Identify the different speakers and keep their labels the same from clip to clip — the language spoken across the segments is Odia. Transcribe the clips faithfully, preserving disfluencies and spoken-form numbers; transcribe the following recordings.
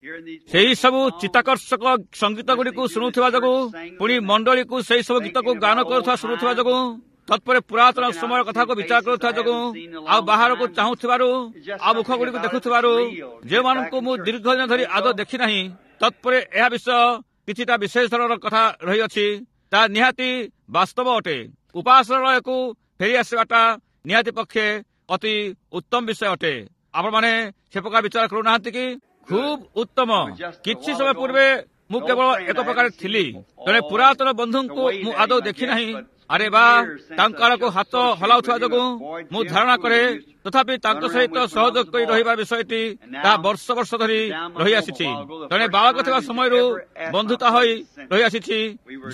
Speaker 1: ସେହି ସବୁ ଚିତ୍ତାକର୍ଷକ ସଙ୍ଗୀତ ଗୁଡ଼ିକୁ ଶୁଣୁଥିବା ଯୋଗୁଁ, ପୁଣି ମଣ୍ଡଳୀକୁ ସେହି ସବୁ ଗୀତକୁ ଗାନ କରୁଥିବା ଶୁଣୁଥିବା ଯୋଗୁଁ, ତତ୍ପରେ ପୁରାତନ ସମୟ କଥାକୁ ବିଚାର କରୁଥିବା ଯୋଗୁଁ, ଆଉ ବାହାରକୁ ଚାହୁଁଥିବାରୁ, ଆଉ ମୁଖ ଗୁଡ଼ିକୁ ଦେଖୁଥିବାରୁ ଯେଉଁମାନଙ୍କୁ ମୁଁ ଦୀର୍ଘ ଦିନ ଧରି ଆଦୌ ଦେଖିନାହିଁ, ତତ୍ପରେ ଏହା ବିଷୟ କିଛିଟା ବିଶେଷ ଧରଣର କଥା ରହିଅଛି। ତାହା ନିହାତି ବାସ୍ତବ ଅଟେ। ଉପାସନାଳୟକୁ ଫେରି ଆସିବାଟା ନିହାତି ପକ୍ଷେ ଅତି ଉତ୍ତମ ବିଷୟ ଅଟେ। ଆପଣମାନେ ସେ ପ୍ରକାର ବିଚାର କରୁନାହାନ୍ତି କି? ଖୁବ୍ ଉତ୍ତମ। କିଛି ସମୟ ପୂର୍ବେ ମୁଁ କେବଳ ଏକ ପ୍ରକାର ଥିଲି। ଜଣେ ପୁରାତନ ବନ୍ଧୁଙ୍କୁ ମୁଁ ଆଦୌ ଦେଖିନାହିଁ। ଆରେ ବା, ତାଙ୍କ ଆଡ଼କୁ ହାତ ହଲାଉଥିବା ଯୋଗୁଁ ମୁଁ ଧାରଣା କରେ, ତଥାପି ତାଙ୍କ ସହିତ ସହଯୋଗ କରି ରହିବା ବିଷୟଟି ତାହା ବର୍ଷ ବର୍ଷ ଧରି ରହିଆସିଛି। ଜଣେ ବାଳକ ଥିବା ସମୟରୁ ବନ୍ଧୁତା ହୋଇ ରହିଆସିଛି।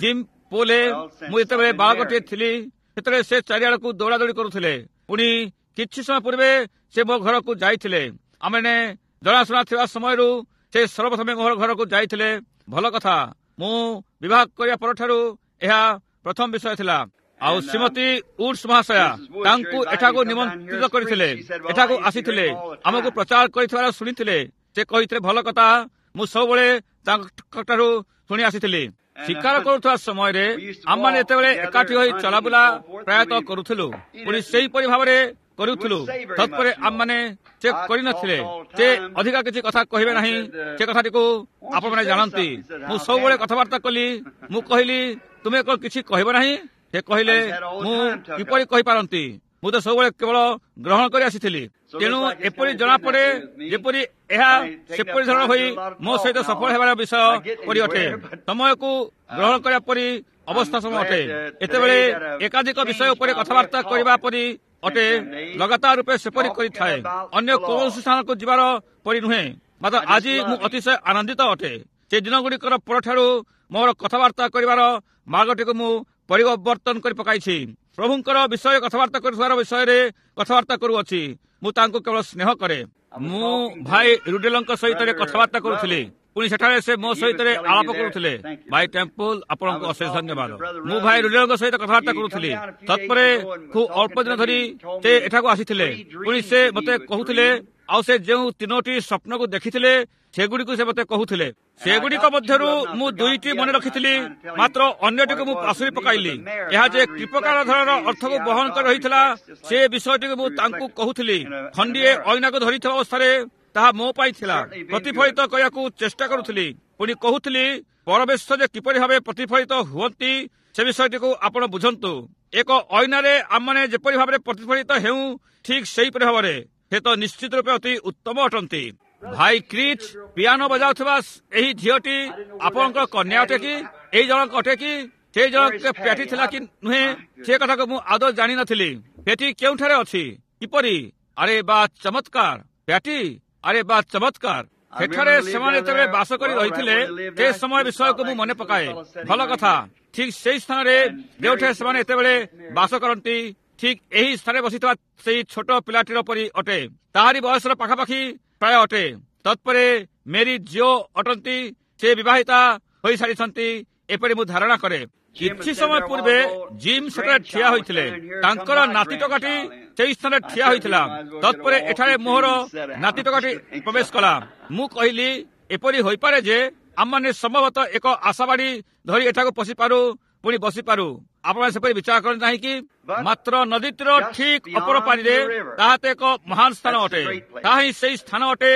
Speaker 1: ଜିମ୍ ପୋଲେ, ମୁଁ ଯେତେବେଳେ ବାଳକଟିଏ ଥିଲି ସେତେବେଳେ ସେ ଚାରିଆଡ଼କୁ ଦୌଡ଼ାଦୌଡ଼ି କରୁଥିଲେ। ପୁଣି କିଛି ସମୟ ପୂର୍ବେ ସେ ମୋ ଘରକୁ ଯାଇଥିଲେ। ଆମେ ଜଣାଶୁଣା ଥିବା ସମୟରୁ ସେ ସର୍ବପ୍ରଥମେ ମୋର ଘରକୁ ଯାଇଥିଲେ। ଭଲ କଥା, ମୁଁ ବିବାହ କରିବା ପରଠାରୁ ଏହା ପ୍ରଥମ ବିଷୟ ଥିଲା। ଆଉ ଶ୍ରୀମତୀ ଉଡ୍ସ ମହାଶୟା ତାଙ୍କୁ ଏଠାକୁ ନିମନ୍ତ୍ରିତ କରିଥିଲେ, ଏଠାକୁ ଆସିଥିଲେ, ଆମକୁ ପ୍ରଚାର କରିଥିବାର ଶୁଣିଥିଲେ। ସେ କହିଥିଲେ, ଭଲ କଥା, ମୁଁ ସବୁବେଳେ ତାଙ୍କଠାରୁ ଶୁଣି ଆସିଥିଲି। ଶିକାର କରୁଥିବା ସମୟରେ ଆମମାନେ ଯେତେବେଳେ ଏକାଠି ହୋଇ ଚଲାବୁଲା ପ୍ରାୟତଃ କରୁଥିଲୁ, ପୁଣି ସେହିପରି ଭାବରେ କରୁଥିଲୁ। ତତ୍ପରେ ଆମମାନେ ସେ କରିନଥିଲେ, ସେ ଅଧିକା କିଛି କଥା କହିବେ ନାହିଁ, ସେ କଥାଟିକୁ ଆପଣମାନେ ଜାଣନ୍ତି। ମୁଁ ସବୁବେଳେ କଥାବାର୍ତ୍ତା କଲି। ମୁଁ କହିଲି, ତୁମେ କଣ କିଛି କହିବ ନାହିଁ? ସେ କହିଲେ, ମୁଁ କିପରି କହିପାରନ୍ତି? ମୁଁ ତ ସବୁବେଳେ କେବଳ ଗ୍ରହଣ କରି ଆସିଥିଲି। ତେଣୁ ଏପରି ଜଣାପଡେ ଯେପରି ଏହା ସେପରି ଧରଣ ହୋଇ ମୋ ସହିତ ସଫଳ ହେବାର ବିଷୟ ପରି ଅଟେ, ସମୟକୁ ଗ୍ରହଣ କରିବା ପରି ଅବସ୍ଥା ସମୟ ଅଟେ। ଏତେବେଳେ ଏକାଧିକ ବିଷୟ ଉପରେ କଥାବାର୍ତ୍ତା କରିବା ପରି ଅଟେ, ଲଗାତାର ରୂପେ ସେପରି କରିଥାଏ, ଅନ୍ୟ କୌଣସି ସ୍ଥାନକୁ ଯିବାର ପରି ନୁହେଁ। ମାତ୍ର ଆଜି ମୁଁ ଅତିଶୟ ଆନନ୍ଦିତ ଅଟେ। ସେ ଦିନଗୁଡ଼ିକର ପରଠାରୁ ମୋର କଥାବାର୍ତ୍ତା କରିବାର ମାର୍ଗଟିକୁ ମୁଁ ପରିବର୍ତ୍ତନ କରି ପକାଇଛି। ପ୍ରଭୁଙ୍କର ବିଷୟ କଥାବାର୍ତ୍ତା କରୁଥିବାର ବିଷୟରେ କଥାବାର୍ତ୍ତା କରୁଅଛି। ମୁଁ ତାଙ୍କୁ କେବଳ ସ୍ନେହ କରେ। ମୁଁ ଭାଇ ରୁଡେଲଙ୍କ ସହିତ କଥାବାର୍ତ୍ତା କରୁଥିଲି, ପୁଣି ସେଠାରେ ସେ ମୋ ସହିତ ଆଳାପ କରୁଥିଲେ। ଭାଇ ଟେମ୍ପଲ, ଆପଣଙ୍କୁ ଅଶେଷ ଧନ୍ୟବାଦ। ମୁଁ ଭାଇ ରୁଡେଲଙ୍କ ସହିତ କଥାବାର୍ତ୍ତା କରୁଥିଲି। ତତ୍ପରେ ଖୁବ୍ ଅଳ୍ପ ଦିନ ଧରି ସେ ଏଠାକୁ ଆସିଥିଲେ। ପୁଣି ସେ ମୋତେ କହୁଥିଲେ, ଆଉ ସେ ଯେଉଁ ତିନୋଟି ସ୍ୱପ୍ନକୁ ଦେଖିଥିଲେ ସେଗୁଡ଼ିକୁ ସେ ମୋତେ କହୁଥିଲେ। ସେଗୁଡ଼ିକ ମଧ୍ୟରୁ ମୁଁ ଦୁଇଟି ମନେ ରଖିଥିଲି, ମାତ୍ର ଅନ୍ୟଟିକୁ ମୁଁ ପାଶୋରି ପକାଇଲି। ଏହା ଯେ କି ପ୍ରକାର ଧରଣର ଅର୍ଥକୁ ବହନ କରି ରହିଥିଲା ସେ ବିଷୟଟିକୁ ମୁଁ ତାଙ୍କୁ କହୁଥିଲି। ଖଣ୍ଡିଏ ଅଇନାକୁ ଧରିଥିବା ଅବସ୍ଥାରେ ତାହା ମୋ ପାଇଁ ଥିଲା। ପ୍ରତିଫଳିତ କରିବାକୁ ଚେଷ୍ଟା କରୁଥିଲି। ପୁଣି କହୁଥିଲି, ପରମେଶ୍ୱର ଯେ କିପରି ଭାବେ ପ୍ରତିଫଳିତ ହୁଅନ୍ତି ସେ ବିଷୟଟିକୁ ଆପଣ ବୁଝନ୍ତୁ। ଏକ ଅଇନାରେ ଆମମାନେ ଯେପରି ଭାବରେ ପ୍ରତିଫଳିତ ହେଉ, ଠିକ୍ ସେହିପରି ଭାବରେ ସେ ତ ନିଶ୍ଚିତ ରୂପେ ଅତି ଉତ୍ତମ ଅଟନ୍ତି। ଭାଇ କ୍ରିଚ୍, ପିଆନୋ ବଜାଉଥିବା ଏହି ଝିଅଟି ଆପଣଙ୍କ କନ୍ୟା ଅଟେ କି? ଏଇ ଜଣକ ଅଟେ କି? ସେଇ ଜଣକ ପ୍ୟାଟି ଥିଲା କି ନୁହେଁ, ସେ କଥାକୁ ମୁଁ ଆଦୌ ଜାଣିନଥିଲି। ପ୍ୟାଟି କେଉଁଠାରେ ଅଛି? କିପରି? ଆରେ ବା ଚମତ୍କାର! ପ୍ୟାଟି, ଆରେ ବା ଚମତ୍କାର! ସେଠାରେ ସେମାନେ ଯେତେବେଳେ ବାସ କରି ରହିଥିଲେ ସେ ସମୟ ବିଷୟକୁ ମୁଁ ମନେ ପକାଏ। ଭଲ କଥା, ଠିକ୍ ସେଇ ସ୍ଥାନରେ ଯେଉଁଠାରେ ସେମାନେ ଏତେବେଳେ ବାସ କରନ୍ତି, ଠିକ୍ ଏହି ସ୍ଥାନରେ ବସିଥିବା ସେଇ ଛୋଟ ପିଲାଟିର ପରି ଅଟେ। ତାହାରି ବୟସର ପାଖାପାଖି ପ୍ରାୟ ଅଟେ। ତତ୍ପରେ ମେରି ଜିଓ ଅଟନ୍ତି, ସେ ବିବାହିତା ହୋଇସାରିଛନ୍ତି ଏପରି ମୁଁ ଧାରଣା କରେ। କିଛି ସମୟ ପୂର୍ବେ ଜିମ୍ ସେଠାରେ ଠିଆ ହୋଇଥିଲେ। ତାଙ୍କର ନାତି ଟୋକାଟି ସେଇ ସ୍ଥାନରେ ଠିଆ ହୋଇଥିଲା। ତତ୍ପରେ ଏଠାରେ ମୋହର ନାତି ଟୋକାଟି ପ୍ରବେଶ କଲା। ମୁଁ କହିଲି, ଏପରି ହୋଇପାରେ ଯେ ଆମମାନେ ସମ୍ଭବତଃ ଏକ ଆଶାବାଡି ଧରି ଏଠାକୁ ପଶିପାରୁ, ପୁଣି ବସିପାରୁ। ଆପଣ ସେପରି ବିଚାର କରନ୍ତି ନାହିଁ କି? ମାତ୍ର ନଦୀଟିର ଠିକ୍ ଅପର ପାରିରେ ତାହା ତ ଏକ ମହାନ ସ୍ଥାନ ଅଟେ। ତାହା ହିଁ ସେଇ ସ୍ଥାନ ଅଟେ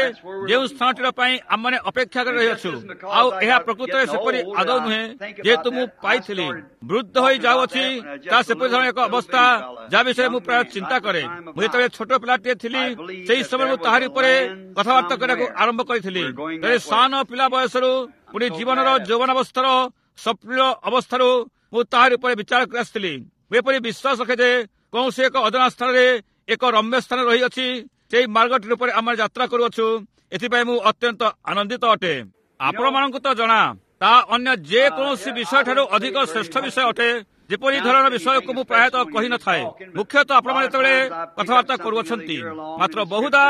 Speaker 1: ଯେଉଁ ସ୍ଥାନଟିର ପାଇଁ ଆମମାନେ ଅପେକ୍ଷା କରି ରହିଅଛୁ। ଆଉ ଏହା ପ୍ରକୃତରେ ସେପରି ଆଦୌ ନୁହେଁ, ଯେହେତୁ ମୁଁ ପାଇଥିଲି ବୃଦ୍ଧ ହୋଇ ଯାଉଅଛି, ତାହା ସେପରି ଧରଣର ଏକ ଅବସ୍ଥା ଯାହା ବିଷୟରେ ମୁଁ ପ୍ରାୟ ଚିନ୍ତା କରେ। ମୁଁ ଯେତେବେଳେ ଛୋଟ ପିଲାଟିଏ ଥିଲି ସେହି ସମୟରେ ମୁଁ ତାହାରି ଉପରେ କଥାବାର୍ତ୍ତା କରିବାକୁ ଆରମ୍ଭ କରିଥିଲି। ତେବେ ସାନ ପିଲା ବୟସରୁ ପୁଣି ଜୀବନର ଯୌବନାବସ୍ଥାର ସକ୍ରିୟ ଅବସ୍ଥାରୁ ମୁଁ ତାହାରି ଉପରେ ବିଚାର କରି ଆସିଥିଲି। ମୁଁ ଏପରି ବିଶ୍ୱାସ ରଖେ ଯେ କୌଣସି ଏକ ଅଜଣା ସ୍ଥାନରେ ଏକ ରମ୍ୟ ସ୍ଥାନ ରହିଅଛି। ସେଇ ମାର୍ଗଟି ଉପରେ ଆମେ ଯାତ୍ରା କରୁଅଛୁ। ଏଥିପାଇଁ ମୁଁ ଅତ୍ୟନ୍ତ ଆନନ୍ଦିତ ଅଟେ। ଆପଣମାନଙ୍କୁ ତ ଜଣା, ତାହା ଅନ୍ୟ ଯେକୌଣସି ବିଷୟଠାରୁ ଅଧିକ ଶ୍ରେଷ୍ଠ ବିଷୟ ଅଟେ। ଯେପରି ଧରଣର ବିଷୟକୁ ମୁଁ ପ୍ରାୟତଃ କହିନଥାଏ, ମୁଖ୍ୟତଃ ଆପଣମାନେ ଯେତେବେଳେ କଥାବାର୍ତ୍ତା କରୁଅଛନ୍ତି। ମାତ୍ର ବହୁଦା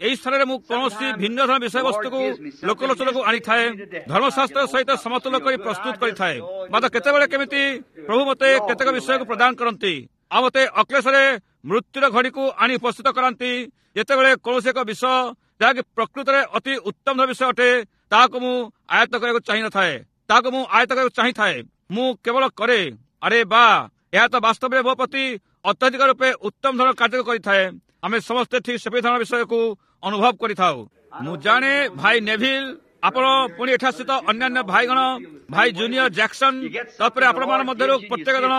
Speaker 1: ଏହି ସ୍ଥାନରେ ମୁଁ କୌଣସି ଭିନ୍ନ ଧରଣ ବିଷୟବସ୍ତୁକୁ ଲୋକଲୋଚନକୁ ଆଣିଥାଏ, ଧର୍ମଶାସ୍ତ୍ର ସହିତ ସମତୁଲ କରି ପ୍ରସ୍ତୁତ କରିଥାଏ। ମାତ୍ର କେତେବେଳେ କେମିତି ପ୍ରଭୁ ମୋତେ କେତେକ ବିଷୟକୁ ପ୍ରଦାନ କରନ୍ତି, ଆଉ ମୋତେ ଅକ୍ଲେଶରେ ମୃତ୍ୟୁର ଘଡ଼ିକୁ ଆଣି ଉପସ୍ଥିତ କରାନ୍ତି, ଯେତେବେଳେ କୌଣସି ଏକ ବିଷୟ ଯାହାକି ପ୍ରକୃତରେ ଅତି ଉତ୍ତମ ବିଷୟ ଅଟେ, ତାହାକୁ ମୁଁ ଆୟତ୍ତ କରିବାକୁ ଚାହିଁନଥାଏ, ତାହାକୁ ମୁଁ ଆୟତ୍ତ କରିବାକୁ ଚାହିଁଥାଏ। ମୁଁ କେବଳ କରେ। ଆରେ ବା, ଏହା ତ ବାସ୍ତବରେ ମୋ ପ୍ରତି ଅତ୍ୟଧିକ ରୂପେ ଉତ୍ତମ ଧରଣର କାର୍ଯ୍ୟ କରିଥାଏ। ଆମେ ସମସ୍ତେ ଠିକ୍ ସେପରି ଧରଣର ବିଷୟକୁ ଅନୁଭବ କରିଥାଉ। ମୁଁ ଜାଣେ ଭାଇ ନେଭିଲ, ଆପଣ ପୁଣି ଏଠାସ୍ଥିତ ଅନ୍ୟାନ୍ୟ ଭାଇଗଣ, ଭାଇ ଜୁନିୟର ଜ୍ୟାକ୍ସନ, ତାପରେ ଆପଣମାନଙ୍କ ମଧ୍ୟରୁ ପ୍ରତ୍ୟେକ ଜଣ,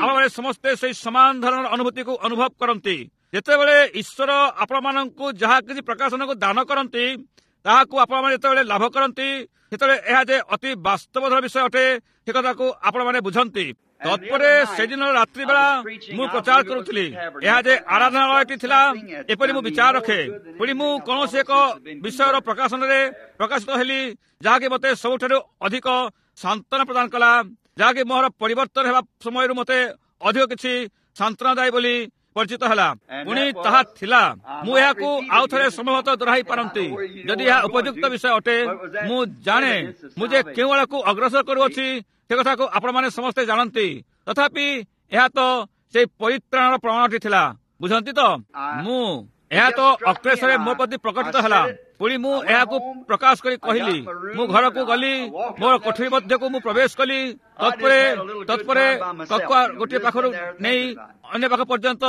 Speaker 1: ଆପଣମାନେ ସମସ୍ତେ ସେଇ ସମାନ ଧରଣର ଅନୁଭୂତିକୁ ଅନୁଭବ କରନ୍ତି। ଯେତେବେଳେ ଈଶ୍ୱର ଆପଣମାନଙ୍କୁ ଯାହା କିଛି ପ୍ରକାଶନକୁ ଦାନ କରନ୍ତି, ତାହାକୁ ଆପଣମାନେ ଯେତେବେଳେ ଲାଭ କରନ୍ତି, ସେତେବେଳେ ଏହା ଯେ ଅତି ବାସ୍ତବ ଧରଣର ବିଷୟ ଅଟେ, ସେ କଥାକୁ ଆପଣମାନେ ବୁଝନ୍ତି। ତତ୍ପରେ ସେଦିନ ରାତ୍ରି ବେଳା ମୁଁ ପ୍ରଚାର କରୁଥିଲି। ଏହା ଯେ ଆରାଧନାଳୟଟି ଥିଲା, ଏପରି ମୁଁ ବିଚାର ରଖେ। ପୁଣି ମୁଁ କୌଣସି ଏକ ବିଷୟର ପ୍ରକାଶନରେ ପ୍ରକାଶିତ ହେଲି, ଯାହାକି ମୋତେ ସବୁଠାରୁ ଅଧିକ ସାନ୍ତ୍ୱନା ପ୍ରଦାନ କଲା, ଯାହାକି ମୋର ପରିବର୍ତ୍ତନ ହେବା ସମୟରୁ ମୋତେ ଅଧିକ କିଛି ସାନ୍ତ୍ୱନାଦାୟୀ ବୋଲି ପରିଚିତ ହେଲା। ପୁଣି ତାହା ଥିଲା, ମୁଁ ଏହାକୁ ଆଉ ଥରେ ସମ୍ଭବତଃ ଦୋହରାଇ ପାରନ୍ତି ଯଦି ଏହା ଉପଯୁକ୍ତ ବିଷୟ ଅଟେ। ମୁଁ ଜାଣେ ମୁଁ ଯେ କେଉଁ ଆଡ଼କୁ ଅଗ୍ରସର କରୁଅଛି, ସେ କଥାକୁ ଆପଣମାନେ ସମସ୍ତେ ଜାଣନ୍ତି। ତଥାପି ଏହା ତ ସେଇ ପରିତ୍ରାଣର ପ୍ରମାଣଟି ଥିଲା, ବୁଝନ୍ତି ତ? ମୁଁ ଏହା ତ ଅକ୍ଲେଶରେ ମୋ ପ୍ରତି ପ୍ରକଟିତ ହେଲା। ପୁଣି ମୁଁ ଏହାକୁ ପ୍ରକାଶ କରି କହିଲି। ମୁଁ ଘରକୁ ଗଲି, ମୋର କୋଠରୀ ମଧ୍ୟକୁ ମୁଁ ପ୍ରବେଶ କଲି। ତତ୍ପରେ ତତ୍ପରେ କକ୍ୱା ଗୋଟିଏ ପାଖରୁ ନେଇ ଅନ୍ୟ ପାଖ ପର୍ଯ୍ୟନ୍ତ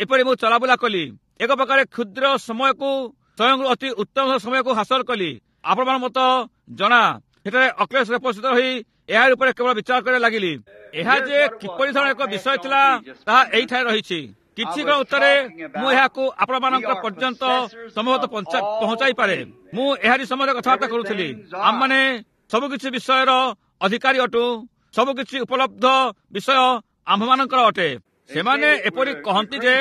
Speaker 1: ଏପରି ମୁଁ ଚଲାବୁଲା କଲି। ଏକ ପ୍ରକାର କ୍ଷୁଦ୍ର ସମୟକୁ ସ୍ୱୟଂ ଅତି ଉତ୍ତମ ସମୟକୁ ହାସଲ କଲି। ଆପଣମାନ ମତ ଜଣା, ସେଠାରେ ଅକ୍ଲେଶରେ ଉପସ୍ଥିତ ରହି ଏହା ଉପରେ କେବଳ ବିଚାର କରିବା ଲାଗିଲି। ଏହା ଯେ କିପରି ଧରଣର ଏକ ବିଷୟ ଥିଲା, ତାହା ଏଇଠାରେ ରହିଛି। କିଛି କ୍ଷଣ ଉତ୍ତରେ ମୁଁ ଏହାକୁ ଆପଣମାନଙ୍କ ପର୍ଯ୍ୟନ୍ତ ସମ୍ଭବତଃ ପହଞ୍ଚାଇ ପାରେ। ମୁଁ ଏହାରି ସମୟରେ କଥାବାର୍ତ୍ତା କରୁଥିଲି। ଆମମାନେ ସବୁକିଛି ବିଷୟର ଅଧିକାରୀ ଅଟୁ, ସବୁକିଛି ଉପଲବ୍ଧ ବିଷୟ ଆମ୍ଭମାନଙ୍କର ଅଟେ। ସେମାନେ ଏପରି କହନ୍ତି ଯେ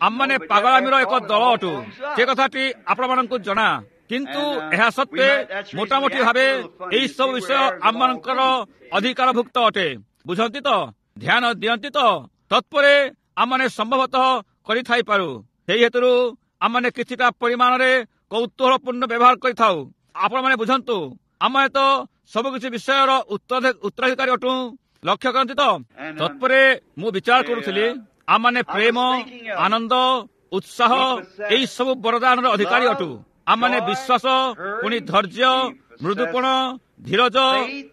Speaker 1: ଆମମାନେ ପାଗଳାମୀର ଏକ ଦଳ ଅଟୁ। ସେ କଥାଟି ଆପଣମାନଙ୍କୁ ଜଣା, କିନ୍ତୁ ଏହା ସତ୍ତ୍ୱେ ମୋଟାମୋଟି ଭାବେ ଏହି ସବୁ ବିଷୟ ଆମମାନଙ୍କର ଅଧିକାରଭୁକ୍ତ ଅଟେ, ବୁଝନ୍ତି ତ? ଧ୍ୟାନ ଦିଅନ୍ତି ତ? ତତ୍ପରେ ଆମମାନେ ସମ୍ଭବତଃ କରିଥାଇପାରୁ। ସେହି ହେତୁରୁ ଆମମାନେ କିଛିଟା ପରିମାଣରେ କୌତୂହଳପୂର୍ଣ୍ଣ ବ୍ୟବହାର କରିଥାଉ। ଆପଣମାନେ ବୁଝନ୍ତୁ, ଆମମାନେ ତ ସବୁକିଛି ବିଷୟର ଉତ୍ତରାଧିକାରୀ ଅଟୁ, ଲକ୍ଷ୍ୟ କରନ୍ତି ତ? ତତ୍ପରେ ମୁଁ ବିଚାର କରୁଥିଲି, ଆମମାନେ ପ୍ରେମ, ଆନନ୍ଦ, ଉତ୍ସାହ ଏହି ସବୁ ବରଦାନର ଅଧିକାରୀ ଅଟୁ। ଆମମାନେ ବିଶ୍ୱାସ, ପୁଣି ଧୈର୍ଯ୍ୟ, ମୃଦୁପଣ, ଧୀରଜ,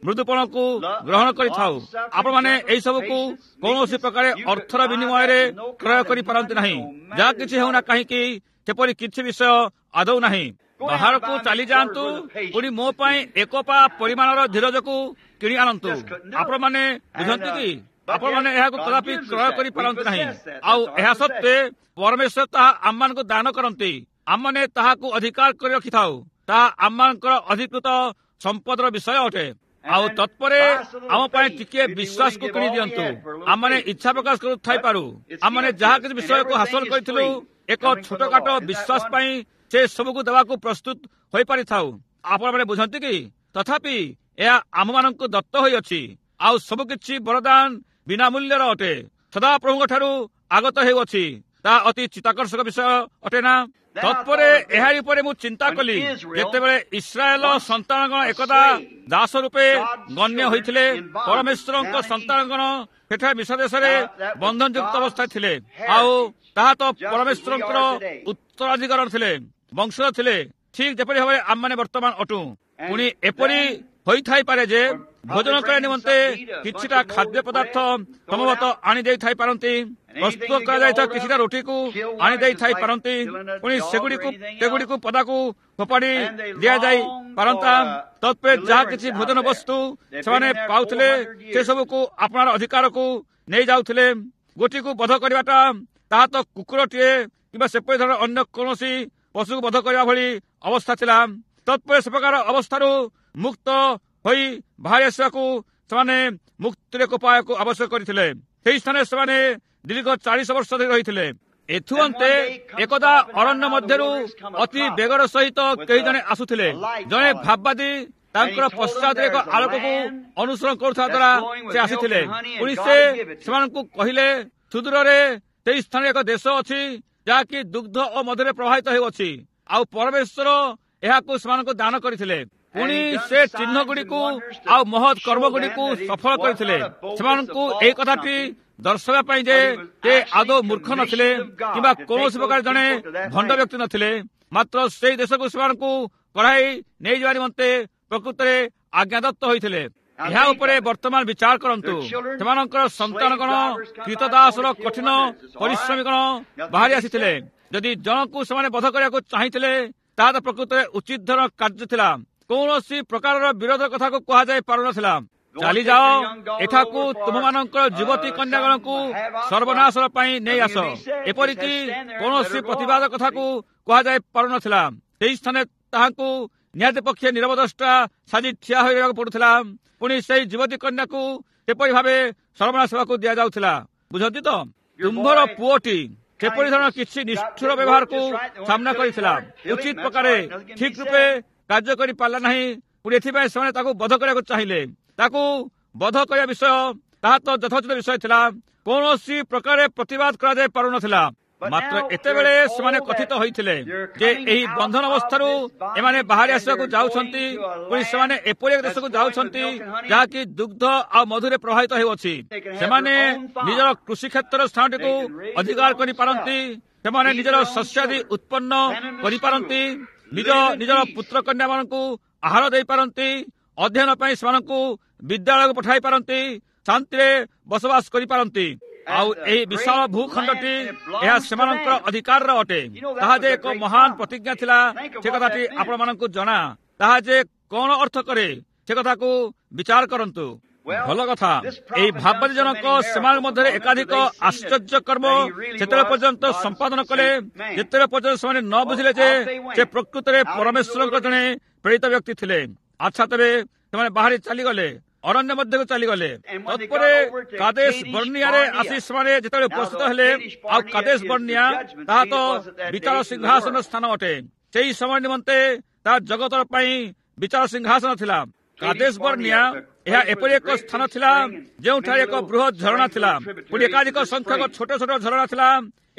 Speaker 1: ମୃଦୁପଣକୁ ଗ୍ରହଣ କରିଥାଉ। ଆପଣମାନେ ଏହି ସବୁକୁ କୌଣସି ପ୍ରକାର ଅର୍ଥର ବିନିମୟରେ କ୍ରୟ କରିପାରନ୍ତି ନାହିଁ। ଯାହା କିଛି ହେଉନା କାହିଁକି, ସେପରି କିଛି ବିଷୟ ଆଦୌ ନାହିଁ। ବାହାରକୁ ଚାଲିଯାଆନ୍ତୁ, ପୁଣି ମୋ ପାଇଁ ଏକ ପା ପରିମାଣର ଧୀରଜକୁ କିଣି ଆଣନ୍ତୁ। ଆପଣମାନେ ବୁଝନ୍ତି କି? ଆପଣମାନେ ଏହାକୁ କଦାପି କ୍ରୟ କରିପାରନ୍ତି ନାହିଁ। ଆଉ ଏହା ସତ୍ତ୍ୱେ ପରମେଶ୍ୱର ତାହା ଆମମାନଙ୍କୁ ଦାନ କରନ୍ତି। ଆମମାନେ ତାହାକୁ ଅଧିକାର କରି ରଖିଥାଉ। ତାହା ଆମମାନଙ୍କର ଅଧିକୃତ ସମ୍ପଦର ବିଷୟ ଅଟେ। ଆଉ ତତ୍ପରେ ଆମ ପାଇଁ ଟିକିଏ ବିଶ୍ୱାସକୁ କିଣି ଦିଅନ୍ତୁ। ଆମମାନେ ଇଚ୍ଛା ପ୍ରକାଶ କରୁଥାଇପାରୁ, ଆମମାନେ ଯାହା କିଛି ବିଷୟକୁ ହାସଲ କରିଥିଲୁ ଏକ ଛୋଟକାଟ ବିଶ୍ୱାସ ପାଇଁ ସେ ସବୁକୁ ଦେବାକୁ ପ୍ରସ୍ତୁତ ହୋଇପାରିଥାଉ। ଆପଣମାନେ ବୁଝନ୍ତି କି? ତଥାପି ଏହା ଆମମାନଙ୍କୁ ଦତ୍ତ ହୋଇଅଛି। ଆଉ ସବୁକିଛି ବରଦାନ ବିନା ମୂଲ୍ୟର ଅଟେ, ସଦାପ୍ରଭୁଙ୍କ ଠାରୁ ଆଗତ ହେଉଅଛି। ତାହା ଅତି ଚିତ୍ତାକର୍ଷକ ବିଷୟ ଅଟେ ନା? ତତ୍ପରେ ଏହାରି ଉପରେ ମୁଁ ଚିନ୍ତା କଲି, ଯେତେବେଳେ ଇସ୍ରାଏଲ ସନ୍ତାନଗଣ ଏକଦା ଦାସ ରୂପେ ଗଣ୍ୟ ହୋଇଥିଲେ, ପରମେଶ୍ୱରଙ୍କ ସନ୍ତାନଗଣ ସେଠାରେ ମିଶ୍ର ଦେଶରେ ବନ୍ଧନଯୁକ୍ତ ଅବସ୍ଥାରେ ଥିଲେ। ଆଉ ତାହା ତ ପରମେଶ୍ୱରଙ୍କର ଉତ୍ତରାଧିକାର ଥିଲେ, ବଂଶର ଥିଲେ, ଠିକ ଯେପରି ଭାବରେ ଆମମାନେ ବର୍ତ୍ତମାନ ଅଟୁ। ପୁଣି ଏପରି ହୋଇଥାଇପାରେ ଯେ ଭୋଜନ କରିବା ନିମନ୍ତେ କିଛିଟା ଖାଦ୍ୟ ପଦାର୍ଥ ସମ୍ଭବତଃ ଆଣି ଦେଇଥାଇ ପାରନ୍ତି, ପ୍ରସ୍ତୁତ କରାଯାଇଥିବା କିଛିଟା ରୁଟିକୁ ଆଣି ଦେଇଥାଇ ପାରନ୍ତି, ପୁଣି ସେଗୁଡ଼ିକୁ ସେଗୁଡ଼ିକୁ ପଦାକୁ ଫୋପାଡ଼ି ଦିଆଯାଇ ପାରନ୍ତା। ତତ୍ପରେ ଯାହା କିଛି ଭୋଜନ ବସ୍ତୁ ସେମାନେ ପାଉଥିଲେ, ସେସବୁକୁ ଆପଣାର ଅଧିକାରକୁ ନେଇଯାଉଥିଲେ। ଗୋଟିକୁ ବଧ କରିବାଟା ତାହା ତ କୁକୁରଟିଏ କିମ୍ବା ସେପରି ଧରଣର ଅନ୍ୟ କୌଣସି ପଶୁକୁ ବଧ କରିବା ଭଳି ଅବସ୍ଥା ଥିଲା। ତତ୍ପରେ ସେ ପ୍ରକାର ଅବସ୍ଥାରୁ ମୁକ୍ତ ହୋଇ ବାହାରି ଆସିବାକୁ ସେମାନେ ମୁକ୍ତିର ଏକ ଉପାୟକୁ ଆବଶ୍ୟକ କରିଥିଲେ। ସେହି ସ୍ଥାନରେ ସେମାନେ ଦୀର୍ଘ ଚାଳିଶ ବର୍ଷ ଧରି ରହିଥିଲେ। ଏଥୁ ଅନ୍ତେ ଏକଦା ଅରଣ୍ୟ ମଧ୍ୟରୁ ଅତି ବେଗର ସହିତ କେହି ଜଣେ ଆସୁଥିଲେ। ଜଣେ ଭାବବାଦୀ ତାଙ୍କର ପଶ୍ଚାତରେ ଏକ ଆଲୋକକୁ ଅନୁସରଣ କରୁଥିବା ଦ୍ୱାରା ସେ ଆସିଥିଲେ। ପୁଣି ସେ ସେମାନଙ୍କୁ କହିଲେ, ସୁଦୂରରେ ସେହି ସ୍ଥାନରେ ଏକ ଦେଶ ଅଛି, ଯାହାକି ଦୁଗ୍ଧ ଓ ମଧ୍ୟରେ ପ୍ରବାହିତ ହେଉଅଛି। ଆଉ ପରମେଶ୍ୱର ଏହାକୁ ସେମାନଙ୍କୁ ଦାନ କରିଥିଲେ। ପୁଣି ସେ ଚିହ୍ନ ଗୁଡ଼ିକୁ ଆଉ ମହତ୍ କର୍ମ ଗୁଡ଼ିକୁ ସଫଳ କରିଥିଲେ, ସେମାନଙ୍କୁ ଏହି କଥାଟି ଦର୍ଶାଇବା ପାଇଁ ଯେ ସେ ଆଦୌ ମୂର୍ଖ ନଥିଲେ କିମ୍ବା କୌଣସି ପ୍ରକାର ଜଣେ ଭଣ୍ଡ ବ୍ୟକ୍ତି ନଥିଲେ, ମାତ୍ର ସେଇ ଦେଶକୁ ସେମାନଙ୍କୁ କଢ଼ାଇ ନେଇଯିବା ନିମନ୍ତେ ପ୍ରକୃତରେ ଆଜ୍ଞାଦତ୍ତ ହୋଇଥିଲେ। ଏହା ଉପରେ ବର୍ତ୍ତମାନ ବିଚାର କରନ୍ତୁ। ସେମାନଙ୍କର ସନ୍ତାନଗଣ କ୍ରୀତଦାସର କଠିନ ପରିଶ୍ରମୀଗଣ ବାହାରି ଆସିଥିଲେ। ଯଦି ଜଣକୁ ସେମାନେ ବଧ କରିବାକୁ ଚାହିଁଥିଲେ, ତାହା ତ ପ୍ରକୃତରେ ଉଚିତ ଧରଣ କାର୍ଯ୍ୟ ଥିଲା। କୌଣସି ପ୍ରକାରର ବିରୋଧ କଥାକୁ କୁହାଯାଇ ପାରୁନଥିଲା। ଚାଲିଯାଅ, ଏଠାକୁ ତୁମମାନଙ୍କର ଯୁବତୀ କନ୍ୟାଗଣକୁ ସର୍ବନାଶ ପାଇଁ ନେଇ ଆସ, ଏପରିକି କୌଣସି ପ୍ରତିବାଦ କଥାକୁ କୁହାଯାଇ ପାରୁନଥିଲା। ସେହି ସ୍ଥାନରେ ତାହାଙ୍କୁ ନିହାତି ପକ୍ଷେ ନିରବଦ୍ରଷ୍ଟା ସାଜି ଠିଆ ହୋଇ ରହିବାକୁ ପଡୁଥିଲା। ପୁଣି ସେଇ ଯୁବତୀ କନ୍ୟାକୁ ସେପରି ଭାବେ ସର୍ବନାଶ ହେବାକୁ ଦିଆଯାଉଥିଲା। ବୁଝନ୍ତି ତ? ତୁମ୍ଭର ପୁଅଟି ସେପରି ଧରଣର କିଛି ନିଷ୍ଠୁର ବ୍ୟବହାରକୁ ସାମ୍ନା କରିଥିଲା। ଉଚିତ ପ୍ରକାରେ ଠିକ ରୂପେ କାର୍ଯ୍ୟ କରି ପାରିଲା ନାହିଁ। ପୁଣି ଏଥିପାଇଁ ସେମାନେ ତାକୁ ବଧ କରିବାକୁ ଚାହିଁଲେ। ତାକୁ ବଧ କରିବା ବିଷୟ ତାହା ତ ଯଥୋଚିତ ବିଷୟ ଥିଲା। କୌଣସି ପ୍ରକାରେ ପ୍ରତିବାଦ କରାଯାଇ ପାରୁନଥିଲା। ମାତ୍ର ଏତେବେଳେ ସେମାନେ କଥିତ ହୋଇଥିଲେ ଯେ ଏହି ବନ୍ଧନ ଅବସ୍ଥାରୁ ଏମାନେ ବାହାରି ଆସିବାକୁ ଯାଉଛନ୍ତି। ପୁଣି ସେମାନେ ଏପରି ଏକ ଦେଶକୁ ଯାଉଛନ୍ତି ଯାହାକି ଦୁଗ୍ଧ ଆଉ ମଧୁରେ ପ୍ରବାହିତ ହେଉଅଛି। ସେମାନେ ନିଜର କୃଷି କ୍ଷେତ୍ରର ସ୍ଥାନଟିକୁ ଅଧିକାର କରିପାରନ୍ତି। ସେମାନେ ନିଜର ଶସ୍ୟାଦି ଉତ୍ପନ୍ନ କରିପାରନ୍ତି। ନିଜ ନିଜର ପୁତ୍ର କନ୍ୟାମାନଙ୍କୁ ଆହାର ଦେଇପାରନ୍ତି। ଅଧ୍ୟୟନ ପାଇଁ ସେମାନଙ୍କୁ ବିଦ୍ୟାଳୟକୁ ପଠାଇ ପାରନ୍ତି। ଶାନ୍ତିରେ ବସବାସ କରିପାରନ୍ତି। ଆଉ ଏହି ବିଶାଳ ଭୂଖଣ୍ଡଟି ଏହା ସେମାନଙ୍କର ଅଧିକାରର ଅଟେ। ତାହା ଯେ ଏକ ମହାନ ପ୍ରତିଜ୍ଞା ଥିଲା, ସେ କଥାଟି ଆପଣମାନଙ୍କୁ ଜଣା। ତାହା ଯେ କଣ ଅର୍ଥ କରେ ସେ କଥାକୁ ବିଚାର କରନ୍ତୁ। ଭଲ କଥା, ଏହି ଭାବବାଦୀ ଜନକ ସେମାନଙ୍କ ମଧ୍ୟରେ ଏକାଧିକ ଆଶ୍ଚର୍ଯ୍ୟ କର୍ମ ସେତେବେଳେ ପର୍ଯ୍ୟନ୍ତ ସମ୍ପାଦନ କଲେ, ଯେତେବେଳେ ପର୍ଯ୍ୟନ୍ତ ସେମାନେ ନ ବୁଝିଲେ ଯେ ସେ ପ୍ରକୃତରେ ପରମେଶ୍ୱରଙ୍କ ଜଣେ ପ୍ରେରିତ ବ୍ୟକ୍ତି ଥିଲେ। ଆଚ୍ଛା, ତେବେ ସେମାନେ ବାହାରି ଚାଲିଗଲେ, ଅରଣ୍ୟ ମଧ୍ୟକୁ ଚାଲିଗଲେ। ତତ୍ପରେ କାଦେଶ ବର୍ଣ୍ଣିଆରେ ଆସି ସେମାନେ ଯେତେବେଳେ ଉପସ୍ଥିତ ହେଲେ, ଆଉ କାଦେଶ ବର୍ଣ୍ଣିଆ ତାହା ତ ବିଚାର ସିଂହାସନ ସ୍ଥାନ ଅଟେ। ସେହି ସମୟ ନିମନ୍ତେ ତାହା ଜଗତର ପାଇଁ ବିଚାର ସିଂହାସନ ଥିଲା। କାଦେଶ ବର୍ଣ୍ଣିଆ ଏହା ଏପରି ଏକ ସ୍ଥାନ ଥିଲା ଯେଉଁଠାରେ ଏକ ବୃହତ ଝରଣା ଥିଲା। ପୁଣି ଏକାଧିକ ସଂଖ୍ୟକ ଛୋଟ ଛୋଟ ଝରଣା ଥିଲା।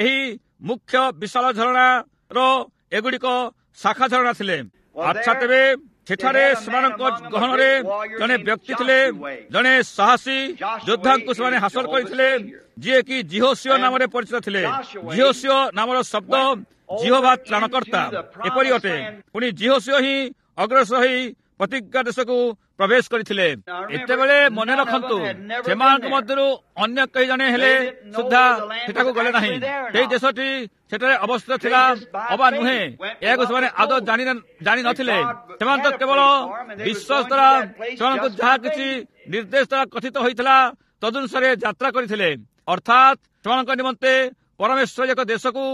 Speaker 1: ଏହି ମୁଖ୍ୟ ବିଶାଳ ଝରଣାର ଏଗୁଡ଼ିକ ଶାଖା ଝରଣା ଥିଲେ। ଆଚ୍ଛା, ତେବେ ସେଠାରେ ସେମାନଙ୍କ ଗହଣରେ ଜଣେ ବ୍ୟକ୍ତି ଥିଲେ, ଜଣେ ସାହସୀ ଯୋଦ୍ଧାଙ୍କୁ ସେମାନେ ହାସଲ କରିଥିଲେ, ଯିଏକି ଜିହୋସିଓ ନାମରେ ପରିଚିତ ଥିଲେ। ଜିହୋସିଓ ନାମର ଶବ୍ଦ ଜିହୋବା ତ୍ରାଣକର୍ତ୍ତା ଏପରି ଅଟେ। ପୁଣି ଜିହୋସିଓ ହିଁ ଅଗ୍ରସର ହୋଇ ପ୍ରତିଜ୍ଞା ଦେଶକୁ ପ୍ରବେଶ କରିଥିଲେ। ଏତେବେଳେ ମନେ ରଖନ୍ତୁ, ସେମାନଙ୍କ ମଧ୍ୟରୁ ଅନ୍ୟ କେହି ଜଣେ ହେଲେ ସୁଦ୍ଧା ସେଠାକୁ ଗଲେ ନାହିଁ। ସେହି ଦେଶଟି ସେଠାରେ ଅବସ୍ଥିତ ଥିଲା ଅବା ନୁହେଁ, ଏହାକୁ ସେମାନେ ଆଦୌ ଜାଣି ଜାଣିନଥିଲେ। ସେମାନେ ତ କେବଳ ବିଶ୍ୱାସ ଦ୍ୱାରା ସେମାନଙ୍କୁ ଯାହା କିଛି ନିର୍ଦ୍ଦେଶ ଦ୍ୱାରା କଥିତ ହୋଇଥିଲା ତଦନୁସାରେ ଯାତ୍ରା କରିଥିଲେ। ଅର୍ଥାତ୍ ସେମାନଙ୍କ ନିମନ୍ତେ ପରମେଶ୍ୱର ଏକ ଦେଶକୁ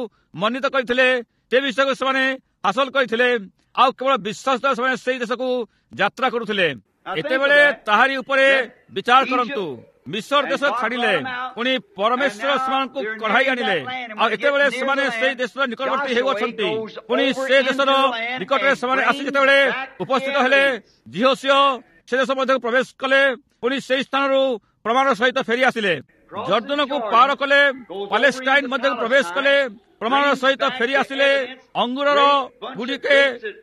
Speaker 1: ମନୋନୀତ କରିଥିଲେ, ସେ ବିଷୟକୁ ସେମାନେ ହାସଲ କରିଥିଲେ। ଆଉ କେବଳ ବିଶ୍ୱାସ ଦ୍ୱାରା ସେମାନେ ସେଇ ଦେଶକୁ ଯାତ୍ରା କରୁଥିଲେ। ଏତେବେଳେ ତାହାରି ଉପରେ ବିଚାର କରନ୍ତୁ। ମିଶର ଦେଶ ଛାଡ଼ିଲେ, ପୁଣି ପରମେଶ୍ୱର ସେମାନଙ୍କୁ କଢ଼ାଇ ଆଣିଲେ। ଆଉ ଏତେବେଳେ ସେମାନେ ସେଇ ଦେଶର ନିକଟବର୍ତ୍ତୀ ହେଉଅଛନ୍ତି। ପୁଣି ସେ ଦେଶର ନିକଟରେ ସେମାନେ ଆସି ଯେତେବେଳେ ଉପସ୍ଥିତ ହେଲେ, ଜିହୋସିଓ ସେ ଦେଶ ମଧ୍ୟକୁ ପ୍ରବେଶ କଲେ। ପୁଣି ସେଇ ସ୍ଥାନରୁ ପ୍ରମାଣ ସହିତ ଫେରି ଆସିଲେ। ଜର୍ଦ୍ଦନକୁ ପାର କଲେ, ପାଲେଷ୍ଟାଇନ ମଧ୍ୟକୁ ପ୍ରବେଶ କଲେ, ପ୍ରମାଣ ସହିତ ଫେରି ଆସିଲେ। ଅଙ୍ଗୁରର ଗୁଡ଼ିକେ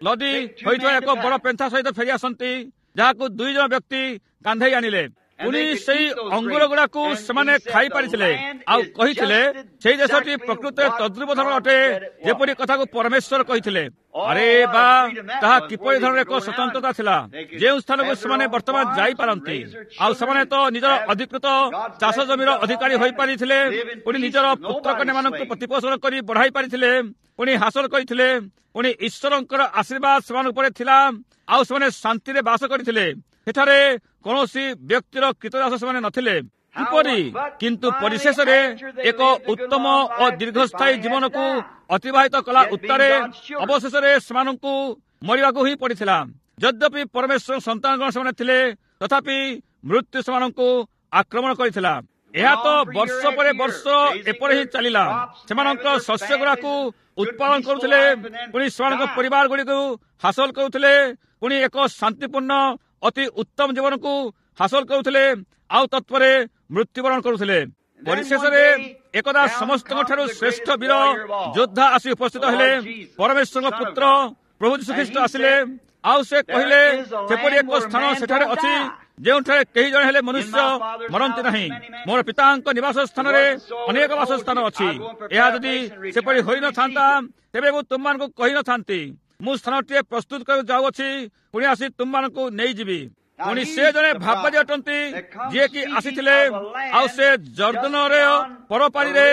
Speaker 1: ଲଦି ହୋଇଥିବା ଏକ ବଡ଼ ପେନ୍ଥା ସହିତ ଫେରି ଆସନ୍ତି, ଯାହାକୁ ଦୁଇ ଜଣ ବ୍ୟକ୍ତି କାନ୍ଧେଇ ଆଣିଲେ। ପୁଣି ସେଇ ଅଙ୍ଗୁର ଗୁଡାକୁ ସେମାନେ ଖାଇପାରିଥିଲେ ଆଉ କହିଥିଲେ ସେଇ ଦେଶଟି ପ୍ରକୃତରେ ତଦ୍ରୂପ ଧରଣ ଅଟେ, ଯେପରି କଥାକୁ ପରମେଶ୍ୱର କହିଥିଲେ। ଆରେ ବା, ତାହା କିପରି ଧରଣର ଏକ ସ୍ୱତନ୍ତ୍ରତା ଥିଲା, ଯେଉଁ ସ୍ଥାନକୁ ସେମାନେ ବର୍ତ୍ତମାନ ଯାଇପାରନ୍ତି। ଆଉ ସେମାନେ ତ ନିଜର ଅଧିକୃତ ଚାଷ ଜମିର ଅଧିକାରୀ ହୋଇପାରିଥିଲେ, ପୁଣି ନିଜର ପୁତ୍ର କନ୍ୟାମାନଙ୍କୁ ପ୍ରତିପୋଷଣ କରି ବଢାଇ ପାରିଥିଲେ, ପୁଣି ହାସଲ କରିଥିଲେ। ପୁଣି ଈଶ୍ୱରଙ୍କର ଆଶୀର୍ବାଦ ସେମାନଙ୍କ ଉପରେ ଥିଲା, ଆଉ ସେମାନେ ଶାନ୍ତିରେ ବାସ କରିଥିଲେ। ସେଠାରେ କୌଣସି ବ୍ୟକ୍ତିର କୃତଦାସ ସେମାନେ ନଥିଲେ। କିପରି? କିନ୍ତୁ ପରିଶେଷରେ ଏକ ଉତ୍ତମ ଓ ଦୀର୍ଘସ୍ଥାୟୀ ଜୀବନକୁ ଅତିବାହିତ କଲା ଉତ୍ତାରେ ଅବଶେଷରେ ସେମାନଙ୍କୁ ମରିବାକୁ ହିଁ ପଡ଼ିଥିଲା। ଯଦ୍ୟପି ପରମେଶ୍ୱର ସନ୍ତାନଗଣ ସେମାନେ ଥିଲେ, ତଥାପି ମୃତ୍ୟୁ ସେମାନଙ୍କୁ ଆକ୍ରମଣ କରିଥିଲା। ଏହା ତ ବର୍ଷ ପରେ ବର୍ଷ ଏପରି ହିଁ ଚାଲିଲା। ସେମାନଙ୍କ ଶସ୍ୟ ଗୁଡାକୁ ଉତ୍ପାଦନ କରୁଥିଲେ, ପୁଣି ସେମାନଙ୍କ ପରିବାର ଗୁଡ଼ିକୁ ହାସଲ କରୁଥିଲେ, ପୁଣି ଏକ ଶାନ୍ତିପୂର୍ଣ୍ଣ ଅତି ଉତ୍ତମ ଜୀବନକୁ ହାସଲ କରୁଥିଲେ, ଆଉ ତତ୍ପରେ ମୃତ୍ୟୁବରଣ କରୁଥିଲେ। ପରିଶେଷରେ ଏକଦା ସମସ୍ତଙ୍କ ଠାରୁ ଶ୍ରେଷ୍ଠ ବୀର ଯୋଦ୍ଧା ଆସି ଉପସ୍ଥିତ ହେଲେ। ପରମେଶ୍ୱରଙ୍କ ପୁତ୍ର ପ୍ରଭୁ ଯୀଶୁଖ୍ରୀଷ୍ଟ ଆସିଲେ, ଆଉ ସେ କହିଲେ, ସେପରି ଏକ ସ୍ଥାନ ସେଠାରେ ଅଛି ଯେଉଁଠାରେ କେହି ଜଣେ ହେଲେ ମନୁଷ୍ୟ ମରନ୍ତି ନାହିଁ। ମୋର ପିତାଙ୍କ ନିବାସ ସ୍ଥାନରେ ଅନେକ ବାସସ୍ଥାନ ଅଛି। ଏହା ଯଦି ସେପରି ହୋଇନଥାନ୍ତା ତେବେ ମୁଁ ତୁମମାନଙ୍କୁ କହିନଥାନ୍ତି। ମୁଁ ସ୍ଥାନଟିଏ ପ୍ରସ୍ତୁତ କରିବାକୁ ଯାଉଅଛି, ପୁଣି ଆସି ତୁମମାନଙ୍କୁ ନେଇଯିବି। ପୁଣି ସେ ଜଣେ ଭାବବାଦୀ ଅଟନ୍ତି ଯିଏକି ଆସିଥିଲେ, ଆଉ ସେ ଜର୍ଦ୍ଦନରେ ପରପାରିରେ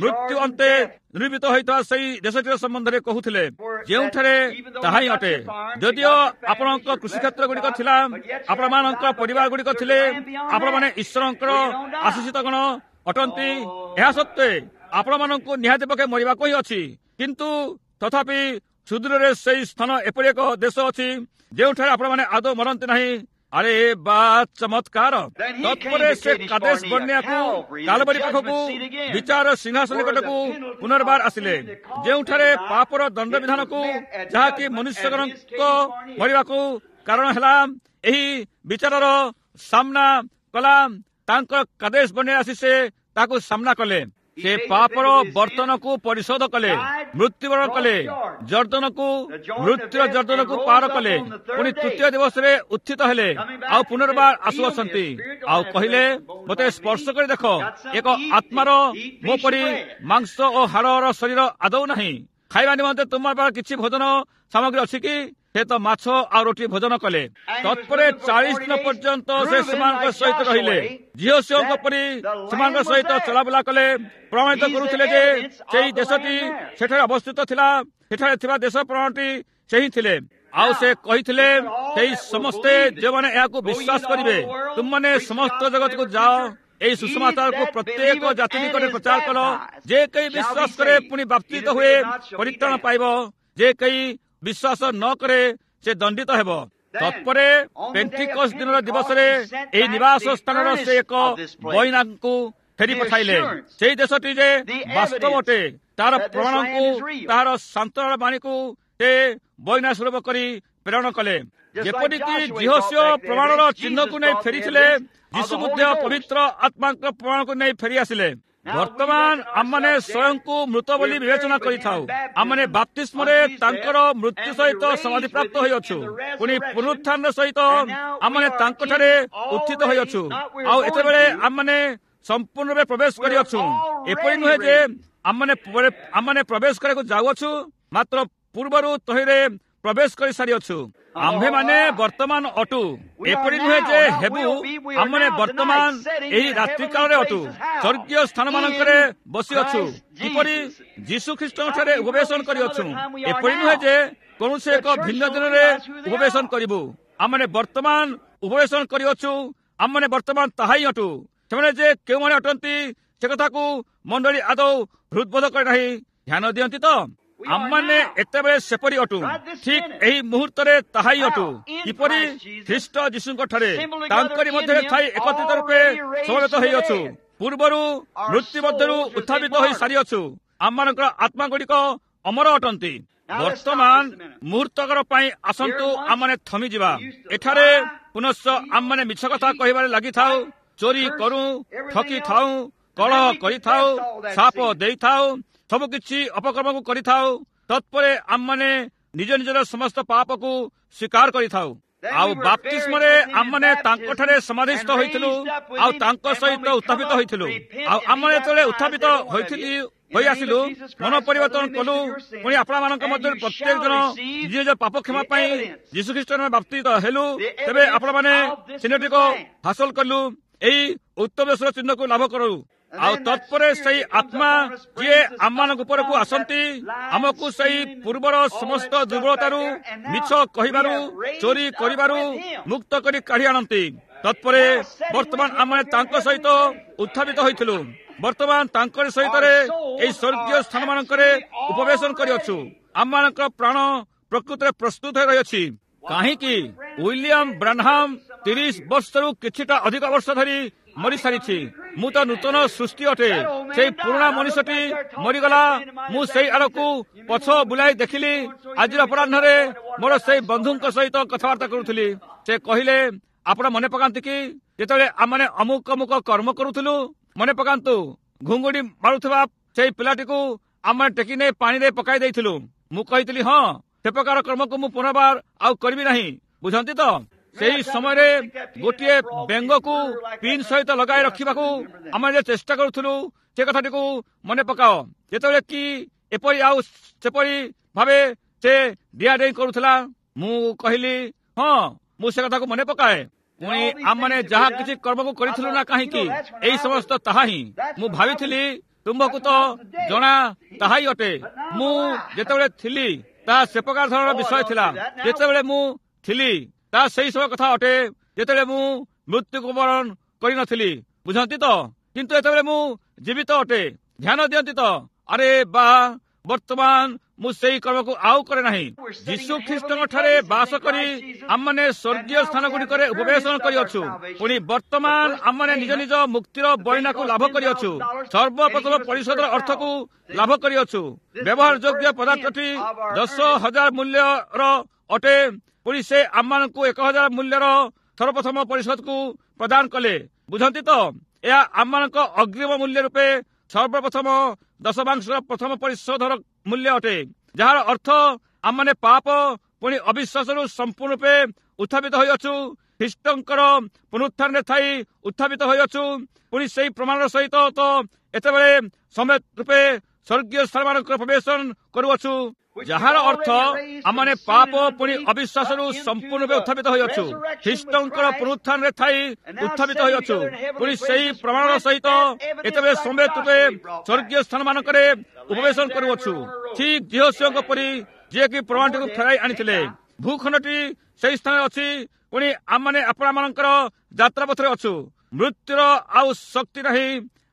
Speaker 1: ମୃତ୍ୟୁ ଅନ୍ତେ ନିର୍ମିତ ହୋଇଥିବା ସେଇ ଦେଶଟିର ସମ୍ବନ୍ଧରେ କହୁଥିଲେ, ଯେଉଁଠାରେ ତାହା ହିଁ ଅଟେ। ଯଦିଓ ଆପଣଙ୍କ କୃଷିକ୍ଷେତ୍ର ଗୁଡ଼ିକ ଥିଲା, ଆପଣମାନଙ୍କ ପରିବାର ଗୁଡ଼ିକ ଥିଲେ, ଆପଣମାନେ ଈଶ୍ୱରଙ୍କର ଆଶିଷିତ ଗଣ ଅଟନ୍ତି, ଏହା ସତ୍ତ୍ୱେ ଆପଣମାନଙ୍କୁ ନିହାତି ପକ୍ଷେ ମରିବାକୁ ହିଁ ଅଛି। କିନ୍ତୁ ତଥାପି ସୁଦୂରରେ ସେଇ ସ୍ଥାନ ଏପରି ଏକ ଦେଶ ଅଛି ଯେଉଁଠାରେ ଆପଣମାନେ ଆଦୌ ମରନ୍ତି ନାହିଁ। ଆରେ ବା ଚମତ୍କାର! ତତ୍ପରେ ସେ କାଦେଶ ବର୍ଣ୍ଣିଆକୁ କାଲବରୀ ପାଖକୁ ବିଚାର ସିଂହାସନ ନିକଟକୁ ପୁନର୍ବାର ଆସିଲେ, ଯେଉଁଠାରେ ପାପର ଦଣ୍ଡବିଧାନକୁ, ଯାହାକି ମନୁଷ୍ୟଗଣଙ୍କ ମରିବାକୁ କାରଣ ହେଲା, ଏହି ବିଚାରର ସାମ୍ନା କଲା। ତାଙ୍କ କାଦେଶ ବର୍ଣ୍ଣିଆ ଆସି ସେ ତାକୁ ସାମ୍ନା କଲେ। ସେ ପାପର ବର୍ତ୍ତନକୁ ପରିଶୋଧ କଲେ, ମୃତ୍ୟୁବରଣ କଲେ, ଜର୍ଦ୍ଦନକୁ, ମୃତ୍ୟୁର ଜର୍ଦ୍ଦନକୁ ପାର କଲେ, ପୁଣି ତୃତୀୟ ଦିବସରେ ଉତ୍ଥିତ ହେଲେ, ଆଉ ପୁନର୍ବାର ଆସୁଅଛନ୍ତି ଆଉ କହିଲେ, ମୋତେ ସ୍ପର୍ଶ କରି ଦେଖ, ଏକ ଆତ୍ମାର ମୋ ପରି ମାଂସ ଓ ହାଡ଼ର ଶରୀର ଆଦୌ ନାହିଁ। ଖାଇବା ନିମନ୍ତେ ତୁମର ପାଖରେ କିଛି ଭୋଜନ ସାମଗ୍ରୀ ଅଛି କି? ସେ ତ ମାଛ ଆଉ ରୋଟି ଭୋଜନ କଲେ। ତତ୍ପରେ ଚାଳିଶ ଦିନ ପର୍ଯ୍ୟନ୍ତ ସେ ସେମାନଙ୍କ ସହିତ ରହିଲେ, ଯିହୋଶୂୟଙ୍କ ପରି ସେମାନଙ୍କ ସହିତ ଚଲାବୁଲା କଲେ, ପ୍ରମାଣିତ କରୁଥିଲେ ଯେ ସେଇ ଦେଶଟି ସେଠାରେ ଅବସ୍ଥିତ ଥିଲା। ସେଠାରେ ଥିବା ଦେଶ ପ୍ରମାଣଟି ସେ ହିଁ ଥିଲେ। ଆଉ ସେ କହିଥିଲେ, ସେଇ ସମସ୍ତେ ଯେଉଁମାନେ ଏହାକୁ ବିଶ୍ୱାସ କରିବେ, ତୁମମାନେ ସମସ୍ତ ଜଗତକୁ ଯାଅ, ଏହି ସୁସମାଚାରକୁ ପ୍ରତ୍ୟେକ ଜାତି ନିକଟରେ ପ୍ରଚାର କର। ଯେ କେହି ବିଶ୍ୱାସ କରେ ପୁଣି ବାପ୍ତିଜିତ ହୁଏ ପରିତ୍ରାଣ ପାଇବ, ଯେ କେହି ବିଶ୍ୱାସ ନ କରେ ସେ ଦଣ୍ଡିତ ହେବ। ତତ୍ପରେ ପେଣ୍ଟିକସ୍ ଦିନର ଦିବସରେ ଏହି ନିବାସ ସ୍ଥାନର ସେ ଏକ ବଇନାଙ୍କୁ ଫେରି ପଠାଇଲେ। ସେଇ ଦେଶଟି ଯେ ବାସ୍ତବ ଅଟେ ତାର ପ୍ରମାଣକୁ, ତାହାର ସାନ୍ତ୍ୱନାର ବାଣୀକୁ ସେ ବଇନା ସ୍ୱରୂପ କରି ପ୍ରେରଣ କଲେ। ଯେପରିକି ଯିହୋଶୂୟ ପ୍ରମାଣର ଚିହ୍ନକୁ ନେଇ ଫେରିଥିଲେ, ଯୀଶୁ ମଧ୍ୟ ପବିତ୍ର ଆତ୍ମାଙ୍କ ପ୍ରମାଣକୁ ନେଇ ଫେରି ଆସିଲେ। ବର୍ତ୍ତମାନ ଆମମାନେ ସ୍ୱୟଂକୁ ମୃତ ବୋଲି ବିବେଚନା କରିଥାଉ। ଆମମାନେ ବାପ୍ତିସ୍ମରେ ତାଙ୍କର ମୃତ୍ୟୁ ସହିତ ସମାଧିପ୍ରାପ୍ତ ହୋଇଅଛୁ, ପୁଣି ପୁନରୁତ୍ଥାନ ସହିତ ଆମମାନେ ତାଙ୍କଠାରେ ଉତ୍ଥିତ ହୋଇଅଛୁ। ଆଉ ଏତେବେଳେ ଆମମାନେ ସମ୍ପୂର୍ଣ୍ଣ ରୂପେ ପ୍ରବେଶ କରିଅଛୁ। ଏପରି ନୁହେଁ ଯେ ଆମମାନେ ଆମମାନେ ପ୍ରବେଶ କରିବାକୁ ଯାଉଅଛୁ, ମାତ୍ର ପୂର୍ବରୁ ତହିଁରେ ପ୍ରବେଶ କରିସାରିଅଛୁ। ଆମ୍ଭେମାନେ ବର୍ତ୍ତମାନ ଅଟୁ, ଏପରି ନୁହେଁ ଯେ ହେବୁ, ଆମମାନେ ବର୍ତ୍ତମାନ ଏହି ରାତ୍ରିକାଳରେ ଅଟୁ, ସ୍ୱର୍ଗୀୟ ସ୍ଥାନମାନଙ୍କରେ ବସିଅଛୁ, କିପରି ଯୀଶୁ ଖ୍ରୀଷ୍ଟଙ୍କଠାରେ ଉପବେଶନ କରିଅଛୁ। ଏପରି ନୁହେଁ ଯେ କୌଣସି ଏକ ଭିନ୍ନ ଦିନରେ ଉପବେଶନ କରିବୁ। ଆମମାନେ ବର୍ତ୍ତମାନ ଉପବେଶନ କରିଅଛୁ, ଆମମାନେ ବର୍ତ୍ତମାନ ତାହା ହିଁ ଅଟୁ। ସେମାନେ ଯେ କେଉଁମାନେ ଅଟନ୍ତି ସେ କଥାକୁ ମଣ୍ଡଳୀ ଆଦୌ ହୃଦବୋଧ କରେ ନାହିଁ। ଧ୍ୟାନ ଦିଅନ୍ତି ତ, ଆମମାନେ ଏତେବେଳେ ସେପରି ଅଟୁ, ଠିକ ଏହି ମୁହୂର୍ତ୍ତରେ ତାହା ହିଁ ଅଟୁ। କିପରି ଖ୍ରୀଷ୍ଟ ଯୀଶୁଙ୍କ ଠାରେ ତାଙ୍କରି ମଧ୍ୟରେ ଥାଇ ଏକତ୍ରିତ ରୂପେ ସମବେତ ହୋଇଅଛୁ, ପୂର୍ବରୁ ମୃତ୍ୟୁ ମଧ୍ୟରୁ ଉତ୍ଥାପିତ ହୋଇ ସାରିଅଛୁ। ଆମମାନଙ୍କର ଆତ୍ମା ଗୁଡ଼ିକ ଅମର ଅଟନ୍ତି। ବର୍ତ୍ତମାନ ମୁହୂର୍ତ୍ତକର ପାଇଁ ଆସନ୍ତୁ ଆମମାନେ ଥମିଯିବା। ଏଠାରେ ପୁନଶ୍ଚ ଆମମାନେ ମିଛ କଥା କହିବାରେ ଲାଗିଥାଉ, ଚୋରି କରୁ, ଠକି ଥାଉ, କଳହ କରିଥାଉ, ସାପ ଦେଇଥାଉ, ସବୁ କିଛି ଅପକର୍ମକୁ କରିଥାଉ। ତତ୍ପରେ ଆମମାନେ ନିଜ ନିଜର ସମସ୍ତ ପାପକୁ ସ୍ୱୀକାର କରିଥାଉ। ଆଉ ବାପ୍ତିସ୍ମରେ ଆମମାନେ ତାଙ୍କଠାରେ ସମାଧିସ୍ଥ ହୋଇଥିଲୁ, ଆଉ ତାଙ୍କ ସହିତ ଉତ୍ଥାପିତ ହୋଇଥିଲୁ। ଆଉ ଆମମାନେ ଯେତେବେଳେ ଉତ୍ଥାପିତ ହୋଇଥିଲି ହୋଇ ଆସିଲୁ, ମନ ପରିବର୍ତ୍ତନ କଲୁ, ପୁଣି ଆପଣମାନଙ୍କ ମଧ୍ୟରେ ପ୍ରତ୍ୟେକ ଜଣ ନିଜ ନିଜ ପାପ କ୍ଷମା ପାଇଁ ଯୀଶୁଖ୍ରୀଷ୍ଟ ବାପ୍ତିଜିତ ହେଲୁ, ତେବେ ଆପଣମାନେ ଚିହ୍ନଟିକୁ ହାସଲ କଲୁ, ଏହି ଉତ୍ତମ ଦେଶର ଚିହ୍ନକୁ ଲାଭ କରୁ। ଆଉ ତତ୍ପରେ ସେଇ ଆତ୍ମା ଯିଏ ଆମମାନଙ୍କ ଉପରକୁ ଆସନ୍ତି, ଆମକୁ ସେଇ ପୂର୍ବର ସମସ୍ତ ଦୁର୍ବଳତାରୁ, ମିଛ କହିବାରୁ, ଚୋରି କରିବାରୁ ମୁକ୍ତ କରି କାଢି ଆଣନ୍ତି। ତତ୍ପରେ ବର୍ତ୍ତମାନ ଆମେ ତାଙ୍କ ସହିତ ଉତ୍ଥାପିତ ହୋଇଥିଲୁ, ବର୍ତ୍ତମାନ ତାଙ୍କରି ସହିତରେ ଏହି ସ୍ୱର୍ଗୀୟ ସ୍ଥାନମାନଙ୍କରେ ଉପବେଶନ କରିଅଛୁ। ଆମମାନଙ୍କର ପ୍ରାଣ ପ୍ରକୃତରେ ପ୍ରସ୍ତୁତ ହୋଇ ରହିଅଛି। କାହିଁକି ୱିଲିୟମ ବ୍ରାନହାମ ତିରିଶ ବର୍ଷରୁ କିଛିଟା ଅଧିକ ବର୍ଷ ଧରି ମରିସାରିଛି। ମୁଁ ତ ନୂତନ ସୃଷ୍ଟି ଅଟେ। ସେଇ ପୁରୁଣା ମଣିଷଟି ମରିଗଲା। ମୁଁ ସେଇ ଆଡ଼କୁ ପଛ ବୁଲାଇ ଦେଖିଲି। ଆଜିର ଅପରାହ୍ନରେ ମୋର ସେଇ ବନ୍ଧୁଙ୍କ ସହିତ କଥାବାର୍ତ୍ତା କରୁଥିଲି। ସେ କହିଲେ, ଆପଣ ମନେ ପକାନ୍ତି କି ଯେତେବେଳେ ଆମମାନେ ଅମୁକ ଅମୁକ କର୍ମ କରୁଥିଲୁ? ମନେ ପକାନ୍ତୁ, ଘୁଙ୍ଗୁଡି ମାରୁଥିବା ସେଇ ପିଲାଟିକୁ ଆମେ ଟେକି ନେଇ ପାଣିରେ ପକାଇ ଦେଇଥିଲୁ। ମୁଁ କହିଥିଲି, ହଁ, ସେ ପ୍ରକାର କର୍ମକୁ ମୁଁ ପୁନର୍ବାର ଆଉ କରିବି ନାହିଁ। ବୁଝନ୍ତି ତ? ସେହି ସମୟରେ ଗୋଟିଏ ବେଙ୍ଗକୁ ପିନ୍ ସହିତ ଲଗାଇ ରଖିବାକୁ ଆମେ ଯେ ଚେଷ୍ଟା କରୁଥିଲୁ, ସେ କଥାଟିକୁ ମନେ ପକାଅ। ଯେତେବେଳେ କି ଏପରି ଆଉ ସେପରି ଭାବେ ସେ ଡିଆଡେଇଁ କରୁଥିଲା। ମୁଁ କହିଲି, ହଁ, ମୁଁ ସେ କଥାକୁ ମନେ ପକାଏ। ପୁଣି ଆମମାନେ ଯାହା କିଛି କର୍ମକୁ କରିଥିଲୁ ନା କାହିଁକି, ଏଇ ସମସ୍ତ ତାହା ହିଁ। ମୁଁ ଭାବିଥିଲି, ତୁମ୍ଭକୁ ତ ଜଣା, ତାହା ହିଁ ଅଟେ। ମୁଁ ଯେତେବେଳେ ଥିଲି ତାହା ସେ ପ୍ରକାର ଧରଣର ବିଷୟ ଥିଲା। ଯେତେବେଳେ ମୁଁ ଥିଲି ତାହା ସେଇ ସବୁ କଥା ଅଟେ, ଯେତେବେଳେ ମୁଁ ମୃତ୍ୟୁକୁ ବରଣ କରିନଥିଲି, ବୁଝନ୍ତି ତ? କିନ୍ତୁ ଯେତେବେଳେ ମୁଁ ଜୀବିତ ଅଟେ, ଧ୍ୟାନ ଦିଅନ୍ତି ତ? ଆରେ ବା, ବର୍ତ୍ତମାନ ମୁଁ ସେଇ କର୍ମକୁ ଆଉ କରେ ନାହିଁ। ଯୀଶୁ ଖ୍ରୀଷ୍ଟଙ୍କ ଠାରେ ବାସ କରି ଆମମାନେ ସ୍ୱର୍ଗୀୟ ସ୍ଥାନ ଗୁଡ଼ିକରେ ଉପବେଶନ କରିଅଛୁ। ପୁଣି ବର୍ତ୍ତମାନ ଆମମାନେ ନିଜ ନିଜ ମୁକ୍ତିର ବଇନାକୁ ଲାଭ କରିଅଛୁ। ସର୍ବପ୍ରଥମ ପରିଶୋଧର ଅର୍ଥକୁ ଲାଭ କରିଅଛୁ। ବ୍ୟବହାର ଯୋଗ୍ୟ ପଦାର୍ଥଟି ଦଶ ହଜାର ମୂଲ୍ୟର ଅଟେ। ପୁଣି ସେ ଆମମାନଙ୍କୁ ଏକ ହଜାର ମୂଲ୍ୟର ସର୍ବପ୍ରଥମ ପରିଶୋଧକୁ ପ୍ରଦାନ କଲେ, ବୁଝନ୍ତି ତ? ଏହା ଆମମାନଙ୍କ ଅଗ୍ରିମ ମୂଲ୍ୟ ରୂପେ ସର୍ବପ୍ରଥମ ଦଶମାଂଶର ପ୍ରଥମ ପରିଶୋଧର ମୂଲ୍ୟ ଅଟେ, ଯାହାର ଅର୍ଥ ଆମମାନେ ପାପ ପୁଣି ଅବିଶ୍ୱାସରୁ ସମ୍ପୂର୍ଣ୍ଣ ରୂପେ ଉତ୍ଥାପିତ ହୋଇଅଛୁ। ଖ୍ରୀଷ୍ଟଙ୍କର ପୁନରୁତ୍ଥାନରେ ଥାଇ ଉତ୍ଥାପିତ ହୋଇଅଛୁ। ପୁଣି ସେଇ ପ୍ରମାଣର ସହିତ ତ ଏତେବେଳେ ସମେତ ରୂପେ ସ୍ୱର୍ଗୀୟ ସ୍ଥାନମାନଙ୍କର ପ୍ରବେଶ କରୁଅଛୁ, ଯାହାର ଅର୍ଥ ଆମମାନେ ପାପ ପୁଣି ଅବିଶ୍ୱାସରୁ ସମ୍ପୂର୍ଣ୍ଣ ରୂପେ ଉତ୍ଥାପିତ ହୋଇଅଛୁ। ଖ୍ରୀଷ୍ଟଙ୍କର ପୁନରୁତ୍ଥାନରେ ଥାଇ ଉତ୍ଥାପିତ ହୋଇଅଛୁ। ପୁଣି ସେଇ ପ୍ରମାଣର ସହିତ ଏତେବେଳେ ସମେତ ରୂପେ ସ୍ୱର୍ଗୀୟ ସ୍ଥାନମାନଙ୍କରେ ଉପବେଶନ କରୁଅଛୁ, ଠିକ ଯିହୋଶୂୟଙ୍କ ପରି, ଯିଏକି ପ୍ରମାଣଟିକୁ ଫେରାଇ ଆଣିଥିଲେ। ଭୂଖଣ୍ଡଟି ସେଇ ସ୍ଥାନରେ ଅଛି। ପୁଣି ଆମମାନେ ଆପଣମାନଙ୍କର ଯାତ୍ରା ପଥରେ ଅଛୁ। ମୃତ୍ୟୁର ଆଉ ଶକ୍ତି ନାହିଁ,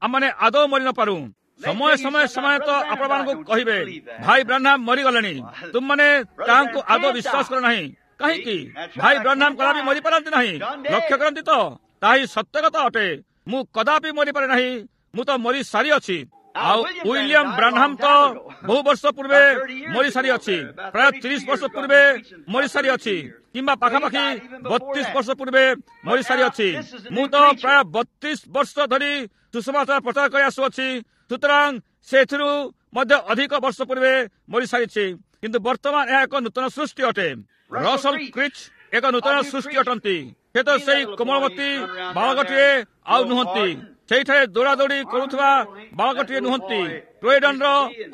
Speaker 1: ଆମମାନେ ଆଦୌ ମରି ନପାରୁ। ସମୟ ସମୟ ସମୟ ତ ଆପଣମାନଙ୍କୁ କହିବେ, ଭାଇ ବ୍ରାହ୍ନାମ ମରିଗଲେଣି, ତୁମମାନେ ତାହାଙ୍କୁ ଆଦୌ ବିଶ୍ୱାସ କର ନାହିଁ। କାହିଁକି? ଭାଇ ବ୍ରାହ୍ନାମ କଦାପି ମରିପାରନ୍ତି ନାହିଁ। ଲକ୍ଷ୍ୟ କରନ୍ତି ତ, ତାହା ହିଁ ସତ୍ୟ କଥା ଅଟେ। ମୁଁ କଦାପି ମରିପାରେ ନାହିଁ, ମୁଁ ତ ମରି ସାରିଅଛି। ଆଉ ୱିଲିୟମ ବ୍ରାହ୍ନାମ ତ ବହୁ ବର୍ଷ ପୂର୍ବେ ମରିସାରିଅଛି, ପ୍ରାୟ ତିରିଶ ବର୍ଷ ପୂର୍ବେ ମରିସାରିଅଛି, କିମ୍ବା ପାଖାପାଖି ବତିଶ ବର୍ଷ ପୂର୍ବେ ମରିସାରିଅଛି। ମୁଁ ତ ପ୍ରାୟ ବତିଶ ବର୍ଷ ଧରି ସୁସମାଚାର ପ୍ରଚାର କରି ଆସୁଅଛି, ସୁତରାଂ ସେ ଏଥିରୁ ମଧ୍ୟ ଅଧିକ ବର୍ଷ ପୂର୍ବେ ମରିସାରିଛି। କିନ୍ତୁ ବର୍ତ୍ତମାନ ଏହା ଏକ ନୂତନ ସୃଷ୍ଟି ଅଟେ। ରସଲ କ୍ରିଚ୍ ଏକ ନୂତନ ସୃଷ୍ଟି ଅଟନ୍ତି। ସେ ତ ସେଇ କୋମଳମତୀ ବାଳକଟିଏ ଆଉ ନୁହନ୍ତି, ସେଇଠାରେ ଦୌଡ଼ାଦୌଡ଼ି କରୁଥିବା ବାଳକଟିଏ ନୁହନ୍ତି, କ୍ରୋଏଡନର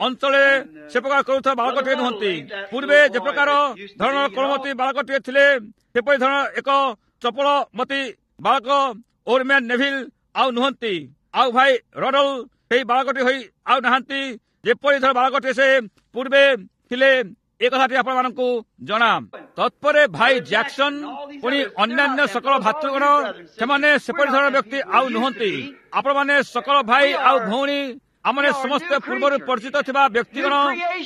Speaker 1: ଅଞ୍ଚଳରେ ସେ ପ୍ରକାର କରୁଥିବା ବାଳକଟିଏ ନୁହନ୍ତି। ପୂର୍ବେ ଯେ ପ୍ରକାର ଧରଣର କୋମଳମତୀ ବାଳକଟିଏ ଥିଲେ, ସେପରି ଧରଣର ଏକ ଚପଳମତୀ ବାଳକ ଓରମ୍ୟାନ ନେଭିଲ ଆଉ ନୁହନ୍ତି। ଆଉ ଭାଇ ରଡଲ ସେଇ ବାଳକଟି ହୋଇ ଆଉ ନାହାନ୍ତି, ଯେପରି ଧର ବାଳକଟିଏ ସେ ପୂର୍ବେ ଥିଲେ। ଏ କଥାଟି ଆପଣମାନଙ୍କୁ ଜଣା। ତତ୍ପରେ ଭାଇ ଜ୍ୟାକସନ ପୁଣି ଅନ୍ୟାନ୍ୟ ସକଳ ଭାତୃଗଣ, ସେମାନେ ସେପରି ଧରଣର ବ୍ୟକ୍ତି ଆଉ ନୁହନ୍ତି। ଆପଣମାନେ ସକଳ ଭାଇ ଆଉ ଭଉଣୀ, ଆମମାନେ ସମସ୍ତେ ପୂର୍ବରୁ ପରିଚିତ ଥିବା ବ୍ୟକ୍ତିଗଣ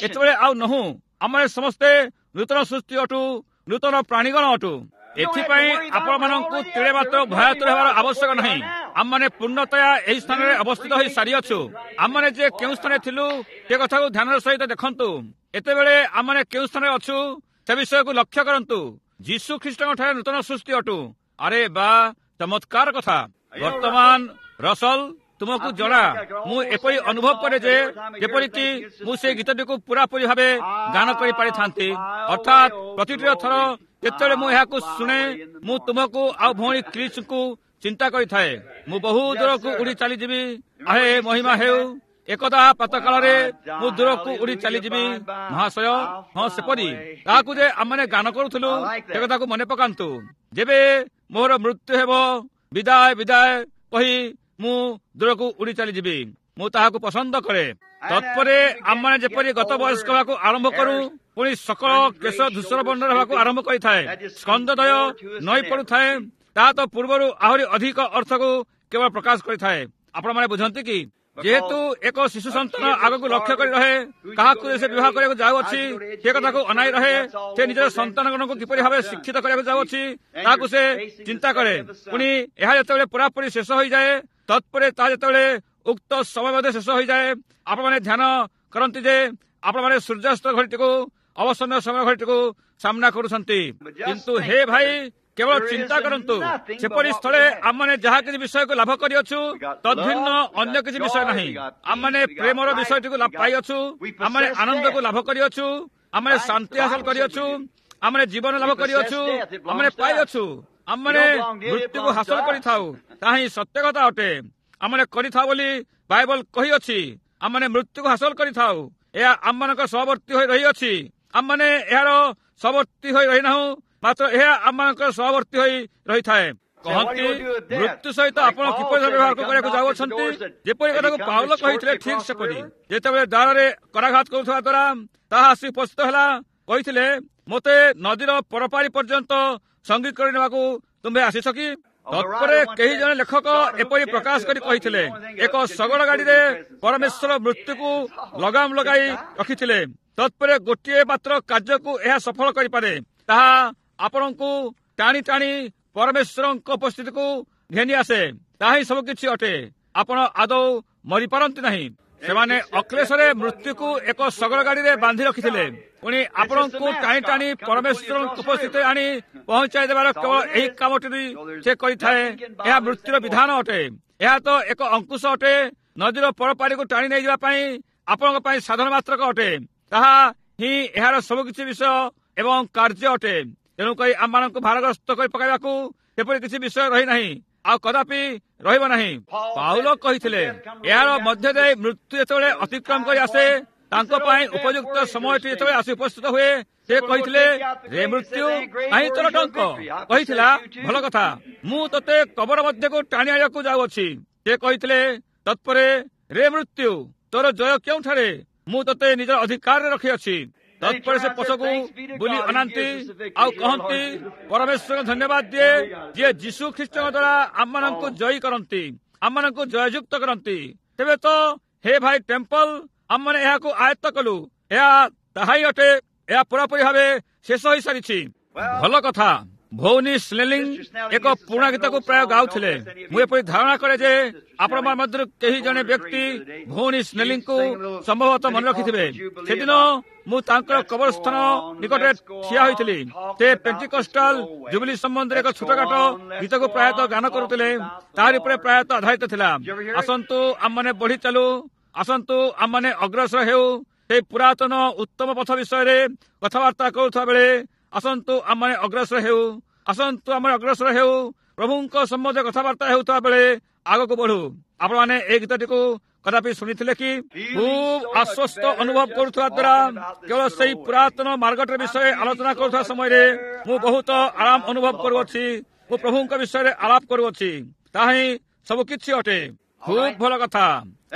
Speaker 1: ଏତେବେଳେ ଆଉ ନହୁଁ। ଆମମାନେ ସମସ୍ତେ ନୂତନ ସୃଷ୍ଟି ଅଟୁ, ନୂତନ ପ୍ରାଣୀଗଣ ଅଟୁ। ଏଥିପାଇଁ ଆପଣମାନଙ୍କୁ ତିଳେ ମାତ୍ର ଭୟାତୁର ହେବାର ଆବଶ୍ୟକ ନାହିଁ। ଆମମାନେ ପୂର୍ଣ୍ଣତୟା ଏହି ସ୍ଥାନରେ ଅବସ୍ଥିତ ହୋଇ ସାରିଅଛୁ। ଆମମାନେ ଯେ କେଉଁ ସ୍ଥାନରେ ଥିଲୁ ସେ କଥାକୁ ଧ୍ୟାନର ସହିତ ଦେଖନ୍ତୁ। ଏତେବେଳେ ଆମମାନେ କେଉଁ ସ୍ଥାନରେ ଅଛୁ ସେ ବିଷୟକୁ ଲକ୍ଷ୍ୟ କରନ୍ତୁ। ଯୀଶୁ ଖ୍ରୀଷ୍ଟଙ୍କ ଠାରେ ନୂତନ ସୃଷ୍ଟି ଅଟୁ। ଆରେ ବା, ଚମତ୍କାର କଥା। ବର୍ତ୍ତମାନ ରସଲ, ତୁମକୁ ଜଣା, ମୁଁ ଏପରି ଅନୁଭବ କରେ ଯେ ଯେପରିକି ମୁଁ ସେଇ ଗୀତଟିକୁ ପୁରାପୁରି ଭାବେ ଗାନ କରିପାରିଥାନ୍ତି। ଅର୍ଥାତ୍ ପ୍ରତିଟିର ଥର ଯେତେବେଳେ ମୁଁ ଏହାକୁ ଶୁଣେ, ମୁଁ ତୁମକୁ ଆଉ ଭଉଣୀ କ୍ରିସ୍ଙ୍କୁ ଚିନ୍ତା କରିଥାଏ। ମୁଁ ବହୁ ଦୂରକୁ ଉଡ଼ି ଚାଲିଯିବି। ଆହେ ମହିମା ହେଉ, ଏକଦା ପ୍ରାତଃକାଳରେ ମୁଁ ଦୂରକୁ ଉଡ଼ି ଚାଲିଯିବି। ମହାଶୟ, ହଁ, ସେପରି ତାହାକୁ ଯେ ଆମମାନେ ଗାନ କରୁଥିଲୁ ସେ କଥାକୁ ମନେ ପକାନ୍ତୁ। ଯେବେ ମୋର ମୃତ୍ୟୁ ହେବ, ବିଦାୟ ବିଦାୟ କହି ମୁଁ ଦୂରକୁ ଉଡ଼ି ଚାଲିଯିବି। ମୁଁ ତାହାକୁ ପସନ୍ଦ କରେ। ତତ୍ପରେ ଆମମାନେ ଯେପରି ଗତ ବୟସ୍କ ହେବାକୁ ଆରମ୍ଭ କରୁ, ପୁଣି ସକଳ କେଶ ଧୂସର ବର୍ଣ୍ଣର ହେବାକୁ ଆରମ୍ଭ କରିଥାଏ, ସ୍କନ୍ଧଦୟ ନଈ ପଡୁଥାଏ, ତାହା ତ ପୂର୍ବରୁ ଆହୁରି ଅଧିକ ଅର୍ଥକୁ କେବଳ ପ୍ରକାଶ କରିଥାଏ। ଆପଣମାନେ ବୁଝନ୍ତି କି? ଯେହେତୁ ଏକ ଶିଶୁ ସନ୍ତାନ ଆଗକୁ ଲକ୍ଷ୍ୟ କରି ରହେ, କାହାକୁ ସେ ବିବାହ କରିବାକୁ ଯାଉଅଛି ସେ କଥାକୁ ଅନାଇ ରହେ, ସେ ନିଜର ସନ୍ତାନଗଣକୁ କିପରି ଭାବେ ଶିକ୍ଷିତ କରିବାକୁ ଯାଉଅଛି ତାହାକୁ ସେ ଚିନ୍ତା କରେ। ପୁଣି ଏହା ଯେତେବେଳେ ପୁରାପୁରି ଶେଷ ହୋଇଯାଏ, ତତ୍ପରେ ତାହା ଯେତେବେଳେ ଉକ୍ତ ସମୟ ମଧ୍ୟ ଶେଷ ହୋଇଯାଏ, ଆପଣମାନେ ଧ୍ୟାନ କରନ୍ତି ଯେ ଆପଣମାନେ ସୂର୍ଯ୍ୟାସ୍ତ ଘଡ଼ିଟିକୁ, ଅବସନ୍ନ ସମୟ ଘଡ଼ିଟିକୁ ସାମ୍ନା କରୁଛନ୍ତି। କିନ୍ତୁ ହେ ଭାଇ, କେବଳ ଚିନ୍ତା କରନ୍ତୁ, ସେପରି ସ୍ଥଳେ ଆମମାନେ ଯାହା କିଛି ବିଷୟକୁ ଲାଭ କରିଅଛୁ ତଦ୍ଭିନ୍ନ ଅନ୍ୟ କିଛି ବିଷୟ ନାହିଁ। ଆମମାନେ ପ୍ରେମର ବିଷୟଟିକୁ ପାଇଅଛୁ, ଆମମାନେ ଆନନ୍ଦକୁ ଲାଭ କରିଅଛୁ, ଆମମାନେ ଶାନ୍ତି ହାସଲ କରିଅଛୁ। ଆମେ ଜୀବନ ଲାଭ କରିଅଛୁ, ଆମେ ପାଇଅଛୁ, ଆମମାନେ ମୃତ୍ୟୁକୁ ହାସଲ କରିଥାଉ। ତାହା ହିଁ ସତ୍ୟ କଥା ଅଟେ। ଆମେ କରିଥାଉ ବୋଲି ବାଇବଲ କହିଅଛି। ଆମମାନେ ମୃତ୍ୟୁକୁ ହାସଲ କରିଥାଉ। ଏହା ଆମମାନଙ୍କ ସହବର୍ତ୍ତୀ ହୋଇ ରହିଅଛି। ଆମମାନେ ଏହାର ସହବର୍ତ୍ତୀ ହୋଇ ରହିନାହୁଁ, ମାତ୍ର ଏହା ଆମମାନଙ୍କର ସହବର୍ତ୍ତୀ ହୋଇ ରହିଥାଏ। କହନ୍ତି, ମୃତ୍ୟୁ ସହିତ ଆପଣ କିପରି ବ୍ୟବହାର କରିବାକୁ ଯାଉଅଛନ୍ତି? ଯେପରି କଥାକୁ ପାଉଲ କହିଥିଲେ ଠିକ ସେପରି। ଯେତେବେଳେ ଦ୍ୱାରରେ କରାଘାତ କରୁଥିବା ଦ୍ୱାରା ତାହା ଆସି ଉପସ୍ଥିତ ହେଲା, କହିଥିଲେ, ମୋତେ ନଦୀର ପରପାରି ପର୍ଯ୍ୟନ୍ତ ସଙ୍ଗୀ କରିନେବାକୁ ତୁମ୍ଭେ ଆସିଛ କି? ତତ୍ପରେ କେହି ଜଣେ ଲେଖକ ଏପରି ପ୍ରକାଶ କରି କହିଥିଲେ, ଏକ ଶଗଡ଼ ଗାଡ଼ିରେ ପରମେଶ୍ୱର ମୃତ୍ୟୁକୁ ଲଗାମ ଲଗାଇ ରଖିଥିଲେ। ତତ୍ପରେ ଗୋଟିଏ ମାତ୍ର କାର୍ଯ୍ୟକୁ ଏହା ସଫଳ କରିପାରେ, ତାହା ଆପଣଙ୍କୁ ଟାଣି ଟାଣି ପରମେଶ୍ୱରଙ୍କ ଉପସ୍ଥିତିକୁ ଘେନି ଆସେ। ତାହା ହିଁ ସବୁକିଛି ଅଟେ। ଆପଣ ଆଦୌ ମରିପାରନ୍ତି ନାହିଁ। ସେମାନେ ଅକ୍ଲେଶରେ ମୃତ୍ୟୁକୁ ଏକ ଶଗଡ଼ ଗାଡ଼ିରେ ବାନ୍ଧି ରଖିଥିଲେ। ପୁଣି ଆପଣଙ୍କୁ ଟାଣି ଟାଣି ପରମେଶ୍ୱରଙ୍କ ଉପସ୍ଥିତିରେ ଆଣି ପହଞ୍ଚାଇ ଦେବାର କେବଳ ଏହି କାମଟି ସେ କରିଥାଏ। ଏହା ମୃତ୍ୟୁର ବିଧାନ ଅଟେ। ଏହା ତ ଏକ ଅଙ୍କୁଶ ଅଟେ, ନଦୀର ପରପାରିକୁ ଟାଣି ନେଇଯିବା ପାଇଁ ଆପଣଙ୍କ ପାଇଁ ସାଧନ ମାତ୍ରକ ଅଟେ। ତାହା ହିଁ ଏହାର ସବୁକିଛି ବିଷୟ ଏବଂ କାର୍ଯ୍ୟ ଅଟେ। ତେଣୁକରି ଆମମାନଙ୍କୁ ଭାରଗ୍ରସ୍ତ କରି ପକାଇବାକୁ ସେପରି କିଛି ବିଷୟ ରହିନାହିଁ, ଆଉ କଦାପି ରହିବ ନାହିଁ। ପାଉଲ କହିଥିଲେ, ଏହାର ମଧ୍ୟ ଦେଇ ମୃତ୍ୟୁ ଯେତେବେଳେ ଅତିକ୍ରମ କରି ଆସେ, ତାଙ୍କ ପାଇଁ ଉପଯୁକ୍ତ ସମୟଟି ଯେତେବେଳେ ଆସି ଉପସ୍ଥିତ ହୁଏ, ସେ କହିଥିଲେ, ରେ ମୃତ୍ୟୁ, କାହିଁ ତୋର ଟଙ୍କ? କହିଥିଲା, ଭଲ କଥା, ମୁଁ ତୋତେ କବର ମଧ୍ୟକୁ ଟାଣି ଆଣିବାକୁ ଯାଉଅଛି। ସେ କହିଥିଲେ, ତତ୍ପରେ ରେ ମୃତ୍ୟୁ, ତୋର ଜୟ କେଉଁଠାରେ? ମୁଁ ତୋତେ ନିଜର ଅଧିକାରରେ ରଖିଅଛି। ତତ୍ପରେ ସେ ପଛକୁ ବୁଲି ଅନାନ୍ତି ଆଉ କହନ୍ତି, ପରମେଶ୍ୱରଙ୍କୁ ଧନ୍ୟବାଦ ଦିଏ, ଯିଏ ଯୀଶୁ ଖ୍ରୀଷ୍ଟଙ୍କ ଦ୍ୱାରା ଆମମାନଙ୍କୁ ଜୟୀ କରନ୍ତି, ଆମମାନଙ୍କୁ ଜୟଯୁକ୍ତ କରନ୍ତି। ତେବେ ତ ହେ ଭାଇ ଟେମ୍ପଲ, ଆମମାନେ ଏହାକୁ ଆୟତ୍ତ କଲୁ। ଏହା ତାହା ହିଁ ଅଟେ। ଏହା ପୁରାପୁରି ଭାବେ ଶେଷ ହୋଇସାରିଛି। ଭଲ କଥା। ଭଉନୀ ସ୍ନେଲିଂ ଏକ ପୁରୁଣା ଗୀତକୁ ପ୍ରାୟ ଗାଉଥିଲେ। ମୁଁ ଏପରି ଧାରଣା କରେ ଯେ ଆପଣଙ୍କ ମଧ୍ୟରୁ କେହି ଜଣେ ବ୍ୟକ୍ତି ଭଉଣୀ ସ୍ନେଲିଂକୁ ସମ୍ଭବତଃ ମନେ ରଖିଥିବେ। ସେଦିନ ମୁଁ ତାଙ୍କର କବରସ୍ଥାନ ନିକଟରେ ଠିଆ ହୋଇଥିଲି। ସେ ପେଣ୍ଟିକଷ୍ଟାଲ ଜୁବିଲି ସମ୍ବନ୍ଧରେ ଏକ ଛୋଟଖାଟ ଗୀତକୁ ପ୍ରାୟତଃ ଗାନ କରୁଥିଲେ। ତାହାରି ଉପରେ ପ୍ରାୟତଃ ଆଧାରିତ ଥିଲା। ଆସନ୍ତୁ ଆମମାନେ ବଢି ଚାଲୁ, ଆସନ୍ତୁ ଆମମାନେ ଅଗ୍ରସର ହେଉ। ସେହି ପୁରାତନ ଉତ୍ତମ ପଥ ବିଷୟରେ କଥାବାର୍ତ୍ତା କରୁଥିବା ବେଳେ ଆସନ୍ତୁ ଆମମାନେ ଅଗ୍ରସର ହେଉ, ଆସନ୍ତୁ ଆମେ ଅଗ୍ରସର ହେଉ। ପ୍ରଭୁଙ୍କ ସମ୍ବନ୍ଧରେ କଥାବାର୍ତ୍ତା ହେଉଥିବା ବେଳେ ଆଗକୁ ବଢୁ। ଆପଣମାନେ ଏହି ଗୀତଟିକୁ କଦାପି ଶୁଣିଥିଲେ କି? ଖୁବ୍ ଆଶ୍ୱସ୍ତ ଅନୁଭବ କରୁଥିବା ଦ୍ୱାରା କେବଳ ସେଇ ପୁରାତନ ମାର୍ଗଟିର ବିଷୟରେ ଆଲୋଚନା କରୁଥିବା ସମୟରେ ମୁଁ ବହୁତ ଆରାମ ଅନୁଭବ କରୁଅଛି। ମୁଁ ପ୍ରଭୁଙ୍କ ବିଷୟରେ ଆଳାପ କରୁଅଛି। ତାହା ହିଁ ସବୁ କିଛି ଅଟେ। ଖୁବ୍ ଭଲ କଥା।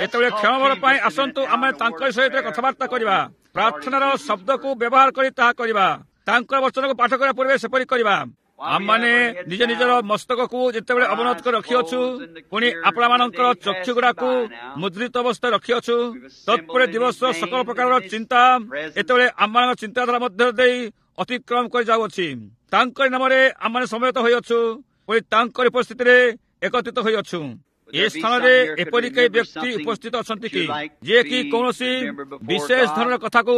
Speaker 1: ଏତେବେଳେ କ୍ଷଣଭର ପାଇଁ ଆସନ୍ତୁ ଆମେ ତାଙ୍କ ସହିତ କଥାବାର୍ତ୍ତା କରିବା। ପ୍ରାର୍ଥନାର ଶବ୍ଦକୁ ବ୍ୟବହାର କରି ତାହା କରିବା। ତାଙ୍କର ବଚନକୁ ପାଠ କରିବା ପୂର୍ବେ ସେପରି କରିବା। ଆମମାନେ ନିଜ ନିଜର ମସ୍ତକକୁ ଯେତେବେଳେ ଅବନତ କରି ରଖିଅଛୁ, ପୁଣି ଆପଣମାନଙ୍କର ଚକ୍ଷୁ ଗୁଡାକୁ ମୁଦ୍ରିତ ଅବସ୍ଥାରେ ରଖିଅଛୁ, ତତ୍ପରେ ଦିବସର ସକଳ ପ୍ରକାରର ଚିନ୍ତା ଏତେବେଳେ ଆମମାନଙ୍କ ଚିନ୍ତାଧାରା ମଧ୍ୟ ଦେଇ ଅତିକ୍ରମ କରି ଯାଉଅଛି। ତାଙ୍କରି ନାମରେ ଆମମାନେ ସମବେତ ହୋଇଅଛୁ, ପୁଣି ତାଙ୍କରି ଉପସ୍ଥିତିରେ ଏକତ୍ରିତ ହୋଇଅଛୁ। ଏ ସ୍ଥାନରେ ଏପରି କେହି ବ୍ୟକ୍ତି ଉପସ୍ଥିତ ଅଛନ୍ତି କି, ଯିଏକି କୌଣସି ବିଶେଷ ଧରଣର କଥାକୁ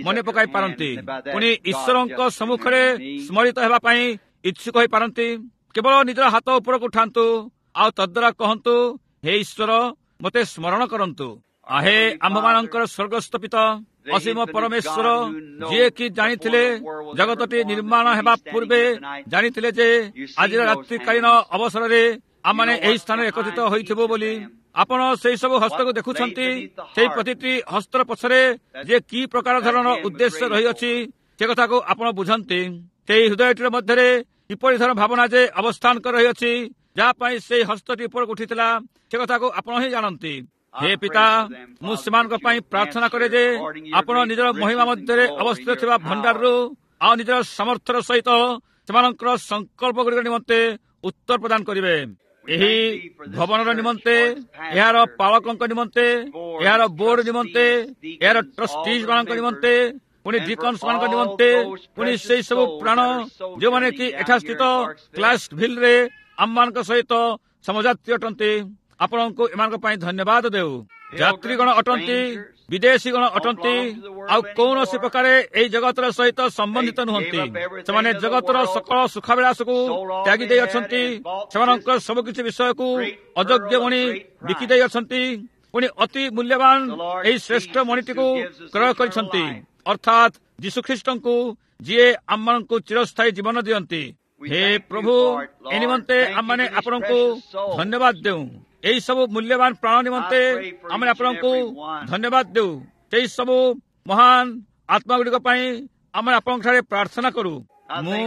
Speaker 1: ମନେ ପକାଇ ପାରନ୍ତି, ପୁଣି ଈଶ୍ୱରଙ୍କ ସମ୍ମୁଖରେ ସ୍ମରିତ ହେବା ପାଇଁ ଇଚ୍ଛୁକ ହୋଇପାରନ୍ତି? କେବଳ ନିଜର ହାତ ଉପରକୁ ଉଠାନ୍ତୁ ଆଉ ତଦ୍ୱାରା କହନ୍ତୁ, ହେ ଈଶ୍ୱର, ମୋତେ ସ୍ମରଣ କରନ୍ତୁ। ଆହେ ଆମ୍ଭମାନଙ୍କର ସ୍ୱର୍ଗସ୍ଥ ପିତା, ଅସୀମ ପରମେଶ୍ୱର, ଯିଏକି ଜାଣିଥିଲେ ଜଗତଟି ନିର୍ମାଣ ହେବା ପୂର୍ବେ ଜାଣିଥିଲେ ଯେ ଆଜିର ରାତ୍ରିକାଳୀନ ଅବସରରେ ଆମମାନେ ଏହି ସ୍ଥାନରେ ଏକତ୍ରିତ ହୋଇଥିବୁ ବୋଲି। ଆପଣ ସେଇ ସବୁ ହସ୍ତକୁ ଦେଖୁଛନ୍ତି। ସେଇ ପ୍ରତିଟି ହସ୍ତର ପଛରେ ଯେ କି ପ୍ରକାର ଧରଣର ଉଦ୍ଦେଶ୍ୟ ରହିଅଛି ସେ କଥାକୁ ଆପଣ ବୁଝନ୍ତି। ସେଇ ହୃଦୟଟିର ମଧ୍ୟରେ କିପରି ଧରଣ ଭାବନା ଯେ ଅବସ୍ଥାନ କରି ରହିଅଛି, ଯାହା ପାଇଁ ସେଇ ହସ୍ତଟି ଉପରକୁ ଉଠିଥିଲା, ସେ କଥାକୁ ଆପଣ ହିଁ ଜାଣନ୍ତି। ହେ ପିତା, ମୁଁ ସେମାନଙ୍କ ପାଇଁ ପ୍ରାର୍ଥନା କରେ ଯେ ଆପଣ ନିଜର ମହିମା ମଧ୍ୟରେ ଅବସ୍ଥିତ ଥିବା ଭଣ୍ଡାରରୁ ଆଉ ନିଜର ସାମର୍ଥ୍ୟର ସହିତ ସେମାନଙ୍କର ସଂକଳ୍ପ ଗୁଡ଼ିକ ନିମନ୍ତେ ଉତ୍ତର ପ୍ରଦାନ କରିବେ। ଏହି ଭବନର ନିମନ୍ତେ, ଏହାର ପାଳକଙ୍କ ନିମନ୍ତେ, ଏହାର ବୋର୍ଡ ନିମନ୍ତେ, ଏହାର ଟ୍ରଷ୍ଟିଜ ମାନଙ୍କ ନିମନ୍ତେ, ପୁଣି ଡିକନ୍ସ ମାନଙ୍କ ନିମନ୍ତେ, ପୁଣି ସେଇ ସବୁ ପ୍ରାଣ ଯେଉଁମାନେ କି ଏଠାସ୍ଥିତ କ୍ଲାସଭିଲରେ ଆମମାନଙ୍କ ସହିତ ସମଯାତ୍ରୀ ଅଟନ୍ତି, ଆପଣଙ୍କୁ ଏମାନଙ୍କ ପାଇଁ ଧନ୍ୟବାଦ ଦେଉ। ଯାତ୍ରୀଗଣ ଅଟନ୍ତି, ବିଦେଶୀଗଣ ଅଟନ୍ତି, ଆଉ କୌଣସି ପ୍ରକାରେ ଏହି ଜଗତର ସହିତ ସମ୍ବନ୍ଧିତ ନୁହନ୍ତି। ସେମାନେ ଜଗତର ସକଳ ସୁଖାବିଳାସକୁ ତ୍ୟାଗି ଦେଇଅଛନ୍ତି। ସେମାନଙ୍କର ସବୁକିଛି ବିଷୟକୁ ଅଯୋଗ୍ୟ ମଣି ବିକି ଦେଇଅଛନ୍ତି। ପୁଣି ଅତି ମୂଲ୍ୟବାନ ଏହି ଶ୍ରେଷ୍ଠ ମଣିଟିକୁ କ୍ରୟ କରିଛନ୍ତି, ଅର୍ଥାତ୍ ଯୀଶୁଖ୍ରୀଷ୍ଟଙ୍କୁ, ଯିଏ ଆମମାନଙ୍କୁ ଚିରସ୍ଥାୟୀ ଜୀବନ ଦିଅନ୍ତି। ହେ ପ୍ରଭୁ, ଏ ନିମନ୍ତେ ଆମମାନେ ଆପଣଙ୍କୁ ଧନ୍ୟବାଦ ଦେଉ। ଏହି ସବୁ ମୂଲ୍ୟବାନ ପ୍ରାଣ ନିମନ୍ତେ ଆମେ ଆପଣଙ୍କୁ ଧନ୍ୟବାଦ ଦେଉ। ସେହି ସବୁ ମହାନ ଆତ୍ମାଗୁଡ଼ିକ ପାଇଁ ଆମେ ଆପଣଙ୍କଠାରେ ପ୍ରାର୍ଥନା କରୁ। ମୁଁ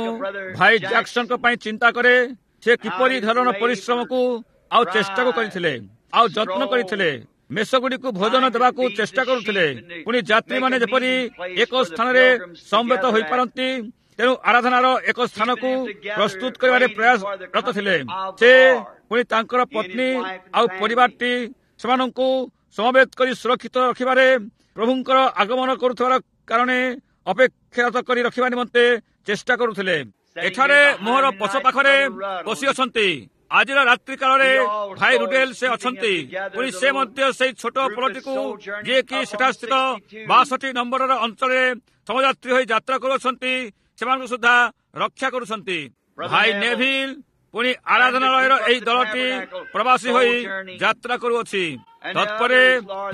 Speaker 1: ଭାଇ ଜ୍ୟାକସନଙ୍କ ପାଇଁ ଚିନ୍ତା କରେ, ସେ କିପରି ଧରଣର ପରିଶ୍ରମକୁ ଆଉ ଚେଷ୍ଟାକୁ କରିଥିଲେ ଆଉ ଯତ୍ନ କରିଥିଲେ, ମେଷଗୁଡ଼ିକୁ ଭୋଜନ ଦେବାକୁ ଚେଷ୍ଟା କରୁଥିଲେ। ପୁଣି ଯାତ୍ରୀମାନେ ଯେପରି ଏକ ସ୍ଥାନରେ ସମବେତ ହୋଇପାରନ୍ତି, ତେଣୁ ଆରାଧନାର ଏକ ସ୍ଥାନକୁ ପ୍ରସ୍ତୁତ କରିବାରେ ପ୍ରୟାସରତ ଥିଲେ। ସେ ପୁଣି ତାଙ୍କର ପତ୍ନୀ ଆଉ ପରିବାରଟି ସେମାନଙ୍କୁ ସମବେତ କରି ସୁରକ୍ଷିତ ରଖିବାରେ ପ୍ରଭୁଙ୍କର ଆଗମନ କରୁଥିବାର କାରଣେ ଅପେକ୍ଷାରତ କରି ରଖିବା ନିମନ୍ତେ ଚେଷ୍ଟା କରୁଥିଲେ। ଏଠାରେ ମୋହର ପଛ ପାଖରେ ବସି ଅଛନ୍ତି ଆଜିର ରାତ୍ରି କାଳରେ ଭାଇ ରୁଡେଲ, ସେ ଅଛନ୍ତି। ପୁଣି ସେ ମଧ୍ୟ ସେଇ ଛୋଟ ପଲଟିକୁ, ଯିଏକି ସେଠାସ୍ଥିତ ବାଷଠି ନମ୍ବରର ଅଞ୍ଚଳରେ ସମଯାତ୍ରୀ ହୋଇ ଯାତ୍ରା କରୁଅଛନ୍ତି, ସେମାନଙ୍କୁ ସୁଦ୍ଧା ରକ୍ଷା କରୁଛନ୍ତି। ଭାଇ ନେଭିଲ, ପୁଣି ଆରାଧନାଳୟର ଏହି ଦଳଟି ପ୍ରବାସୀ ହୋଇ ଯାତ୍ରା କରୁଅଛି। ତତ୍ପରେ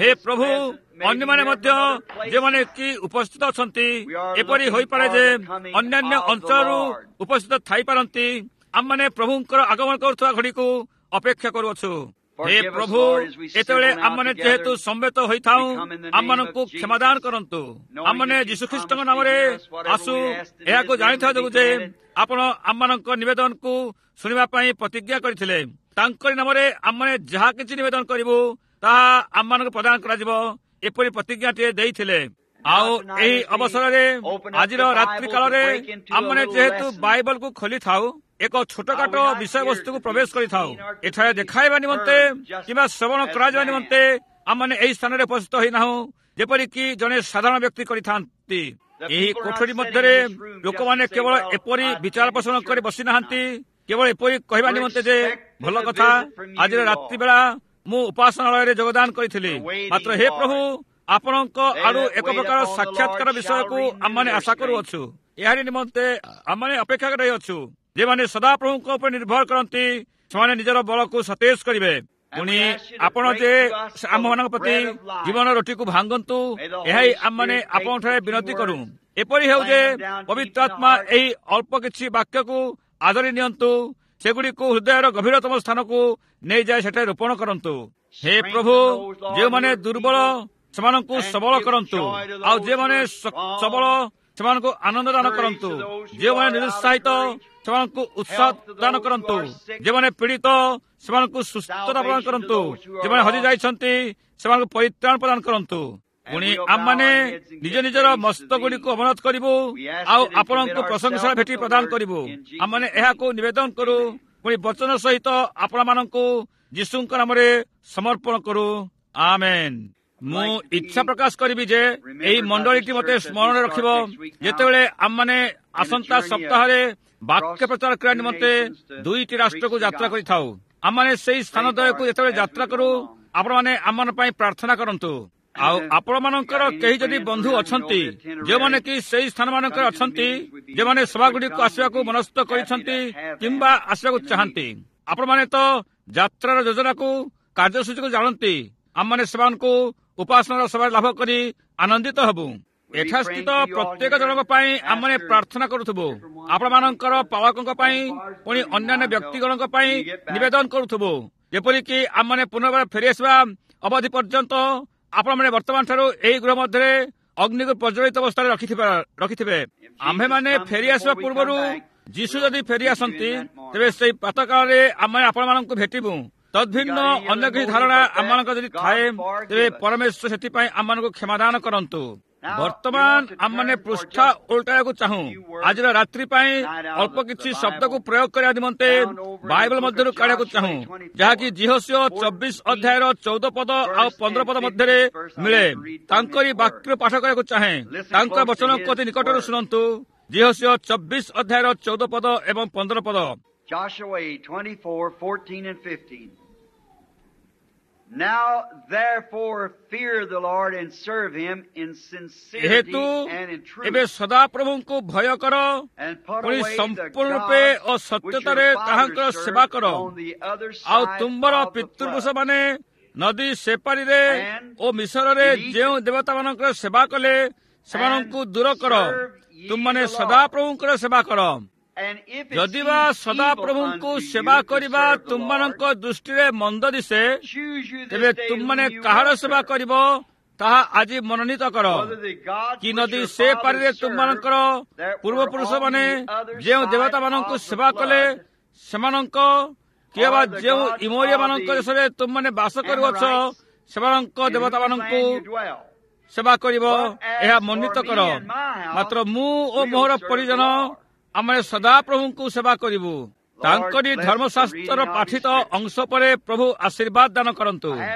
Speaker 1: ହେ ପ୍ରଭୁ, ଅନ୍ୟମାନେ ମଧ୍ୟ ଯେଉଁମାନେ କି ଉପସ୍ଥିତ ଅଛନ୍ତି, ଏପରି ହୋଇପାରେ ଯେ ଅନ୍ୟାନ୍ୟ ଅଞ୍ଚଳରୁ ଉପସ୍ଥିତ ଥାଇପାରନ୍ତି। ଆମମାନେ ପ୍ରଭୁଙ୍କର ଆଗମନ କରୁଥିବା ଘଡ଼ିକୁ ଅପେକ୍ଷା କରୁଅଛୁ। ହେ ପ୍ରଭୁ, ଏତେବେଳେ ଆମମାନେ ଯେହେତୁ ସମବେତ ହୋଇଥାଉ, ଆମମାନଙ୍କୁ କ୍ଷମାଦାନ କରନ୍ତୁ। ଆମମାନେ ଯୀଶୁଖ୍ରୀଷ୍ଟଙ୍କ ନାମରେ ଆସୁ, ଏହାକୁ ଜାଣିଥିବା ଯୋଗୁଁ ଯେ ଆପଣ ଆମମାନଙ୍କ ନିବେଦନକୁ ଶୁଣିବା ପାଇଁ ପ୍ରତିଜ୍ଞା କରିଥିଲେ। ତାଙ୍କରି ନାମରେ ଆମମାନେ ଯାହା କିଛି ନିବେଦନ କରିବୁ ତାହା ଆମମାନଙ୍କୁ ପ୍ରଦାନ କରାଯିବ, ଏପରି ପ୍ରତିଜ୍ଞାଟିଏ ଦେଇଥିଲେ। ଆଉ ଏହି ଅବସରରେ ଆଜିର ରାତ୍ରି କାଳରେ ଆମମାନେ ଯେହେତୁ ବାଇବଲକୁ ଖୋଲିଥାଉ, ଏକ ଛୋଟକାଟ ବିଷୟବସ୍ତୁକୁ ପ୍ରବେଶ କରିଥାଉ। ଏଠାରେ ଦେଖାଇବା ନିମନ୍ତେ କିମ୍ବା ଶ୍ରବଣ କରାଯିବା ନିମନ୍ତେ ଆମମାନେ ଏହି ସ୍ଥାନରେ ଉପସ୍ଥିତ ହୋଇନାହୁଁ, ଯେପରିକି ଜଣେ ସାଧାରଣ ବ୍ୟକ୍ତି କରିଥାନ୍ତି। ଏହି କୋଠରୀ ମଧ୍ୟରେ ଲୋକମାନେ କେବଳ ଏପରି ବିଚାର ପୋଷଣ କରି ବସିନାହାନ୍ତି, କେବଳ ଏପରି କହିବା ନିମନ୍ତେ ଯେ ଭଲ କଥା, ଆଜିର ରାତ୍ରି ବେଳା ମୁଁ ଉପାସନାଳୟରେ ଯୋଗଦାନ କରିଥିଲି। ମାତ୍ର ହେ ପ୍ରଭୁ, ଆପଣଙ୍କ ଆଡୁ ଏକ ପ୍ରକାର ସାକ୍ଷାତକାର ବିଷୟକୁ ଆମମାନେ ଆଶା କରୁଅଛୁ। ଏହାରି ନିମନ୍ତେ ଆମମାନେ ଅପେକ୍ଷା ରହିଅଛୁ। ଯେଉଁମାନେ ସଦାପ୍ରଭୁଙ୍କ ଉପରେ ନିର୍ଭର କରନ୍ତି, ସେମାନେ ନିଜର ବଳକୁ ସତେଜ କରିବେ। ପୁଣି ଆପଣ ଯେ ଆମମାନଙ୍କ ପ୍ରତି ଜୀବନ ରୋଟିକୁ ଭାଙ୍ଗନ୍ତୁ, ଏହା ହିଁ ଆମମାନେ ଆପଣଙ୍କଠାରେ ବିନତି କରୁ। ଏପରି ହେଉ ଯେ ପବିତ୍ର ଆତ୍ମା ଏହି ଅଳ୍ପ କିଛି ବାକ୍ୟକୁ ଆଦରି ନିଅନ୍ତୁ, ସେଗୁଡ଼ିକୁ ହୃଦୟର ଗଭୀରତମ ସ୍ଥାନକୁ ନେଇଯାଇ ସେଠାରେ ରୋପଣ କରନ୍ତୁ। ହେ ପ୍ରଭୁ, ଯେଉଁମାନେ ଦୁର୍ବଳ ସେମାନଙ୍କୁ ସବଳ କରନ୍ତୁ, ଆଉ ଯେଉଁମାନେ ସବଳ ସେମାନଙ୍କୁ ଆନନ୍ଦ ଦାନ କରନ୍ତୁ, ଯେଉଁମାନେ ନିରୁତ୍ସାହିତ ସେମାନଙ୍କୁ ଉତ୍ସାହ ଦାନ କରନ୍ତୁ, ଯେଉଁମାନେ ପୀଡ଼ିତ ସେମାନଙ୍କୁ ସୁସ୍ଥତା ପ୍ରଦାନ କରନ୍ତୁ, ଯେଉଁମାନେ ହଜି ଯାଇଛନ୍ତି ସେମାନଙ୍କୁ ପରିତ୍ରାଣ ପ୍ରଦାନ କରନ୍ତୁ। ପୁଣି ଆମମାନେ ନିଜ ନିଜର ମସ୍ତକଗୁଡ଼ିକୁ ଅବନତ କରିବୁ ଆଉ ଆପଣଙ୍କୁ ପ୍ରଶଂସାର ଭେଟି ପ୍ରଦାନ କରିବୁ। ଆମମାନେ ଏହାକୁ ନିବେଦନ କରୁ, ପୁଣି ବଚନ ସହିତ ଆପଣମାନଙ୍କୁ ଯୀଶୁଙ୍କ ନାମରେ ସମର୍ପଣ କରୁ। ଆମେନ୍। ମୁଁ ଇଚ୍ଛା ପ୍ରକାଶ କରିବି ଯେ ଏହି ମଣ୍ଡଳୀଟି ମୋତେ ସ୍ମରଣ ରଖିବ ଯେତେବେଳେ ଆମମାନେ ଆସନ୍ତା ସପ୍ତାହରେ ବାକ୍ୟ ପ୍ରଚାର କରିବା ନିମନ୍ତେ ଦୁଇଟି ରାଷ୍ଟ୍ରକୁ ଯାତ୍ରା କରିଥାଉ। ଆମମାନେ ସେହି ସ୍ଥାନଦ୍ୱୟକୁ ଯେତେବେଳେ ଯାତ୍ରା କରୁ, ଆପଣମାନେ ଆମମାନଙ୍କ ପାଇଁ ପ୍ରାର୍ଥନା କରନ୍ତୁ। ଆଉ ଆପଣମାନଙ୍କର କେହି ଯଦି ବନ୍ଧୁ ଅଛନ୍ତି, ଯେଉଁମାନେ କି ସେହି ସ୍ଥାନମାନଙ୍କରେ ଅଛନ୍ତି, ଯେଉଁମାନେ ସଭାଗୁଡ଼ିକୁ ଆସିବାକୁ ମନସ୍ଥ କରିଛନ୍ତି କିମ୍ବା ଆସିବାକୁ ଚାହାନ୍ତି, ଆପଣମାନେ ତ ଯାତ୍ରାର ଯୋଜନାକୁ, କାର୍ଯ୍ୟସୂଚୀକୁ ଜାଣନ୍ତି। ଆମମାନେ ସେମାନଙ୍କୁ ଉପାସନାର ସଭାରେ ଲାଭ କରି ଆନନ୍ଦିତ ହେବୁ। ଏଠାସ୍ଥିତ ପ୍ରତ୍ୟେକ ଜଣଙ୍କ ପାଇଁ ଆମମାନେ ପ୍ରାର୍ଥନା କରୁଥିବୁ, ଆପଣମାନଙ୍କର ପାଳକଙ୍କ ପାଇଁ, ପୁଣି ଅନ୍ୟାନ୍ୟ ବ୍ୟକ୍ତିଗଣଙ୍କ ପାଇଁ ନିବେଦନ କରୁଥିବୁ, ଯେପରିକି ଆମମାନେ ପୁନର୍ବାର ଫେରିଆସିବା ଅବଧି ପର୍ଯ୍ୟନ୍ତ ଆପଣମାନେ ବର୍ତ୍ତମାନଠାରୁ ଏହି ଗୃହ ମଧ୍ୟରେ ଅଗ୍ନିକୁ ପ୍ରଜ୍ୱଳିତ ଅବସ୍ଥାରେ ରଖିଥିବା ରଖିଥିବେ। ଆମ୍ଭେମାନେ ଫେରିଆସିବା ପୂର୍ବରୁ ଯୀଶୁ ଯଦି ଫେରି ଆସନ୍ତି, ତେବେ ସେଇ ପ୍ରାତଃକାଳରେ ଆମେ ଆପଣମାନଙ୍କୁ ଭେଟିବୁ। ତଦ୍ଭିନ୍ନ ଅନ୍ୟ କିଛି ଧାରଣା ଆମମାନଙ୍କ ଯଦି ଥାଏ, ତେବେ ପରମେଶ୍ୱର ସେଥିପାଇଁ ଆମମାନଙ୍କୁ କ୍ଷମାଦାନ କରନ୍ତୁ। ବର୍ତ୍ତମାନ ଆମମାନେ ପୃଷ୍ଠା ଓଲଟାଇବାକୁ ଚାହୁଁ। ଆଜିର ରାତ୍ରି ପାଇଁ ଅଳ୍ପ କିଛି ଶବ୍ଦକୁ ପ୍ରୟୋଗ କରିବା ନିମନ୍ତେ ବାଇବଲ ମଧ୍ୟରୁ କାଢ଼ିବାକୁ ଚାହୁଁ, ଯାହାକି ଯିହୋଶୂୟ ଚବିଶ ଅଧ୍ୟାୟର ଚଉଦ ପଦ ଆଉ ପନ୍ଦର ପଦ ମଧ୍ୟରେ ମିଳେ। ତାଙ୍କରି ବାକ୍ୟ ପାଠ କରିବାକୁ ଚାହେଁ। ତାଙ୍କ ବଚନକୁ ଅତି ନିକଟରୁ ଶୁଣନ୍ତୁ। ଯିହୋଶୂୟ ଚବିଶ ଅଧ୍ୟାୟର ଚଉଦ ପଦ ଏବଂ ପନ୍ଦର ପଦ।
Speaker 2: Joshua twenty-four, fourteen and fifteen. Now therefore fear the Lord and serve him in sincerity
Speaker 1: ହେତୁ
Speaker 2: and in truth.
Speaker 1: ଏବେ ସଦାପ୍ରଭୁଙ୍କୁ ଭୟ କର,
Speaker 2: And put
Speaker 1: ପୁଣି
Speaker 2: away the
Speaker 1: ସମ୍ପୂର୍ଣ୍ଣ ରୂପେ
Speaker 2: gods
Speaker 1: O
Speaker 2: which your
Speaker 1: ସତ୍ୟତାରେ ତାହାଙ୍କର
Speaker 2: fathers
Speaker 1: ସେବା
Speaker 2: served
Speaker 1: କର।
Speaker 2: on the other
Speaker 1: ଆଉ
Speaker 2: side
Speaker 1: ତୁମ୍ଭର
Speaker 2: of the flood.
Speaker 1: ପିତୃପୁରୁଷମାନେ ନଦୀ ସେପାରିରେ
Speaker 2: And
Speaker 1: ଓ ମିଶରରେ
Speaker 2: in Egypt,
Speaker 1: ଯେଉଁ ଦେବତାମାନଙ୍କର ସେବା କଲେ, ସେମାନଙ୍କୁ ଦୂର କର, ତୁମମାନେ ସଦାପ୍ରଭୁଙ୍କର ସେବା କର। ଯଦି ବା ସଦାପ୍ରଭୁଙ୍କୁ ସେବା କରିବା ତୁମମାନଙ୍କ ଦୃଷ୍ଟିରେ ମନ୍ଦ ଦିଶେ, ତେବେ ତୁମମାନେ କାହାର ସେବା କରିବ ତାହା ଆଜି ମନୋନୀତ କର। କି ନଦୀ ସେ ପାରିରେ ତୁମମାନଙ୍କର ପୂର୍ବପୁରୁଷମାନେ ଯେଉଁ ଦେବତାମାନଙ୍କୁ ସେବା କଲେ ସେମାନଙ୍କ, କିମ୍ବା ଯେଉଁ ଇମୋରିୟମାନଙ୍କ ଦେଶରେ ତୁମମାନେ ବାସ କରୁଅଛ ସେମାନଙ୍କ ଦେବତାମାନଙ୍କୁ ସେବା କରିବ, ଏହା ମନୋନୀତ କର। ମାତ୍ର ମୁଁ ଓ ମୋର ପରିଜନ ଆମେ ସଦାପ୍ରଭୁଙ୍କୁ ସେବା କରିବୁ। ତାଙ୍କରି ଧର୍ମଶାସ୍ତ୍ରର ପାଠିତ ଅଂଶ ପରେ ପ୍ରଭୁ ଆଶୀର୍ବାଦ ଦାନ କରନ୍ତୁ।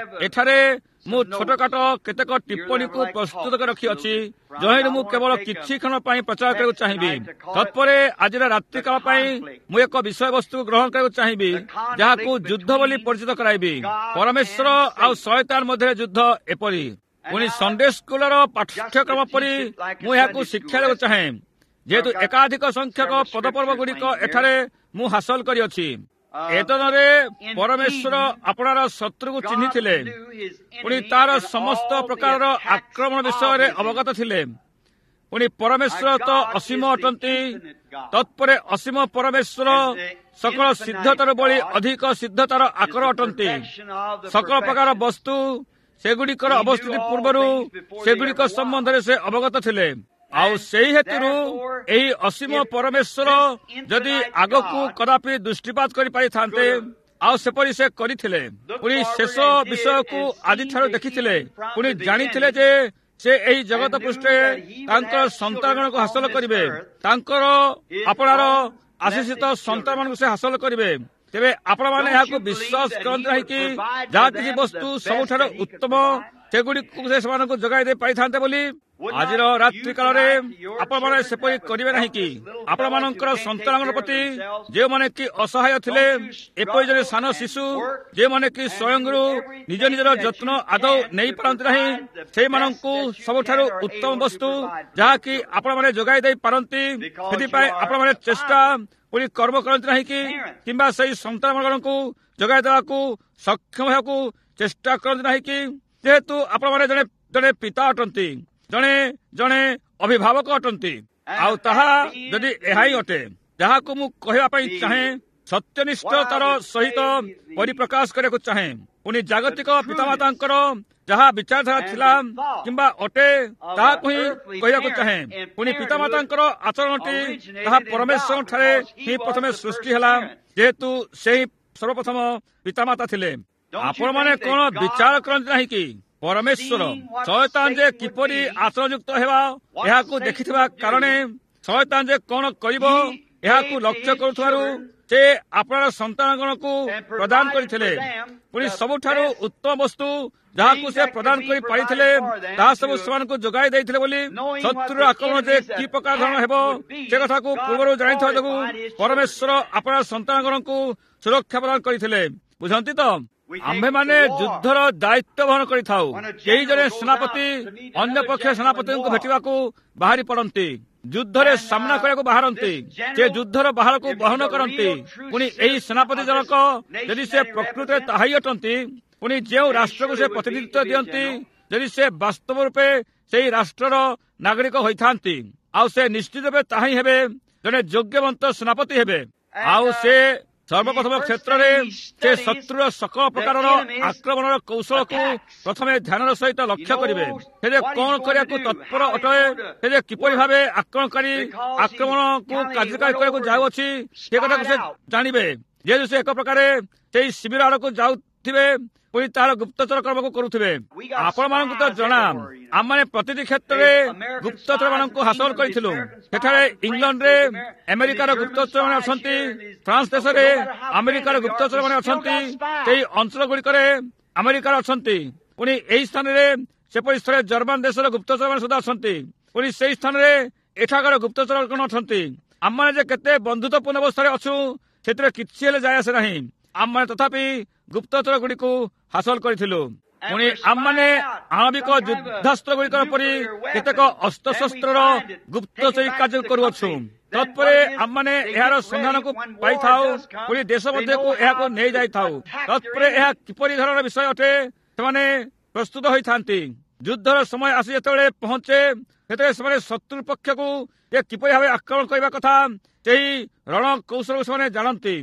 Speaker 1: ଏଠାରେ ମୁଁ ଛୋଟକାଟ କେତେକ ଟିପ୍ପଣୀକୁ ପ୍ରସ୍ତୁତ କରି ରଖିଅଛି, ଯହିଁରୁ ମୁଁ କେବଳ କିଛି କ୍ଷଣ ପାଇଁ ପ୍ରଚାର କରିବାକୁ ଚାହିଁବି। ତତ୍ପରେ ଆଜିର ରାତ୍ରିକାଳ ପାଇଁ ମୁଁ ଏକ ବିଷୟବସ୍ତୁ ଗ୍ରହଣ କରିବାକୁ ଚାହିଁବି, ଯାହାକୁ ଯୁଦ୍ଧ ବୋଲି ପରିଚିତ କରାଇବି। ପରମେଶ୍ୱର ଆଉ ଶୟତାନ ମଧ୍ୟରେ ଯୁଦ୍ଧ ଏପରି। ପୁଣି ସଣ୍ଡେ ସ୍କୁଲର ପାଠ୍ୟକ୍ରମ ପରି ମୁଁ ଏହାକୁ ଶିକ୍ଷା ଦେବାକୁ ଚାହେଁ, ଯେହେତୁ ଏକାଧିକ ସଂଖ୍ୟକ ପଦପର୍ବ ଗୁଡ଼ିକ ଏଠାରେ ମୁଁ ହାସଲ କରିଅଛି। ଏଦନରେ ପରମେଶ୍ୱର ଆପଣାର ଶତ୍ରୁକୁ ଚିହ୍ନିଥିଲେ, ପୁଣି ତାର ସମସ୍ତ ପ୍ରକାରର ଆକ୍ରମଣ ବିଷୟରେ ଅବଗତ ଥିଲେ। ପୁଣି ପରମେଶ୍ୱର ତ ଅସୀମ ଅଟନ୍ତି, ତତ୍ପରେ ଅସୀମ ପରମେଶ୍ୱର ସକଳ ସିଦ୍ଧତାର ବଳି ଅଧିକ ସିଦ୍ଧତାର ଆକର ଅଟନ୍ତି। ସକଳ ପ୍ରକାର ବସ୍ତୁ ସେଗୁଡ଼ିକର ଅବସ୍ଥିତି ପୂର୍ବରୁ ସେଗୁଡ଼ିକ ସମ୍ବନ୍ଧରେ ସେ ଅବଗତ ଥିଲେ। ଆଉ ସେହି ହେତୁରୁ ଏହି ଅସୀମ ପରମେଶ୍ୱର ଯଦି ଆଗକୁ କଦାପି ଦୃଷ୍ଟିପାତ କରିପାରିଥାନ୍ତେ, ଆଉ ସେପରି ସେ କରିଥିଲେ। ପୁଣି ଶେଷ ବିଷୟକୁ ଆଦିଠାରୁ ଦେଖିଥିଲେ, ପୁଣି ଜାଣିଥିଲେ ଯେ ସେ ଏହି ଜଗତ ପୃଷ୍ଠରେ ତାଙ୍କର ସନ୍ତାନଗଣକୁ ହାସଲ କରିବେ, ତାଙ୍କର ଆପଣାର ଆଶିଷିତ ସନ୍ତାନମାନଙ୍କୁ ସେ ହାସଲ କରିବେ। ତେବେ ଆପଣମାନେ ଏହାକୁ ବିଶ୍ୱାସ କରନ୍ତି ନାହିଁ କି ଯାହା କିଛି ବସ୍ତୁ ସବୁଠାରୁ ଉତ୍ତମ ସେଗୁଡ଼ିକୁ ସେ ସେମାନଙ୍କୁ ଯୋଗାଇ ଦେଇ ପାରିଥାନ୍ତେ ବୋଲି? ଆଜିର ରାତ୍ରି କାଳରେ ଆପଣମାନେ ସେପରି କରିବେ ନାହିଁ କି? ଆପଣମାନଙ୍କର ସନ୍ତାନମାନଙ୍କ ପ୍ରତି ଯେଉଁମାନେ କି ଅସହାୟ ଥିଲେ, ଏପରି ଜଣେ ସାନ ଶିଶୁ ଯେଉଁମାନେ କି ସ୍ୱୟଂରୁ ନିଜ ନିଜର ଯତ୍ନ ଆଦୌ ନେଇପାରନ୍ତି ନାହିଁ, ସେଇମାନଙ୍କୁ ସବୁଠାରୁ ଉତ୍ତମ ବସ୍ତୁ ଯାହାକି ଆପଣମାନେ ଯୋଗାଇ ଦେଇ ପାରନ୍ତି, ସେଥିପାଇଁ ଆପଣମାନେ ଚେଷ୍ଟା ପୁଣି କର୍ମ କରନ୍ତି ନାହିଁ କି? କିମ୍ବା ସେଇ ସନ୍ତାନମାନଙ୍କୁ ଯୋଗାଇ ଦେବାକୁ ସକ୍ଷମ ହେବାକୁ ଚେଷ୍ଟା କରନ୍ତି ନାହିଁ କି? ଯେହେତୁ ଆପଣମାନେ ଜଣେ ଜଣେ ପିତା ଅଟନ୍ତି, ଜଣେ ଜଣେ ଅଭିଭାବକ ଅଟନ୍ତି। ଆଉ ତାହା ଯଦି ଏହା ହିଁ ଅଟେ ଯାହାକୁ ମୁଁ କହିବା ପାଇଁ ଚାହେଁ, ସତ୍ୟନିଷ୍ଠତାର ସହିତ ପରିପ୍ରକାଶ କରିବାକୁ ଚାହେଁ। ପୁଣି ଜାଗତିକ ପିତାମାତାଙ୍କର ଯାହା ବିଚାରଧାରା ଥିଲା କିମ୍ବା ଅଟେ ତାହାକୁ ହିଁ କହିବାକୁ ଚାହେଁ। ପୁଣି ପିତାମାତାଙ୍କର ଆଚରଣଟି ତାହା ପରମେଶ୍ୱରଙ୍କଠାରେ ହିଁ ପ୍ରଥମେ ସୃଷ୍ଟି ହେଲା, ଯେହେତୁ ସେହି ସର୍ବପ୍ରଥମ ପିତାମାତା ଥିଲେ। ଆପଣମାନେ କଣ ବିଚାର କରନ୍ତି ନାହିଁ କି? ପରମେଶ୍ୱର ଶୟତାନ ଯେ କିପରି ଆଚରଣଯୁକ୍ତ ହେବା ଏହାକୁ ଦେଖିଥିବା କାରଣେ, ଶୟତାନ ଯେ କଣ କରିବ ଏହାକୁ ଲକ୍ଷ୍ୟ କରୁଥିବାରୁ ସେ ଆପଣାର ସନ୍ତାନଗଣକୁ ପ୍ରଦାନ କରିଥିଲେ। ପୁଣି ସବୁଠାରୁ ଉତ୍ତମ ବସ୍ତୁ ଯାହାକୁ ସେ ପ୍ରଦାନ କରି ପାରିଥିଲେ ତାହା ସବୁ ସେମାନଙ୍କୁ ଯୋଗାଇ ଦେଇଥିଲେ ବୋଲି ଶତ୍ରୁର ଆକ୍ରମଣ ଯେ କି ପ୍ରକାର ଧରଣ ହେବ ସେ କଥାକୁ ପୂର୍ବରୁ ଜାଣିଥିବା ଯୋଗୁଁ ପରମେଶ୍ୱର ଆପଣା ସନ୍ତାନଗଣକୁ ସୁରକ୍ଷା ପ୍ରଦାନ କରିଥିଲେ। ବୁଝନ୍ତି ତ? ଆମ୍ଭେମାନେ ଯୁଦ୍ଧର ଦାୟିତ୍ୱ ବହନ କରିଥାଉ। କେହି ଜଣେ ସେନାପତି ଅନ୍ୟ ପକ୍ଷ ସେନାପତିଙ୍କୁ ଭେଟିବାକୁ ବାହାରି ପଡ଼ନ୍ତି, ଯୁଦ୍ଧରେ ସାମ୍ନା କରିବାକୁ ବାହାରନ୍ତି, ସେ ଯୁଦ୍ଧର ବାହାରକୁ ବହନ କରନ୍ତି। ପୁଣି ଏହି ସେନାପତି ଜଣକ ଯଦି ସେ ପ୍ରକୃତରେ ତାହା ହିଁ ଅଟନ୍ତି, ପୁଣି ଯେଉଁ ରାଷ୍ଟ୍ରକୁ ସେ ପ୍ରତିନିଧିତ୍ୱ ଦିଅନ୍ତି, ଯଦି ସେ ବାସ୍ତବ ରୂପେ ସେହି ରାଷ୍ଟ୍ରର ନାଗରିକ ହୋଇଥାନ୍ତି, ଆଉ ସେ ନିଶ୍ଚିତ ରୂପେ ତାହା ହିଁ ହେବେ, ଜଣେ ଯୋଗ୍ୟବନ୍ତ ସେନାପତି ହେବେ। ଆଉ ସେ ସର୍ବପ୍ରଥମ କ୍ଷେତ୍ରରେ ସେ ଶତ୍ରୁର ସକଳ ପ୍ରକାରର ଆକ୍ରମଣର କୌଶଳକୁ ପ୍ରଥମେ ଧ୍ୟାନର ସହିତ ଲକ୍ଷ୍ୟ କରିବେ। ସେ ଯେ କଣ କରିବାକୁ ତତ୍ପର ଅଟେ, ସେ ଯେ କିପରି ଭାବେ ଆକ୍ରମଣକାରୀ ଆକ୍ରମଣକୁ କାର୍ଯ୍ୟକାରୀ କରିବାକୁ ଯାଉଅଛି ସେ କଥାକୁ ସେ ଜାଣିବେ। ଯେହେତୁ ସେ ଏକ ପ୍ରକାରେ ସେଇ ଶିବିର ଆଡ଼କୁ ଯାଉଥିବେ, ପୁଣି ତାହାର ଗୁପ୍ତଚର କର୍ମକୁ କରୁଥିବେ। ଆପଣମାନଙ୍କୁ ତ ଜଣା, ଆମମାନେ ପ୍ରତିଟି କ୍ଷେତ୍ରରେ ଗୁପ୍ତଚରମାନଙ୍କୁ ହାସଲ କରିଥିଲୁ। ସେଠାରେ ଇଂଲଣ୍ଡରେ ଆମେରିକାର ଗୁପ୍ତଚରମାନେ ଅଛନ୍ତି, ଫ୍ରାନ୍ସ ଦେଶରେ ଆମେରିକାର ଗୁପ୍ତଚରମାନେ ଅଛନ୍ତି, ସେହି ଅଞ୍ଚଳଗୁଡ଼ିକରେ ଆମେରିକାର ଅଛନ୍ତି। ପୁଣି ଏହି ସ୍ଥାନରେ ସେପରି ସ୍ଥଳେ ଜର୍ମାନ ଦେଶର ଗୁପ୍ତଚରମାନେ ସୁଦ୍ଧା ଅଛନ୍ତି। ପୁଣି ସେହି ସ୍ଥାନରେ ଏଠାକାର ଗୁପ୍ତଚରଗଣ ଅଛନ୍ତି। ଆମମାନେ ଯେ କେତେ ବନ୍ଧୁତ୍ୱପୂର୍ଣ୍ଣ ଅବସ୍ଥାରେ ଅଛୁ ସେଥିରେ କିଛି ହେଲେ ଯାଏ ଆସେ ନାହିଁ। ଆମମାନେ ତଥାପି ଗୁପ୍ତଚର ଗୁଡ଼ିକୁ ହାସଲ କରିଥିଲୁ। ପୁଣି ଆମମାନେ ଆଣବିକ ଯୁଦ୍ଧାସ୍ତ୍ର ଗୁଡ଼ିକର ପରି କେତେକ ଅସ୍ତ୍ରଶସ୍ତ୍ରର ଗୁପ୍ତଚରୀ କାର୍ଯ୍ୟ କରୁଅଛୁ। ତତ୍ପରେ ଆମମାନେ ଏହାର ସନ୍ଧାନକୁ ପାଇଥାଉ, ପୁଣି ଦେଶ ମଧ୍ୟକୁ ଏହାକୁ ନେଇଯାଇଥାଉ। ତତ୍ପରେ ଏହା କିପରି ଧରଣର ବିଷୟ ଅଟେ, ସେମାନେ ପ୍ରସ୍ତୁତ ହୋଇଥାନ୍ତି। ଯୁଦ୍ଧର ସମୟ ଆସି ଯେତେବେଳେ ପହଞ୍ଚେ, ସେଥିରେ ସେମାନେ ଶତ୍ରୁ ପକ୍ଷକୁ ଯେ କିପରି ଭାବେ ଆକ୍ରମଣ କରିବା କଥା ସେହି ରଣ କୌଶଳକୁ ସେମାନେ ଜାଣନ୍ତି।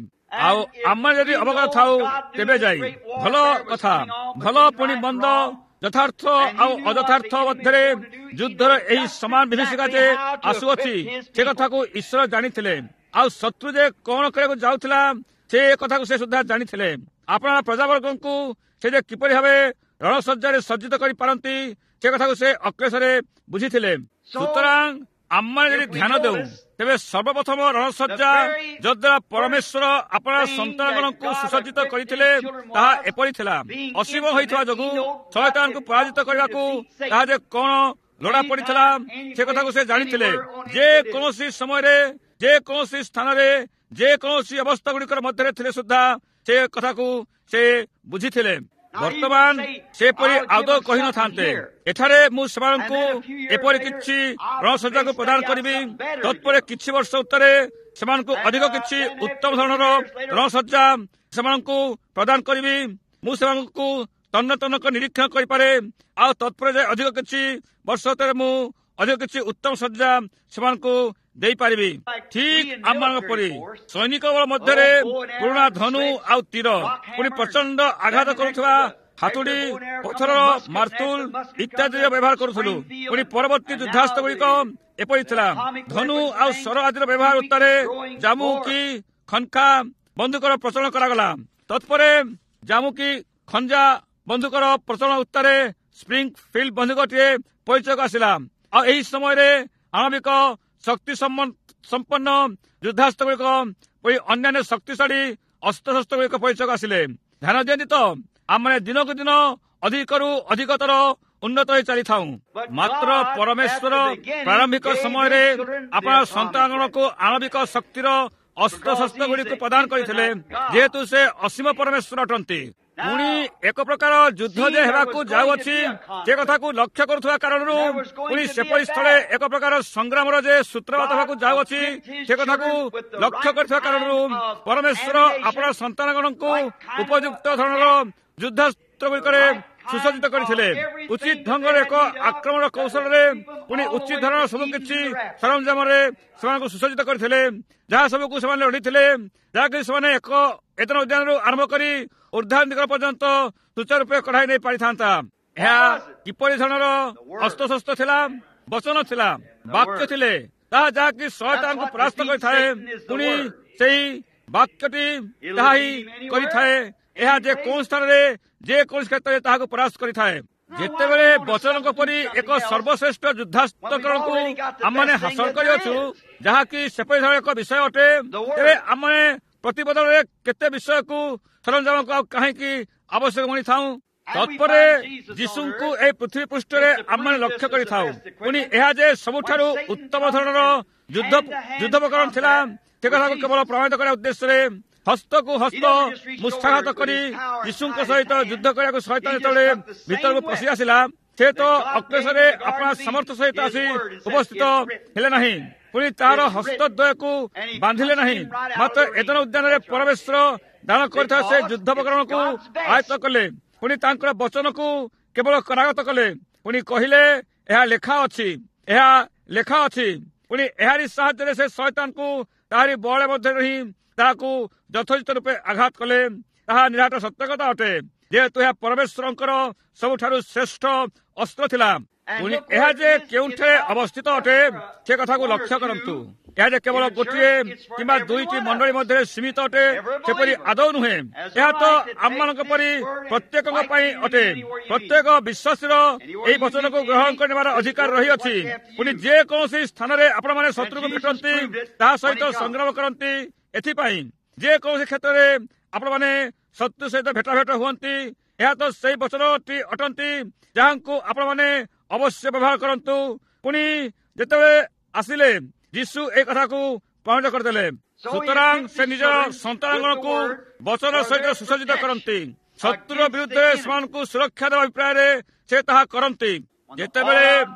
Speaker 1: ଆଉ ଆମେ ଯଦି ଅବଗତ ଥାଉ ତେବେ ଯାଇ ଭଲ କଥା, ଭଲ ପୁଣି ମନ୍ଦ, ଯଥାର୍ଥ ଆଉ ଅଯଥାର୍ଥ ମଧ୍ୟରେ ଯୁଦ୍ଧର ଏହି ସମାନ ବିଭୀଷିକା ଯେ ଆସୁଅଛି ସେ କଥାକୁ ଈଶ୍ୱର ଜାଣିଥିଲେ। ଆଉ ଶତ୍ରୁ ଯେ କଣ କରିବାକୁ ଯାଉଥିଲା ସେ କଥାକୁ ସେ ସୁଦ୍ଧା ଜାଣିଥିଲେ। ଆପଣା ପ୍ରଜାବର୍ଗଙ୍କୁ ସେ ଯେ କିପରି ଭାବେ ରଣସଜ୍ଜାରେ ସଜ୍ଜିତ କରିପାରନ୍ତି ସେ କଥାକୁ ସେ ଅକ୍ଲେଶରେ ବୁଝିଥିଲେ। ସୁତରାଂ ଆମମାନେ ଯଦି ଧ୍ୟାନ ଦେଉ ତେବେ ସର୍ବପ୍ରଥମ ରଣସଜ୍ଜା ଯଦ୍ୱାରା ପରମେଶ୍ୱର ଆପଣା ସନ୍ତାନଗଣଙ୍କୁ ସୁସଜ୍ଜିତ କରିଥିଲେ ତାହା ଏପରି ଥିଲା। ଅସୀମ ହୋଇଥିବା ଯୋଗୁଁ ଶୟତାନକୁ ପରାଜିତ କରିବାକୁ ତାହା ଯେ କଣ ଲୋଡ଼ା ପଡ଼ିଥିଲା ସେ କଥାକୁ ସେ ଜାଣିଥିଲେ। ଯେ କୌଣସି ସମୟରେ, ଯେକୌଣସି ସ୍ଥାନରେ, ଯେକୌଣସି ଅବସ୍ଥା ଗୁଡ଼ିକର ମଧ୍ୟରେ ଥିଲେ ସୁଦ୍ଧା ସେ କଥାକୁ ସେ ବୁଝିଥିଲେ। ବର୍ତ୍ତମାନ ସେପରି ଆଦୌ କହିନଥାନ୍ତେ, ଏଠାରେ ମୁଁ ସେମାନଙ୍କୁ ଏପରି କିଛି ରଣସଜ୍ଜାକୁ ପ୍ରଦାନ କରିବି, ତତ୍ପରେ କିଛି ବର୍ଷ ଉତ୍ତରେ ସେମାନଙ୍କୁ ଅଧିକ କିଛି ଉତ୍ତମ ଧରଣର ରଣସଜ୍ଜା ସେମାନଙ୍କୁ ପ୍ରଦାନ କରିବି, ମୁଁ ସେମାନଙ୍କୁ ତନ୍ନ ତନ୍ନ କରି ନିରୀକ୍ଷଣ କରିପାରେ, ଆଉ ତତ୍ପରେ ଯାଇ ଅଧିକ କିଛି ବର୍ଷ ଉତ୍ତରେ ମୁଁ ଅଧିକ କିଛି ଉତ୍ତମ ସଜ୍ଜା ସେମାନଙ୍କୁ ଦେଇପାରିବି। ଠିକ ଆମମାନଙ୍କ ପରି ସୈନିକ ବଳ ମଧ୍ୟରେ ପୁରୁଣା ଧନୁ ଆଉ ତୀର, ପୁଣି ପ୍ରଚଣ୍ଡ ଆଘାତ କରୁଥିବା ହାତୁଡ଼ି, ପଥରର ମାର୍ତୁଲ ଇତ୍ୟାଦିର ବ୍ୟବହାର କରୁଥିଲୁ। ପୁଣି ପରବର୍ତ୍ତୀ ଯୁଦ୍ଧାସ୍ତ୍ର ଗୁଡ଼ିକ ଏପରି ଥିଲା, ଧନୁ ଆଉ ସର ଆଦିର ବ୍ୟବହାର ଉତ୍ତାରେ ଜାମୁକି ଖନକା ବନ୍ଧୁକର ପ୍ରଚଳନ କରାଗଲା। ତତ୍ପରେ ଜାମୁକି ଖଞ୍ଜା ବନ୍ଧୁକର ପ୍ରଚଳନ ଉତ୍ତାରେ ସ୍ପ୍ରିଙ୍ଗ ଫିଲ୍ଡ ବନ୍ଧୁକଟିଏ ପରିଚୟକୁ ଆସିଲା। ଆଉ ଏହି ସମୟରେ ଆଣବିକ ଶକ୍ତି ସମ୍ପନ୍ନ ଯୁଦ୍ଧାସ୍ତ୍ର ଗୁଡ଼ିକ ପରି ଅନ୍ୟାନ୍ୟ ଶକ୍ତିଶାଳୀ ଅସ୍ତ୍ରଶସ୍ତ୍ର ଗୁଡ଼ିକ ପରିଚୟକୁ ଆସିଲେ। ଧ୍ୟାନ ଦିଅନ୍ତି ତ, ଆମେ ଦିନକୁ ଦିନ ଅଧିକରୁ ଅଧିକତର ଉନ୍ନତ ହୋଇ ଚାଲିଥାଉ। ମାତ୍ର ପରମେଶ୍ୱର ପ୍ରାରମ୍ଭିକ ସମୟରେ ଆପଣା ସନ୍ତାନଗଣକୁ ଆଣବିକ ଶକ୍ତିର ଅସ୍ତ୍ରଶସ୍ତ୍ର ଗୁଡ଼ିକୁ ପ୍ରଦାନ କରିଥିଲେ, ଯେହେତୁ ସେ ଅସୀମ ପରମେଶ୍ୱର ଅଟନ୍ତି। ପୁଣି ଏକ ପ୍ରକାର ଯୁଦ୍ଧ ଯେ ହେବାକୁ ଯାଉଅଛି ସେ କଥାକୁ ଲକ୍ଷ୍ୟ କରୁଥିବା କାରଣରୁ ପୁଣି ସେପରି ସ୍ଥଳେ ଏକ ପ୍ରକାର ସଂଗ୍ରାମର ଯେ ସୂତ୍ରପାତ ହେବାକୁ ଯାଉଅଛି ସେ କଥାକୁ ଲକ୍ଷ୍ୟ କରୁଥିବା କାରଣରୁ ପରମେଶ୍ୱର ଆପଣା ସନ୍ତାନଗଣଙ୍କୁ ଉପଯୁକ୍ତ ଧରଣର ଯୁଦ୍ଧାସ୍ତ୍ର ଗୁଡ଼ିକରେ ସୁସଜ୍ଜିତ କରିଥିଲେ। ଉଚିତ ଢଙ୍ଗରେ ଏକ ଆକ୍ରମଣ କୌଶଳରେ ପୁଣି ଉଚିତ ଧରଣର ସବୁ କିଛି ସରଞ୍ଜାମରେ ସେମାନଙ୍କୁ ସୁସଜ୍ଜିତ କରିଥିଲେ, ଯାହା ସବୁକୁ ସେମାନେ ଲଢ଼ିଥିଲେ, ଯାହାକି ସେମାନେ ଏକ ଏଦନ ଉଦ୍ୟାନରୁ ଆରମ୍ଭ କରି ଉର୍ଦ୍ଧ୍ୱାଧିକାର ପର୍ଯ୍ୟନ୍ତ ସୁଚାରୁ ରୂପେ କଢ଼ାଇ ନେଇ ପାରିଥାନ୍ତା। ଏହା କିପରି ଧରଣର ଅସ୍ତ୍ରଶସ୍ତ୍ର ଥିଲା? ବଚନ ଥିଲା, ବାକ୍ୟ ଥିଲେ, ତାହା ଯାହାକି ଶୟତାନକୁ ପରାସ୍ତ କରିଥାଏ। ପୁଣି ସେଇ ବାକ୍ୟଟି ତାହା ହିଁ କରିଥାଏ। ଏହା ଯେ କେଉଁ ସ୍ଥାନରେ ଯେକୌଣସି କ୍ଷେତ୍ରରେ ତାହାକୁ ପରାସ୍ତ କରିଥାଏ। ଯେତେବେଳେ ବଚନଙ୍କ ପରି ଏକ ସର୍ବଶ୍ରେଷ୍ଠ ଯୁଦ୍ଧାସ୍ତ୍ରକରଣକୁ ଆମମାନେ ହାସଲ କରିଅଛୁ, ଯାହାକି ସେପରି ଧରଣର ଏକ ବିଷୟ ଅଟେ, ତେବେ ଆମମାନେ ପ୍ରତିବଦଳରେ କେତେ ବିଷୟକୁ ସରଞ୍ଜାମକୁ ଆଉ କାହିଁକି ଆବଶ୍ୟକ ମଣିଥାଉ? ତତ୍ପରେ ଯୀଶୁଙ୍କୁ ଏହି ପୃଥିବୀ ପୃଷ୍ଠରେ ଆମମାନେ ଲକ୍ଷ୍ୟ କରିଥାଉ। ପୁଣି ଏହା ଯେ ସବୁଠାରୁ ଉତ୍ତମ ଧରଣର ଯୁଦ୍ଧ ଯୁଦ୍ଧୋପକରଣ ଥିଲା ସେ କଥାକୁ କେବଳ ପ୍ରମାଣିତ କରିବା ଉଦ୍ଦେଶ୍ୟରେ ହସ୍ତକୁ ହସ୍ତ ମୁଷ୍ଠାଘାତ କରି ଯୀଶୁଙ୍କ ସହିତ ଯୁଦ୍ଧ କରିବାକୁ ଶୟତାନ ଯେତେବେଳେ ଭିତରକୁ ପଶି ଆସିଲା, ସେ ତ ଅକ୍ଲେଶରେ ଆପଣା ସାମର୍ଥ୍ୟ ସହିତ ଆସି ଉପସ୍ଥିତ ହେଲେ ନାହିଁ, ପୁଣି ତାହାର ହସ୍ତଦ୍ୱୟକୁ ବାନ୍ଧିଲେ ନାହିଁ, ମାତ୍ର ଏଦନ ଉଦ୍ୟାନରେ ପରମେଶ୍ୱର ଦାନ କରିଥିବା ସେ ଯୁଦ୍ଧୋପକରଣକୁ ଆୟତ୍ତ କଲେ, ପୁଣି ତାଙ୍କର ବଚନକୁ କେବଳ କରାଗତ କଲେ, ପୁଣି କହିଲେ ଏହା ଲେଖା ଅଛି, ଏହା ଲେଖା ଅଛି। ପୁଣି ଏହାରି ସାହାଯ୍ୟରେ ସେ ଶୟତାନକୁ ତାହାରି ବଳ ମଧ୍ୟରେ ହିଁ ତାହାକୁ ଯଥୋଚିତ ରୂପେ ଆଘାତ କଲେ। ତାହା ନିରାଟ ସତ୍ୟ କଥା ଅଟେ, ଯେହେତୁ ଏହା ପରମେଶ୍ୱରଙ୍କର ସବୁଠାରୁ ଶ୍ରେଷ୍ଠ ଅସ୍ତ୍ର ଥିଲା। ପୁଣି ଏହା ଯେ କେଉଁଠାରେ ଅବସ୍ଥିତ ଅଟେ ସେ କଥାକୁ ଲକ୍ଷ୍ୟ କରନ୍ତୁ। ଏହା ଯେ କେବଳ ଗୋଟିଏ କିମ୍ବା ଦୁଇଟି ମଣ୍ଡଳୀ ମଧ୍ୟରେ ସୀମିତ ଅଟେ ସେପରି ଆଦୌ ନୁହେଁ। ଏହା ତ ଆମମାନଙ୍କ ପରି ପ୍ରତ୍ୟେକଙ୍କ ପାଇଁ ଅଟେ। ପ୍ରତ୍ୟେକ ବିଶ୍ୱାସୀର ଏହି ବଚନକୁ ଗ୍ରହଣ କରିନେବାର ଅଧିକାର ରହିଅଛି। ପୁଣି ଯେକୌଣସି ସ୍ଥାନରେ ଆପଣମାନେ ଶତ୍ରୁକୁ ଭେଟନ୍ତି, ତାହା ସହିତ ସଂଗ୍ରାମ କରନ୍ତି। ଏଥିପାଇଁ ଯେକୌଣସି କ୍ଷେତ୍ରରେ ଆପଣମାନେ ଶତ୍ରୁ ସହିତ ଭେଟାଭେଟ ହୁଅନ୍ତି, ଏହା ତ ସେଇ ବଚନଟି ଅଟନ୍ତି ଯାହାଙ୍କୁ ଆପଣମାନେ ଅବଶ୍ୟ ବ୍ୟବହାର କରନ୍ତୁ। ପୁଣି ଯେତେବେଳେ ଆସିଲେ ଯୀଶୁ ଏ କଥାକୁ ପ୍ରମାଣିତ କରିଦେଲେ। ସୁତରାଂ ସେ ନିଜ ସନ୍ତାନଗଣକୁ ବଚନ ସହିତ ସୁସଜ୍ଜିତ କରନ୍ତି। ଶତ୍ରୁର ବିରୁଦ୍ଧରେ ସେମାନଙ୍କୁ ସୁରକ୍ଷା ଦେବା ଅଭିପ୍ରାୟରେ ସେ ତାହା କରନ୍ତି। ଯେତେବେଳେ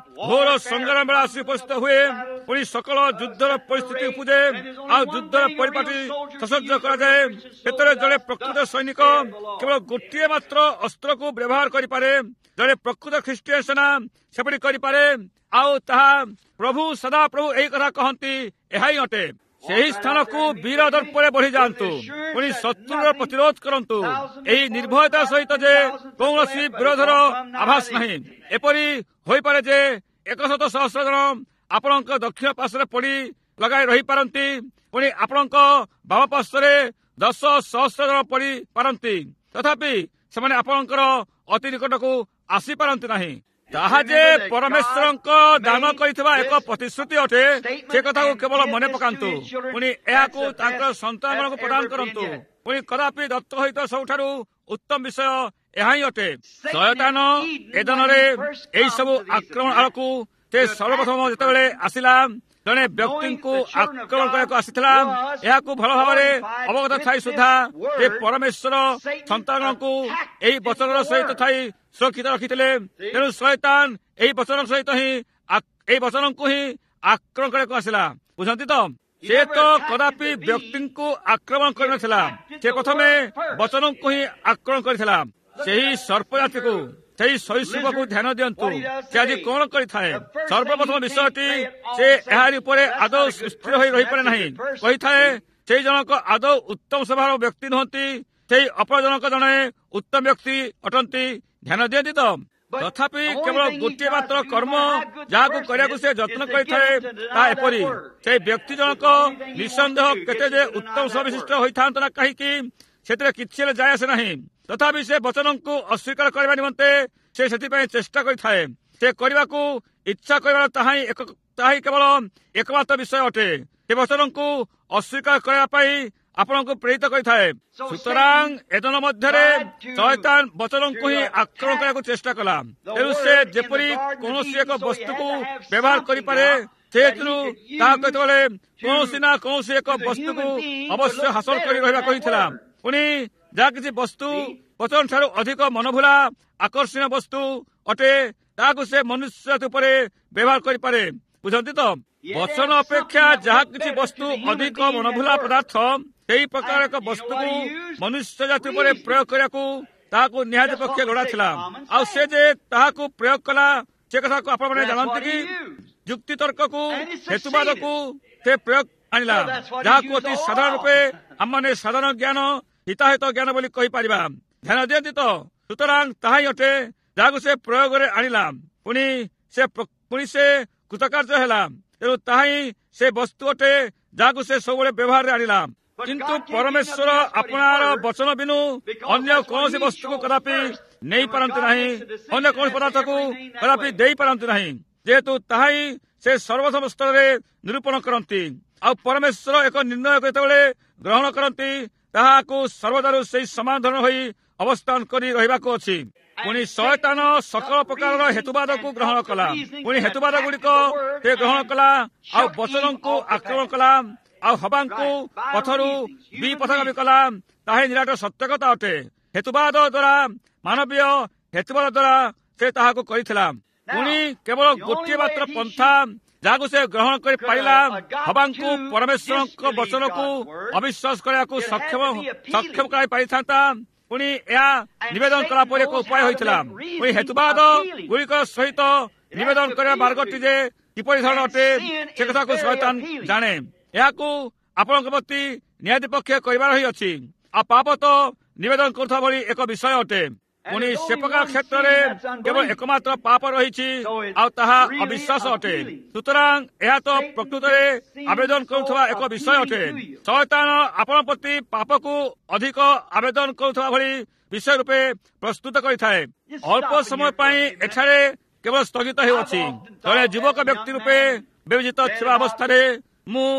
Speaker 1: ଘୋର ସଂଗ୍ରାମ ବେଳା ଆସି ଉପସ୍ଥିତ ହୁଏ, ପୁଣି ସକଳ ଯୁଦ୍ଧର ପରିସ୍ଥିତି ଉପୁଜେ ଆଉ ଯୁଦ୍ଧର ପରିପାଟି ସସଜ୍ଜ କରାଯାଏ, ସେତେବେଳେ ଜଣେ ପ୍ରକୃତ ସୈନିକ କେବଳ ଗୋଟିଏ ମାତ୍ର ଅସ୍ତ୍ରକୁ ବ୍ୟବହାର କରିପାରେ। ଜଣେ ପ୍ରକୃତ ଖ୍ରୀଷ୍ଟୀୟ ସେନା ସେପରି କରିପାରେ। ଆଉ ତାହା ପ୍ରଭୁ ସଦାପ୍ରଭୁ ଏହି କଥା କହନ୍ତି, ଏହା ହିଁ ଅଟେ। ସେହି ସ୍ଥାନକୁ ବୀର ଦର୍ପରେ ବଢିଯାଆନ୍ତୁ, ପୁଣି ଶତ୍ରୁର ପ୍ରତିରୋଧ କରନ୍ତୁ ଏହି ନିର୍ଭୟତା ସହିତ ଯେ କୌଣସି ବିରୋଧର ଆଭାସ ନାହିଁ। ଏପରି ହୋଇପାରେ ଯେ ଏକଶତ ସହସ୍ର ଜଣ ଆପଣଙ୍କ ଦକ୍ଷିଣ ପାର୍ଶ୍ୱରେ ପଡି ଲଗାଇ ରହିପାରନ୍ତି, ପୁଣି ଆପଣଙ୍କ ବାମ ପାର୍ଶ୍ୱରେ ଦଶ ସହସ୍ର ଜଣ ପଡି ପାରନ୍ତି, ତଥାପି ସେମାନେ ଆପଣଙ୍କର ଅତି ନିକଟକୁ ଆସିପାରନ୍ତି ନାହିଁ। ତାହା ଯେ ପରମେଶ୍ୱରଙ୍କ ଦାନ କରିଥିବା ଏକ ପ୍ରତିଶ୍ରୁତି ଅଟେ, ସେ କଥାକୁ କେବଳ ମନେ ପକାନ୍ତୁ। ପୁଣି ଏହାକୁ ତାଙ୍କର ସନ୍ତାନମାନଙ୍କୁ ପ୍ରଦାନ କରନ୍ତୁ। ପୁଣି କଦାପି ଦତ୍ତ ସହିତ ସବୁଠାରୁ ଉତ୍ତମ ବିଷୟ ଏହା ହିଁ ଅଟେ। ଶୟତାନ ଏଦନରେ ଏହିସବୁ ଆକ୍ରମଣ ଆଡ଼କୁ ସେ ସର୍ବପ୍ରଥମ ଯେତେବେଳେ ଆସିଲା, ଜଣେ ବ୍ୟକ୍ତିଙ୍କୁ ଆକ୍ରମଣ କରିବାକୁ ଆସିଥିଲା। ଏହାକୁ ଭଲ ଭାବରେ ଅବଗତ ଥାଇ ସୁଦ୍ଧା ସେ ପରମେଶ୍ୱର ସନ୍ତାନଙ୍କୁ ଏହି ବଚନର ସହିତ ଥାଇ ସୁରକ୍ଷିତ ରଖିଥିଲେ। ତେଣୁ ଶୟତାନ ଏହି ବଚନ ସହିତ ହିଁ ଏହି ବଚନଙ୍କୁ ହିଁ ଆକ୍ରମଣ କରିବାକୁ ଆସିଲା। ବୁଝନ୍ତି ତ? ସେ ତ କଦାପି ବ୍ୟକ୍ତିଙ୍କୁ ଆକ୍ରମଣ କରିନଥିଲା, ସେ ପ୍ରଥମେ ବଚନଙ୍କୁ ହିଁ ଆକ୍ରମଣ କରିଥିଲା। ସେହି ସର୍ପ ଜାତିକୁ, ସେହି ସରୀସୃପକୁ ଧ୍ୟାନ ଦିଅନ୍ତୁ, ସେ ଆଜି କଣ କରିଥାଏ। ସର୍ବପ୍ରଥମ ବିଷୟଟି ସେ ଏହାରି ଉପରେ ଆଦୌ ସ୍ଥିର ହୋଇ ରହିପାରେ ନାହିଁ। କହିଥାଏ ସେଇ ଜଣକ ଆଦୌ ଉତ୍ତମ ସ୍ୱଭାବର ବ୍ୟକ୍ତି ନୁହନ୍ତି, ସେଇ ଅପର ଜଣକ ଜଣେ ଉତ୍ତମ ବ୍ୟକ୍ତି ଅଟନ୍ତି। ଧ୍ୟାନ ଦିଅନ୍ତି ତ? ତଥାପି କେବଳ ଗୋଟିଏ ମାତ୍ର କର୍ମ ଯାହାକୁ କରିବାକୁ ସେ ଯତ୍ନ କରିଥାଏ ତାହା ଏପରି, ସେଇ ବ୍ୟକ୍ତି ଜଣକ ନିଃସନ୍ଦେହ କେତେ ଯେ ଉତ୍ତମ ସ୍ୱଭାବ ହୋଇଥାନ୍ତା ନା କାହିଁକି, ସେଥିରେ କିଛି ହେଲେ ଯାଏ ଆସେ ନାହିଁ। ତଥାପି ସେ ବଚନଙ୍କୁ ଅସ୍ୱୀକାର କରିବା ନିମନ୍ତେ ସେ ସେଥିପାଇଁ ଚେଷ୍ଟା କରିଥାଏ। ସେ କରିବାକୁ ଇଚ୍ଛା କରିବାର ତାହା ହିଁ ଏକ ତାହା ହିଁ କେବଳ ଏକମାତ୍ର ବିଷୟ ଅଟେ। ସେ ବଚନଙ୍କୁ ଅସ୍ୱୀକାର କରିବା ପାଇଁ ଆପଣଙ୍କୁ ପ୍ରେରିତ କରିଥାଏ। ସୁତରାଂ ଏଦନ ମଧ୍ୟରେ ଶୟତାନ ବଚନଙ୍କୁ ହିଁ ଆକ୍ରମଣ କରିବାକୁ ଚେଷ୍ଟା କଲା। ତେଣୁ ସେ ଯେପରି କୌଣସି ଏକ ବସ୍ତୁକୁ ବ୍ୟବହାର କରିପାରେ, ସେଥିରୁ ତାହା କେତେବେଳେ କୌଣସି ନା କୌଣସି ଏକ ବସ୍ତୁକୁ ଅବଶ୍ୟ ହାସଲ କରି ରହିବାକୁ ହୋଇଥିଲା। ପୁଣି ଯାହା କିଛି ବସ୍ତୁ ବଚନ ଠାରୁ ଅଧିକ ମନଭୁଲା ଆକର୍ଷଣୀୟ ବସ୍ତୁ ଅଟେ, ତାହାକୁ ସେ ମନୁଷ୍ୟ ଉପରେ ବ୍ୟବହାର କରିପାରେ। ବୁଝନ୍ତି ତ? ବଚନ ଅପେକ୍ଷା ଯାହା କିଛି ବସ୍ତୁ ଅଧିକ ମନଭୁଲା ପଦାର୍ଥ, ସେହି ପ୍ରକାର ଏକ ବସ୍ତୁକୁ ମନୁଷ୍ୟ ଜାତି ଉପରେ ପ୍ରୟୋଗ କରିବାକୁ ତାହାକୁ ନିହାତି ପକ୍ଷେ ଲୋଡ଼ା ଥିଲା। ଆଉ ସେ ଯେ ତାହାକୁ ପ୍ରୟୋଗ କଲା, ସେ କଥାକୁ ଆପଣମାନେ ଜାଣନ୍ତି କି? ଯୁକ୍ତି ତର୍କକୁ, ହେତୁବାଦକୁ ସେ ପ୍ରୟୋଗ ଆଣିଲା, ଯାହାକୁ ଅତି ସାଧାରଣ ରୂପେ ଆମମାନେ ସାଧାରଣ ଜ୍ଞାନ, ହିତାହିତ ଜ୍ଞାନ ବୋଲି କହିପାରିବା। ଧ୍ୟାନ ଦିଅନ୍ତି ତ? ସୁତରାଂ ତାହା ହିଁ ଅଟେ ଯାହାକୁ ସେ ପ୍ରୟୋଗରେ ଆଣିଲା। ପୁଣି ସେ ପୁଣି ସେ କୃତକାର୍ଯ୍ୟ ହେଲା। ତେଣୁ ତାହା ହିଁ ସେ ବସ୍ତୁ ଅଟେ ଯାହାକୁ ସେ ସବୁବେଳେ ବ୍ୟବହାରରେ ଆଣିଲା। କିନ୍ତୁ ପରମେଶ୍ୱର ଆପଣାର ବଚନ ବିନୁ ଅନ୍ୟ କୌଣସି ବସ୍ତୁକୁ କଦାପି ନେଇପାରନ୍ତି ନାହିଁ, ଅନ୍ୟ କୌଣସି ପଦାର୍ଥକୁ କଦାପି ଦେଇପାରନ୍ତି ନାହିଁ, ଯେହେତୁ ତାହା ହିଁ ସେ ସର୍ବପ୍ରଥମ ସ୍ତରରେ ନିରୂପଣ କରନ୍ତି। ଆଉ ପରମେଶ୍ୱର ଏକ ନିର୍ଣ୍ଣୟ ଯେତେବେଳେ ଗ୍ରହଣ କରନ୍ତି, ତାହାକୁ ସର୍ବଦାରୁ ସେଇ ସମାନ ଧରଣ ହୋଇ ଅବସ୍ଥାନ କରି ରହିବାକୁ ଅଛି। ପୁଣି ଶୟତାନ ସକଳ ପ୍ରକାରର ହେତୁବାଦକୁ ଗ୍ରହଣ କଲା। ପୁଣି ହେତୁବାଦ ଗୁଡ଼ିକ ସେ ଗ୍ରହଣ କଲା, ଆଉ ବଚନଙ୍କୁ ଆକ୍ରମଣ କଲା, ଆଉ ହବାଙ୍କୁ ପଥରୁ ବିପଥଗାମୀ କଲା। ତାହା ହିଁ ନିରାଟ ସତ୍ୟକତା ଅଟେ। ହେତୁବାଦ ଦ୍ୱାରା, ମାନବୀୟ ହେତୁବାଦ ଦ୍ୱାରା ସେ ତାହାକୁ କରିଥିଲା। ପୁଣି କେବଳ ଗୋଟିଏ ମାତ୍ର ପନ୍ଥା ଯାହାକୁ ସେ ଗ୍ରହଣ କରିପାରିଲା, ହବାଙ୍କୁ ପରମେଶ୍ୱରଙ୍କ ବଚନକୁ ଅବିଶ୍ୱାସ କରିବାକୁ ସକ୍ଷମ ସକ୍ଷମ କରାଇ ପାରିଥାନ୍ତା। ପୁଣି ଏହା ନିବେଦନ କଲା ପରେ ଏକ ଉପାୟ ହୋଇଥିଲା। ପୁଣି ହେତୁବାଦ ଗୁଡ଼ିକ ସହିତ ନିବେଦନ କରିବା ମାର୍ଗଟି ଯେ କିପରି ଧରଣ ଅଟେ, ସେ କଥାକୁ ଶୟତାନ ଜାଣେ। ଏହାକୁ ଆପଣଙ୍କ ପ୍ରତି ନିହାତି ପକ୍ଷେ କରିବାର ହିଁ ଅଛି। ଆଉ ପାପ ତ ନିବେଦନ କରୁଥିବା ଭଳି ଏକ ବିଷୟ ଅଟେ। ପୁଣି ସେ ପ୍ରକାର କ୍ଷେତ୍ରରେ କେବଳ ଏକମାତ୍ର ପାପ ରହିଛି, ଆଉ ତାହା ଅବିଶ୍ୱାସ ଅଟେ। ସୁତରାଂ ଏହା ତ ପ୍ରକୃତରେ ଆବେଦନ କରୁଥିବା ଏକ ବିଷୟ ଅଟେ। ଶୟତାନ ଆପଣ ପ୍ରତି ପାପକୁ ଅଧିକ ଆବେଦନ କରୁଥିବା ଭଳି ବିଷୟ ରୂପେ ପ୍ରସ୍ତୁତ କରିଥାଏ। ଅଳ୍ପ ସମୟ ପାଇଁ ଏଠାରେ କେବଳ ସ୍ଥଗିତ ହେଉଅଛି। ଜଣେ ଯୁବକ ବ୍ୟକ୍ତି ରୂପେ ବିବେଚିତ ଥିବା ଅବସ୍ଥାରେ ମୁଁ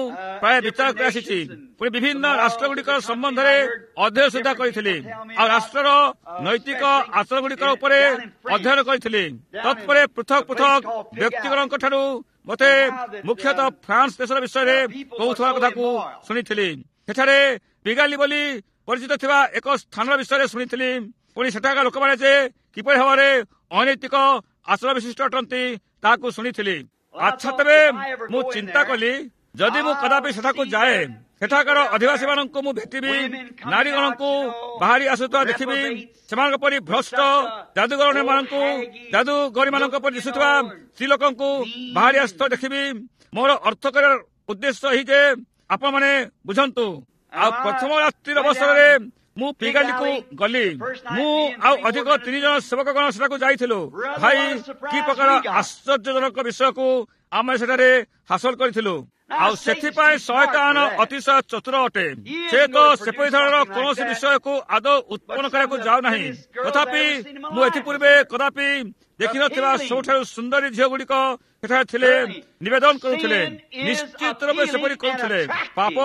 Speaker 1: ପ୍ରାୟ ବିଚାର କରି ଆସିଛି। ପୁଣି ବିଭିନ୍ନ ରାଷ୍ଟ୍ରଗୁଡ଼ିକର ସମ୍ବନ୍ଧରେ ଅଧ୍ୟୟନ ସୁଦ୍ଧା କରିଥିଲି, ଆଉ ରାଷ୍ଟ୍ରର ନୈତିକ ଆଚରଣ ଗୁଡ଼ିକର ଉପରେ ଅଧ୍ୟୟନ କରିଥିଲି। ତତ୍ପରେ ପୃଥକ ପୃଥକ ବ୍ୟକ୍ତିଗଣଙ୍କ ଠାରୁ ମୋତେ ମୁଖ୍ୟତଃ ଫ୍ରାନ୍ସ ଦେଶର ବିଷୟରେ କହୁଥିବା କଥାକୁ ଶୁଣିଥିଲି। ସେଠାରେ ପିଗାଲି ବୋଲି ପରିଚିତ ଥିବା ଏକ ସ୍ଥାନର ବିଷୟରେ ଶୁଣିଥିଲି। ପୁଣି ସେଠାକାର ଲୋକମାନେ ଯେ କିପରି ଭାବରେ ଅନୈତିକ ଆଚରଣ ବିଶିଷ୍ଟ ଅଟନ୍ତି ତାହାକୁ ଶୁଣିଥିଲି। ଆଚ୍ଛା, ତେବେ ମୁଁ ଚିନ୍ତା କଲି, ଯଦି ମୁଁ କଦାପି ସେଠାକୁ ଯାଏ, ସେଠାକାର ଅଧିବାସୀମାନଙ୍କୁ ମୁଁ ଭେଟିବି, ନାରୀଗଣଙ୍କୁ ବାହାରି ଆସୁଥିବା ଦେଖିବି, ସେମାନଙ୍କ ପରି ଭ୍ରଷ୍ଟ ଯାଦୁଗରମାନଙ୍କୁ, ଯାଦୁଗରୀମାନଙ୍କ ପରି ଦିଶୁଥିବା ସ୍ତ୍ରୀ ଲୋକଙ୍କୁ ବାହାରି ଆସୁଥିବା ଦେଖିବି। ମୋର ଅର୍ଥ କରିବାର ଉଦ୍ଦେଶ୍ୟ ଏହି ଯେ ଆପଣମାନେ ବୁଝନ୍ତୁ। ଆଉ ପ୍ରଥମ ରାତ୍ରିର ଅବସରରେ ମୁଁ ପିଗାଲିକୁ ଗଲି। ମୁଁ ଆଉ ଅଧିକ ତିନି ଜଣ ସେବକଗଣ ସେଠାକୁ ଯାଇଥିଲୁ। ଭାଇ, କି ପ୍ରକାର ଆଶ୍ଚର୍ଯ୍ୟଜନକ ବିଷୟକୁ ଆମେ ସେଠାରେ ହାସଲ କରିଥିଲୁ। ଆଉ ସେଥିପାଇଁ ଶୟତାନ ଅତିଶୟ ଚତୁର ଅଟେ। ସେ ତ ସେପରି ଧରଣର କୌଣସି ବିଷୟକୁ ଆଦୌ ଉତ୍ପନ୍ନ କରିବାକୁ ଯାଉନାହିଁ। ତଥାପି ମୁଁ ଏଥିପୂର୍ବେ କଦାପି ଦେଖିନଥିବା ସବୁଠାରୁ ସୁନ୍ଦରୀ ଝିଅଗୁଡ଼ିକ ସେଠାରେ ଥିଲେ, ନିବେଦନ କରୁଥିଲେ। ନିଶ୍ଚିତ ରୂପେ ସେପରି କରୁଥିଲେ। ପାପ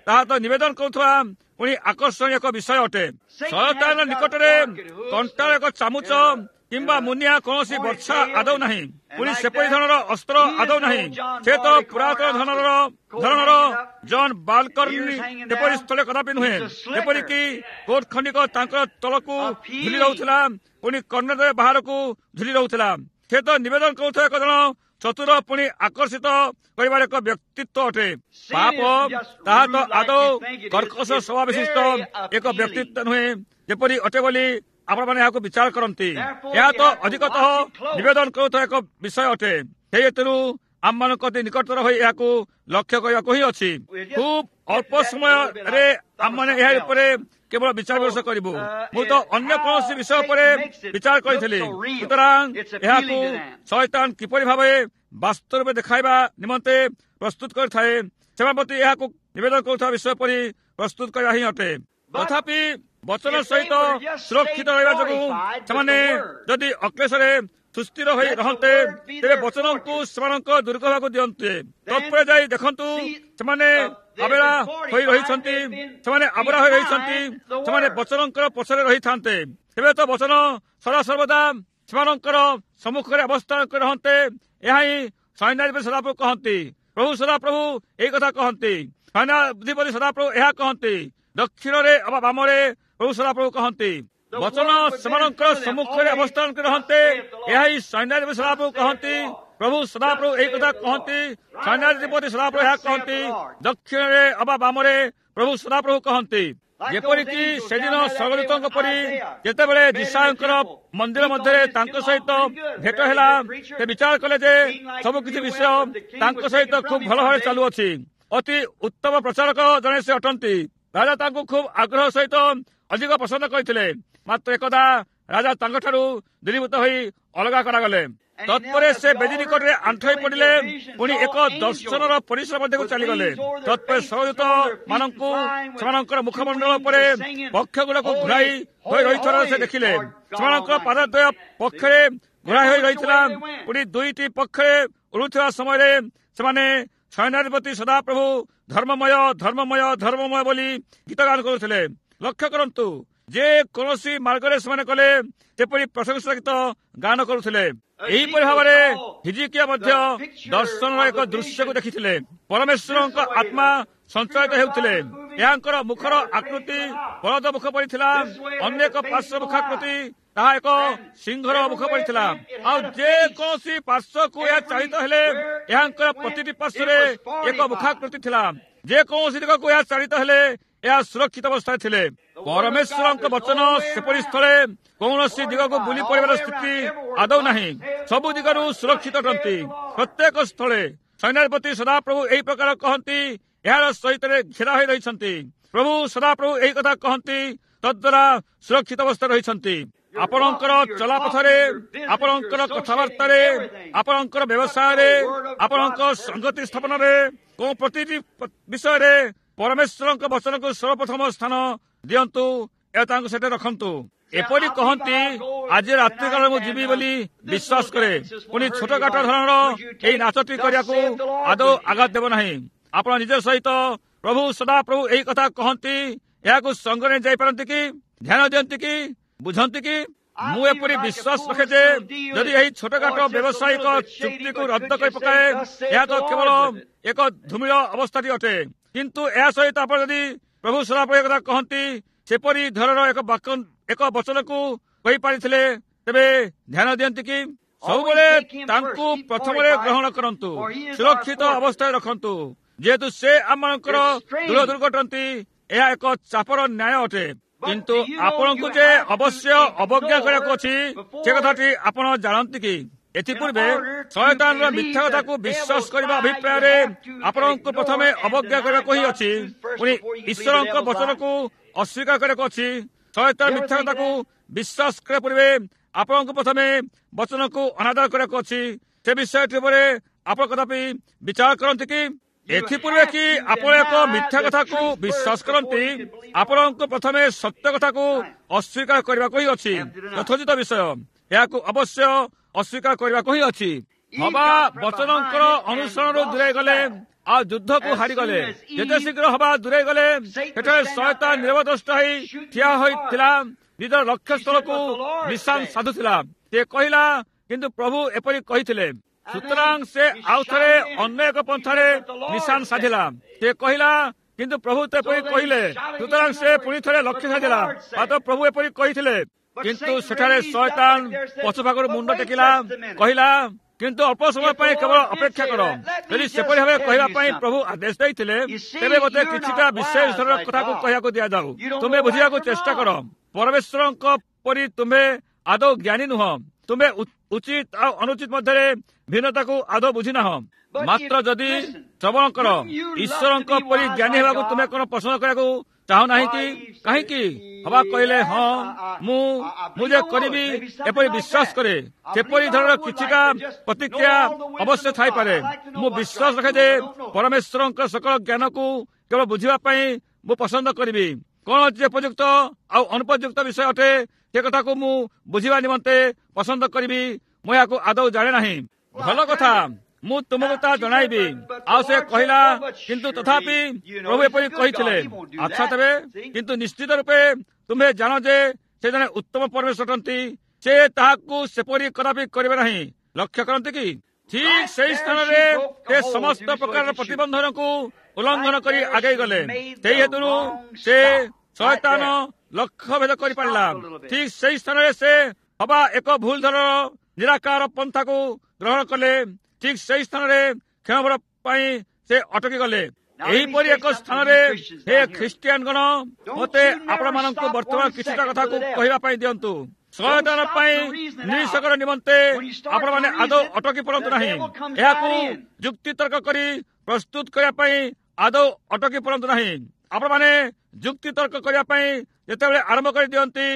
Speaker 1: ତାହା ତ ନିବେଦନ କରୁଥିବା ପୁଣି ଆକର୍ଷଣୀୟ ଏକ ବିଷୟ ଅଟେ। ଶୟତାନ ନିକଟରେ କଣ୍ଟାର ଏକ ଚାମୁଚ କିମ୍ବା ମୁନିଆ କୌଣସି ବର୍ଷା ଆଦୌ ନାହିଁ, ପୁଣି ସେପରି ଧରଣର ଅସ୍ତ୍ର ଆଦୌ ନାହିଁ। ସେ ତ ପୁରାତନ ଧରଣର ଧରଣର ଜନ୍ ବାଲକର୍ଣ୍ଣି ସେପରି ସ୍ଥଳେ କଦାପି ନୁହେଁ, ଯେପରିକି କୋଟ ଖଣ୍ଡିକ ତାଙ୍କର ତଳକୁ ଝୁଲି ରହୁଥିଲା, ପୁଣି କର୍ଣ୍ଣରେ ବାହାରକୁ ଝୁଲି ରହୁଥିଲା। ସେ ତ ନିବେଦନ କରୁଥିବା ଏକ ଜଣ ଚତୁର ପୁଣି ଆକର୍ଷିତ କରିବାର ଏକ ବ୍ୟକ୍ତିତ୍ୱ ଅଟେ। ପାପ ତାହା ତ ଆଦୌ କର୍କଶ ସ୍ୱଭାବ ବିଶିଷ୍ଟ ଏକ ବ୍ୟକ୍ତିତ୍ୱ ନୁହେଁ, ଯେପରି ଅଟେ ବୋଲି ଆପଣମାନେ ଏହାକୁ ବିଚାର କରନ୍ତି। ଏହା ତ ଅଧିକତଃ ନିବେଦନ କରୁଥିବା ଏକ ବିଷୟ ଅଟେ। ସେହି ହେତୁରୁ ଆମମାନଙ୍କ ଅତି ନିକଟତର ହୋଇ ଏହାକୁ ଲକ୍ଷ୍ୟ କରିବାକୁ ହିଁ ଅଛି। ଖୁବ୍ ଅଳ୍ପ ସମୟରେ ଆମମାନେ ଏହା ଉପରେ କେବଳ ବିଚାର ବିମର୍ଶ କରିବୁ। ମୁଁ ତ ଅନ୍ୟ କୌଣସି ବିଷୟ ଉପରେ ବିଚାର କରିଥିଲି। ସୁତରାଂ ଏହାକୁ ଶୟତାନ କିପରି ଭାବେ ବାସ୍ତବ ରୂପେ ଦେଖାଇବା ନିମନ୍ତେ ପ୍ରସ୍ତୁତ କରିଥାଏ, ସେମାନଙ୍କ ପ୍ରତି ଏହାକୁ ନିବେଦନ କରୁଥିବା ବିଷୟ ପରି ପ୍ରସ୍ତୁତ କରିବା ହିଁ ଅଟେ। ତଥାପି ବଚନ ସହିତ ସୁରକ୍ଷିତ ରହିବା ଯୋଗୁଁ ସେମାନେ ଯଦି ଅକ୍ଲେଶରେ ସୁସ୍ଥିର ହୋଇ ରହନ୍ତେ, ତେବେ ବଚନଙ୍କୁ ସେମାନଙ୍କ ଦୁର୍ଗ ହେବାକୁ ଦିଅନ୍ତେ। ତତ୍ପରେ ଯାଇ ଦେଖନ୍ତୁ ସେମାନେ ଆବେଳା ହୋଇ ରହିଛନ୍ତି, ସେମାନେ ଆବରା ହୋଇ ରହିଛନ୍ତି, ସେମାନେ ବଚନଙ୍କର ପଛରେ ରହିଥାନ୍ତେ। ତେବେ ତ ବଚନ ସଦାସର୍ବଦା ସେମାନଙ୍କର ସମ୍ମୁଖରେ ଅବସ୍ଥାନ କରି ରହନ୍ତେ। ଏହା ହିଁ ସୈନ୍ୟାଧିପତି ସଦାପ୍ରଭୁ କହନ୍ତି। ପ୍ରଭୁ ସଦାପ୍ରଭୁ ଏଇ କଥା କହନ୍ତି। ସୈନ୍ୟାଧିପତି ସଦାପ୍ରଭୁ ଏହା କହନ୍ତି। ଦକ୍ଷିଣରେ ଅବା ବାମରେ ପ୍ରଭୁ ସଦାପ୍ରଭୁ କହନ୍ତି। ବଚନ ସେମାନଙ୍କର ସମ୍ମୁଖରେ ଅବସ୍ଥାନ କରି ରହନ୍ତେ। ଏହା ହିଁ ସୈନ୍ୟାଧିପତି ସଦାପ୍ରଭୁ କହନ୍ତି। ପ୍ରଭୁ ସଦାପ୍ରଭୁ ଏହି କଥା କହନ୍ତି। ସୈନ୍ୟାଧିପତି ସଦାପ୍ରଭୁ ଏହା କହନ୍ତି। ଦକ୍ଷିଣରେ ଅବା ବାମରେ ପ୍ରଭୁ ସଦାପ୍ରଭୁ କହନ୍ତି। ଯେପରିକି ସେଦିନ ସ୍ୱର୍ଗଦୂତଙ୍କ ପରି ଯେତେବେଳେ ଯିଶାଇୟଙ୍କର ମନ୍ଦିର ମଧ୍ୟରେ ତାଙ୍କ ସହିତ ଭେଟ ହେଲା, ସେ ବିଚାର କଲେ ଯେ ସବୁକିଛି ବିଷୟ ତାଙ୍କ ସହିତ ଖୁବ୍ ଭଲ ଭାବରେ ଚାଲୁଅଛି। ଅତି ଉତ୍ତମ ପ୍ରଚାରକ ଜଣେ ସେ ଅଟନ୍ତି। ରାଜା ତାଙ୍କୁ ଖୁବ୍ ଆଗ୍ରହ ସହିତ ଅଧିକ ପସନ୍ଦ କରିଥିଲେ। ମାତ୍ର ଏକଦା ରାଜା ତାଙ୍କଠାରୁ ଦୂରୀଭୂତ ହୋଇ ଅଲଗା କରାଗଲେ। ତତ୍ପରେ ସେ ବେଦୀ ନିକଟରେ ଆଣ୍ଠୋଇ ପଡ଼ିଲେ, ପୁଣି ଏକ ଦର୍ଶନର ପରିସର ମଧ୍ୟକୁ ଚାଲିଗଲେ। ତତ୍ପରେ ସ୍ୱର୍ଗଦୂତ ମାନଙ୍କୁ ସେମାନଙ୍କର ମୁଖମଣ୍ଡଳ ଉପରେ ପକ୍ଷଗୁଡ଼ାକୁ ଘୁରାଇ ହୋଇ ରହିଥିବାର ସେ ଦେଖିଲେ। ସେମାନଙ୍କର ପାଦଦ୍ୱୟ ପକ୍ଷରେ ଘୋରାଇ ହୋଇ ରହିଥିଲା। ପୁଣି ଦୁଇଟି ପକ୍ଷରେ ଉଡୁଥିବା ସମୟରେ ସେମାନେ ସୈନ୍ୟାଧିପତି ସଦାପ୍ରଭୁ ଧର୍ମମୟ ଧର୍ମମୟ ଧର୍ମମୟ ବୋଲି ଗୀତ ଗାନ କରୁଥିଲେ। ଲକ୍ଷ୍ୟ କରନ୍ତୁ, ଯେ କୌଣସି ମାର୍ଗରେ ସେମାନେ କଲେ ସେପରି ପ୍ରଶଂସା ଗୀତ ଗାନ କରୁଥିଲେ। ଏହିପରି ଭାବରେ ହିଜିକିଆ ମଧ୍ୟ ଦର୍ଶନର ଏକ ଦୃଶ୍ୟକୁ ଦେଖିଥିଲେ। ପରମେଶ୍ୱରଙ୍କ ଆତ୍ମା ସଞ୍ଚାଳିତ ହେଉଥିଲେ। ଏହାଙ୍କର ମୁଖର ଆକୃତି ବଳଦ ମୁଖ ପରି ଥିଲା, ଅନ୍ୟ ଏକ ପାର୍ଶ୍ୱ ମୁଖାକୃତି ତାହା ଏକ ସିଂହର ମୁଖ ପରି ଥିଲା। ଆଉ ଯେ କୌଣସି ପାର୍ଶ୍ୱକୁ ଏହା ଚାଳିତ ହେଲେ ଏହାଙ୍କର ପ୍ରତିଟି ପାର୍ଶ୍ୱରେ ଏକ ମୁଖାକୃତି ଥିଲା। ଯେକୌଣସି ଦିଗକୁ ଏହା ଚାଳିତ ହେଲେ ଏହା ସୁରକ୍ଷିତ ଅବସ୍ଥାରେ ଥିଲେ। ପରମେଶ୍ୱରଙ୍କ ବଚନ ସେପରି ସ୍ଥଳେ କୌଣସି ଦିଗକୁ ବୁଲି ପଡ଼ିବାର ସ୍ଥିତି ଆଦୌ ନାହିଁ। ସବୁ ଦିଗରୁ ସୁରକ୍ଷିତ ଅଟନ୍ତି ପ୍ରତ୍ୟେକ ସ୍ଥଳେ। ସୈନ୍ୟାଧିପତି ସଦାପ୍ରଭୁ ଏହି ପ୍ରକାର କହନ୍ତି, ଏହାର ସହିତ ଘେରା ହୋଇ ରହିଛନ୍ତି। ପ୍ରଭୁ ସଦାପ୍ରଭୁ ଏହି କଥା କହନ୍ତି, ତଦ୍ୱାରା ସୁରକ୍ଷିତ ଅବସ୍ଥାରେ ରହିଛନ୍ତି। ଆପଣଙ୍କର ଚଲାପଥରେ, ଆପଣଙ୍କର କଥାବାର୍ତ୍ତାରେ, ଆପଣଙ୍କର ବ୍ୟବସାୟରେ, ଆପଣଙ୍କ ସଂଗତି ସ୍ଥାପନରେ, କେଉଁ ପ୍ରତିଟି ବିଷୟରେ ପରମେଶ୍ୱରଙ୍କ ବଚନକୁ ସର୍ବପ୍ରଥମ ସ୍ଥାନ ଦିଅନ୍ତୁ ଏହା ତାଙ୍କୁ ସେଠାରେ ରଖନ୍ତୁ। ଏପରି କହନ୍ତି, ଆଜି ରାତ୍ରିକାଳରେ ମୁଁ ଯିବି ବୋଲି ବିଶ୍ୱାସ କରେ। ପୁଣି ଛୋଟକାଟ ଧରଣର ଏହି ନାଚଟି କରିବାକୁ ଆଦୌ ଆଘାତ ଦେବ ନାହିଁ। ଆପଣ ନିଜ ସହିତ ପ୍ରଭୁ ସଦାପ୍ରଭୁ ଏହି କଥା କହନ୍ତି, ଏହାକୁ ସଙ୍ଗରେ ଯାଇପାରନ୍ତି କି? ଧ୍ୟାନ ଦିଅନ୍ତି କି? ବୁଝନ୍ତି କି? ମୁଁ ଏପରି ବିଶ୍ୱାସ ରଖେ ଯେ ଯଦି ଏହି ଛୋଟକାଟ ବ୍ୟବସାୟିକ ଚୁକ୍ତିକୁ ରଦ୍ଦ କରି ପକାଏ, ଏହା ତ କେବଳ ଏକ ଧୂମିଳ ଅବସ୍ଥାଟି ଅଟେ। କିନ୍ତୁ ଏହା ସହିତ ଆପଣ ଯଦି ପ୍ରଭୁ ସଦାପ୍ରଭୁ କଥା କହନ୍ତି ସେପରି ଧରଣର ଏକ ବାକ୍ୟ, ଏକ ବଚନକୁ କହିପାରିଥିଲେ, ତେବେ ଧ୍ୟାନ ଦିଅନ୍ତି କି? ସବୁବେଳେ ତାଙ୍କୁ ପ୍ରଥମରେ ଗ୍ରହଣ କରନ୍ତୁ, ସୁରକ୍ଷିତ ଅବସ୍ଥାରେ ରଖନ୍ତୁ। ଯେହେତୁ ସେ ଆମମାନଙ୍କର ଦୃଢ଼ ଦୁର୍ଗ ଅଟନ୍ତି, ଏହା ଏକ ଚାପର ନ୍ୟାୟ ଅଟେ। କିନ୍ତୁ ଆପଣଙ୍କୁ ଯେ ଅବଶ୍ୟ ଅବଜ୍ଞା କରିବାକୁ ଅଛି ସେ କଥାଟି ଆପଣ ଜାଣନ୍ତି କି? ଏଥିପୂର୍ବେ ଶୟତାନର ମିଥ୍ୟା କଥାକୁ ବିଶ୍ୱାସ କରିବା ଅଭିପ୍ରାୟରେ ଆପଣଙ୍କୁ ପ୍ରଥମେ ଅବଜ୍ଞା କରିବାକୁ ହିଁ ଅଛି, ପୁଣି ଈଶ୍ୱରଙ୍କ ବଚନକୁ ଅସ୍ୱୀକାର କରିବାକୁ ଅଛି। ଶୟତାନ ମିଥ୍ୟା କଥାକୁ ବିଶ୍ୱାସ କରିବା ପୂର୍ବେ ଆପଣଙ୍କୁ ପ୍ରଥମେ ବଚନକୁ ଅନାଦର କରିବାକୁ ଅଛି। ସେ ବିଷୟଟି ଉପରେ ଆପଣ କଦାପି ବିଚାର କରନ୍ତି କି? ଏଥିପୂର୍ବେ କି ଆପଣ ଏକ ମିଥ୍ୟା କଥାକୁ ବିଶ୍ୱାସ କରନ୍ତି? ଆପଣଙ୍କୁ ପ୍ରଥମେ ସତ୍ୟ କଥାକୁ ଅସ୍ୱୀକାର କରିବାକୁ ହିଁ ଅଛି। ଯଥୋଚିତ ବିଷୟ, ଏହାକୁ ଅବଶ୍ୟ ଅସ୍ୱୀକାର କରିବାକୁ ହିଁ ଅଛି। ହବା ବଚନଙ୍କର ଅନୁସରଣରୁ ଦୂରେଇ ଗଲେ ଆଉ ଯୁଦ୍ଧକୁ ହାରିଗଲେ। ଯେତେ ଶୀଘ୍ର ହବା ଦୂରେଇ ଗଲେ, ସେଠାରେ ଶୟତାନ ନିରବଦ୍ରଷ୍ଟା ହେଇ ଠିଆ ହୋଇଥିଲା, ନିଜର ଲକ୍ଷ୍ୟସ୍ଥଳକୁ ନିଶାନ ସାଧୁଥିଲା। ସେ କହିଲା, କିନ୍ତୁ ପ୍ରଭୁ ଏପରି କହିଥିଲେ। ସୁତରାଂ ସେ ଆଉ ଥରେ ଅନ୍ୟ ଏକ ପନ୍ଥାରେ ନିଶାନ ସାଧିଲା। ସେ କହିଲା, କିନ୍ତୁ ପ୍ରଭୁ ତ ଏପରି କହିଲେ। ସୁତରାଂ ସେ ପୁଣି ଥରେ ଲକ୍ଷ୍ୟ ସାଧିଲା, ମାତ୍ର ପ୍ରଭୁ ଏପରି କହିଥିଲେ। କିନ୍ତୁ ସେଠାରେ ଶୟତାନ ପଛ ଭାଗରୁ ମୁଣ୍ଡ ଟେକିଲା, କହିଲା, କିନ୍ତୁ ଅଳ୍ପ ସମୟ ପାଇଁ କେବଳ ଅପେକ୍ଷା କର। ଯଦି ସେପରି ଭାବେ କହିବା ପାଇଁ ପ୍ରଭୁ ଆଦେଶ ଦେଇଥିଲେ, ତେବେ ମୋତେ କିଛିଟା ବିଶେଷ ଧରଣର କଥାକୁ କହିବାକୁ ଦିଆଯାଉ। ତୁମେ ବୁଝିବାକୁ ଚେଷ୍ଟା କର, ପରମେଶ୍ୱରଙ୍କ ପରି ତୁମେ ଆଦୌ ଜ୍ଞାନୀ ନୁହଁ। ତୁମେ ଉଚିତ ଆଉ ଅନୁଚିତ ମଧ୍ୟରେ ଭିନ୍ନତାକୁ ଆଦୌ ବୁଝିନାହ। ମାତ୍ର ଯଦି ଶ୍ରବଣ କର, ଈଶ୍ୱରଙ୍କ ପରି ଜ୍ଞାନୀ ହେବାକୁ ତୁମେ କଣ ପସନ୍ଦ କରିବାକୁ ଚାହୁଁ ନାହିଁ କି? କାହିଁକି? ହବା କହିଲେ, ହଁ, ମୁଁ ମୁଁ ଯେ କରିବି ଏପରି ବିଶ୍ୱାସ କରେ। ସେପରି ଧରଣର କିଛିଟା ପ୍ରତିକ୍ରିୟା ଅବଶ୍ୟ ଥାଇପାରେ। ମୁଁ ବିଶ୍ୱାସ ରଖେ ଯେ ପରମେଶ୍ୱରଙ୍କ ସକଳ ଜ୍ଞାନକୁ କେବଳ ବୁଝିବା ପାଇଁ ମୁଁ ପସନ୍ଦ କରିବି। କଣ ଯେ ଉପଯୁକ୍ତ ଆଉ ଅନୁପଯୁକ୍ତ ବିଷୟ ଅଟେ ସେ କଥାକୁ ମୁଁ ବୁଝିବା ନିମନ୍ତେ ପସନ୍ଦ କରିବି। ମୁଁ ଏହାକୁ ଆଦୌ ଜାଣେ ନାହିଁ। ଭଲ କଥା, ମୁଁ ତୁମକୁ ତାହା ଜଣାଇବି। ଆଉ ସେ କହିଲା, କିନ୍ତୁ ତଥାପି ପ୍ରଭୁ ଏପରି କହିଥିଲେ। ଆଚ୍ଛା ତେବେ, କିନ୍ତୁ ନିଶ୍ଚିତ ରୂପେ ତୁମେ ଜାଣ ଯେ ସେ ଜଣେ ଉତ୍ତମ ପରମେଶ୍ୱର ଅଟନ୍ତି। ସେ ତାହାକୁ ସେପରି କଦାପି କରିବେ ନାହିଁ। ଲକ୍ଷ୍ୟ କରନ୍ତି କି? ଠିକ ସେଇ ସ୍ଥାନରେ ସେ ସମସ୍ତ ପ୍ରକାରର ପ୍ରତିବନ୍ଧନକୁ ଉଲ୍ଲଂଘନ କରି ଆଗେଇ ଗଲେ। ସେଇ ହେତୁରୁ ସେ ଶୟତାନ ଲକ୍ଷ୍ୟ ଭେଦ କରିପାରିଲା। ଠିକ ସେଇ ସ୍ଥାନରେ ସେ ହବା ଏକ ଭୁଲ ଧରଣର ନିରାକାର ପନ୍ଥାକୁ ଗ୍ରହଣ କଲେ। ଠିକ ସେଇ ସ୍ଥାନରେ କ୍ଷଣଭର ପାଇଁ ସେ ଅଟକି ଗଲେ। ଏହିପରି ଏକ ସ୍ଥାନରେ ହେ ଖ୍ରୀଷ୍ଟିଆନ ଗଣ, ମୋତେ ଆପଣମାନଙ୍କୁ ବର୍ତ୍ତମାନ କିଛିଟା କଥାକୁ କହିବା ପାଇଁ ଦିଅନ୍ତୁ। ଶୟତାନ ପାଇଁ ନିରୀକ୍ଷକର ନିମନ୍ତେ ଆପଣମାନେ ଆଦୌ ଅଟକି ପଡ଼ନ୍ତୁ ନାହିଁ। ଏହାକୁ ଯୁକ୍ତିତର୍କ କରି ପ୍ରସ୍ତୁତ କରିବା ପାଇଁ ଆଦୌ ଅଟକି ପଡ଼ନ୍ତୁ ନାହିଁ। ଆପଣମାନେ ଯୁକ୍ତିତର୍କ କରିବା ପାଇଁ ଯେତେବେଳେ ଆରମ୍ଭ କରିଦିଅନ୍ତି,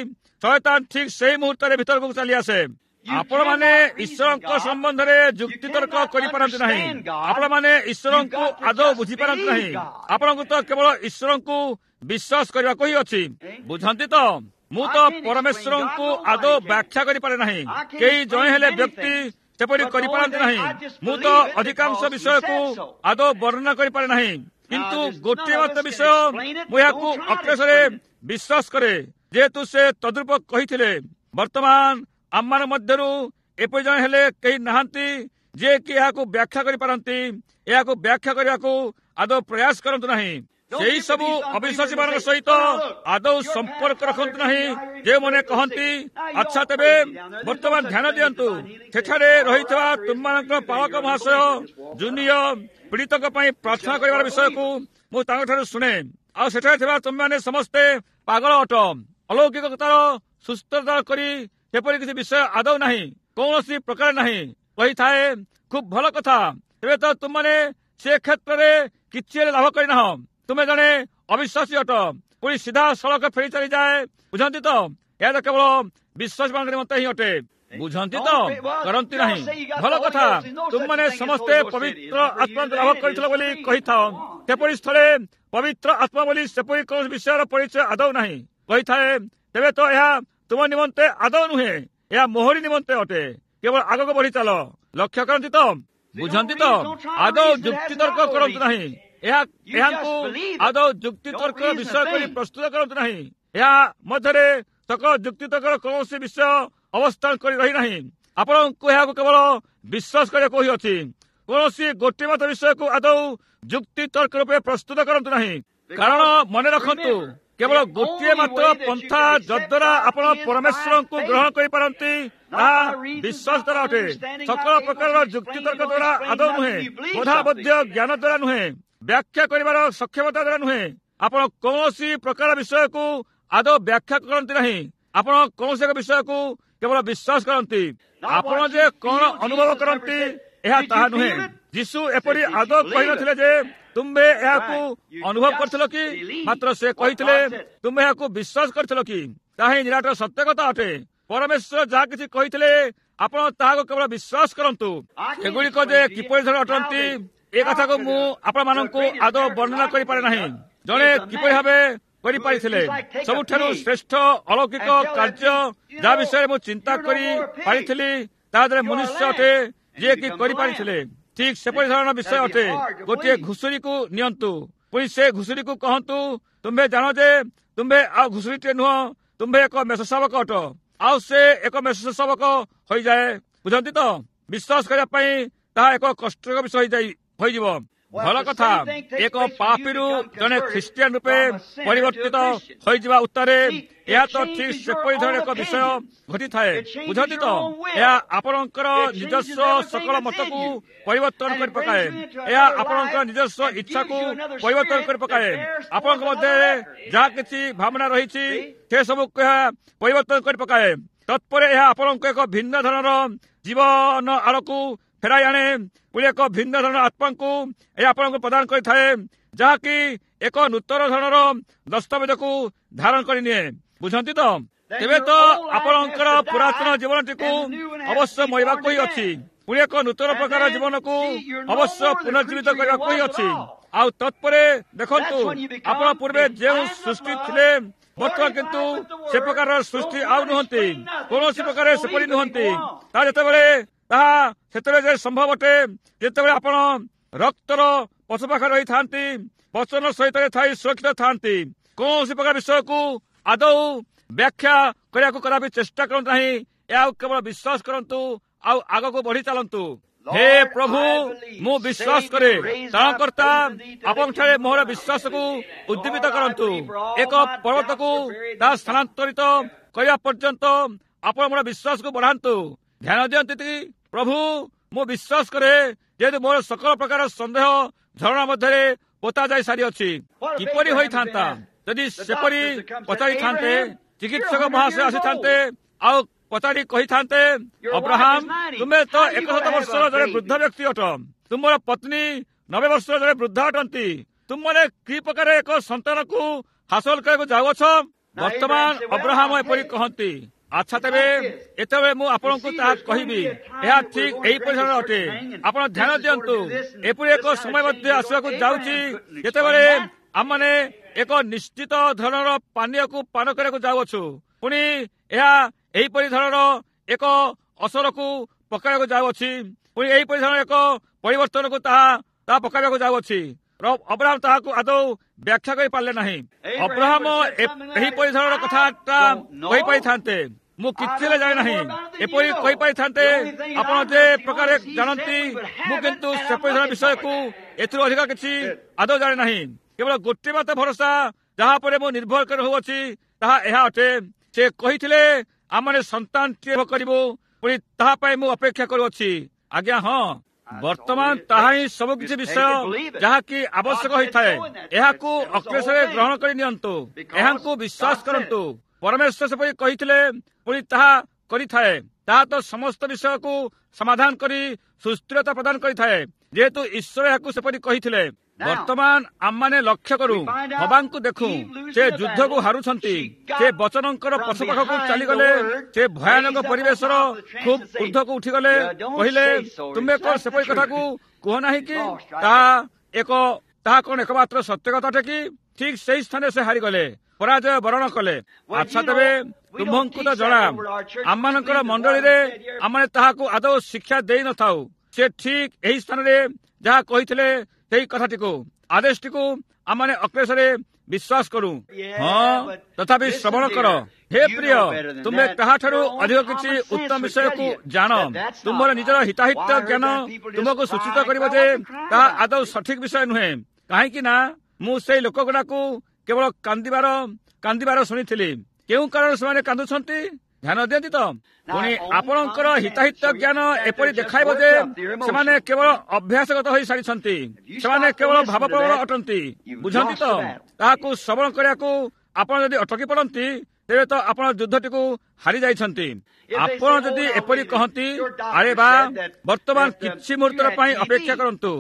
Speaker 1: ଶୟତାନ ଠିକ ସେଇ ମୁହୂର୍ତ୍ତରେ ଭିତରକୁ ଚାଲି ଆସେ। ଆପଣମାନେ ଈଶ୍ୱରଙ୍କ ସମ୍ବନ୍ଧରେ ଯୁକ୍ତିତର୍କ କରିପାରନ୍ତି ନାହିଁ। ଆପଣମାନେ ଈଶ୍ୱରଙ୍କୁ ଆଦୌ ବୁଝିପାରନ୍ତି ନାହିଁ। ଆପଣଙ୍କୁ ତ କେବଳ ଈଶ୍ୱରଙ୍କୁ ବିଶ୍ୱାସ କରିବାକୁ ହିଁ ଅଛି। ବୁଝନ୍ତି ତ? ମୁଁ ତ ପରମେଶ୍ୱରଙ୍କୁ ଆଦୌ ବ୍ୟାଖ୍ୟା କରିପାରେ ନାହିଁ। କେହି ଜଣେ ହେଲେ ବ୍ୟକ୍ତି ସେପରି କରିପାରନ୍ତି ନାହିଁ। ମୁଁ ତ ଅଧିକାଂଶ ବିଷୟକୁ ଆଦୌ ବର୍ଣ୍ଣନା କରିପାରେ ନାହିଁ। କିନ୍ତୁ ଗୋଟିଏ ମାତ୍ର ବିଷୟ ମୁଁ ଏହାକୁ ଅକ୍ଲେଶରେ ବିଶ୍ୱାସ କରେ, ଯେହେତୁ ସେ ତଦ୍ରୂପ କହିଥିଲେ। ବର୍ତ୍ତମାନ ଆମମାନଙ୍କ ମଧ୍ୟରୁ ଏପରି ଜଣେ ହେଲେ କେହି ନାହାନ୍ତି ଯିଏକି ଏହାକୁ ବ୍ୟାଖ୍ୟା କରିପାରନ୍ତି। ଏହାକୁ ବ୍ୟାଖ୍ୟା କରିବାକୁ ଆଦୌ ପ୍ରୟାସ କରନ୍ତୁ ନାହିଁ। ସେହି ସବୁ ଅବିଶ୍ୱାସୀମାନଙ୍କ ସହିତ ଆଦୌ ସମ୍ପର୍କ ରଖନ୍ତୁ ନାହିଁ ଯେଉଁମାନେ କହନ୍ତି, ଆଚ୍ଛା ତେବେ ବର୍ତ୍ତମାନ ଧ୍ୟାନ ଦିଅନ୍ତୁ, ସେଠାରେ ରହିଥିବା ତୁମମାନଙ୍କର ପାଳକ ମହାଶୟ ଜୁନିୟ ପୀଡ଼ିତଙ୍କ ପାଇଁ ପ୍ରାର୍ଥନା କରିବାର ବିଷୟକୁ ମୁଁ ତାଙ୍କଠାରୁ ଶୁଣେ। ଆଉ ସେଠାରେ ଥିବା ତୁମେମାନେ ସମସ୍ତେ ପାଗଳ ଅଟ। ଅଲୌକିକତାର ସୁସ୍ଥତା କରି ସେପରି କିଛି ବିଷୟ ଆଦୌ ନାହିଁ, କୌଣସି ପ୍ରକାର ନାହିଁ। କହିଥାଏ, ଖୁବ୍ ଭଲ କଥା, ଏବେ ତ ତୁମମାନେ ସେ କ୍ଷେତ୍ରରେ କିଛି ହେଲେ ଲାଭ କରିନାହ। ତୁମେ ଜଣେ ଅବିଶ୍ୱାସୀ ଅଟ। ପୁଣି ସିଧା ସଳଖ ଫେରି ଚାଲିଯାଏ। ବୁଝନ୍ତି ତ? ଏହା ତ କେବଳ ବିଶ୍ୱାସୀମାନଙ୍କ ନିମନ୍ତେ ହିଁ ଅଟେ। ବୁଝନ୍ତି ତ? କରନ୍ତି ନାହିଁ। ଭଲ କଥା, ତୁମମାନେ ସମସ୍ତେ ପବିତ୍ର ଆତ୍ମା ଲାଭ କରିଥିଲ ବୋଲି କହିଥାଅ। ସେପରି ସ୍ଥଳେ ପବିତ୍ର ଆତ୍ମା ବୋଲି ସେପରି କୌଣସି ବିଷୟର ପରିଚୟ ଆଦୌ ନାହିଁ। କହିଥାଏ, ତେବେ ତ ଏହା ତୁମ ନିମନ୍ତେ ଆଦୌ ନୁହେଁ, ଏହା ମୋହରି ନିମନ୍ତେ ଅଟେ। କେବଳ ଆଗକୁ ବଢି ଚାଲ। ଲକ୍ଷ୍ୟ କରନ୍ତି ତ? ବୁଝନ୍ତି ତ? ଆଦୌ ଯୁକ୍ତିତର୍କ କରନ୍ତୁ ନାହିଁ। ଏହା ଏହାକୁ ଆଦୌ ଯୁକ୍ତିତର୍କ ବିଷୟ କରି ପ୍ରସ୍ତୁତ କରନ୍ତୁ ନାହିଁ। ଏହା ମଧ୍ୟରେ ସକଳ ଯୁକ୍ତିତର୍କର କୌଣସି ବିଷୟ ଅବସ୍ଥାନ କରି ରହିନାହିଁ। ଆପଣଙ୍କୁ ଏହାକୁ କେବଳ ବିଶ୍ୱାସ କରିବାକୁ ହିଁ ଅଛି। କୌଣସି ଗୋଟିଏ ମାତ୍ର ବିଷୟକୁ ଆଦୌ ଯୁକ୍ତିତର୍କ ରୂପେ ପ୍ରସ୍ତୁତ କରନ୍ତୁ ନାହିଁ। କାରଣ ମନେ ରଖନ୍ତୁ, କେବଳ ଗୋଟିଏ ମାତ୍ର ପନ୍ଥା ଯଦ୍ୱାରା ଆପଣ ପରମେଶ୍ୱରଙ୍କୁ ଗ୍ରହଣ କରିପାରନ୍ତି, ତାହା ବିଶ୍ୱାସ ଦ୍ୱାରା ଅଟେ। ସକଳ ପ୍ରକାରର ଯୁକ୍ତିତର୍କ ଦ୍ୱାରା ଆଦୌ ନୁହେଁ, ବୋଧାବୋଧ୍ୟ ଜ୍ଞାନ ଦ୍ୱାରା ନୁହେଁ। ବ୍ୟାଖ୍ୟା କରିବାର ସକ୍ଷମତା ଦ୍ୱାରା ନୁହେଁ। ଆପଣ କୌଣସି ପ୍ରକାର ବିଷୟକୁ ଆଦୌ ବ୍ୟାଖ୍ୟା କରନ୍ତି ନାହିଁ। ଆପଣ କୌଣସି ଏକ ବିଷୟକୁ କେବଳ ବିଶ୍ୱାସ କରନ୍ତି। ଆପଣ ଯେ କଣ ଅନୁଭବ କରନ୍ତି ଏହା ତାହା ନୁହେଁ। ଯୀଶୁ ଏପରି ଆଦୌ କହିନଥିଲେ ଯେ ତୁମ୍ଭେ ଏହାକୁ ଅନୁଭବ କରିଥିଲ କି, ମାତ୍ର ସେ କହିଥିଲେ ତୁମ୍ଭେ ଏହାକୁ ବିଶ୍ୱାସ କରିଥିଲ କି। ତାହା ହିଁ ନିରାଟ ସତ୍ୟ କଥା ଅଟେ। ପରମେଶ୍ୱର ଯାହା କିଛି କହିଥିଲେ ଆପଣ ତାହାକୁ କେବଳ ବିଶ୍ୱାସ କରନ୍ତୁ। ଏଗୁଡ଼ିକ ଯେ କିପରି ଧର ଅଟନ୍ତି ଏ କଥାକୁ ମୁଁ ଆପଣମାନଙ୍କୁ ଆଦୌ ବର୍ଣ୍ଣନା କରିପାରେ ନାହିଁ। ଜଣେ କିପରି ଭାବେ କରିପାରିଥିଲେ ସବୁଠାରୁ ଶ୍ରେଷ୍ଠ ଅଲୌକିକ କାର୍ଯ୍ୟ ଯାହା ବିଷୟରେ ମୁଁ ଚିନ୍ତା କରି ପାରିଥିଲି ତାହା ଦ୍ୱାରା ମନୁଷ୍ୟ ଅଟେ ଯିଏକି କରିପାରିଥିଲେ। ଠିକ ସେପରି ଧରଣର ବିଷୟ ଅଟେ। ଗୋଟିଏ ଘୁଷୁରୀକୁ ନିଅନ୍ତୁ, ପୁଣି ସେ ଘୁଷୁରୀକୁ କହନ୍ତୁ ତୁମ୍ଭେ ଜାଣ ଯେ ତୁମ୍ଭେ ଆଉ ଘୁଷୁରୀଟିଏ ନୁହଁ, ତୁମ୍ଭେ ଏକ ମେଷ ଶାବକ ଅଟ। ଆଉ ସେ ଏକ ମେଷ ଶାବକ ହୋଇଯାଏ। ବୁଝନ୍ତି ତ? ବିଶ୍ୱାସ କରିବା ପାଇଁ ତାହା ଏକ କଷ୍ଟକର ବିଷୟ ହୋଇଯାଇ ହୋଇଯିବ। ଭଲ କଥା, ଏକ ପାପୀରୁ ଜଣେ ଖ୍ରୀଷ୍ଟିଆନ ରୂପେ ପରିବର୍ତ୍ତିତ ହୋଇଯିବା ଉତ୍ତାରେ ଏହା ତ ଠିକ ସେପରି ଧରଣର ଏକ ବିଷୟ ଘଟିଥାଏ। ବୁଝନ୍ତି ତ? ଏହା ଆପଣଙ୍କର ନିଜସ୍ୱ ସକଳ ମତକୁ ପରିବର୍ତ୍ତନ କରି ପକାଏ। ଏହା ଆପଣଙ୍କର ନିଜସ୍ୱ ଇଚ୍ଛାକୁ ପରିବର୍ତ୍ତନ କରି ପକାଏ। ଆପଣଙ୍କ ମଧ୍ୟରେ ଯାହା କିଛି ଭାବନା ରହିଛି ସେ ସବୁକୁ ଏହା ପରିବର୍ତ୍ତନ କରି ପକାଏ। ତତ୍ପରେ ଏହା ଆପଣଙ୍କୁ ଏକ ଭିନ୍ନ ଧରଣର ଜୀବନ ଆଡ଼କୁ ଫେରାଇ ଆଣେ। ପୁଣି ଏକ ଭିନ୍ନ ଧରଣର ଆତ୍ମାଙ୍କୁ ଏହା ଆପଣଙ୍କୁ ପ୍ରଦାନ କରିଥାଏ, ଯାହାକି ଏକ ନୂତନ ଧରଣର ଦସ୍ତାବେଜକୁ ଧାରଣ କରିନିଏ। ବୁଝନ୍ତି ତ? ତେବେ ତ ଆପଣଙ୍କର ପୁରାତନ ଜୀବନଟିକୁ ଅବଶ୍ୟ ମରିବାକୁ ହିଁ ଅଛି, ପୁଣି ଏକ ନୂତନ ପ୍ରକାର ଜୀବନକୁ ଅବଶ୍ୟ ପୁନର୍ଜୀବିତ କରିବାକୁ ହିଁ ଅଛି। ଆଉ ତତ୍ପରେ ଦେଖନ୍ତୁ, ଆପଣ ପୂର୍ବେ ଯେଉଁ ସୃଷ୍ଟି ଥିଲେ ବର୍ତ୍ତମାନ କିନ୍ତୁ ସେ ପ୍ରକାରର ସୃଷ୍ଟି ଆଉ ନୁହନ୍ତି, କୌଣସି ପ୍ରକାର ସେପରି ନୁହନ୍ତି। ତାହା ଯେତେବେଳେ ତାହା ସେତେବେଳେ ଯେ ସମ୍ଭବ ଅଟେ ଯେତେବେଳେ ଆପଣ ରକ୍ତର ପଛ ପାଖରେ ରହିଥାନ୍ତି, ବଚନ ସହିତ ଥାଇ ସୁରକ୍ଷିତ ଥାନ୍ତି। କୌଣସି ପ୍ରକାର ବିଷୟକୁ ଆଦୌ ବ୍ୟାଖ୍ୟା କରିବାକୁ କଦାପି ଚେଷ୍ଟା କରନ୍ତୁ ନାହିଁ। ଏହାକୁ କେବଳ ବିଶ୍ୱାସ କରନ୍ତୁ ଆଉ ଆଗକୁ ବଢି ଚାଲନ୍ତୁ। ହେ ପ୍ରଭୁ, ମୁଁ ବିଶ୍ୱାସ କରେ। ତ୍ରାଣକର୍ତ୍ତା, ଆପଣଙ୍କଠାରେ ମୋହର ବିଶ୍ୱାସକୁ ଉଦ୍ଦୀପିତ କରନ୍ତୁ। ଏକ ପର୍ବତକୁ ତାହା ସ୍ଥାନାନ୍ତରିତ କରିବା ପର୍ଯ୍ୟନ୍ତ ଆପଣ ମୋର ବିଶ୍ୱାସକୁ ବଢାନ୍ତୁ। ଧ୍ୟାନ ଦିଅନ୍ତି ପ୍ରଭୁ, ମୁଁ ବିଶ୍ୱାସ କରେ, ଯେହେତୁ ମୋର ସକଳ ପ୍ରକାର ସନ୍ଦେହ ଝରଣା ମଧ୍ୟରେ ପୋତା ଯାଇ ସାରିଅଛି। କିପରି ହୋଇଥାନ୍ତା ଯଦି ସେପରି ପଚାରିଥାନ୍ତେ? ଚିକିତ୍ସକ ମହାଶୟ ଆସିଥାନ୍ତେ ଆଉ ପଚାରି କହିଥାନ୍ତେ, ଅବ୍ରାହମ, ତୁମେ ତ ଏକଶତ ବର୍ଷର ଜଣେ ବୃଦ୍ଧ ବ୍ୟକ୍ତି ଅଟ, ତୁମର ପତ୍ନୀ ନବେ ବର୍ଷର ଜଣେ ବୃଦ୍ଧ ଅଟନ୍ତି, ତୁମମାନେ କି ପ୍ରକାର ଏକ ସନ୍ତାନକୁ ହାସଲ କରିବାକୁ ଯାଉଅଛ? ବର୍ତ୍ତମାନ ଅବ୍ରାହମ ଏପରି କହନ୍ତି, ଆଚ୍ଛା ତେବେ ଏତେବେଳେ ମୁଁ ଆପଣଙ୍କୁ ତାହା କହିବି। ଏହା ଠିକ ଏହିପରି ଧରଣର ଅଟେ। ଆପଣ ଧ୍ୟାନ ଦିଅନ୍ତୁ, ଏପରି ଏକ ସମୟ ମଧ୍ୟ ଆସିବାକୁ ଯାଉଛି ଯେତେବେଳେ ଆମମାନେ ଏକ ନିଶ୍ଚିତ ଧରଣର ପାନୀୟକୁ ପାନ କରିବାକୁ ଯାଉଅଛୁ। ପୁଣି ଏହା ଏହିପରି ଧରଣର ଏକ ଅସରକୁ ପକାଇବାକୁ ଯାଉଅଛି। ପୁଣି ଏହିପରି ଧରଣର ଏକ ପରିବର୍ତ୍ତନକୁ ତାହା ତାହା ପକାଇବାକୁ ଯାଉଅଛି। ଅବ୍ରାହମ ତାହାକୁ ଆଦୌ ବ୍ୟାଖ୍ୟା କରିପାରିଲେ ନାହିଁ। ଅବ୍ରାହମ ଏହିପରି ଧରଣର କଥାଟା କହିପାରିଥାନ୍ତେ, ମୁଁ କିଛି ହେଲେ ଜାଣେ ନାହିଁ, ଏପରି କହିପାରିଥାନ୍ତେ, ଆପଣ ଯେ ପ୍ରକାରେ ଜାଣନ୍ତି, ମୁଁ କିନ୍ତୁ ସେପରି ଧରଣର ବିଷୟକୁ ଏଥିରୁ ଅଧିକ କିଛି ଆଦୌ ଜାଣେ ନାହିଁ। କେବଳ ଗୋଟିଏ ମାତ୍ର ଭରସା ଯାହା ଉପରେ ମୁଁ ନିର୍ଭର କରି ରହୁଅଛି ତାହା ଏହା ଅଟେ। ସେ କହିଥିଲେ ଆମମାନେ ସନ୍ତାନଟିଏ କରିବୁ, ପୁଣି ତାହା ପାଇଁ ମୁଁ ଅପେକ୍ଷା କରୁଅଛି। ଆଜ୍ଞା ହଁ, ବର୍ତ୍ତମାନ ତାହା ହିଁ ସବୁକିଛି ବିଷୟ ଯାହାକି ଆବଶ୍ୟକ ହୋଇଥାଏ। ଏହାକୁ ଅକ୍ଲେଶରେ ଗ୍ରହଣ କରି ନିଅନ୍ତୁ, ଏହାଙ୍କୁ ବିଶ୍ୱାସ କରନ୍ତୁ। ପରମେଶ୍ୱର ସେପରି କହିଥିଲେ, ପୁଣି ତାହା କରିଥାଏ। ତାହା ତ ସମସ୍ତ ବିଷୟକୁ ସମାଧାନ କରି ସୁସ୍ଥିରତା ପ୍ରଦାନ କରିଥାଏ, ଯେହେତୁ ଈଶ୍ୱର ଏହାକୁ ସେପରି କହିଥିଲେ। ବର୍ତ୍ତମାନ ଆମମାନେ ଲକ୍ଷ୍ୟ କରୁ, ହବାଙ୍କୁ ଦେଖୁ, ସେ ଯୁଦ୍ଧକୁ ହାରୁଛନ୍ତି। ସେ ବଚନଙ୍କର ପଛ ପାଖକୁ ଚାଲିଗଲେ। ସେ ଭୟାନକ ପରିବେଶର ଖୁବ୍ ଊର୍ଦ୍ଧ୍ୱକୁ ଉଠିଗଲେ। କହିଲେ, ତୁମେ କଣ ସେପରି କଥାକୁ କୁହ ନାହିଁ କି? ତାହା ଏକ ତାହା କଣ ଏକମାତ୍ର ସତ୍ୟ କଥା ଅଟେ କି? ଠିକ ସେଇ ସ୍ଥାନରେ ସେ ହାରିଗଲେ, ପରାଜୟ ବରଣ କଲେ। ଆଚ୍ଛା ତେବେ ତୁମ୍ଭଙ୍କୁ ତ ଜଣା, ଆମମାନଙ୍କର ମଣ୍ଡଳୀରେ ଆମେ ତାହାକୁ ଆଦୌ ଶିକ୍ଷା ଦେଇନଥାଉ। ସେ ଠିକ ଏହି ସ୍ଥାନରେ ଯାହା କହିଥିଲେ ସେହି କଥାଟିକୁ, ଆଦେଶଟିକୁ ଆମମାନେ ଅକ୍ଲେଶରେ ବିଶ୍ୱାସ କରୁ। ହଁ, ତଥାପି ଶ୍ରବଣ କର ହେ ପ୍ରିୟ, ତୁମେ କାହାଠାରୁ ଅଧିକ କିଛି ଉତ୍ତମ ବିଷୟକୁ ଜାଣ। ତୁମର ନିଜର ହିତାହିତ ଜ୍ଞାନ ତୁମକୁ ସୂଚିତ କରିବ ଯେ ତାହା ଆଦୌ ସଠିକ ବିଷୟ ନୁହେଁ। କାହିଁକି ନା ମୁଁ ସେଇ ଲୋକଗୁଡାକୁ କେବଳ କାନ୍ଦିବାର କାନ୍ଦିବାର ଶୁଣିଥିଲି। କେଉଁ କାରଣରୁ ସେମାନେ କାନ୍ଦୁଛନ୍ତି? ଧ୍ୟାନ ଦିଅନ୍ତି ତ? ପୁଣି ଆପଣଙ୍କର ହିତାହିତ ଜ୍ଞାନ ଏପରି ଦେଖାଇବ ଯେ ସେମାନେ କେବଳ ଅଭ୍ୟାସଗତ ହୋଇ ସାରିଛନ୍ତି, ସେମାନେ କେବଳ ଭାବପ୍ରବଣ ଅଟନ୍ତି। ବୁଝନ୍ତି ତ? ତାହାକୁ ଶ୍ରବଣ କରିବାକୁ ଆପଣ ଯଦି ଅଟକି ପଡ଼ନ୍ତି, ତେବେ ତ ଆପଣ ଯୁଦ୍ଧଟିକୁ ହାରି ଯାଇଛନ୍ତି। ଆପଣ ଯଦି ଏପରି କହନ୍ତି, ଆରେ ବା, ବର୍ତ୍ତମାନ କିଛି ମୁହୂର୍ତ୍ତର ପାଇଁ ଅପେକ୍ଷା କରନ୍ତୁ,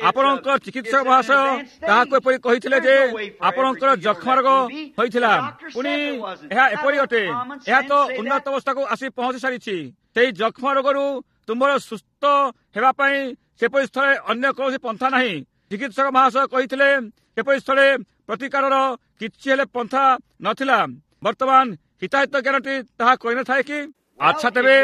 Speaker 1: ଆପଣଙ୍କ ଚିକିତ୍ସକ ମହାଶୟ ତାହାକୁ ଏପରି କହିଥିଲେ ଯେ ଆପଣଙ୍କର ଯକ୍ଷ୍ମା ରୋଗ ହୋଇଥିଲା, ପୁଣି ଏହା ଏପରି ଅଟେ, ଏହା ତ ଉନ୍ନତ ଅବସ୍ଥାକୁ ଆସି ପହଞ୍ଚି ସାରିଛି, ସେହି ଯକ୍ଷ୍ମା ରୋଗରୁ ତୁମର ସୁସ୍ଥ ହେବା ପାଇଁ ସେପରି ସ୍ଥଳେ ଅନ୍ୟ କୌଣସି ପନ୍ଥା ନାହିଁ। ଚିକିତ୍ସକ ମହାଶୟ କହିଥିଲେ ସେପରି ସ୍ଥଳେ ପ୍ରତିକାରର କିଛି ହେଲେ ପନ୍ଥା ନଥିଲା। ବର୍ତ୍ତମାନ ହିତାହିତ ଜ୍ଞାନଟି ତାହା କହିନଥାଏ କି? ଆଚ୍ଛା, ତେବେ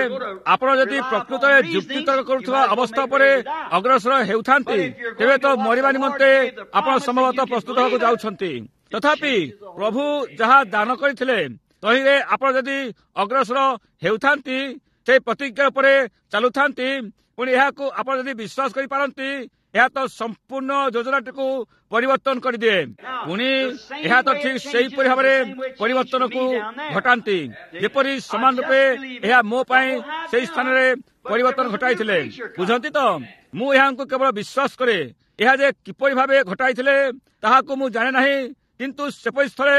Speaker 1: ଆପଣ ଯଦି ପ୍ରକୃତରେ ଯୁକ୍ତିତର୍କ କରୁଥିବା ଅବସ୍ଥା ଉପରେ ଅଗ୍ରସର ହେଉଥାନ୍ତି, ତେବେ ତ ମରିବା ନିମନ୍ତେ ଆପଣ ସମ୍ଭବତଃ ପ୍ରସ୍ତୁତ ହେବାକୁ ଯାଉଛନ୍ତି। ତଥାପି ପ୍ରଭୁ ଯାହା ଦାନ କରିଥିଲେ ତହିଁରେ ଆପଣ ଯଦି ଅଗ୍ରସର ହେଉଥାନ୍ତି, ସେହି ପ୍ରତିଜ୍ଞା ଉପରେ ଚାଲୁଥାନ୍ତି, ପୁଣି ଏହାକୁ ଆପଣ ଯଦି ବିଶ୍ୱାସ କରିପାରନ୍ତି, ଏହା ତ ସମ୍ପୂର୍ଣ୍ଣ ଯୋଜନାଟିକୁ ପରିବର୍ତ୍ତନ କରିଦିଏ। ପୁଣି ଏହା ତ ଠିକ୍ ସେହିପରି ଭାବରେ ପରିବର୍ତ୍ତନକୁ ଘଟାନ୍ତି ଯେପରି ସମାନ ରୂପେ ଏହା ମୋ ପାଇଁ ସେହି ସ୍ଥାନରେ ପରିବର୍ତ୍ତନ ଘଟାଇଥିଲେ। ବୁଝନ୍ତି ତ? ମୁଁ ଏହାଙ୍କୁ କେବଳ ବିଶ୍ୱାସ କରେ। ଏହା ଯେ କିପରି ଭାବେ ଘଟାଇଥିଲେ ତାହାକୁ ମୁଁ ଜାଣେ ନାହିଁ, କିନ୍ତୁ ସେପରି ସ୍ଥଳେ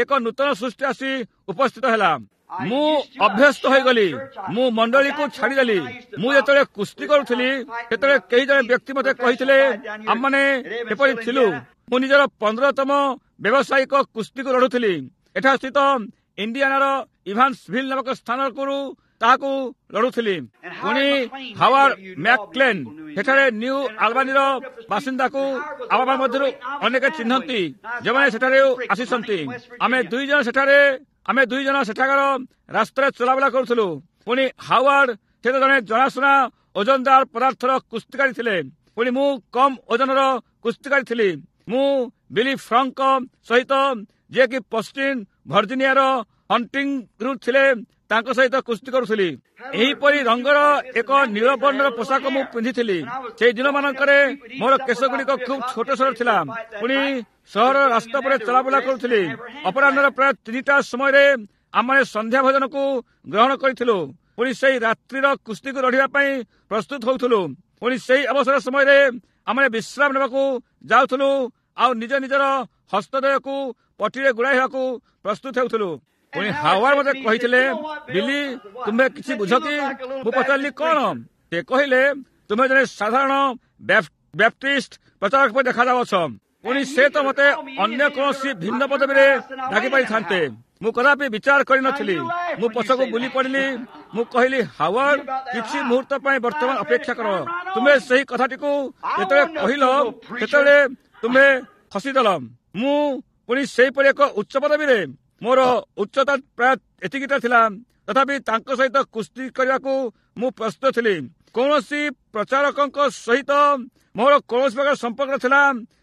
Speaker 1: ଏକ ନୂତନ ସୃଷ୍ଟି ଆସି ଉପସ୍ଥିତ ହେଲା। ମୁଁ ଅଭ୍ୟସ୍ତ ହୋଇଗଲି, ମୁଁ ମଣ୍ଡଳୀକୁ ଛାଡ଼ିଦେଲି। ମୁଁ ଯେତେବେଳେ କୁସ୍ତି କରୁଥିଲି, ସେତେବେଳେ କେହି ଜଣେ ବ୍ୟକ୍ତି ମୋତେ କହିଥିଲେ, ଆମମାନେ ଏପରି ଥିଲୁ। ମୁଁ ନିଜର ପନ୍ଦରତମ ବ୍ୟବସାୟିକ କୁସ୍ତିକୁ ଲଢୁଥିଲି। ଏଠା ସ୍ଥିତ ଇଣ୍ଡିଆନାର ଇଭାନ୍ସଭିଲ୍ ନାମକ ସ୍ଥାନକୁ ତାହାକୁ ଲଢୁଥିଲି। ପୁଣି ହାୱାର୍ଡ ମ୍ୟାକକ୍ଲେନ୍ ସେଠାରେ ନ୍ୟୁ ଆଲବାନୀର ବାସିନ୍ଦାକୁ ଆମ ମଧ୍ୟରୁ ଅନେକ ଚିହ୍ନନ୍ତି, ଯେଉଁମାନେ ସେଠାରେ ଆସିଛନ୍ତି। ଆମେ ଦୁଇ ଜଣ ସେଠାରେ ଆମେ ଦୁଇ ଜଣ ସେଠାକାର ରାସ୍ତାରେ ଚଲାବୁଲା କରୁଥିଲୁ। ପୁଣି ହାୱାର୍ଡ ସେ ତ ଜଣେ ଜଣାଶୁଣା ଓଜନଦାର ପଦାର୍ଥର କୁସ୍ତିକାରୀ ଥିଲେ, ପୁଣି ମୁଁ କମ୍ ଓଜନର କୁସ୍ତିକାରୀ ଥିଲି। ମୁଁ ବିଲି ଫ୍ରଙ୍କ ସହିତ, ଯିଏକି ପଶ୍ଚିମ ଭର୍ଜିନିଆର ହଣ୍ଟିଂରୁ ଥିଲେ, ତାଙ୍କ ସହିତ କୁସ୍ତି କରୁଥିଲି। ଏହିପରି ରଙ୍ଗର ଏକ ନୀଳ ବର୍ଣ୍ଣର ପୋଷାକ ମୁଁ ପିନ୍ଧିଥିଲି। ସେଇ ଦିନମାନଙ୍କରେ ମୋର କେଶଗୁଡ଼ିକ ଖୁବ୍ ଛୋଟ ଛୋଟ ଥିଲା। ପୁଣି ସହରର ରାସ୍ତା ଉପରେ ଚଲାବୁଲା କରୁଥିଲି। ଅପରାହ୍ନର ପ୍ରାୟ ତିନିଟା ସମୟରେ ଆମେ ସନ୍ଧ୍ୟା ଭୋଜନକୁ ଗ୍ରହଣ କରିଥିଲୁ। ପୁଣି ସେଇ ରାତ୍ରିର କୁସ୍ତିକୁ ଲଢ଼ିବା ପାଇଁ ପ୍ରସ୍ତୁତ ହେଉଥିଲୁ। ପୁଣି ସେଇ ଅବସର ସମୟରେ ଆମେ ବିଶ୍ରାମ ନେବାକୁ ଯାଉଥିଲୁ ଆଉ ନିଜ ନିଜର ହସ୍ତଦ୍ୱୟକୁ ପଟିରେ ଗୁଡ଼ାଇ ହେବାକୁ ପ୍ରସ୍ତୁତ ହେଉଥିଲୁ। ପୁଣି ହାୱାର୍ଡ ମୋତେ କହିଥିଲେ, ବିଲି, ତୁମେ କିଛି ବୁଝ କି? ମୁଁ ପଚାରିଲି, କଣ? ସେ କହିଲେ, ତୁମେ ଜଣେ ସାଧାରଣ ବ୍ୟାପ୍ଟିଷ୍ଟ ପ୍ରଚାରକ ପରି ଦେଖାଯାଉଅଛ। ପୁଣି ସେ ତ ମୋତେ ଅନ୍ୟ କୌଣସି ଭିନ୍ନ ପଦବୀରେ ଡାକି ପାରିଥାନ୍ତେ। ମୁଁ କଦାପି ବିଚାର କରିନଥିଲି। ମୁଁ ପଛକୁ ବୁଲି ପଡ଼ିଲି। ମୁଁ କହିଲି, ହାୱାର୍ଡ, କିଛି ମୁହୂର୍ତ୍ତ ପାଇଁ ବର୍ତ୍ତମାନ ଅପେକ୍ଷା କର। ତୁମେ ସେହି କଥାଟିକୁ ଯେତେବେଳେ କହିଲ, ସେତେବେଳେ ତୁମେ ହସିଦେଲ। ମୁଁ ପୁଣି ସେହିପରି ଏକ ଉଚ୍ଚ ପଦବୀରେ, ମୋର ଉଚ୍ଚତା ପ୍ରାୟ ଏତିକିଟା ଥିଲା, ତଥାପି ତାଙ୍କ ସହିତ କୁସ୍ତି କରିବାକୁ ମୁଁ ପ୍ରସ୍ତୁତ ଥିଲି। କୌଣସି ପ୍ରଚାରକଙ୍କ ସହିତ ମୋର କୌଣସି ପ୍ରକାର ସମ୍ପର୍କ ନଥିଲା।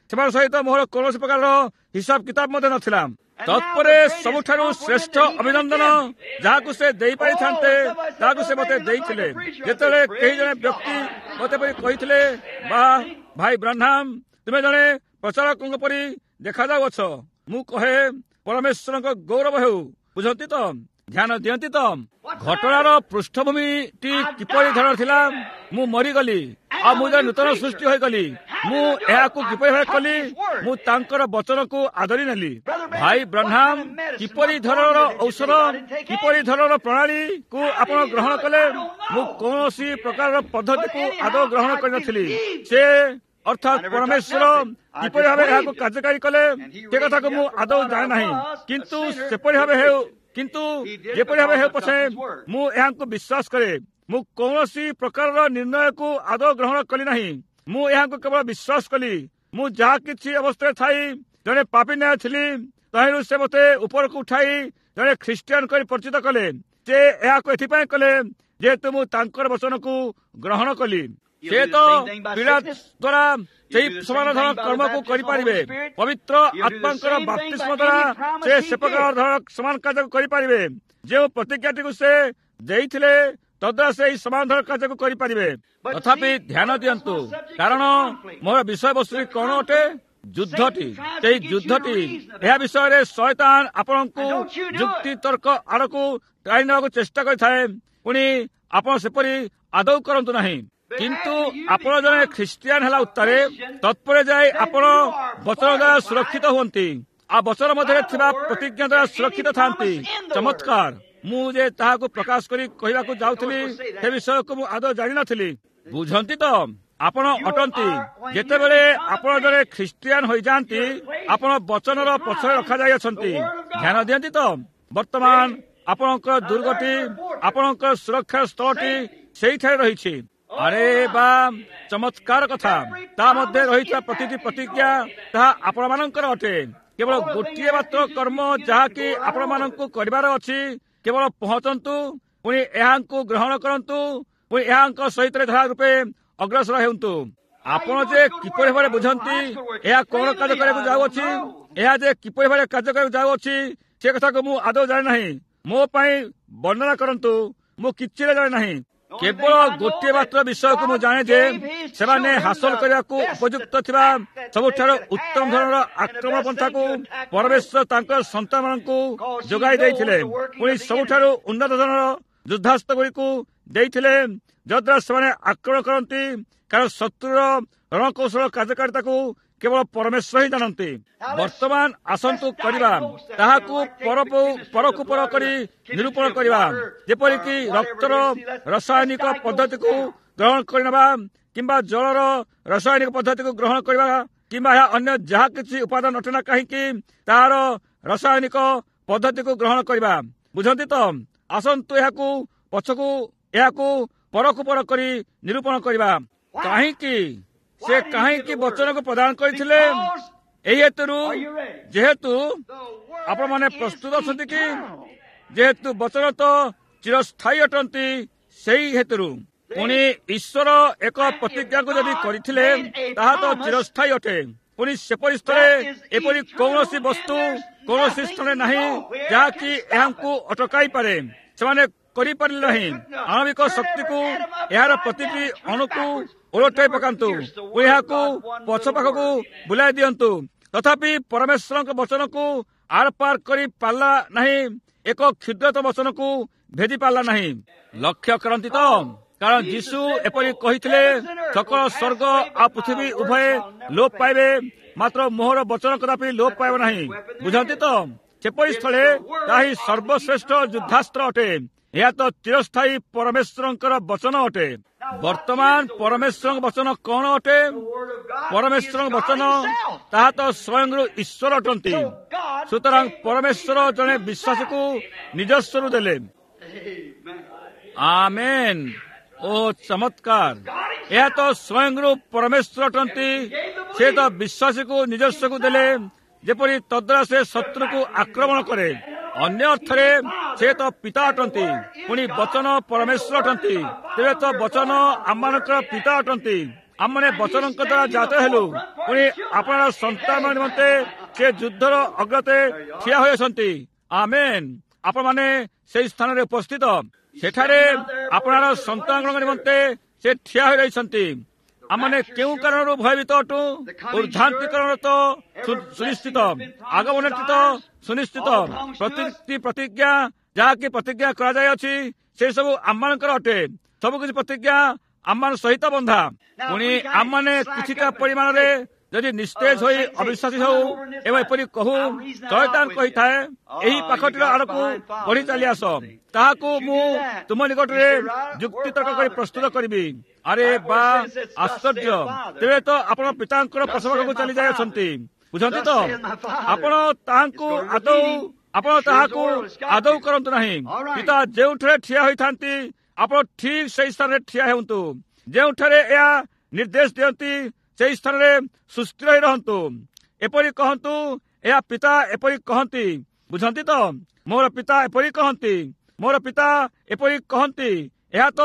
Speaker 1: ସେମାନଙ୍କ ସହିତ ମୋର କୌଣସି ପ୍ରକାରର ହିସାବ କିତାବ ମଧ୍ୟ ନଥିଲା। ତତ୍ପରେ ସବୁଠାରୁ ଶ୍ରେଷ୍ଠ ଅଭିନନ୍ଦନ ଯାହାକୁ ସେ ଦେଇପାରିଥାନ୍ତେ, ତାହାକୁ ସେ ମୋତେ ଦେଇଥିଲେ। ଯେତେବେଳେ କେହି ଜଣେ ବ୍ୟକ୍ତି ମୋତେ ପରି କହିଥିଲେ, ବା ଭାଇ ବ୍ରାହ୍ନାମ, ତୁମେ ଜଣେ ପ୍ରଚାରକଙ୍କ ପରି ଦେଖାଯାଉଅଛ, ମୁଁ କହେ, ପରମେଶ୍ୱରଙ୍କ ଗୌରବ ହେଉ। ବୁଝନ୍ତି ତ? ଧ୍ୟାନ ଦିଅନ୍ତି ତ? ଘଟଣାର ପୃଷ୍ଠଭୂମିଟି କିପରି ଧରଣର ଥିଲା? ମୁଁ ମରିଗଲି ଆଉ ମୁଁ ଜଣେ ନୂତନ ସୃଷ୍ଟି ହୋଇଗଲି। ମୁଁ ଏହାକୁ କିପରି ଭାବେ କଲି? ମୁଁ ତାଙ୍କର ବଚନକୁ ଆଦରି ନେଲି। ଭାଇ ବ୍ରାହ୍ନାମ, କିପରି ଧରଣର ଔଷଧ, କିପରି ଧରଣର ପ୍ରଣାଳୀକୁ ଆପଣ ଗ୍ରହଣ କଲେ? ମୁଁ କୌଣସି ପ୍ରକାରର ପଦ୍ଧତିକୁ ଆଦୌ ଗ୍ରହଣ କରିନଥିଲି। ସେ ଅର୍ଥାତ୍ ପରମେଶ୍ୱର କିପରି ଭାବେ ଏହାକୁ କାର୍ଯ୍ୟକାରୀ କଲେ ସେ କଥାକୁ ମୁଁ ଆଦୌ ଜାଣେ ନାହିଁ, କିନ୍ତୁ ସେପରି ଭାବେ ହେଉ କିନ୍ତୁ ଯେପରି ଭାବେ ହେଉ ପଛେ ମୁଁ ଏହାଙ୍କୁ ବିଶ୍ୱାସ କରେ। ମୁଁ କୌଣସି ପ୍ରକାରର ନିର୍ଣ୍ଣୟକୁ ଆଦୌ ଗ୍ରହଣ କଲି ନାହିଁ। ମୁଁ ଏହାଙ୍କୁ କେବଳ ବିଶ୍ୱାସ କଲି। ମୁଁ ଯାହା କିଛି ଅବସ୍ଥାରେ ଥାଇ ଜଣେ ପାପୀ ନ୍ୟାୟ ଥିଲି, ତହିଁରୁ ସେ ମୋତେ ଉପରକୁ ଉଠାଇ ଜଣେ ଖ୍ରୀଷ୍ଟିଆନ କରି ପରିଚିତ କଲେ। ସେ ଏହାକୁ ଏଥିପାଇଁ କଲେ ଯେହେତୁ ମୁଁ ତାଙ୍କର ବଚନକୁ ଗ୍ରହଣ କଲି। ସେ ତ ପୀଡ଼ା ଦ୍ୱାରା ସେହି ସମାନ ଧରଣ କର୍ମକୁ କରିପାରିବେ। ପବିତ୍ର ଆତ୍ମାଙ୍କର ବାପ୍ତିସ୍ମ ଦ୍ୱାରା ସେ ସେ ପ୍ରକାର ଧରଣ ସମାନ କାର୍ଯ୍ୟକୁ କରିପାରିବେ। ଯେଉଁ ପ୍ରତିଜ୍ଞାଟିକୁ ସେ ଦେଇଥିଲେ, ତଦ୍ୱାରା ସେ ଏହି ସମାନ ଧରଣ କାର୍ଯ୍ୟକୁ କରିପାରିବେ। ତଥାପି ଧ୍ୟାନ ଦିଅନ୍ତୁ, କାରଣ ମୋର ବିଷୟବସ୍ତୁ କଣ ଅଟେ? ଯୁଦ୍ଧଟି, ସେଇ ଯୁଦ୍ଧଟି, ଏହା ବିଷୟରେ ଶୟତାନ ଆପଣଙ୍କୁ ଯୁକ୍ତି ତର୍କ ଆଡ଼କୁ ଟାଣି ନେବାକୁ ଚେଷ୍ଟା କରିଥାଏ। ପୁଣି ଆପଣ ସେପରି ଆଦୌ କରନ୍ତୁ ନାହିଁ। କିନ୍ତୁ ଆପଣ ଜଣେ ଖ୍ରୀଷ୍ଟିଆନ ହେଲା ଉତ୍ତାରେ ତତ୍ପରେ ଯାଇ ଆପଣ ବଚନ ଦ୍ୱାରା ସୁରକ୍ଷିତ ହୁଅନ୍ତି, ଆଉ ବଚନ ମଧ୍ୟରେ ଥିବା ପ୍ରତିଜ୍ଞା ଦ୍ୱାରା ସୁରକ୍ଷିତ ଥାନ୍ତି। ଚମତ୍କାର! ମୁଁ ଯେ ତାହାକୁ ପ୍ରକାଶ କରି କହିବାକୁ ଯାଉଥିଲି ସେ ବିଷୟକୁ ମୁଁ ଆଦୌ ଜାଣିନଥିଲି। ବୁଝନ୍ତି ତ? ଆପଣ ଅଟନ୍ତି। ଯେତେବେଳେ ଆପଣ ଜଣେ ଖ୍ରୀଷ୍ଟିଆନ ହୋଇଯାଆନ୍ତି, ଆପଣ ବଚନର ପଛରେ ରଖାଯାଇଅଛନ୍ତି। ଧ୍ୟାନ ଦିଅନ୍ତି ତ? ବର୍ତ୍ତମାନ ଆପଣଙ୍କର ଦୁର୍ଗଟି, ଆପଣଙ୍କର ସୁରକ୍ଷା ସ୍ଥଳଟି ସେଇଠାରେ ରହିଛି। ଆରେ ବା, ଚମତ୍କାର କଥା! ତା ମଧ୍ୟରେ ରହିଥିବା ପ୍ରତିଟି ପ୍ରତିଜ୍ଞା ତାହା ଆପଣମାନଙ୍କର ଅଟେ। କେବଳ ଗୋଟିଏ ମାତ୍ର କର୍ମ ଯାହାକି ଆପଣମାନଙ୍କୁ କରିବାର ଅଛି, କେବଳ ପହଞ୍ଚନ୍ତୁ, ପୁଣି ଏହାଙ୍କୁ ଗ୍ରହଣ କରନ୍ତୁ, ପୁଣି ଏହାଙ୍କ ସହିତ ଧାରା ରୂପେ ଅଗ୍ରସର ହେଉନ୍ତୁ। ଆପଣ ଯେ କିପରି ଭାବରେ ବୁଝନ୍ତି ଏହା କଣ କାର୍ଯ୍ୟ କରିବାକୁ ଯାଉଅଛି, ଏହା ଯେ କିପରି ଭାବରେ କାର୍ଯ୍ୟ କରିବାକୁ ଯାଉଅଛି, ସେ କଥାକୁ ମୁଁ ଆଦୌ ଜାଣେ ନାହିଁ। ମୋ ପାଇଁ ବର୍ଣ୍ଣନା କରନ୍ତୁ, ମୁଁ କିଛି ଜାଣେ ନାହିଁ। କେବଳ ଗୋଟିଏ ମାତ୍ର ବିଷୟକୁ ମୁଁ ଜାଣେ ଯେ ସେମାନେ ହାସଲ କରିବାକୁ ଉପଯୁକ୍ତ ଥିବା ସବୁଠାରୁ ଉତ୍ତମ ଧରଣର ଆକ୍ରମଣ ପନ୍ଥାକୁ ପରମେଶ୍ୱର ତାଙ୍କ ସନ୍ତାନମାନଙ୍କୁ ଯୋଗାଇ ଦେଇଥିଲେ, ପୁଣି ସବୁଠାରୁ ଉନ୍ନତ ଧରଣର ଯୁଦ୍ଧାସ୍ତ୍ର ଗୁଡ଼ିକୁ ଦେଇଥିଲେ, ଯଦ୍ୱାରା ସେମାନେ ଆକ୍ରମଣ କରନ୍ତି। କାରଣ ଶତ୍ରୁର ରଣକୌଶଳ କାର୍ଯ୍ୟକାରିତାକୁ କେବଳ ପରମେଶ୍ୱର ହିଁ ଜାଣନ୍ତି। ବର୍ତ୍ତମାନ ଆସନ୍ତୁ କରିବା, ତାହାକୁ ପରକୁ ପର କରି ନିରୂପଣ କରିବା, ଯେପରିକି ରକ୍ତର ରାସାୟନିକ ପଦ୍ଧତିକୁ ଗ୍ରହଣ କରିନେବା କିମ୍ବା ଜଳର ରାସାୟନିକ ପଦ୍ଧତିକୁ ଗ୍ରହଣ କରିବା, କିମ୍ବା ଏହା ଅନ୍ୟ ଯାହା କିଛି ଉପାଦାନ ଅଟେ ନା କାହିଁକି ତାହାର ରାସାୟନିକ ପଦ୍ଧତିକୁ ଗ୍ରହଣ କରିବା। ବୁଝନ୍ତି ତ? ଆସନ୍ତୁ ଏହାକୁ ପଛକୁ, ଏହାକୁ ପରକୁ ପର କରି ନିରୂପଣ କରିବା। କାହିଁକି ସେ କାହିଁକି ବଚନକୁ ପ୍ରଦାନ କରିଥିଲେ? ଏହି ହେତୁରୁ, ଯେହେତୁ ଆପଣମାନେ ପ୍ରସ୍ତୁତ ଅଛନ୍ତି କି? ଯେହେତୁ ବଚନ ତ ଚିରସ୍ଥାୟୀ ଅଟନ୍ତି, ସେଇ ହେତୁରୁ। ପୁଣି ଈଶ୍ୱର ଏକ ପ୍ରତିଜ୍ଞାକୁ ଯଦି କରିଥିଲେ, ତାହା ତ ଚିରସ୍ଥାୟୀ ଅଟେ। ପୁଣି ସେପରି ସ୍ଥଳେ ଏପରି କୌଣସି ବସ୍ତୁ କୌଣସି ସ୍ଥାନରେ ନାହିଁ ଯାହାକି ଏହାଙ୍କୁ ଅଟକାଇ ପାରେ। ସେମାନେ କରିପାରିଲେ ନାହିଁ। ଆଣବିକ ଶକ୍ତିକୁ, ଏହାର ପ୍ରତିଟି ଅଣୁକୁ ଓଲଟାଇ ପକାନ୍ତୁ ଓ ଏହାକୁ ପଛ ପାଖକୁ ବୁଲାଇ ଦିଅନ୍ତୁ, ତଥାପି ପରମେଶ୍ୱରଙ୍କ ବଚନକୁ ଆର ପାର କରି ପାରିଲା ନାହିଁ, ଏକ କ୍ଷୁଦ୍ରତ ବଚନକୁ ଭେଦି ପାରିଲା ନାହିଁ। ଲକ୍ଷ୍ୟ କରନ୍ତି ତ? କାରଣ ଯୀଶୁ ଏପରି କହିଥିଲେ, ସକଳ ସ୍ୱର୍ଗ ଆଉ ପୃଥିବୀ ଉଭୟେ ଲୋପ ପାଇବେ, ମାତ୍ର ମୋହର ବଚନ କଦାପି ଲୋପ ପାଇବ ନାହିଁ। ବୁଝନ୍ତି ତ? ସେପରି ସ୍ଥଳେ ତାହା ହିଁ ସର୍ବଶ୍ରେଷ୍ଠ ଯୁଦ୍ଧାସ୍ତ୍ର ଅଟେ। ଏହା ତ ଚିରସ୍ଥାୟୀ ପରମେଶ୍ୱରଙ୍କର ବଚନ ଅଟେ। ବର୍ତ୍ତମାନ ପରମେଶ୍ୱରଙ୍କ ବଚନ କଣ ଅଟେ? ପରମେଶ୍ୱରଙ୍କ ବଚନ ତାହା ତ ସ୍ୱୟଂରୁ ଈଶ୍ୱର ଅଟନ୍ତି। ସୁତରାଂ ପରମେଶ୍ୱର ଜଣେ ବିଶ୍ୱାସକୁ ନିଜସ୍ୱରୁ ଦେଲେ। ଆମେନ୍। ଓ ଚମତ୍କାର! ଏହା ତ ସ୍ୱୟଂରୁ ପରମେଶ୍ୱର ଅଟନ୍ତି। ସେ ତ ବିଶ୍ୱାସୀକୁ ନିଜସ୍ୱକୁ ଦେଲେ, ଯେପରି ତଦ୍ୱାରା ସେ ଶତ୍ରୁକୁ ଆକ୍ରମଣ କରେ। ଅନ୍ୟ ଅର୍ଥରେ ସେ ତ ପିତା ଅଟନ୍ତି, ପୁଣି ବଚନ ପରମେଶ୍ୱର ଅଟନ୍ତି। ତେବେ ତ ବଚନ ଆମମାନଙ୍କର ପିତା ଅଟନ୍ତି। ଆମମାନେ ବଚନଙ୍କ ଦ୍ୱାରା ଜାତ ହେଲୁ, ପୁଣି ଆପଣାର ସନ୍ତାନ ନିମନ୍ତେ ସେ ଯୁଦ୍ଧର ଅଗ୍ରତେ ଠିଆ ହୋଇଅଛନ୍ତି। ଆମେନ୍। ଆପଣମାନେ ସେହି ସ୍ଥାନରେ ଉପସ୍ଥିତ। ସେଠାରେ ଆପଣାର ସନ୍ତାନଙ୍କ ନିମନ୍ତେ ସେ ଠିଆ ହୋଇ ରହିଛନ୍ତି। ଆମମାନେ କେଉଁ କାରଣରୁ ଭୟଭୀତ ଅଟୁ? ଉର୍ଦ୍ଧାନ୍ତିକରଣ ତ ସୁନିଶ୍ଚିତ, ଆଗମନଟି ତ ସୁନିଶ୍ଚିତ, ପ୍ରତିଟି ପ୍ରତିଜ୍ଞା ଯାହାକି ପ୍ରତିଜ୍ଞା କରାଯାଇଅଛି ସେ ସବୁ ଆମମାନଙ୍କର ଅଟେ। ସବୁକିଛି ପ୍ରତିଜ୍ଞା ଆମମାନ ସହିତ ବନ୍ଧା। ପୁଣି ଆମମାନେ କିଛିଟା ପରିମାଣରେ ଯଦି ନିସ୍ତେଜ ହୋଇ ଅବିଶ୍ୱାସୀ ହେଉ ଏବଂ ଏପରି କହୁ, ଶୟତାନ କହିଥାଏ, ଏହି ପାଖଟିର ଆଡ଼କୁ ବଢି ଚାଲି ଆସ, ତାହାକୁ ମୁଁ ତୁମ ନିକଟରେ ଯୁକ୍ତିତର୍କ କରି ପ୍ରସ୍ତୁତ କରିବି। ଆରେ ବା, ଆଶ୍ଚର୍ଯ୍ୟ! ତେବେ ତ ଆପଣ ପିତାଙ୍କର ପଛପାଖକୁ ଚାଲି ଯାଇଅଛନ୍ତି। ବୁଝନ୍ତି ତ? ଆପଣ ତାହାଙ୍କୁ ଆଦୌ ଆପଣ ତାହାକୁ ଆଦୌ କରନ୍ତୁ ନାହିଁ। ପିତା ଯେଉଁଠାରେ ଠିଆ ହୋଇଥାନ୍ତି, ଆପଣ ଠିକ ସେଇ ସ୍ଥାନରେ ଠିଆ ହୁଅନ୍ତୁ। ଯେଉଁଠାରେ ଏହା ନିର୍ଦ୍ଦେଶ ଦିଅନ୍ତି, ସେହି ସ୍ଥାନରେ ସୁସ୍ଥିର ହୋଇ ରହନ୍ତୁ। ଏପରି କହନ୍ତୁ, ଏହା ପିତା ଏପରି କହନ୍ତି। ବୁଝନ୍ତି ତ? ମୋର ପିତା ଏପରି କହନ୍ତି, ମୋର ପିତା ଏପରି କହନ୍ତି। ଏହା ତ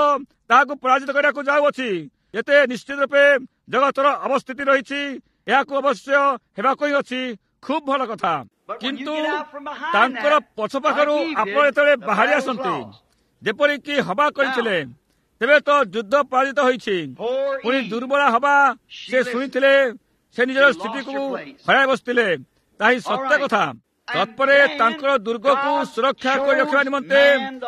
Speaker 1: ତାହାକୁ ପରାଜିତ କରିବାକୁ ଯାଉଅଛି। ଯେତେ ନିଶ୍ଚିତ ରୂପେ ଜଗତର ଅବସ୍ଥିତି ରହିଛି, ଏହାକୁ ଅବଶ୍ୟ ହେବାକୁ ହିଁ ଅଛି। ଖୁବ୍ ଭଲ କଥା। କିନ୍ତୁ ତାଙ୍କର ପଛ ପାଖରୁ ଆପଣ ଯେତେବେଳେ ବାହାରି ଆସନ୍ତି, ଯେପରିକି ହବା କରିଥିଲେ, ତେବେ ତ ଯୁଦ୍ଧ ପରାଜିତ ହୋଇଛି। ପୁଣି ଦୁର୍ବଳ ହବା ସେ ଶୁଣିଥିଲେ, ସେ ନିଜର ସ୍ଥିତିକୁ ହରାଇ ବସିଥିଲେ। ତାହା ହିଁ ସତ୍ୟ କଥା। ତତ୍ପରେ ତାଙ୍କର ଦୁର୍ଗକୁ ସୁରକ୍ଷା କରି ରଖିବା ନିମନ୍ତେ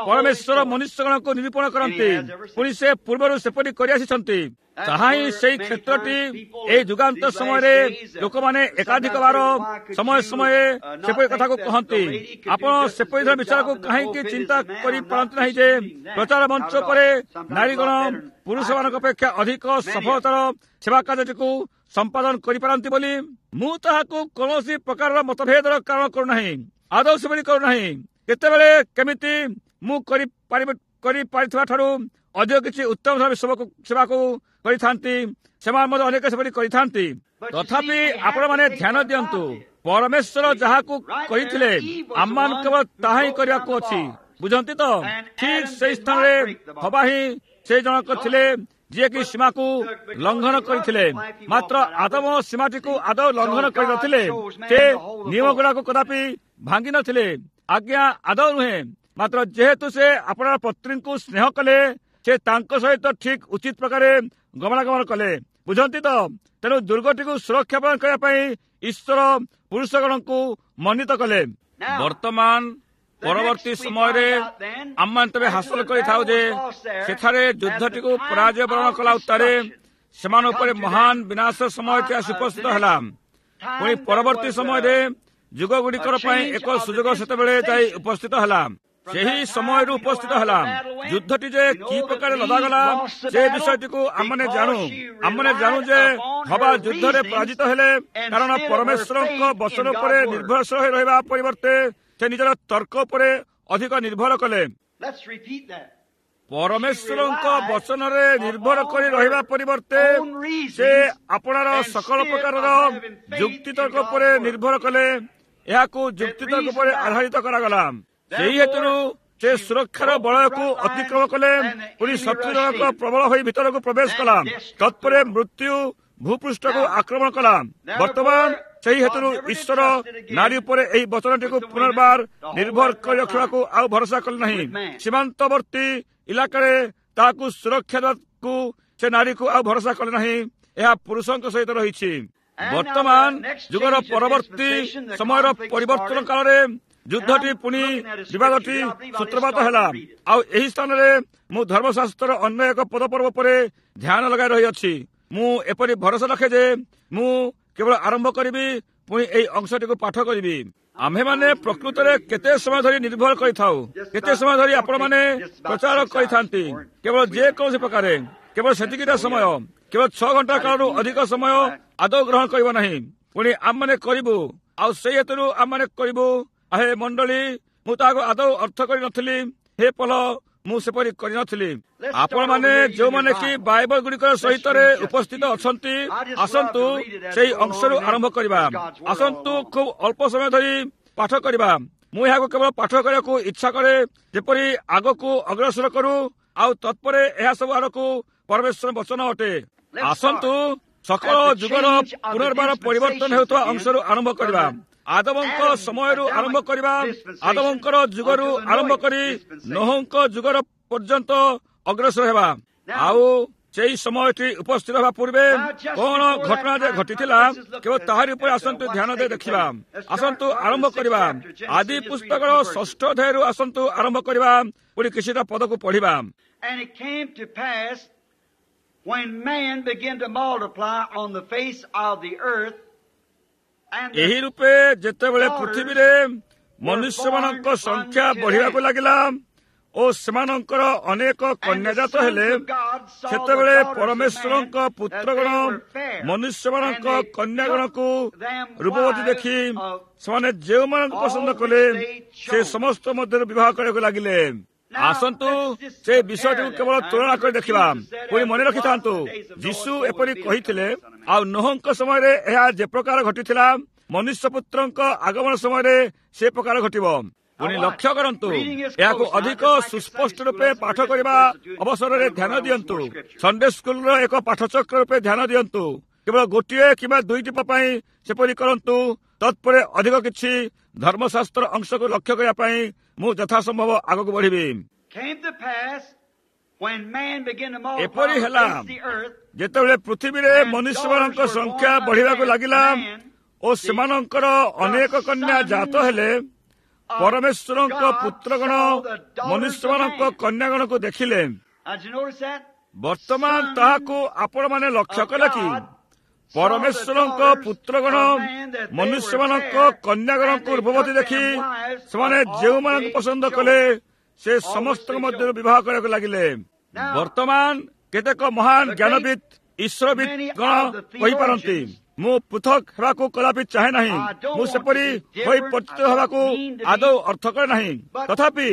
Speaker 1: ପରମେଶ୍ୱର ମନୁଷ୍ୟଗଣକୁ ନିରୂପଣ କରନ୍ତି। ପୁଣି ସେ ପୂର୍ବରୁ ସେପରି କରିଆସିଛନ୍ତି। ତାହା ହିଁ ସେଇ କ୍ଷେତ୍ରଟି ଏହି ଯୁଗାନ୍ତ ସମୟରେ ଲୋକମାନେ ଏକାଧିକ ବାର ସମୟ ସମୟେ ସେପରି କଥାକୁ କହନ୍ତି। ଆପଣ ସେପରି ଧର ବିଚାରକୁ କାହିଁକି ଚିନ୍ତା କରିପାରନ୍ତି ନାହିଁ ଯେ ପ୍ରଚାର ମଞ୍ଚ ଉପରେ ନାରୀଗଣ ପୁରୁଷମାନଙ୍କ ଅପେକ୍ଷା ଅଧିକ ସଫଳତାର ସେବା କାର୍ଯ୍ୟଟିକୁ ସମ୍ପାଦନ କରିପାରନ୍ତି ବୋଲି? ମୁଁ ତାହାକୁ କୌଣସି ପ୍ରକାରର ମତଭେଦର କାରଣ କରୁନାହିଁ, ଆଦୌ ସେପରି କରୁନାହିଁ। କେତେବେଳେ କେମିତି ମୁଁ କରିପାରିବି କରିପାରିଥିବା ଠାରୁ ଅଧିକ କିଛି ଉତ୍ତମ ସେବାକୁ ସେବାକୁ କରିଥାନ୍ତି, ସେମାନେ ମଧ୍ୟ ଅନେକ ସେପରି କରିଥାନ୍ତି। ତଥାପି ଆପଣମାନେ ଧ୍ୟାନ ଦିଅନ୍ତୁ, ପରମେଶ୍ୱର ଯାହାକୁ କହିଥିଲେ ଆମମାନଙ୍କୁ କେବଳ ତାହା ହିଁ କରିବାକୁ ଅଛି। ବୁଝନ୍ତି ତ? ଠିକ ସେଇ ସ୍ଥାନରେ ହବା ହିଁ ସେ ଜଣକ ଥିଲେ ଯିଏକି ସୀମାକୁ ଲଙ୍ଘନ କରିଥିଲେ। ମାତ୍ର ଆଦମ ସୀମାଟିକୁ ଆଦୌ ଲଙ୍ଘନ କରିନଥିଲେ। ସେ ନିୟମ ଗୁଡାକୁ କଦାପି ଭାଙ୍ଗି ନଥିଲେ। ଆଜ୍ଞା, ଆଦୌ ନୁହେଁ। ମାତ୍ର ଯେହେତୁ ସେ ଆପଣାର ପତ୍ନୀଙ୍କୁ ସ୍ନେହ କଲେ, ସେ ତାଙ୍କ ସହିତ ଠିକ ଉଚିତ ପ୍ରକାରେ ଗମନାଗମନ କଲେ। ବୁଝନ୍ତି ତ? ତେଣୁ ଦୁର୍ଗଟିକୁ ସୁରକ୍ଷା ପ୍ରଦାନ କରିବା ପାଇଁ ଈଶ୍ୱର ପୁରୁଷଗଣଙ୍କୁ ମନୋନୀତ କଲେ। ବର୍ତ୍ତମାନ ପରବର୍ତ୍ତୀ ସମୟରେ ଆମମାନେ ତେବେ ହାସଲ କରିଥାଉ ଯେ ସେଠାରେ ଯୁଦ୍ଧଟିକୁ ପରାଜୟ ବରଣ କଲା ଉତ୍ତାରେ ସେମାନଙ୍କ ଉପରେ ମହାନ ବିନାଶ ସମୟଟି ଆସି ଉପସ୍ଥିତ ହେଲା। ପୁଣି ପରବର୍ତ୍ତୀ ସମୟରେ ଯୁଗଗୁଡ଼ିକର ପାଇଁ ଏକ ସୁଯୋଗ ସେତେବେଳେ ଯାଇ ଉପସ୍ଥିତ ହେଲା। ସେହି ସମୟରୁ ଉପସ୍ଥିତ ହେଲା। ଯୁଦ୍ଧଟି ଯେ କି ପ୍ରକାର ଲଦାଗଲା ସେ ବିଷୟଟିକୁ ଆମମାନେ ଜାଣୁ। ଆମମାନେ ଜାଣୁ ଯେ ହବା ଯୁଦ୍ଧରେ ପରାଜିତ ହେଲେ, କାରଣ ପରମେଶ୍ୱରଙ୍କ ବଚନ ଉପରେ ନିର୍ଭରଶୀଳ ହୋଇ ରହିବା ପରିବର୍ତ୍ତେ ସେ ନିଜର ତର୍କ ଉପରେ ଅଧିକ ନିର୍ଭର କଲେ। ପରମେଶ୍ୱରଙ୍କ ବଚନରେ ନିର୍ଭର କରି ରହିବା ପରିବର୍ତ୍ତେ ସେ ଆପଣାର ସକଳ ପ୍ରକାରର ଯୁକ୍ତିତର୍କ ଉପରେ ନିର୍ଭର କଲେ। ଏହାକୁ ଯୁକ୍ତିତର୍କ ଉପରେ ଆଧାରିତ କରାଗଲା। ସେହି ହେତୁରୁ ସେ ସୁରକ୍ଷାର ବଳୟକୁ ଅତିକ୍ରମ କଲେ। ପୁଣି ଶତ୍ରୁ ଜଣକ ପ୍ରବଳ ହୋଇ ଭିତରକୁ ପ୍ରବେଶ କଲା। ତତ୍ପରେ ମୃତ୍ୟୁ ଭୂପୃଷ୍ଠକୁ ଆକ୍ରମଣ କଲା। ବର୍ତ୍ତମାନ ସେହି ହେତୁରୁ ଈଶ୍ୱର ନାରୀ ଉପରେ ଏହି ବଚନଟିକୁ ପୁନର୍ବାର ନିର୍ଭର କରି ରଖିବାକୁ ଆଉ ଭରସା କଲେ ନାହିଁ। ସୀମାନ୍ତବର୍ତ୍ତୀ ଇଲାକାରେ ତାହାକୁ ସୁରକ୍ଷା ଦେବାକୁ ସେ ନାରୀକୁ ଆଉ ଭରସା କଲେ ନାହିଁ। ଏହା ପୁରୁଷଙ୍କ ସହିତ ରହିଛି। ବର୍ତ୍ତମାନ ଯୁଗର ପରବର୍ତ୍ତୀ ସମୟର ପରିବର୍ତ୍ତନ କାଳରେ ଯୁଦ୍ଧଟି ପୁଣି ବିବାଦଟି ସୂତ୍ରପାତ ହେଲା। ଆଉ ଏହି ସ୍ଥାନରେ ମୁଁ ଧର୍ମଶାସ୍ତ୍ରର ଅନ୍ୟ ଏକ ପଦପର୍ବ ଉପରେ ଧ୍ୟାନ ଲଗାଇ ରହିଅଛି। ମୁଁ ଏପରି ଭରସା ରଖେ ଯେ ମୁଁ କେବଳ ଆରମ୍ଭ କରିବି, ପୁଣି ଏହି ଅଂଶଟିକୁ ପାଠ କରିବି। ଆମ୍ଭେମାନେ ପ୍ରକୃତରେ କେତେ ସମୟ ଧରି ନିର୍ଭର କରିଥାଉ, କେତେ ସମୟ ଧରି ଆପଣମାନେ ପ୍ରଚାର କରିଥାନ୍ତି, କେବଳ ଯେକୌଣସି ପ୍ରକାରେ, କେବଳ ସେତିକିଟା ସମୟ, କେବଳ ଛଅ ଘଣ୍ଟା କାଳରୁ ଅଧିକ ସମୟ ଆଦୌ ଗ୍ରହଣ କରିବ ନାହିଁ। ପୁଣି ଆମମାନେ କରିବୁ, ଆଉ ସେଇ ହେତୁରୁ ଆମମାନେ କରିବୁ। ଆହେ ମଣ୍ଡଳୀ, ମୁଁ ତାହାକୁ ଆଦୌ ଅର୍ଥ କରିନଥିଲି। ହେ ପଲ, ମୁଁ ସେପରି କରିନଥିଲି। ଆପଣମାନେ ଯେଉଁମାନେ କି ବାଇବଲ ଗୁଡ଼ିକର ସହିତରେ ଉପସ୍ଥିତ ଅଛନ୍ତି, ଆସନ୍ତୁ ସେଇ ଅଂଶରୁ ଆରମ୍ଭ କରିବା। ଆସନ୍ତୁ ଖୁବ୍ ଅଳ୍ପ ସମୟ ଧରି ପାଠ କରିବା। ମୁଁ ଏହାକୁ କେବଳ ପାଠ କରିବାକୁ ଇଚ୍ଛା କରେ, ଯେପରି ଆଗକୁ ଅଗ୍ରସର କରୁ, ଆଉ ତତ୍ପରେ ଏହା ସବୁ ଆଡ଼କୁ ପରମେଶ୍ୱର ବଚନ ଅଟେ। ଆସନ୍ତୁ ସକଳ ଯୁଗର ପୁନର୍ବାର ପରିବର୍ତ୍ତନ ହେଉଥିବା ଅଂଶରୁ ଆରମ୍ଭ କରିବା। ଆଦମଙ୍କ ସମୟରୁ ଆରମ୍ଭ କରିବା, ଆଦମଙ୍କର ଯୁଗରୁ ଆରମ୍ଭ କରି ନୋହଙ୍କ ଯୁଗର ପର୍ଯ୍ୟନ୍ତ ଅଗ୍ରସର ହେବା। ଆଉ ସେଇ ସମୟଟି ଉପସ୍ଥିତ ହେବା ପୂର୍ବେ କଣ ଘଟଣା ଯେ ଘଟିଥିଲା କେବଳ ତାହାରି ଉପରେ ଆସନ୍ତୁ ଧ୍ୟାନ ଦେଇ ଦେଖିବା। ଆସନ୍ତୁ ଆରମ୍ଭ କରିବା ଆଦି ପୁସ୍ତକର ଷଷ୍ଠ ଅଧ୍ୟାୟରୁ। ଆସନ୍ତୁ ଆରମ୍ଭ କରିବା, ପୁଣି କିଛିଟା ପଦକୁ ପଢିବା।
Speaker 2: And it came to pass when man began to multiply on the face of the earth, and the
Speaker 1: ଏହି ରୂପେ ଯେତେବେଳେ ପୃଥିବୀରେ ମନୁଷ୍ୟମାନଙ୍କ ସଂଖ୍ୟା ବଢ଼ିବାକୁ ଲାଗିଲା ଓ ସେମାନଙ୍କର ଅନେକ କନ୍ୟାଜାତ ହେଲେ, ସେତେବେଳେ ପରମେଶ୍ୱରଙ୍କ ପୁତ୍ରଗଣ ମନୁଷ୍ୟମାନଙ୍କ କନ୍ୟାଗଣକୁ ରୂପବତୀ ଦେଖି ସେମାନେ ଯେଉଁମାନଙ୍କୁ ପସନ୍ଦ କଲେ ସେ ସମସ୍ତ ମଧ୍ୟରୁ ବିବାହ କରିବାକୁ ଲାଗିଲେ। ଆସନ୍ତୁ ସେ ବିଷୟଟିକୁ କେବଳ ତୁଳନା କରି ଦେଖିବା। ପୁଣି ମନେ ରଖିଥାନ୍ତୁ, ଯୀଶୁ ଏପରି କହିଥିଲେ, ଆଉ ନୋହଙ୍କ ସମୟରେ ଏହା ଯେ ପ୍ରକାର ଘଟିଥିଲା, ମନୁଷ୍ୟ ପୁତ୍ରଙ୍କ ଆଗମନ ସମୟରେ ସେ ପ୍ରକାର ଘଟିବ। ପୁଣି ଲକ୍ଷ୍ୟ କରନ୍ତୁ, ଏହାକୁ ଅଧିକ ସୁସ୍ପଷ୍ଟ ରୂପେ ପାଠ କରିବା ଅବସରରେ ଧ୍ୟାନ ଦିଅନ୍ତୁ। ସଣ୍ଡେ ସ୍କୁଲର ଏକ ପାଠଚକ୍ର ରୂପେ ଧ୍ୟାନ ଦିଅନ୍ତୁ। କେବଳ ଗୋଟିଏ କିମ୍ବା ଦୁଇଟି ପାଇଁ ସେପରି କରନ୍ତୁ। ତତ୍ପରେ ଅଧିକ କିଛି ଧର୍ମଶାସ୍ତ୍ର ଅଂଶକୁ ଲକ୍ଷ୍ୟ କରିବା ପାଇଁ ମୁଁ ଯଥାସମ୍ଭବ ଆଗକୁ ବଢ଼ିବି।
Speaker 2: came to pass
Speaker 1: ଏପରି ହେଲା ଯେତେବେଳେ ପୃଥିବୀରେ ମନୁଷ୍ୟମାନଙ୍କ ସଂଖ୍ୟା ବଢ଼ିବାକୁ ଲାଗିଲା ଓ ସେମାନଙ୍କର ଅନେକ କନ୍ୟା ଜାତ ହେଲେ, ପରମେଶ୍ୱରଙ୍କ ପୁତ୍ରଗଣ ମନୁଷ୍ୟମାନଙ୍କ କନ୍ୟାଗଣକୁ ଦେଖିଲେ। ବର୍ତ୍ତମାନ ତାହାକୁ ଆପଣମାନେ ଲକ୍ଷ୍ୟ କଲେ କି? ପରମେଶ୍ୱରଙ୍କ ପୁତ୍ରଗଣ ମନୁଷ୍ୟମାନଙ୍କ କନ୍ୟାଗଣଙ୍କୁ ରୂପବତୀ ଦେଖି ସେମାନେ ଯେଉଁମାନଙ୍କୁ ପସନ୍ଦ କଲେ ସେ ସମସ୍ତଙ୍କ ମଧ୍ୟରୁ ବିବାହ କରିବାକୁ ଲାଗିଲେ। ବର୍ତ୍ତମାନ କେତେକ ମହାନ ଜ୍ଞାନବିତ୍ ଈଶ୍ୱରବିତ୍ ଗଣ କହିପାରନ୍ତି, ମୁଁ ପୃଥକ ହେବାକୁ କଦାପି ଚାହେଁ ନାହିଁ, ମୁଁ ସେପରି ହୋଇ ପରିଚିତ ହେବାକୁ ଆଦୌ ଅର୍ଥ କରେ ନାହିଁ। ତଥାପି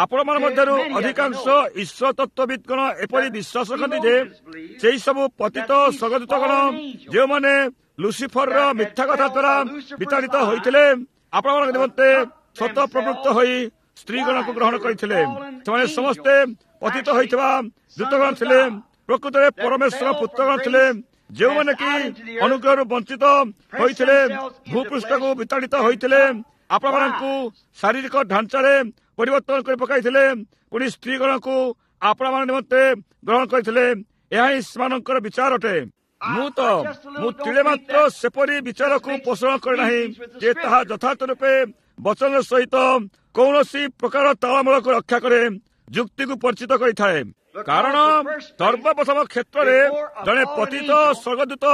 Speaker 1: ଆପଣମାନଙ୍କ ମଧ୍ୟରୁ ଅଧିକାଂଶ ଈଶ୍ୱର ତତ୍ତ୍ୱବିତ୍ ଗଣ ଏପରି ବିଶ୍ୱାସ ରଖନ୍ତି ଯେ ସେହି ସବୁ ପତିତ ସ୍ୱର୍ଗଦୂତଗଣ ଯେଉଁମାନେ ଲୁସିଫରର ମିଥ୍ୟା କଥା ଦ୍ୱାରା ବିତାଡ଼ିତ ହୋଇଥିଲେ, ଆପଣମାନଙ୍କ ନିମନ୍ତେ ସ୍ୱତଃ ପ୍ରବୃତ୍ତ ହୋଇ ସ୍ତ୍ରୀଗଣକୁ ଗ୍ରହଣ କରିଥିଲେ। ସେମାନେ ସମସ୍ତେ ପତିତ ହୋଇଥିବା ଦୂତଗଣ ଥିଲେ, ପ୍ରକୃତରେ ପରମେଶ୍ୱର ପୁତ୍ରଗଣ ଥିଲେ, ଯେଉଁମାନେ କି ଅନୁଗ୍ରହରୁ ବଞ୍ଚିତ ହୋଇଥିଲେ, ଭୂପୃଷ୍ଠକୁ ବିତାଡ଼ିତ ହୋଇଥିଲେ, ଆପଣମାନଙ୍କୁ ଶାରୀରିକ ଢାଞ୍ଚାରେ ପରିବର୍ତ୍ତନ କରି ପକାଇଥିଲେ, ପୁଣି ସ୍ତ୍ରୀଗଣକୁ ଆପଣମାନଙ୍କ ନିମନ୍ତେ ଗ୍ରହଣ କରିଥିଲେ। ଏହା ହିଁ ସେମାନଙ୍କର ବିଚାର ଅଟେ। ମୁଁ ତ ମୁଁ ତିଳେ ମାତ୍ର ସେପରି ବିଚାରକୁ ପୋଷଣ କରେ ନାହିଁ ଯେ ତାହା ଯଥାର୍ଥ ରୂପେ ବଚନ ସହିତ କୌଣସି ପ୍ରକାର ତାଳମେଳକୁ ରକ୍ଷା କରେ, ଯୁକ୍ତିକୁ ପରିଚିତ କରିଥାଏ। କାରଣ ସର୍ବପ୍ରଥମ କ୍ଷେତ୍ରରେ ଜଣେ ପତିତ ସ୍ୱର୍ଗଦୂତ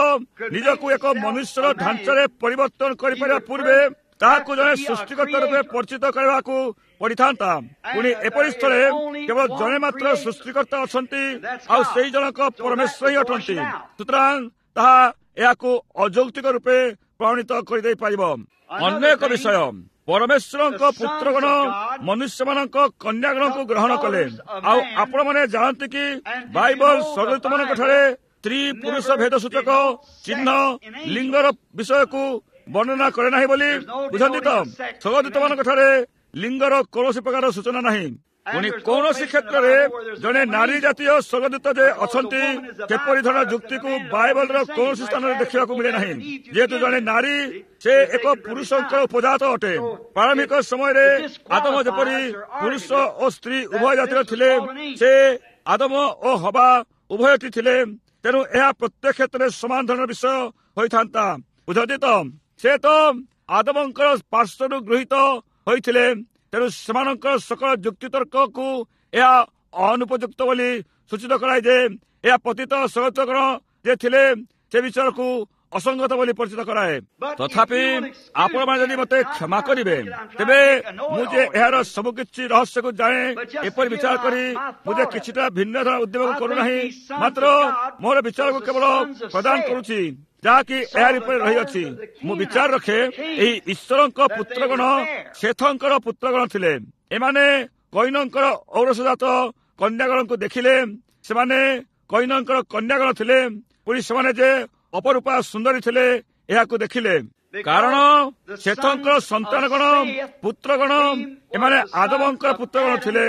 Speaker 1: ନିଜକୁ ଏକ ମନୁଷ୍ୟର ଢାଞ୍ଚାରେ ପରିବର୍ତ୍ତନ କରିପାରିବା ପୂର୍ବେ ତାହାକୁ ଜଣେ ସୃଷ୍ଟିକର୍ତ୍ତା ରୂପେ ପରିଚିତ କରିବାକୁ ପଡ଼ିଥାନ୍ତା। ପୁଣି ଏପରି ସ୍ଥଳେ କେବଳ ଜଣେ ମାତ୍ର ସୃଷ୍ଟିକର୍ତ୍ତା ଅଛନ୍ତି, ଆଉ ସେଇ ଜଣକ ପରମେଶ୍ୱର ହିଁ ଅଟନ୍ତି। ସୁତରାଂ ତାହା ଏହାକୁ ଅଯୌକ୍ତିକ ରୂପେ ପ୍ରମାଣିତ କରିଦେଇ ପାରିବ। ଅନ୍ୟ ଏକ ବିଷୟ, ପରମେଶ୍ୱରଙ୍କ ପୁତ୍ରଗଣ ମନୁଷ୍ୟମାନଙ୍କ କନ୍ୟାଗଣକୁ ଗ୍ରହଣ କଲେ। ଆଉ ଆପଣମାନେ ଜାଣନ୍ତି କି ବାଇବଲ ସ୍ୱର୍ଗଦୂତମାନଙ୍କ ଠାରେ ସ୍ତ୍ରୀ ପୁରୁଷ ଭେଦ ସୂଚକ ଚିହ୍ନ ଲିଙ୍ଗର ବିଷୟକୁ ବର୍ଣ୍ଣନା କରେ ନାହିଁ ବୋଲି? ବୁଝନ୍ତି ତ, ସ୍ୱର୍ଗଦୂତମାନଙ୍କ ଠାରେ ଲିଙ୍ଗର କୌଣସି ପ୍ରକାର ସୂଚନା ନାହିଁ। ପୁଣି କୌଣସି କ୍ଷେତ୍ରରେ ଜଣେ ନାରୀ ଜାତୀୟ ସ୍ୱର୍ଗଦୂତ ଯେ ଅଛନ୍ତି ସେପରି ଧରଣର ଯୁକ୍ତିକୁ ବାଇବଲର କୌଣସି ସ୍ଥାନରେ ଦେଖିବାକୁ ମିଳେ ନାହିଁ। ଯେହେତୁ ଜଣେ ନାରୀ ସେ ଏକ ପୁରୁଷଙ୍କର ଉପଜାତ ଅଟେ। ପ୍ରାରମ୍ଭିକ ସମୟରେ ଆଦମ ଯେପରି ପୁରୁଷ ଓ ସ୍ତ୍ରୀ ଉଭୟ ଜାତିର ଥିଲେ, ସେ ଆଦମ ଓ ହବା ଉଭୟଟି ଥିଲେ। ତେଣୁ ଏହା ପ୍ରତ୍ୟେକ କ୍ଷେତ୍ରରେ ସମାନ ଧରଣର ବିଷୟ ହୋଇଥାନ୍ତା। ବୁଝନ୍ତି ତ, ସେ ତ ଆଦମଙ୍କର ପାର୍ଶ୍ୱରୁ ଗୃହୀତ ହୋଇଥିଲେ। ତେଣୁ ସେମାନଙ୍କର ସକଳ ଯୁକ୍ତିତର୍କକୁ ଏହା ଅନୁପଯୁକ୍ତ ବୋଲି ସୂଚିତ କରାଏ ଯେ ଏହା ପତିତ ସ୍ୱର୍ଗଦୂତଗଣ ଯେ ଥିଲେ ସେ ବିଷୟକୁ ଅସଙ୍ଗତ ବୋଲି ପରିଚିତ କରାଏ। ତଥାପି ଆପଣମାନେ ଯଦି ମୋତେ କ୍ଷମା କରିବେ, ତେବେ ମୁଁ ଯେ ଏହାର ସବୁକିଛି ରହସ୍ୟକୁ ଜାଣେ ଏପରି ବିଚାର କରି ମୁଁ ଯେ କିଛିଟା ଭିନ୍ନ ଧରଣ ଉଦ୍ୟମ କରୁନାହିଁ, ମାତ୍ର ମୋର ବିଚାରକୁ କେବଳ ପ୍ରଦାନ କରୁଛି ଯାହାକି ଏହାରି ଉପରେ ରହିଅଛି। ମୁଁ ବିଚାର ରଖେ ଏହି ଈଶ୍ୱରଙ୍କ ପୁତ୍ରଗଣ ସେଥଙ୍କର ପୁତ୍ରଗଣ ଥିଲେ। ଏମାନେ କୈନଙ୍କର ଔରସଜାତ କନ୍ୟାଗଣଙ୍କୁ ଦେଖିଲେ, ସେମାନେ କୈନଙ୍କର କନ୍ୟାଗଣ ଥିଲେ। ପୁଣି ସେମାନେ ଯେ ଅପରୂପା ସୁନ୍ଦରୀ ଥିଲେ ଏହାକୁ ଦେଖିଲେ। କାରଣ ସେଥଙ୍କର ସନ୍ତାନଗଣ ପୁତ୍ରଗଣ ଏମାନେ ଆଦମଙ୍କର ପୁତ୍ରଗଣ ଥିଲେ,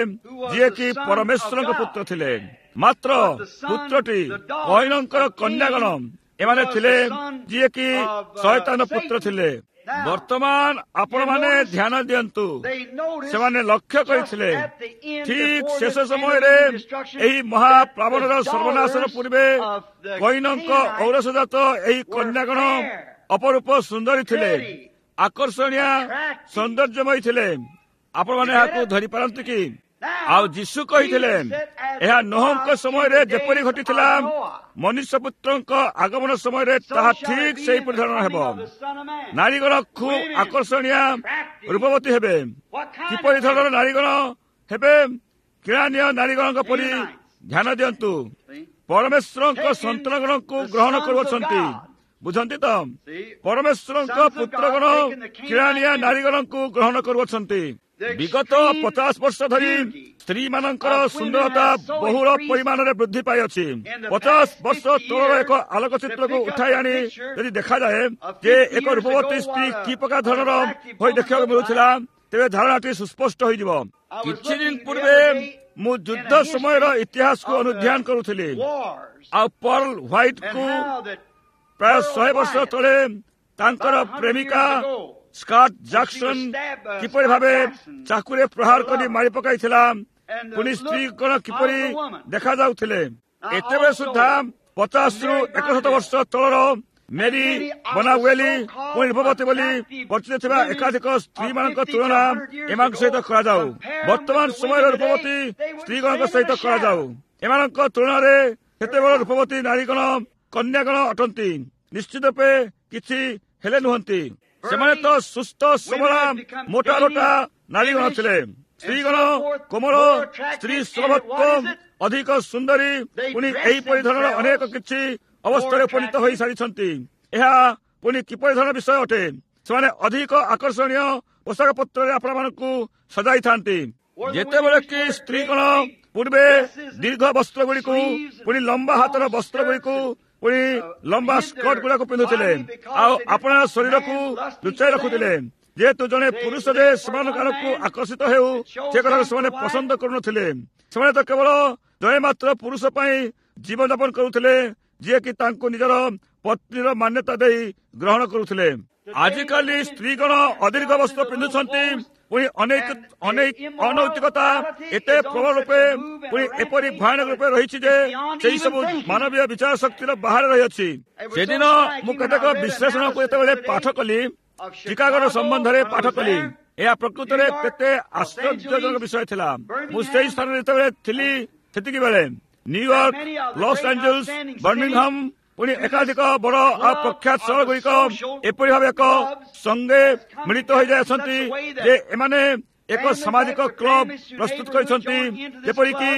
Speaker 1: ଯିଏକି ପରମେଶ୍ୱରଙ୍କ ପୁତ୍ର ଥିଲେ। ମାତ୍ର ପୁତ୍ରଟି କୈନଙ୍କର କନ୍ୟାଗଣ ଏମାନେ ଥିଲେ, ଯିଏକି ଶୟତାନ ପୁତ୍ର ଥିଲେ। ବର୍ତ୍ତମାନ ଆପଣମାନେ ଧ୍ୟାନ ଦିଅନ୍ତୁ, ସେମାନେ ଲକ୍ଷ୍ୟ କରିଥିଲେ ଠିକ୍ ଶେଷ ସମୟରେ ଏହି ମହାପ୍ଲାବନର ସର୍ବନାଶର ପୂର୍ବେ କୈନଙ୍କ ଔରସଜାତ ଏହି କନ୍ୟାଗଣ ଅପରୂପ ସୁନ୍ଦରୀ ଥିଲେ, ଆକର୍ଷଣୀୟ ସୌନ୍ଦର୍ଯ୍ୟମୟୀ ଥିଲେ। ଆପଣମାନେ ଏହାକୁ ଧରିପାରନ୍ତି କି? ଆଉ ଯୀଶୁ କହିଥିଲେ, ଏହା ନୋହଙ୍କ ସମୟରେ ଯେପରି ଘଟିଥିଲା, ମନୁଷ୍ୟ ପୁତ୍ରଙ୍କ ଆଗମନ ସମୟରେ ତାହା ଠିକ୍ ସେହିପରି ଧରଣର ହେବ। ନାରୀଗଣ ଖୁବ୍ ଆକର୍ଷଣୀୟ ରୂପବତୀ ହେବେ। କିପରି ଧରଣର ନାରୀଗଣ ହେବେ? କିଣାନୀୟ ନାରୀଗଣଙ୍କ ପରି। ଧ୍ୟାନ ଦିଅନ୍ତୁ, ପରମେଶ୍ୱରଙ୍କ ସନ୍ତାନଗଣଙ୍କୁ ଗ୍ରହଣ କରୁଅଛନ୍ତି। ବୁଝନ୍ତି ତ, ପରମେଶ୍ୱରଙ୍କ ପୁତ୍ରଗଣ କିଣାନିଆ ନାରୀଗଣଙ୍କୁ ଗ୍ରହଣ କରୁଅଛନ୍ତି। ବିଗତ ପଚାଶ ବର୍ଷ ଧରି ସ୍ତ୍ରୀମାନଙ୍କର ସୁନ୍ଦରତା ବହୁଳ ପରିମାଣରେ ବୃଦ୍ଧି ପାଇଅଛି। ପଚାଶ ବର୍ଷ ତଳର ଏକ ଆଲୋକଚିତ୍ରକୁ ଉଠାଇ ଆଣି ଯଦି ଦେଖାଯାଏ ଯେ ଏକ ରୂପବତୀ ସ୍ତ୍ରୀ କି ପ୍ରକାର ଧରଣର ହୋଇ ଦେଖିବାକୁ ମିଳୁଥିଲା, ତେବେ ଧାରଣାଟି ସୁସ୍ପଷ୍ଟ ହୋଇଯିବ। କିଛି ଦିନ ପୂର୍ବେ ମୁଁ ଯୁଦ୍ଧ ସମୟର ଇତିହାସକୁ ଅନୁଧ୍ୟାନ କରୁଥିଲି, ଆଉ ପର୍ଲ ହ୍ୱାଇଟକୁ ପ୍ରାୟ ଶହେ ବର୍ଷ ତଳେ ତାଙ୍କର ପ୍ରେମିକା ସ୍କଟ୍ ଜାକ୍ସନ କିପରି ଭାବେ ଚାକୁରେ ପ୍ରହାର କରି ମାରି ପକାଇଥିଲା, ପୁଣି ସ୍ତ୍ରୀଗଣ କିପରି ଦେଖାଯାଉଥିଲେ। ଏତେବେଳେ ସୁଦ୍ଧା ପଚାଶରୁ ଏକଶତ ବର୍ଷ ତଳର ମେରି ବନାୱେଲି ପୁଣି ରୂପବତୀ ବୋଲି ପରିଚିତ ଥିବା ଏକାଧିକ ସ୍ତ୍ରୀମାନଙ୍କ ତୁଳନା ଏମାନଙ୍କ ସହିତ କରାଯାଉ। ବର୍ତ୍ତମାନ ସମୟର ରୂପବତୀ ସ୍ତ୍ରୀଗଣଙ୍କ ସହିତ କରାଯାଉ। ଏମାନଙ୍କ ତୁଳନାରେ ସେତେବେଳେ ରୂପବତୀ ନାରୀଗଣ କନ୍ୟାଗଣ ଅଟନ୍ତି, ନିଶ୍ଚିତ ରୂପେ କିଛି ହେଲେ ନୁହନ୍ତି। ସେମାନେ ତ ସୁସ୍ଥ ସବଳା ମୋଟା ରୋଟା ନାରୀଗଣ ଥିଲେ। ସ୍ତ୍ରୀଗଣ କୋମଳ, ସ୍ତ୍ରୀ ସୁଲଭତ୍ୱ ଅଧିକ ସୁନ୍ଦରୀ, ପୁଣି ଏହିପରି ଧରଣର ଅନେକ କିଛି ଅବସ୍ଥାରେ ଉପନୀତ ହୋଇସାରିଛନ୍ତି। ଏହା ପୁଣି କିପରି ଧରଣର ବିଷୟ ଅଟେ? ସେମାନେ ଅଧିକ ଆକର୍ଷଣୀୟ ପୋଷାକ ପତ୍ରରେ ଆପଣମାନଙ୍କୁ ସଜାଇଥାନ୍ତି। ଯେତେବେଳେ କି ସ୍ତ୍ରୀଗଣ ପୂର୍ବେ ଦୀର୍ଘ ବସ୍ତ୍ର ଗୁଡ଼ିକୁ, ପୁଣି ଲମ୍ବା ହାତର ବସ୍ତ୍ର ଗୁଡ଼ିକୁ, ପୁଣି ଲମ୍ବା ସ୍କର୍ଟ ଗୁଡାକୁ ପିନ୍ଧୁଥିଲେ ଆଉ ଆପଣା ଶରୀରକୁ ଲୁଚାଇ ରଖୁଥିଲେ। ଯେହେତୁ ଜଣେ ପୁରୁଷ ଯେ ସେମାନଙ୍କ ଆଡ଼କୁ ଆକର୍ଷିତ ହେଉ ସେ କଥାକୁ ସେମାନେ ପସନ୍ଦ କରୁନଥିଲେ। ସେମାନେ ତ କେବଳ ଜଣେ ମାତ୍ର ପୁରୁଷ ପାଇଁ ଜୀବନଯାପନ କରୁଥିଲେ, ଯିଏକି ତାଙ୍କୁ ନିଜର ପତ୍ନୀର ମାନ୍ୟତା ଦେଇ ଗ୍ରହଣ କରୁଥିଲେ। ଆଜିକାଲି ସ୍ତ୍ରୀଗଣ ଅଦୀର୍ଘ ବସ୍ତ୍ର ପିନ୍ଧୁଛନ୍ତି, ପୁଣି ଅନେକ ଅନେକ ଅନୈତିକତା ଏତେ ପ୍ରବଳ ରୂପେ ପୁଣି ଏପରି ଭୟାନକ ରୂପେ ରହିଛି ଯେ ସେହି ସବୁ ମାନବୀୟ ବିଚାର ଶକ୍ତିର ବାହାରେ ରହିଅଛି। ସେଦିନ ମୁଁ କେତେକ ବିଶ୍ଳେଷଣକୁ ଯେତେବେଳେ ପାଠ କଲି, ଚିକାଗୋର ସମ୍ବନ୍ଧରେ ପାଠ କଲି, ଏହା ପ୍ରକୃତରେ କେତେ ଆଶ୍ଚର୍ଯ୍ୟଜନକ ବିଷୟ ଥିଲା। ମୁଁ ସେହି ସ୍ଥାନରେ ଯେତେବେଳେ ଥିଲି ସେତିକି ବେଳେ ନ୍ୟୁୟର୍କ, ଲସ୍ ଆଞ୍ଜେଲସ୍, ବର୍ମିଂହାମ ପୁଣି ଏକାଧିକ ବଡ଼ ଆଉ ପ୍ରଖ୍ୟାତ ସହର ଗୁଡ଼ିକ ଏପରି ଭାବେ ଏକ ସଙ୍ଗେ ମିଳିତ ହୋଇଯାଇଅଛନ୍ତି ଯେ ଏମାନେ ଏକ ସାମାଜିକ କ୍ଲବ ପ୍ରସ୍ତୁତ କରିଛନ୍ତି, ଯେପରିକି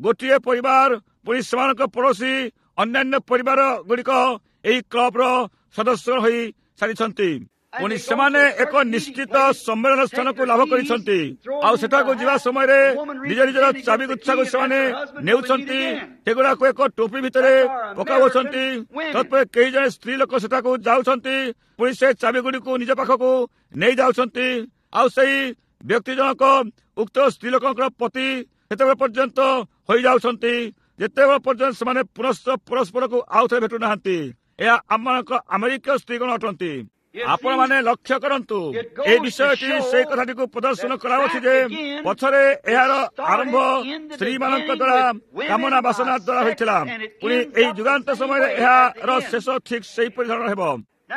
Speaker 1: ଗୋଟିଏ ପରିବାର ପୁଣି ସେମାନଙ୍କ ପଡ଼ୋଶୀ ଅନ୍ୟାନ୍ୟ ପରିବାର ଗୁଡ଼ିକ ଏହି କ୍ଲବର ସଦସ୍ୟ ହୋଇ ସାରିଛନ୍ତି। ପୁଣି ସେମାନେ ଏକ ନିଶ୍ଚିତ ସମ୍ମେଳନ ସ୍ଥାନକୁ ଲାଭ କରିଛନ୍ତି ଆଉ ସେଠାକୁ ଯିବା ସମୟରେ ନିଜ ନିଜର ଚାବି ଗୁଚ୍ଛାକୁ ସେମାନେ ନେଉଛନ୍ତି, ସେଗୁଡ଼ାକୁ ଏକ ଟୋପି ଭିତରେ ପକାଉଛନ୍ତି। ତତ୍ପରେ କେହି ଜଣେ ସ୍ତ୍ରୀ ଲୋକ ସେଠାକୁ ଯାଉଛନ୍ତି, ପୁଣି ସେ ଚାବି ଗୁଡ଼ିକୁ ନିଜ ପାଖକୁ ନେଇ ଯାଉଛନ୍ତି ଆଉ ସେଇ ବ୍ୟକ୍ତି ଜଣକ ଉକ୍ତ ସ୍ତ୍ରୀ ଲୋକଙ୍କର ପତି ସେତେବେଳେ ପର୍ଯ୍ୟନ୍ତ ହୋଇଯାଉଛନ୍ତି ଯେତେବେଳେ ପର୍ଯ୍ୟନ୍ତ ସେମାନେ ପୁନଶ୍ଚ ପରସ୍ପରକୁ ଆଉ ଥରେ ଭେଟୁନାହାନ୍ତି। ଏହା ଆମମାନଙ୍କ ଆମେରିକୀୟ ସ୍ତ୍ରୀଗଣ ଅଟନ୍ତି। ଆପଣମାନେ ଲକ୍ଷ୍ୟ କରନ୍ତୁ, ଏହି ବିଷୟଟି ସେଇ କଥାଟିକୁ ପ୍ରଦର୍ଶନ କରାଯାଉଛି ଯେ ପଛରେ ଏହାର ଆରମ୍ଭ ସ୍ତ୍ରୀମାନଙ୍କ ଦ୍ୱାରା କାମନା ବାସନା ଦ୍ୱାରା ହୋଇଥିଲା, ପୁଣି ଏହି ଯୁଗାନ୍ତ ସମୟରେ ଏହାର ଶେଷ ଠିକ୍ ସେହିପରି ଧରଣର ହେବ।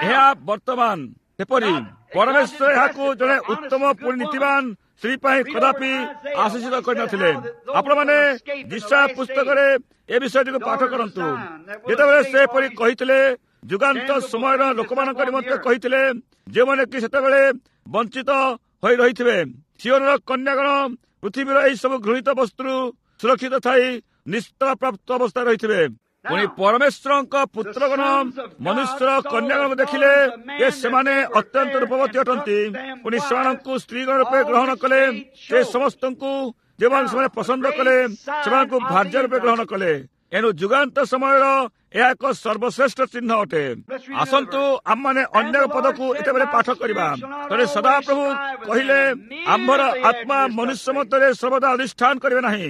Speaker 1: ଏହା ବର୍ତ୍ତମାନ ସେପରି ପରମେଶ୍ୱର ଏହାକୁ ଜଣେ ଉତ୍ତମ ପୁଣି ନୀତିବାନ ସ୍ତ୍ରୀ ପାଇଁ କଦାପି ଆଶିଷିତ କରିନଥିଲେ। ଆପଣମାନେ ଯିଶାଇୟ ପୁସ୍ତକରେ ଏ ବିଷୟଟିକୁ ପାଠ କରନ୍ତୁ। ଯେତେବେଳେ ସେ ଏପରି କହିଥିଲେ, ଯୁଗାନ୍ତ ସମୟର ଲୋକମାନଙ୍କ ନିମନ୍ତେ କହିଥିଲେ, ଯେଉଁମାନେ କି ସେତେବେଳେ ବଞ୍ଚିତ ହୋଇ ରହିଥିବେ, ସିଓନର କନ୍ୟାଗଣ ପୃଥିବୀର ଏହି ସବୁ ଘୃଣିତ ବସ୍ତୁରୁ ସୁରକ୍ଷିତ ଥାଇ ନିସ୍ତାର ପ୍ରାପ୍ତ ଅବସ୍ଥାରେ ରହିଥିବେ। ପୁଣି ପରମେଶ୍ୱରଙ୍କ ପୁତ୍ରଗଣ ମନୁଷ୍ୟର କନ୍ୟାଗଣକୁ ଦେଖିଲେ ଯେ ସେମାନେ ଅତ୍ୟନ୍ତ ରୂପବତୀ ଅଟନ୍ତି, ପୁଣି ସେମାନଙ୍କୁ ସ୍ତ୍ରୀଗଣ ରୂପେ ଗ୍ରହଣ କଲେ। ସେ ସମସ୍ତଙ୍କୁ ଯେଉଁମାନେ ସେମାନେ ପସନ୍ଦ କଲେ ସେମାନଙ୍କୁ ଭାର୍ଯ୍ୟ ରୂପେ ଗ୍ରହଣ କଲେ। ଏଣୁ ଯୁଗାନ୍ତ ସମୟର ଏହା ଏକ ସର୍ବଶ୍ରେଷ୍ଠ ଚିହ୍ନ ଅଟେ। ଆସନ୍ତୁ ଆମମାନେ ଅନ୍ୟ ପଦକୁ ଏତେବେଳେ ପାଠ କରିବା। ଥରେ ସଦାପ୍ରଭୁ କହିଲେ, ଆମ୍ଭର ଆତ୍ମା ମନୁଷ୍ୟ ମଧ୍ୟରେ ସର୍ବଦା ଅଧିଷ୍ଠାନ କରିବେ ନାହିଁ।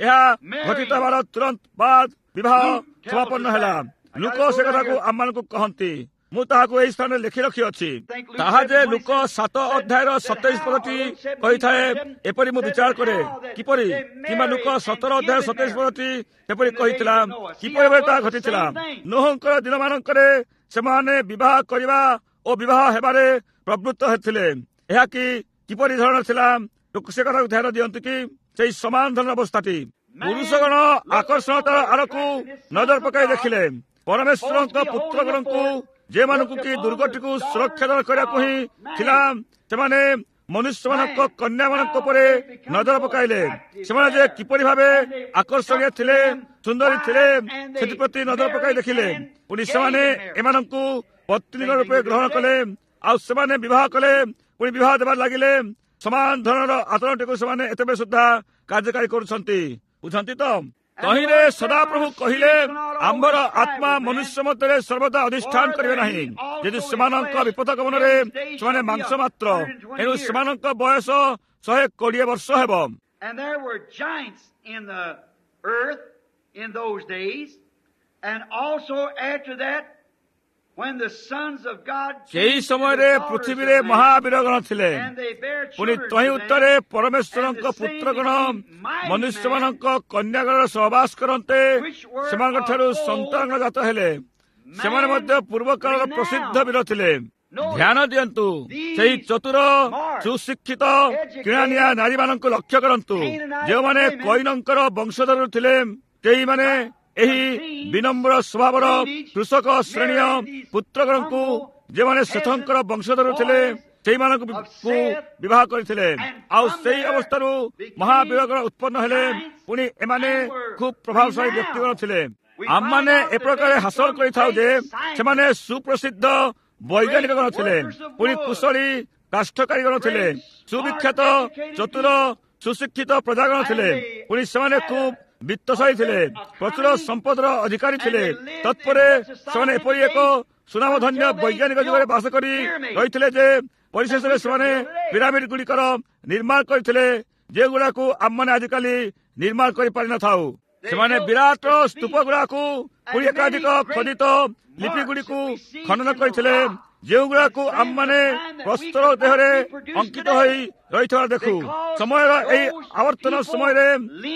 Speaker 1: ଏହା ଘଟିତ ହେବାର ତୁରନ୍ତ ବାଦ ବିବାହ ସମାପନ୍ନ ହେଲା। ଲୋକ ସେ କଥାକୁ ଆମମାନଙ୍କୁ କହନ୍ତି। ମୁଁ ତାହାକୁ ଏହି ସ୍ଥାନରେ ଲେଖି ରଖିଅଛି। ତାହା ଯେ ଲୋକ ସାତ ଅଧ୍ୟାୟର ସତେଇଶ ପଦଟି କହିଥାଏ, ଏପରି ମୁଁ ବିଚାର କରେ କିପରି, କିମ୍ବା ଲୋକ ସତର ଅଧ୍ୟାୟ ସତେଇଶ ପଦଟି ସେପରି କହିଥିଲା, କିପରି ଭାବେ ତାହା ଘଟିଥିଲା। ନୋହଙ୍କର ଦିନମାନଙ୍କରେ ସେମାନେ ବିବାହ କରିବା ଓ ବିବାହ ହେବାରେ ପ୍ରବୃତ୍ତ ହେଥିଲେ। ଏହା କି କିପରି ଧରଣର ଥିଲା? ଲୋକ ସେ କଥାକୁ ଧ୍ୟାନ ଦିଅନ୍ତୁ କି ସେଇ ସମାନ ଧରଣର ଅବସ୍ଥାଟି। ପୁରୁଷଗଣ ଆକର୍ଷଣତାର ଆଡ଼କୁ ନଜର ପକାଇ ଦେଖିଲେ। ପରମେଶ୍ୱରଙ୍କ ପୁତ୍ରଗଣଙ୍କୁ, ଯେଉଁମାନଙ୍କୁ କି ଦୁର୍ଗଟିକୁ ସୁରକ୍ଷା ଦାନ କରିବାକୁ ହିଁ ଥିଲା, ସେମାନେ ମନୁଷ୍ୟମାନଙ୍କ କନ୍ୟାମାନଙ୍କ ଉପରେ ନଜର ପକାଇଲେ। ସେମାନେ ଯେ କିପରି ଭାବେ ଆକର୍ଷଣୀୟ ଥିଲେ, ସୁନ୍ଦରୀ ଥିଲେ, ସେଥିପ୍ରତି ନଜର ପକାଇ ଦେଖିଲେ। ପୁଣି ସେମାନେ ଏମାନଙ୍କୁ ପତ୍ନୀଙ୍କ ରୂପେ ଗ୍ରହଣ କଲେ ଆଉ ସେମାନେ ବିବାହ କଲେ, ପୁଣି ବିବାହ ଦେବାରେ ଲାଗିଲେ। ସମାନ ଧରଣର ଆଚରଣଟିକୁ ସେମାନେ ଏତେବେଳେ ସୁଦ୍ଧା କାର୍ଯ୍ୟକାରୀ କରୁଛନ୍ତି। ବୁଝନ୍ତି ତ? ତହିଁରେ ସଦାପ୍ରଭୁ କହିଲେ, ଆମ୍ଭର ଆତ୍ମା ମନୁଷ୍ୟ ମଧ୍ୟରେ ସର୍ବଦା ଅଧିଷ୍ଠାନ କରିବେ ନାହିଁ, ଯଦି ସେମାନଙ୍କ ବିପଦ ଗମନରେ ସେମାନେ ମାଂସ ମାତ୍ର। ଏଣୁ ସେମାନଙ୍କ ବୟସ ଶହେ କୋଡ଼ିଏ ବର୍ଷ ହେବ। ସେହି ସମୟରେ ପୃଥିବୀରେ ମହାବୀରଗଣ ଥିଲେ। ପୁଣି ତହିଁ ଉତ୍ତରେ ପରମେଶ୍ୱରଙ୍କ ପୁତ୍ରଗଣ ମନୁଷ୍ୟମାନଙ୍କ କନ୍ୟାଗଣର ସହବାସ କରନ୍ତେ ସେମାନଙ୍କଠାରୁ ସନ୍ତାନଗଣ ଜାତ ହେଲେ। ସେମାନେ ମଧ୍ୟ ପୂର୍ବକାଳର ପ୍ରସିଦ୍ଧ ବୀର ଥିଲେ। ଧ୍ୟାନ ଦିଅନ୍ତୁ, ସେହି ଚତୁର ସୁଶିକ୍ଷିତ କିଣାନିଆ ନାରୀମାନଙ୍କୁ ଲକ୍ଷ୍ୟ କରନ୍ତୁ, ଯେଉଁମାନେ କଇନଙ୍କର ବଂଶଧରରୁ ଥିଲେ। ସେଇମାନେ ଏହି ବିନମ୍ର ସ୍ୱଭାବର କୃଷକ ଶ୍ରେଣୀୟ ପୁତ୍ରଗଣଙ୍କୁ, ଯେଉଁମାନେ ସେଥଙ୍କର ବଂଶଧରରୁ ଥିଲେ, ସେଇମାନଙ୍କୁ ବିବାହ କରିଥିଲେ। ଆଉ ସେଇ ଅବସ୍ଥାରୁ ମହାବୀରଗଣ ଉତ୍ପନ୍ନ ହେଲେ। ପୁଣି ଏମାନେ ଖୁବ୍ ପ୍ରଭାବଶାଳୀ ବ୍ୟକ୍ତିଗଣ ଥିଲେ। ଆମମାନେ ଏ ପ୍ରକାର ହାସଲ କରିଥାଉ ଯେ ସେମାନେ ସୁପ୍ରସିଦ୍ଧ ବୈଜ୍ଞାନିକଗଣ ଥିଲେ, ପୁଣି କୁଶଳୀ କାଷ୍ଠକାରୀଗଣ ଥିଲେ, ସୁବିଖ୍ୟାତ ଚତୁର ସୁଶିକ୍ଷିତ ପ୍ରଜାଗଣ ଥିଲେ। ପୁଣି ସେମାନେ ଖୁବ୍ ବିତ୍ତଶାଳୀ ଥିଲେ, ପ୍ରଚୁର ସମ୍ପଦର ଅଧିକାରୀ ଥିଲେ। ତତ୍ପରେ ସେମାନେ ଏପରି ଏକ ସୁନାମଧନ୍ୟ ବୈଜ୍ଞାନିକ ଯୁଗରେ ବାସ କରି ରହିଥିଲେ ଯେ ପରିଶେଷରେ ସେମାନେ ପିରାମିଡ ଗୁଡ଼ିକର ନିର୍ମାଣ କରିଥିଲେ, ଯେଉଁଗୁଡ଼ାକୁ ଆମମାନେ ଆଜିକାଲି ନିର୍ମାଣ କରିପାରିନଥାଉ। ସେମାନେ ବିରାଟ ସ୍ତୂପ ଗୁଡ଼ାକୁ ପୁଣି ଏକାଧିକ ଖୋଦିତ ଲିପି ଗୁଡ଼ିକୁ ଖନନ କରିଥିଲେ, ଯେଉଁଗୁଡ଼ାକୁ ଆମମାନେ ପ୍ରସ୍ତର ଦେହରେ ଅଙ୍କିତ ହୋଇ ରହିଥିବାର ଦେଖୁ। ସମୟର ଏହି ଆବର୍ତ୍ତନ ସମୟରେ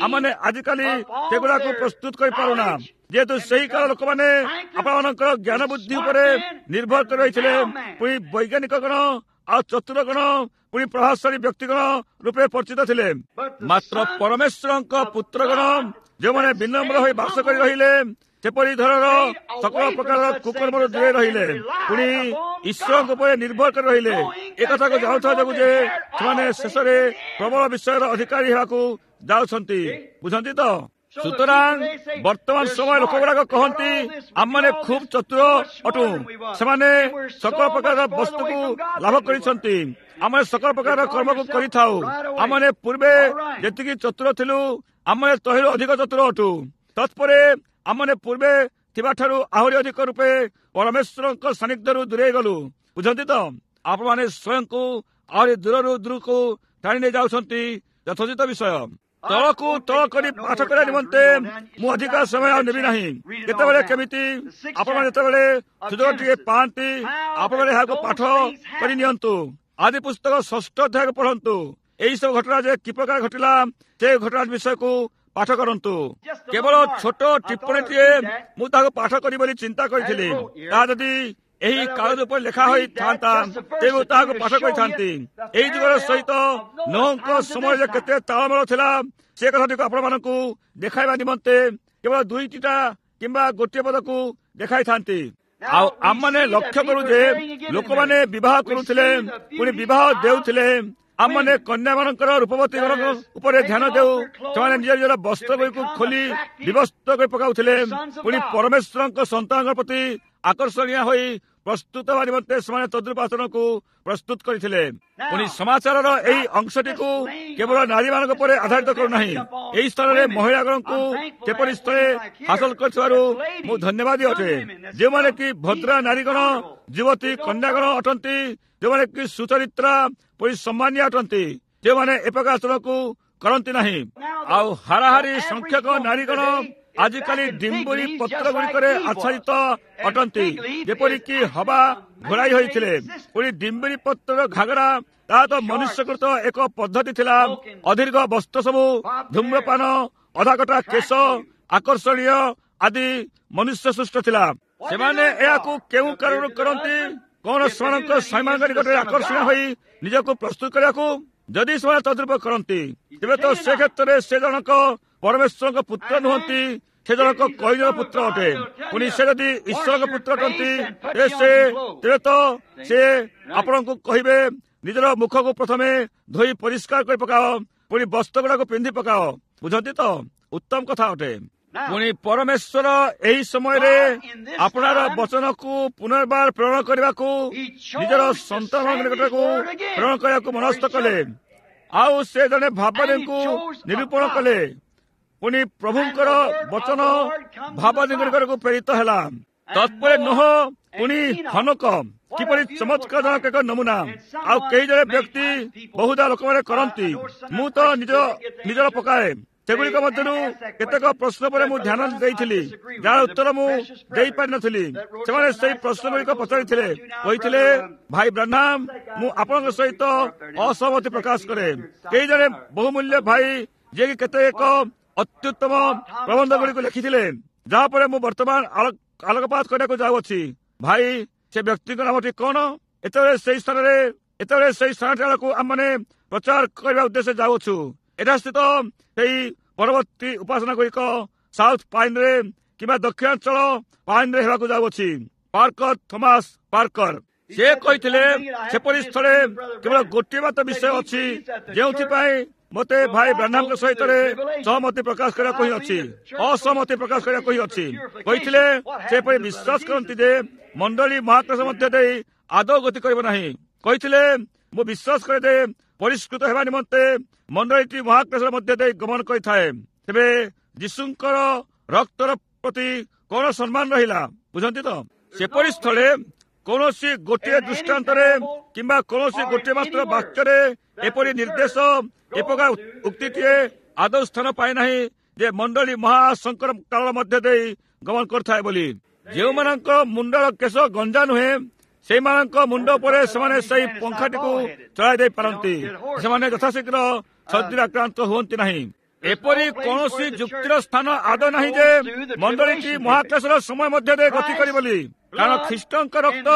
Speaker 1: ଆମମାନେ ଆଜିକାଲି ସେଗୁଡ଼ାକୁ ପ୍ରସ୍ତୁତ କରିପାରୁନା, ଯେହେତୁ ସେହି କାଳ ଲୋକମାନେ ଆପଣମାନଙ୍କର ଜ୍ଞାନ ବୁଦ୍ଧି ଉପରେ ନିର୍ଭର କରି ରହିଥିଲେ। ପୁଣି ବୈଜ୍ଞାନିକଗଣ ଆଉ ଚତୁରଗଣ ପୁଣି ପ୍ରଭାବଶାଳୀ ବ୍ୟକ୍ତିଗଣ ରୂପେ ପରିଚିତ ଥିଲେ। ମାତ୍ର ପରମେଶ୍ୱରଙ୍କ ପୁତ୍ରଗଣ ଯେଉଁମାନେ ବିନମ୍ର ହୋଇ ବାସ କରି ରହିଲେ, ସେପରି ଧରର ସକଳ ପ୍ରକାରର କୁକର୍ମରୁ ଦୂରେଇ ରହିଲେ, ପୁଣି ଈଶ୍ୱରଙ୍କ ଉପରେ ନିର୍ଭର କରି ରହିଲେ, ଏକଥାକୁ ଜାଣୁଥିବା ଯୋଗୁଁ ଯେ ସେମାନେ ଶେଷରେ ପ୍ରବଳ ବିଷୟର ଅଧିକାରୀ ହେବାକୁ ଯାଉଛନ୍ତି। ବୁଝନ୍ତି ତ? ସୁତରାଂ ବର୍ତ୍ତମାନ ସମୟ ଲୋକଗୁଡ଼ାକ କହନ୍ତି, ଆମମାନେ ଖୁବ୍ ଚତୁର ଅଟୁ, ସେମାନେ ସକଳ ପ୍ରକାରର ବସ୍ତୁକୁ ଲାଭ କରିଛନ୍ତି, ଆମେ ସକଳ ପ୍ରକାରର କର୍ମକୁ କରିଥାଉ, ଆମମାନେ ପୂର୍ବେ ଯେତିକି ଚତୁର ଥିଲୁ ଆମମାନେ ତହିଁରୁ ଅଧିକ ଚତୁର ଅଟୁ। ତତ୍ପରେ ଆମମାନେ ପୂର୍ବେ ଥିବାଠାରୁ ଆହୁରି ଅଧିକ ରୂପେ ପରମେଶ୍ୱରଙ୍କ ସାନ୍ନିଧ୍ୟରୁ ଦୂରେଇ ଗଲୁ। ବୁଝନ୍ତି ତ? ଆପଣମାନେ ସ୍ୱୟଂକୁ ଆହୁରି ଦୂରରୁ ଦୂରକୁ ଟାଣି ନେଇ ଯାଉଛନ୍ତି। ଯଥୋଚିତ ବିଷୟ ତଳକୁ ତଳ କରି ପାଠ କରିବା ନିମନ୍ତେ ମୁଁ ଅଧିକ ସମୟ ଆଉ ନେବି ନାହିଁ। କେତେବେଳେ କେମିତି ଆପଣମାନେ ଯେତେବେଳେ ସୁଯୋଗ ଟିକେ ପାଆନ୍ତି, ଆପଣମାନେ ଏହାକୁ ପାଠ କରି ନିଅନ୍ତୁ। ଆଦି ପୁସ୍ତକ ଷଷ୍ଠ ଅଧ୍ୟାୟକୁ ପଢ଼ନ୍ତୁ। ଏହି ସବୁ ଘଟଣା ଯେ କି ପ୍ରକାର ଘଟିଲା ସେ ଘଟଣା ବିଷୟକୁ ପାଠ କରନ୍ତୁ। କେବଳ ଛୋଟ ଟିପ୍ପଣୀଟିଏ ମୁଁ ତାହାକୁ ପାଠ କରିବି ବୋଲି ଚିନ୍ତା କରିଥିଲି। ତାହା ଯଦି ଏହି କାଗଜ ଉପରେ ଲେଖା ହୋଇଥାନ୍ତା ତେବେ ମୁଁ ତାହାକୁ ପାଠ କରିଥାନ୍ତି। ଏହି ଯୁଗର ସହିତ ନୋହଙ୍କ ସମୟରେ କେତେ ତାଳମେଳ ଥିଲା ସେ କଥାଟିକୁ ଆପଣମାନଙ୍କୁ ଦେଖାଇବା ନିମନ୍ତେ କେବଳ ଦୁଇଟିଟା କିମ୍ବା ଗୋଟିଏ ପଦକୁ ଦେଖାଇଥାନ୍ତି। ଆଉ ଆମମାନେ ଲକ୍ଷ୍ୟ କରୁ ଯେ ଲୋକମାନେ ବିବାହ କରୁଥିଲେ, ପୁଣି ବିବାହ ଦେଉଥିଲେ। ଆମମାନେ କନ୍ୟାମାନଙ୍କର ରୂପବତୀ ଗଣଙ୍କ ଉପରେ ଧ୍ୟାନ ଦେଉ। ସେମାନେ ନିଜ ନିଜର ବସ୍ତ୍ରଗୁଡ଼ିକୁ ଖୋଲି ବିବସ୍ତ୍ର କରି ପକାଉଥିଲେ। ପୁଣି ପରମେଶ୍ୱରଙ୍କ ସନ୍ତାନଙ୍କ ପ୍ରତି ଆକର୍ଷଣୀୟ ହୋଇ ପ୍ରସ୍ତୁତ ହେବା ନିମନ୍ତେ ସେମାନେ ତଦ୍ରୂପ ଆଚରଣକୁ ପ୍ରସ୍ତୁତ କରିଥିଲେ। ପୁଣି ସମାଚାରର ଏହି ଅଂଶଟିକୁ କେବଳ ନାରୀମାନଙ୍କ ଉପରେ ଆଧାରିତ କରୁନାହିଁ। ଏହି ସ୍ଥାନରେ ମହିଳାଗଣଙ୍କୁ ଯେପରି ସ୍ଥଳେ ହାସଲ କରିଥିବାରୁ ମୁଁ ଧନ୍ୟବାଦୀ ଅଟେ, ଯେଉଁମାନେ କି ଭଦ୍ରା ନାରୀଗଣ, ଯୁବତୀ କନ୍ୟାଗଣ ଅଟନ୍ତି, ଯେଉଁମାନେ କି ସୁଚରିତ୍ରା ପୁଣି ସମ୍ମାନୀୟ ଅଟନ୍ତି, ଯେଉଁମାନେ ଏ ପ୍ରକାର ଆଚରଣକୁ କରନ୍ତି ନାହିଁ। ଆଉ ହାରାହାରି ସଂଖ୍ୟକ ନାରୀଗଣ ଆଜିକାଲି ଡିମ୍ବୁରି ପତ୍ର ଗୁଡ଼ିକରେ ଆଚ୍ଛାଦିତ ଅଟନ୍ତି, ଯେପରିକି ହବା ଘୋଡ଼ାଇ ହୋଇଥିଲେ। ପୁଣି ଡିମ୍ବୁରି ପତ୍ରର ଘାଗରା ତାହା ତ ମନୁଷ୍ୟକୃତ ଏକ ପଦ୍ଧତି ଥିଲା। ଅଦୀର୍ଘ ବସ୍ତ୍ର ସବୁ, ଧୂମ୍ରପାନ, ଅଧାକଟା କେଶ, ଆକର୍ଷଣୀୟ ଆଦି ମନୁଷ୍ୟ ସୃଷ୍ଟ ଥିଲା। ସେମାନେ ଏହାକୁ କେଉଁ କାରଣରୁ କରନ୍ତି? କଣ ସେମାନଙ୍କ ସ୍ୱାମୀମାନଙ୍କ ନିକଟରେ ଆକର୍ଷଣୀୟ ହୋଇ ନିଜକୁ ପ୍ରସ୍ତୁତ କରିବାକୁ? ଯଦି ସେମାନେ ତଦ୍ରୂପ କରନ୍ତି, ତେବେ ତ ସେ କ୍ଷେତ୍ରରେ ସେ ଜଣକ ପରମେଶ୍ୱରଙ୍କ ପୁତ୍ର ନୁହନ୍ତି, ସେ ଜଣକ କଇନର ପୁତ୍ର ଅଟେ। ପୁଣି ସେ ଯଦି ଈଶ୍ୱରଙ୍କ ପୁତ୍ର ଅଟନ୍ତି, ତେବେ ସେ ତେବେ ତ ସେ ଆପଣଙ୍କୁ କହିବେ, ନିଜର ମୁଖକୁ ପ୍ରଥମେ ଧୋଇ ପରିଷ୍କାର କରି ପକାଅ, ପୁଣି ବସ୍ତ୍ର ଗୁଡାକୁ ପିନ୍ଧି ପକାଅ। ବୁଝନ୍ତି ତ? ଉତ୍ତମ କଥା ଅଟେ। ପୁଣି ପରମେଶ୍ୱର ଏହି ସମୟରେ ଆପଣାର ବଚନକୁ ପୁନର୍ବାର ପ୍ରେରଣ କରିବାକୁ ନିଜର ସନ୍ତାନମାନଙ୍କ ନିକଟକୁ ପ୍ରେରଣ କରିବାକୁ ମନସ୍ଥ କଲେ। ଆଉ ସେ ଜଣେ ଭାବବାଦୀଙ୍କୁ ନିରୂପଣ କଲେ। ପୁଣି ପ୍ରଭୁଙ୍କର ବଚନ ଭାବବାଦୀଙ୍କ ନିକଟକୁ ପ୍ରେରିତ ହେଲା। ତତ୍ପରେ ନୋହ ପୁଣି ହନୋକ କିପରି ଚମତ୍କାରଜନକ ଏକ ନମୁନା। ଆଉ କେହି ଜଣେ ବ୍ୟକ୍ତି ବହୁଧା ଲୋକମାନେ କରନ୍ତି, ମୁଁ ତ ନିଜ ନିଜର ପକାଏ, ସେଗୁଡ଼ିକ ମଧ୍ୟରୁ କେତେକ ପ୍ରଶ୍ନ ପରେ ମୁଁ ଧ୍ୟାନ ଦେଇଥିଲି, ଯାହାର ଉତ୍ତର ମୁଁ ଦେଇପାରିନଥିଲି। ସେମାନେ ସେହି ପ୍ରଶ୍ନଗୁଡ଼ିକ ପଚାରିଥିଲେ, କହିଥିଲେ, ଭାଇ ବ୍ରାହ୍ନାମ, ମୁଁ ଆପଣଙ୍କ ସହିତ ଅସହମତି ପ୍ରକାଶ କରେ। କେହି ଜଣେ ବହୁମୂଲ୍ୟ ଭାଇ ଯିଏକି କେତେକ ଅତ୍ୟୁତ୍ତମ ପ୍ରବନ୍ଧ ଗୁଡ଼ିକୁ ଲେଖିଥିଲେ, ଯାହା ପରେ ମୁଁ ବର୍ତ୍ତମାନ ଆଲୋକପାତ କରିବାକୁ ଯାଉଅଛି। ଭାଇ, ସେ ବ୍ୟକ୍ତିଙ୍କ ନାମଟି କଣ? ଏତେବେଳେ ସେଇ ସ୍ଥାନରେ ଏତେବେଳେ ସେଇ ସ୍ଥାନଟି ଆଡ଼କୁ ଆମମାନେ ପ୍ରଚାର କରିବା ଉଦ୍ଦେଶ୍ୟରେ ଯାଉଅଛୁ। ଏଠା ସ୍ଥିତ ସେହି ପରବର୍ତ୍ତୀ ଉପାସନା ଗୁଡ଼ିକ ସାଉଥ ପାଇନରେ କିମ୍ବା ଦକ୍ଷିଣାଞ୍ଚଳ ପାଇନରେ ହେବାକୁ ଯାଉଅଛି। ପାର୍କର, ଥମାସ ପାର୍କର, ସେ କହିଥିଲେ, ସେପରି ସ୍ଥଳେ କେବଳ ଗୋଟିଏ ମାତ୍ର ବିଷୟ ଅଛି ଯେଉଁଥିପାଇଁ ମୋତେ ଭାଇ ବ୍ରାହ୍ମଣଙ୍କ ସହିତ ସହମତି ପ୍ରକାଶ କରିବାକୁ ହିଁ ଅଛି, ଅସହମତି ପ୍ରକାଶ କରିବାକୁ ହିଁ ଅଛି। କହିଥିଲେ, ସେପରି ବିଶ୍ୱାସ କରନ୍ତି ଯେ ମଣ୍ଡଳୀ ମହାକାଶ ମଧ୍ୟ ଦେଇ ଆଦୌ ଗତି କରିବ ନାହିଁ। କହିଥିଲେ, ମୁଁ ବିଶ୍ୱାସ କରେ ଯେ ପରିଷ୍କୃତ ହେବା ନିମନ୍ତେ ମଣ୍ଡଳୀଟି ମହାକାଶ ମଧ୍ୟ ଦେଇ ଗମନ କରିଥାଏ। ତେବେ ଯୀଶୁଙ୍କର ରକ୍ତର ପ୍ରତି କଣ ସମ୍ମାନ ରହିଲା? ବୁଝନ୍ତି ତ? ସେପରି ସ୍ଥଳେ କୌଣସି ଗୋଟିଏ ଦୃଷ୍ଟାନ୍ତରେ କିମ୍ବା କୌଣସି ଗୋଟିଏ ମାତ୍ର ବାକ୍ୟରେ ଏପରି ନିର୍ଦ୍ଦେଶ, ଏ ପ୍ରକାର ଉକ୍ତିଟିଏ ଆଦୌ ସ୍ଥାନ ପାଏ ନାହିଁ ଯେ ମଣ୍ଡଳୀ ମହାସଙ୍କଟ କାଳ ମଧ୍ୟ ଦେଇ ଗମନ କରିଥାଏ ବୋଲି। ଯେଉଁମାନଙ୍କ ମୁଣ୍ଡର କେଶ ଗଞ୍ଜା ନୁହେଁ, ସେଇମାନଙ୍କ ମୁଣ୍ଡ ଉପରେ ସେମାନେ ସେଇ ପଙ୍ଖାଟିକୁ ଚଳାଇ ଦେଇ ପାରନ୍ତି। ସେମାନେ ଯଥାଶୀଘ୍ର ସର୍ଦ୍ଦିରେ ଆକ୍ରାନ୍ତ ହୁଅନ୍ତି ନାହିଁ। ଏପରି କୌଣସି ଯୁକ୍ତିର ସ୍ଥାନ ଆଦୌ ନାହିଁ ଯେ ମଣ୍ଡଳୀଟି ମହାକାଶର ସମୟ ମଧ୍ୟ ଦେଇ ଗତି କରିବ ବୋଲି। କାରଣ ଖ୍ରୀଷ୍ଟଙ୍କ ରକ୍ତ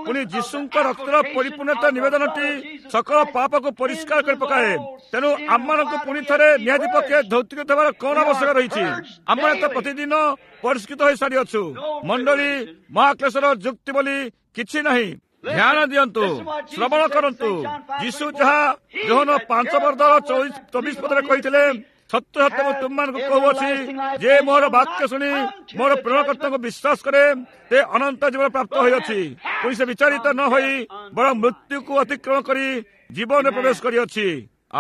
Speaker 1: ପୁଣି ଯୀଶୁଙ୍କ ରକ୍ତର ପରିପୂର୍ଣ୍ଣତା ନିବେଦନଟି ସକଳ ପାପକୁ ପରିଷ୍କାର କରି ପକାଏ। ତେଣୁ ଆମମାନଙ୍କୁ ପୁଣି ଥରେ ନିହାତି ପକ୍ଷେ ଧୌତିକୃତ ହେବାର କଣ ଆବଶ୍ୟକ ରହିଛି? ଆମମାନେ ତ ପ୍ରତିଦିନ ପରିଷ୍କୃତ ହୋଇ ସାରିଅଛୁ। ମଣ୍ଡଳୀ ମହାକ୍ଲେଶର ଯୁକ୍ତି ବୋଲି କିଛି ନାହିଁ। ଧ୍ୟାନ ଦିଅନ୍ତୁ, ଶ୍ରବଣ କରନ୍ତୁ। ଯୀଶୁ ଯାହା ଯୋହନ ପାଞ୍ଚ ବର୍ଗର ଚବିଶ ପଦରେ କହିଥିଲେ, ସତ୍ୟ ସତ୍ୟ ମୁଁ ତୁମମାନଙ୍କୁ କହୁଅଛି, ଯେ ମୋର ବାକ୍ୟ ଶୁଣି ମୋର ପ୍ରେରଣକର୍ତ୍ତାଙ୍କୁ ବିଶ୍ୱାସ କରେ, ସେ ଅନନ୍ତ ଜୀବନ ପ୍ରାପ୍ତ ହୋଇଅଛି। ପୁଣି ସେ ବିଚାରିତ ନ ହୋଇ ବରଂ ମୃତ୍ୟୁକୁ ଅତିକ୍ରମ କରି ଜୀବନରେ ପ୍ରବେଶ କରିଅଛି।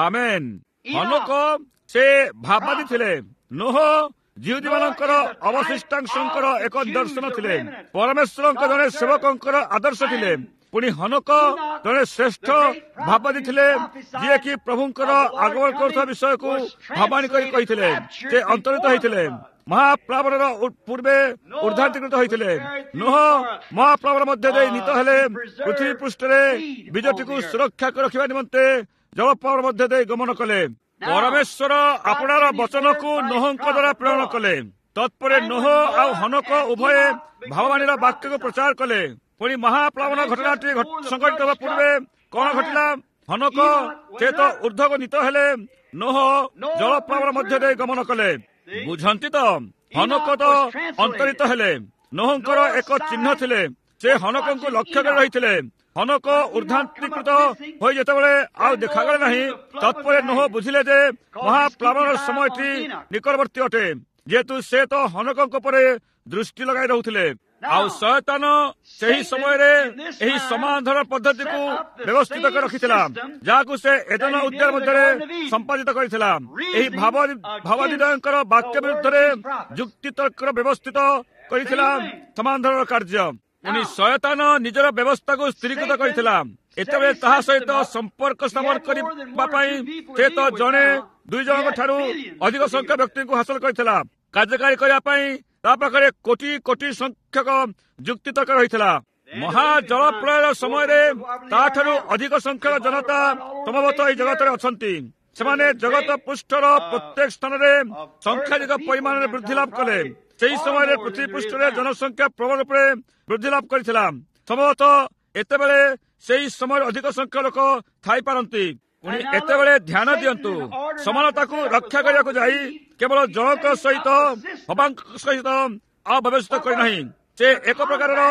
Speaker 1: ଆମେନ୍। ହନୋକ ସେ ଭାବବାଦୀ ଥିଲେ। ନୋହ ଯିହୁଦୀମାନଙ୍କର ଅବଶିଷ୍ଟାଂଶଙ୍କର ଏକ ନିଦର୍ଶନ ଥିଲେ, ପରମେଶ୍ୱରଙ୍କ ଜଣେ ସେବକଙ୍କର ଆଦର୍ଶ ଥିଲେ। ପୁଣି ହନୋକ ଜଣେ ଶ୍ରେଷ୍ଠ ଭାବବାଦୀ ଥିଲେ, ଯିଏକି ପ୍ରଭୁଙ୍କର ଆଗମନ କରୁଥିବା ବିଷୟକୁ ଭାବାଣୀ କରି କହିଥିଲେ। ସେ ଅନ୍ତରିତ ହୋଇଥିଲେ, ମହାପ୍ଲାବନର ପୂର୍ବେ ଉର୍ଦ୍ଧାନ୍ତୀକୃତ ହୋଇଥିଲେ। ନୋହ ମହାପ୍ଲାବନ ମଧ୍ୟ ଦେଇ ନୀତ ହେଲେ, ପୃଥିବୀ ପୃଷ୍ଠରେ ବୀଜଟିକୁ ସୁରକ୍ଷା କରି ରଖିବା ନିମନ୍ତେ ଜଳପ୍ଲାବନ ମଧ୍ୟ ଦେଇ ଗମନ କଲେ। ପରମେଶ୍ୱର ଆପଣାର ବଚନକୁ ନୋହଙ୍କ ଦ୍ୱାରା ପ୍ରେରଣ କଲେ। ତତ୍ପରେ ନୋହ ଆଉ ହନୋକ ଉଭୟେ ଭାବବାଣୀର ବାକ୍ୟକୁ ପ୍ରଚାର କଲେ। ପୁଣି ମହାପ୍ଲାବନ ଘଟଣାଟି ସଂଘଟିତ ହେବା ପୂର୍ବେ କଣ ଘଟିଲା? ହନୋକ ସେ ତ ଉର୍ଦ୍ଧ୍ୱକୁ ନୀତ ହେଲେ, ନୋହ ଜଳପ୍ଲାବନ ମଧ୍ୟ ଦେଇ ଗମନ କଲେ। ବୁଝନ୍ତି ତ? ହନୋକ ତ ଅନ୍ତରିତ ହେଲେ, ନୋହଙ୍କର ଏକ ଚିହ୍ନ ଥିଲେ। ସେ ହନୋକଙ୍କୁ ଲକ୍ଷ୍ୟ କରି ରହିଥିଲେ। ହନୋକ ଉର୍ଦ୍ଧାନ୍ତୀକୃତ ହୋଇ ଯେତେବେଳେ ଆଉ ଦେଖାଗଲେ ନାହିଁ, ତତ୍ପରେ ନୋହ ବୁଝିଲେ ଯେ ମହାପ୍ଲାବନର ସମୟଟି ନିକଟବର୍ତ୍ତୀ ଅଟେ, ଯେହେତୁ ସେ ତ ହନୋକଙ୍କ ଉପରେ ଦୃଷ୍ଟି ଲଗାଇ ରହୁଥିଲେ। ଆଉ ଶୟତାନ ସେହି ସମୟରେ ଏହି ସମାନ ଧରଣ ପଦ୍ଧତିକୁ ବ୍ୟବସ୍ଥିତ କରି ରଖିଥିଲା, ଯାହାକୁ ସେ ଏଦନ ଉଦ୍ୟାନ ମଧ୍ୟରେ ସମ୍ପାଦିତ କରିଥିଲା। ଏହି ଭାବ ଭାବାଦିଦ୍ୱୟଙ୍କର ବାକ୍ୟ ବିରୁଦ୍ଧରେ ଯୁକ୍ତିତର୍କର ବ୍ୟବସ୍ଥିତ କରିଥିଲା ସମାନ ଧରଣର କାର୍ଯ୍ୟ। ପୁଣି ଶୟତାନ ନିଜର ବ୍ୟବସ୍ଥାକୁ ସ୍ଥିରୀକୃତ କରିଥିଲା। ଏତେବେଳେ ତାହା ସହିତ ସମ୍ପର୍କ ସ୍ଥାପନ କରିବା ପାଇଁ ସେ ତ ଜଣେ ଦୁଇ ଜଣଙ୍କ ଠାରୁ ଅଧିକ ସଂଖ୍ୟା ବ୍ୟକ୍ତିଙ୍କୁ ହାସଲ କରିଥିଲା। କାର୍ଯ୍ୟକାରୀ କରିବା ପାଇଁ ତା ପାଖରେ କୋଟି କୋଟି ସଂଖ୍ୟକ ଯୁକ୍ତିତର୍କ ରହିଥିଲା। ମହା ଜଳପ୍ରଳୟର ସମୟରେ ତାଠାରୁ ଅଧିକ ସଂଖ୍ୟକ ଜନତା ସମ୍ଭବତଃ ଏହି ଜଗତରେ ଅଛନ୍ତି। ସେମାନେ ଜଗତ ପୃଷ୍ଠର ପ୍ରତ୍ୟେକ ସ୍ଥାନରେ ସଂଖ୍ୟାଧିକ ପରିମାଣରେ ବୃଦ୍ଧି ଲାଭ କଲେ। ସେହି ସମୟରେ ପୃଥିବୀ ପୃଷ୍ଠରେ ଜନସଂଖ୍ୟା ପ୍ରବଳ ରୂପରେ ବୃଦ୍ଧି ଲାଭ କରିଥିଲା। ସମ୍ଭବତଃ ଏତେବେଳେ ସେହି ସମୟରେ ଅଧିକ ସଂଖ୍ୟକ ଲୋକ ଥାଇପାରନ୍ତି। ପୁଣି ଏତେବେଳେ ଧ୍ୟାନ ଦିଅନ୍ତୁ, ସମାନତାକୁ ରକ୍ଷା କରିବାକୁ ଯାଇ କେବଳ ଜଣଙ୍କ ସହିତ ହବାଙ୍କ ସହିତ ଆଉ ବ୍ୟବସ୍ଥିତ କରିନାହିଁ, ସେ ଏକ ପ୍ରକାରର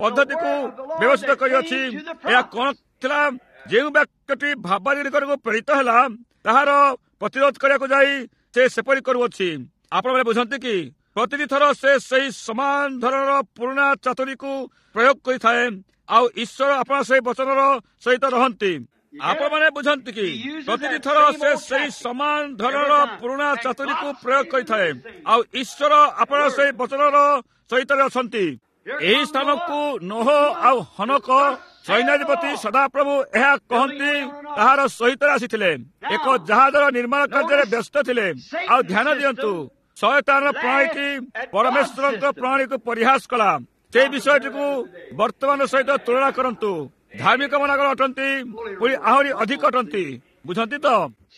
Speaker 1: ପଦ୍ଧତିକୁ ବ୍ୟବସ୍ଥିତ କରିଅଛି। ଏହା କଣ ଥିଲା? ଯେଉଁ ବାକ୍ୟଟି ଭାବାଦୀ ନିକଟକୁ ପ୍ରେରିତ ହେଲା, ତାହାର ପ୍ରତିରୋଧ କରିବାକୁ ଯାଇ ସେ ସେପରି କରୁଅଛି। ଆପଣମାନେ ବୁଝନ୍ତି କି? ପ୍ରତିଟି ଥର ସେ ସେହି ସମାନ ଧରଣର ପୁରୁଣା ଚାତୁରୀକୁ ପ୍ରୟୋଗ କରିଥାଏ, ଆଉ ଈଶ୍ୱର ଆପଣ ସେହି ବଚନର ସହିତ ରହନ୍ତି। ଆପଣମାନେ ବୁଝନ୍ତି କି? ପ୍ରତିଟି ଥର ସେ ସେହି ସମାନ ଧରଣର ପୁରୁଣା ଚାତୁରୀକୁ ପ୍ରୟୋଗ କରିଥାଏ, ଆଉ ଈଶ୍ୱର ଆପଣ ସେହି ବଚନର ସହିତ ଅଛନ୍ତି। ଏହି ସ୍ଥାନକୁ ନୋହ ଆଉ ହନୋକ ସୈନ୍ୟାଧିପତି ସଦାପ୍ରଭୁ ଏହା କହନ୍ତି ତାହାର ସହିତ ଆସିଥିଲେ। ଏକ ଜାହାଜର ନିର୍ମାଣ କାର୍ଯ୍ୟରେ ବ୍ୟସ୍ତ ଥିଲେ। ଆଉ ଧ୍ୟାନ ଦିଅନ୍ତୁ, ଶୟତାନର ପ୍ରଣାଳୀଟି ପରମେଶ୍ୱରଙ୍କ ପ୍ରଣାଳୀକୁ ପରିହାସ କଲା। ସେଇ ବିଷୟଟିକୁ ବର୍ତ୍ତମାନ ସହିତ ତୁଳନା କରନ୍ତୁ। ଧାର୍ମିକ ମାନଗଣ ଅଟନ୍ତି, ପୁଣି ଆହୁରି ଅଧିକ ଅଟନ୍ତି। ବୁଝନ୍ତି ତ?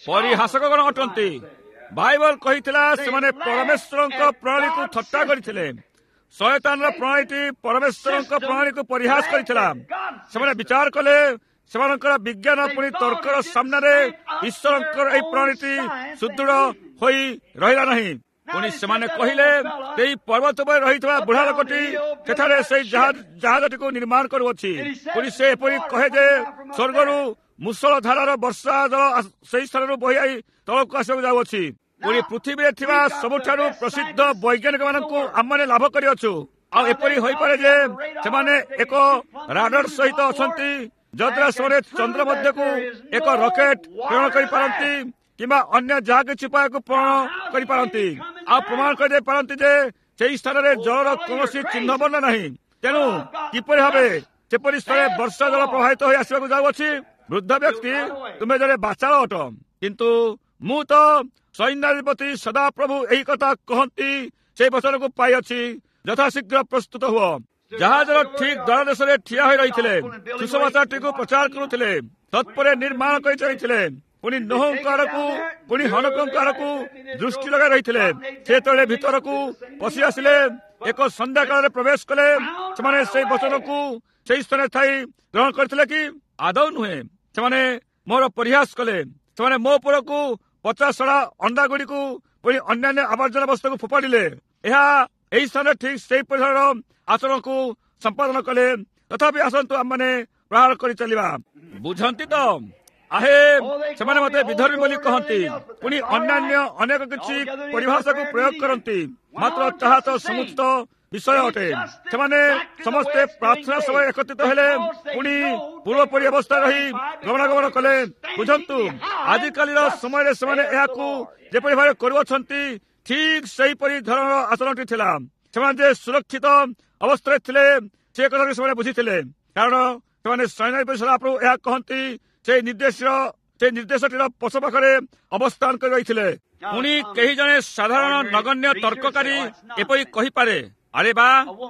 Speaker 1: ପରିହାସକଗଣ ଅଟନ୍ତି। ବାଇବଲ କହିଥିଲା ସେମାନେ ପରମେଶ୍ୱରଙ୍କ ପ୍ରଣାଳୀକୁ ଥଟ୍ଟା କରିଥିଲେ। ଶୟତାନର ପ୍ରଣାଳୀଟି ପରମେଶ୍ୱରଙ୍କ ପ୍ରଣାଳୀକୁ ପରିହାସ କରିଥିଲା। ସେମାନେ ବିଚାର କଲେ ସେମାନଙ୍କର ବିଜ୍ଞାନ ପୁଣି ତର୍କର ସାମ୍ନାରେ ଈଶ୍ୱରଙ୍କର ଏହି ପ୍ରଣାଳୀଟି ସୁଦୃଢ଼ ହୋଇ ରହିଲା ନାହିଁ। ପୁଣି ସେମାନେ କହିଲେ, ସେଇ ପର୍ବତ ଉପରେ ରହିଥିବା ବୁଢ଼ା ଲୋକଟି ସେଠାରେ ସେଇ ଜାହାଜଟିକୁ ନିର୍ମାଣ କରୁଅଛି। ପୁଣି ସେ ଏପରି କହେ ଯେ ସ୍ୱର୍ଗରୁ ମୁଷଳ ଧାରାର ବର୍ଷା ଜଳ ସେଇ ସ୍ଥାନରୁ ବହି I ତଳକୁ ଆସିବାକୁ ଯାଉଅଛି। ପୁଣି ପୃଥିବୀରେ ଥିବା ସବୁଠାରୁ ପ୍ରସିଦ୍ଧ ବୈଜ୍ଞାନିକମାନଙ୍କୁ ଆମମାନେ ଲାଭ କରିଅଛୁ। ଆଉ ଏପରି ହୋଇପାରେ ଯେ ସେମାନେ ଏକ ରାଡର ସହିତ ଅଛନ୍ତି, ଯଦ୍ୱାରା ସେମାନେ ଚନ୍ଦ୍ର ମଧ୍ୟକୁ ଏକ ରକେଟ ପ୍ରେରଣ କରିପାରନ୍ତି କିମ୍ବା ଅନ୍ୟ ଯାହା କିଛି ଉପାୟକୁ ପ୍ରେରଣ କରିପାରନ୍ତି, ଆଉ ପ୍ରମାଣ କରିଦେଇ ପାରନ୍ତି ଯେ ସେହି ସ୍ଥାନରେ ଜଳର କୌଣସି ଚିହ୍ନବର୍ଣ୍ଣ ନାହିଁ। ତେଣୁ କିପରି ଭାବେ ସେପରି ସ୍ଥଳେ ବର୍ଷା ଜଳ ପ୍ରବାହିତ ହୋଇ ଆସିବାକୁ ଯାଉଅଛି? ବୃଦ୍ଧ ବ୍ୟକ୍ତି, ତୁମେ ଜଣେ ବାଚାଳ ଅଟ, କିନ୍ତୁ ମୁଁ ତ ସୈନ୍ୟାଧିପତି ସଦାପ୍ରଭୁ ଏହି କଥା କହନ୍ତି ସେଇ ବଚନକୁ ପାଇଅଛି। ଯଥାଶୀଘ୍ର ପ୍ରସ୍ତୁତ ହୁଅ। ଜାହାଜର ଠିକ ଦ୍ୱାର ଦେଶରେ ଠିଆ ହୋଇ ରହିଥିଲେ, ସୁସମାଚାରଟିକୁ ପ୍ରଚାର କରୁଥିଲେ, ତତ୍ପରେ ନିର୍ମାଣ କରି ଚାଲିଥିଲେ। ପୁଣି ନୋହଙ୍କ ଆଡ଼କୁ, ପୁଣି ହନକଙ୍କ ଆଡ଼କୁ ଦୃଷ୍ଟି ଲଗାଇ ରହିଥିଲେ। ସେ ଯେତେବେଳେ ଭିତରକୁ ପଶି ଆସିଲେ, ଏକ ସନ୍ଧ୍ୟାକାଳରେ ପ୍ରବେଶ କଲେ, ସେମାନେ ସେଇ ବଚନକୁ ସେଇ ସ୍ଥାନରେ ଥାଇ ଗ୍ରହଣ କରିଥିଲେ କି? ଆଦୌ ନୁହେଁ। ସେମାନେ ମୋର ପରିହାସ କଲେ। ସେମାନେ ମୋ ଉପରକୁ ପଚାସଢ଼ା ଅଣ୍ଡା ଗୁଡ଼ିକୁ ପୁଣି ଅନ୍ୟାନ୍ୟ ଆବର୍ଜନା ବସ୍ତୁକୁ ଫୋପାଡ଼ିଲେ। ଏହା ଏହି ସ୍ଥାନରେ ଠିକ ସେଇ ପରିସରର ଆଚରଣକୁ ସମ୍ପାଦନ କଲେ। ତଥାପି ଆସନ୍ତୁ ଆମମାନେ ପ୍ରହାର କରି ଚାଲିବା। ବୁଝନ୍ତି ତ? ଆହେ, ସେମାନେ ମତେ ବିଧର୍ମୀ ବୋଲି କହନ୍ତି, ପୁଣି ଅନ୍ୟାନ୍ୟ ଅନେକ କିଛି ପରିଭାଷାକୁ ପ୍ରୟୋଗ କରନ୍ତି, ମାତ୍ର ତାହା ତ ସମୁଚିତ ବିଷୟ ଅଟେ। ସେମାନେ ସମସ୍ତେ ପ୍ରାର୍ଥନା ସଭାରେ ଏକତ୍ରିତ ହେଲେ, ପୁଣି ପୂର୍ବପରି ଅବସ୍ଥାରେ ରହି ଗମନାଗମନ କଲେ। ବୁଝନ୍ତୁ, ଆଜିକାଲିର ସମୟରେ ସେମାନେ ଏହାକୁ ଯେପରି ଭାବେ କରୁଅଛନ୍ତି, ଠିକ ସେହିପରି ଧରଣର ଆଚରଣଟି ଥିଲା। ସେମାନେ ଯେ ସୁରକ୍ଷିତ ଅବସ୍ଥାରେ ଥିଲେ ସେ କଥାକୁ ସେମାନେ ବୁଝିଥିଲେ, କାରଣ ସେମାନେ ସୈନ୍ୟାଧିପତି ସଦାପ୍ରଭୁ ଏହା କହନ୍ତି ସେଇ ନିର୍ଦ୍ଦେଶର ସେଇ ନିର୍ଦ୍ଦେଶଟିର ପଛ ପାଖରେ ଅବସ୍ଥାନ କରି ରହିଥିଲେ। ପୁଣି କେହି ଜଣେ ସାଧାରଣ ନଗଣ୍ୟ ତର୍କକାରୀ ଏପରି କହିପାରେ, ଆରେ ବା,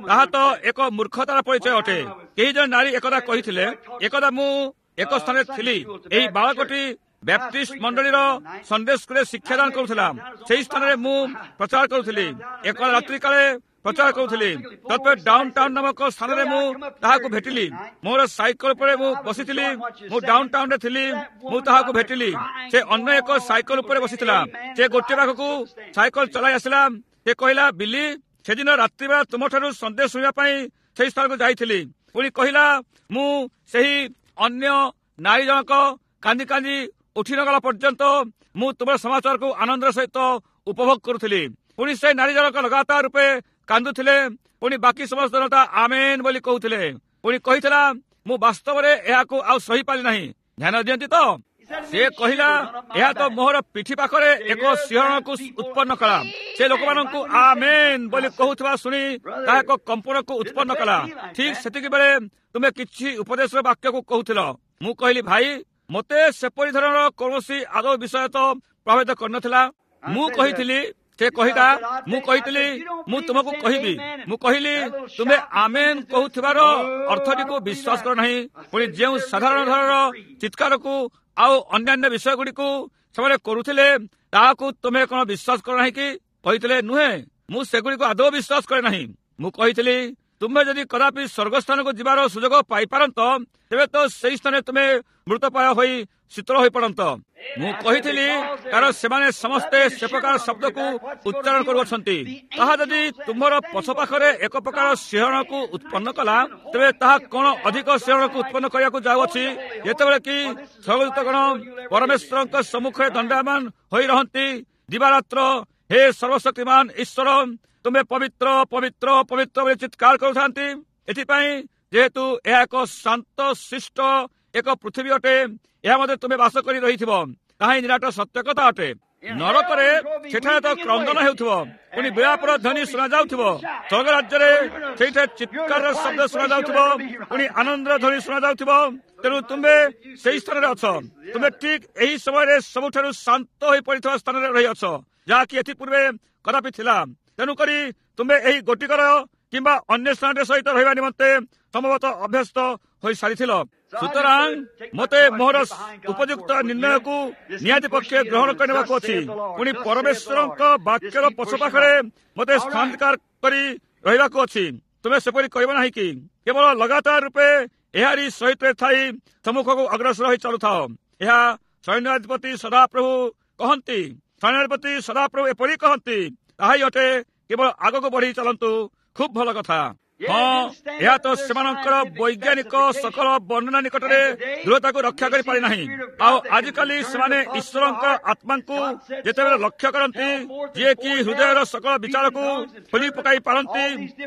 Speaker 1: ତାହା ତ ଏକ ମୂର୍ଖତାର ପରିଚୟ ଅଟେ। କେହି ଜଣେ ନାରୀ ଏକଦା କହିଥିଲେ, ଏକଦା ମୁଁ ଏକ ସ୍ଥାନରେ ଥିଲି, ଏହି ବାଳକଟି ବ୍ୟାପ୍ଟିଷ୍ଟ ମଣ୍ଡଳୀର ସଣ୍ଡେ ସ୍କୁଲରେ ଶିକ୍ଷାଦାନ କରୁଥିଲା। ସେହି ସ୍ଥାନରେ ମୁଁ ପ୍ରଚାର କରୁଥିଲି। ଏକ ରାତ୍ରି କାଳେ ପ୍ରଚାର କରୁଥିଲି। ତତ୍ପରେ ଡାଉନ ଟାଉନ ନାମକ ସ୍ଥାନରେ ମୁଁ ତାହାକୁ ଭେଟିଲି। ମୋର ସାଇକେଲ ଉପରେ ମୁଁ ବସିଥିଲି। ମୁଁ ଡାଉନ ଟାଉନରେ ଥିଲି। ମୁଁ ତାହାକୁ ଭେଟିଲି। ସେ ଅନ୍ୟ ଏକ ସାଇକେଲ ଉପରେ ବସିଥିଲା। ସେ ଗୋଟିଏ ପାଖକୁ ସାଇକେଲ ଚଲାଇ ଆସିଲା। ସେ କହିଲା, ବିଲି, ସେଦିନ ରାତ୍ରିବେଳା ତୁମଠାରୁ ସନ୍ଦେଶ ଶୁଣିବା ପାଇଁ ସେହି ସ୍ଥାନକୁ ଯାଇଥିଲି। ପୁଣି କହିଲା, ମୁଁ ସେହି ଅନ୍ୟ ନାରୀ ଜଣକ କାନ୍ଦି କାନ୍ଦି ଉଠି ନଗଲା ପର୍ଯ୍ୟନ୍ତ ମୁଁ ତୁମର ସମାଚାରକୁ ଆନନ୍ଦର ସହିତ ଉପଭୋଗ କରୁଥିଲି। ପୁଣି ସେ ନାରୀ ଜଣକ ଲଗାତାର ରୂପେ କାନ୍ଦୁଥିଲେ। ପୁଣି ବାକି ସମସ୍ତ ଜନତା ଆମେନ୍ ବୋଲି କହୁଥିଲେ। ପୁଣି କହିଥିଲା, ମୁଁ ବାସ୍ତବରେ ଏହାକୁ ଆଉ ସହିପାରିଲି ନାହିଁ। ଧ୍ୟାନ ଦିଅନ୍ତି ତ? ସେ କହିଲା, ଏହା ତ ମୋହର ପିଠି ପାଖରେ ଏକ ଶିହରଣକୁ ଉତ୍ପନ୍ନ କଲା। ସେ ଲୋକମାନଙ୍କୁ ଆମେନ୍ ବୋଲି କହୁଥିବା ଶୁଣି ତାହା ଏକ କମ୍ପନକୁ ଉତ୍ପନ୍ନ କଲା। ଠିକ ସେତିକି ବେଳେ ତୁମେ କିଛି ଉପଦେଶର ବାକ୍ୟକୁ କହୁଥିଲ। ମୁଁ କହିଲି, ଭାଇ, ମୋତେ ସେପରି ଧରଣର କୌଣସି ଆଦୌ ବିଷୟ ତ ପ୍ରଭାବିତ କରିନଥିଲା। ମୁଁ କହିଥିଲି, ସେ କହିଲା, ମୁଁ କହିଥିଲି, ମୁଁ ତୁମକୁ କହିବି। ମୁଁ କହିଲି, ତୁମେ ଆମେନ୍ କହୁଥିବାର ଅର୍ଥଟିକୁ ବିଶ୍ୱାସ କର ନାହିଁ। ପୁଣି ଯେଉଁ ସାଧାରଣ ଧରଣର ଚିତ୍କାରକୁ ଆଉ ଅନ୍ୟାନ୍ୟ ବିଷୟଗୁଡ଼ିକୁ ସେମାନେ କରୁଥିଲେ, ତାହାକୁ ତୁମେ କଣ ବିଶ୍ୱାସ କର ନାହିଁ କି? କହିଥିଲେ, ନୁହେଁ, ମୁଁ ସେଗୁଡ଼ିକୁ ଆଦୌ ବିଶ୍ୱାସ କରେ ନାହିଁ। ମୁଁ କହିଥିଲି, ତୁମେ ଯଦି କଦାପି ସ୍ୱର୍ଗସ୍ଥାନକୁ ଯିବାର ସୁଯୋଗ ପାଇପାରନ୍ତ, ତେବେ ତ ସେଇ ସ୍ଥାନରେ ତୁମେ ମୃତପ୍ରାୟ ହୋଇ ଶୀତଳ ହୋଇପଡ଼ନ୍ତ। ମୁଁ କହିଥିଲି, କାରଣ ସେମାନେ ସମସ୍ତେ ସେ ପ୍ରକାର ଶବ୍ଦକୁ ଉଚ୍ଚାରଣ କରୁଅଛନ୍ତି। ତାହା ଯଦି ତୁମର ପଛ ପାଖରେ ଏକ ପ୍ରକାର ଶିହରଣକୁ ଉତ୍ପନ୍ନ କଲା, ତେବେ ତାହା କଣ ଅଧିକ ଶିହରଣକୁ ଉତ୍ପନ୍ନ କରିବାକୁ ଯାଉଅଛି, ଯେତେବେଳେ କି ସ୍ୱର୍ଗଦୂତଗଣ ପରମେଶ୍ୱରଙ୍କ ସମ୍ମୁଖରେ ଦଣ୍ଡାୟମାନ ହୋଇ ରହନ୍ତି ଦିବାରାତ୍ର। ହେ ସର୍ବଶକ୍ତିମାନ ଈଶ୍ୱର, ତୁମେ ପବିତ୍ର ପବିତ୍ର ପବିତ୍ର ବୋଲି ଚିତ୍କାର କରୁଥାନ୍ତି। ଏଥିପାଇଁ ଯେହେତୁ ଏହା ଏକ ଶାନ୍ତ ଶିଷ୍ଟ ଏକ ପୃଥିବୀ ଅଟେ, ଏହା ମଧ୍ୟ ତୁମେ ବାସ କରି ରହିଥିବ, ତାହା ହିଁ ନିରାଟ ସତ୍ୟ କଥା ଅଟେ। ନରକରେ ସେଠାରେ ତ କ୍ରନ୍ଦନ ହେଉଥିବ, ପୁଣି ବିଳାପର ଧ୍ୱନି ଶୁଣାଯାଉଥିବ। ସ୍ୱର୍ଗ ରାଜ୍ୟରେ ସେଇଠାରେ ଚିତ୍କାରର ଶବ୍ଦ ଶୁଣାଯାଉଥିବ, ପୁଣି ଆନନ୍ଦର ଧ୍ୱନି ଶୁଣାଯାଉଥିବ। ତେଣୁ ତୁମେ ସେଇ ସ୍ଥାନରେ ଅଛ। ତୁମେ ଠିକ ଏହି ସମୟରେ ସବୁଠାରୁ ଶାନ୍ତ ହୋଇ ପଡ଼ିଥିବା ସ୍ଥାନରେ ରହିଅଛ, ଯାହାକି ଏଥିପୂର୍ବେ କଦାପି ଥିଲା। ତେଣୁକରି ତୁମେ ଏହି ଗୋଟିକର କିମ୍ବା ଅନ୍ୟ ସ୍ଥାନରେ ସହିତ ରହିବା ନିମନ୍ତେ ସମ୍ଭବତଃ ଅଭ୍ୟସ୍ତ ହୋଇସାରିଥିଲ। ସୁତରାଂ ମୋତେ ମୋହର ଉପଯୁକ୍ତ ନିର୍ଣ୍ଣୟକୁ ନିହାତି ପକ୍ଷେ ଗ୍ରହଣ କରିନେବାକୁ ଅଛି। ପୁଣି ପରମେଶ୍ୱରଙ୍କ ବାକ୍ୟର ପଛ ପାଖରେ ମୋତେ ସ୍ଥାନାଧିକାର କରି ରହିବାକୁ ଅଛି। ତୁମେ ସେପରି କରିବ ନାହିଁ କି? କେବଳ ଲଗାତାର ରୂପେ ଏହାରି ସହିତ ଥାଇ ସମ୍ମୁଖକୁ ଅଗ୍ରସର ହୋଇ ଚାଲୁଥାଅ। ଏହା ସୈନ୍ୟାଧିପତି ସଦାପ୍ରଭୁ କହନ୍ତି, ସୈନ୍ୟାଧିପତି ସଦାପ୍ରଭୁ ଏପରି କହନ୍ତି, ତାହା ହିଁ ଅଟେ। କେବଳ ଆଗକୁ ବଢି ଚାଲନ୍ତୁ। ଖୁବ୍ ଭଲ କଥା। ହଁ, ଏହା ତ ସେମାନଙ୍କର ବୈଜ୍ଞାନିକ ସକଳ ବର୍ଣ୍ଣନା ନିକଟରେ ଦୃଢ଼ତାକୁ ରକ୍ଷା କରିପାରି ନାହିଁ। ଆଉ ଆଜିକାଲି ସେମାନେ ଈଶ୍ୱରଙ୍କ ଆତ୍ମାଙ୍କୁ ଯେତେବେଳେ ଲକ୍ଷ୍ୟ କରନ୍ତି, ଯିଏକି ହୃଦୟର ସକଳ ବିଚାରକୁ ଖୋଲି ପକାଇ ପାରନ୍ତି,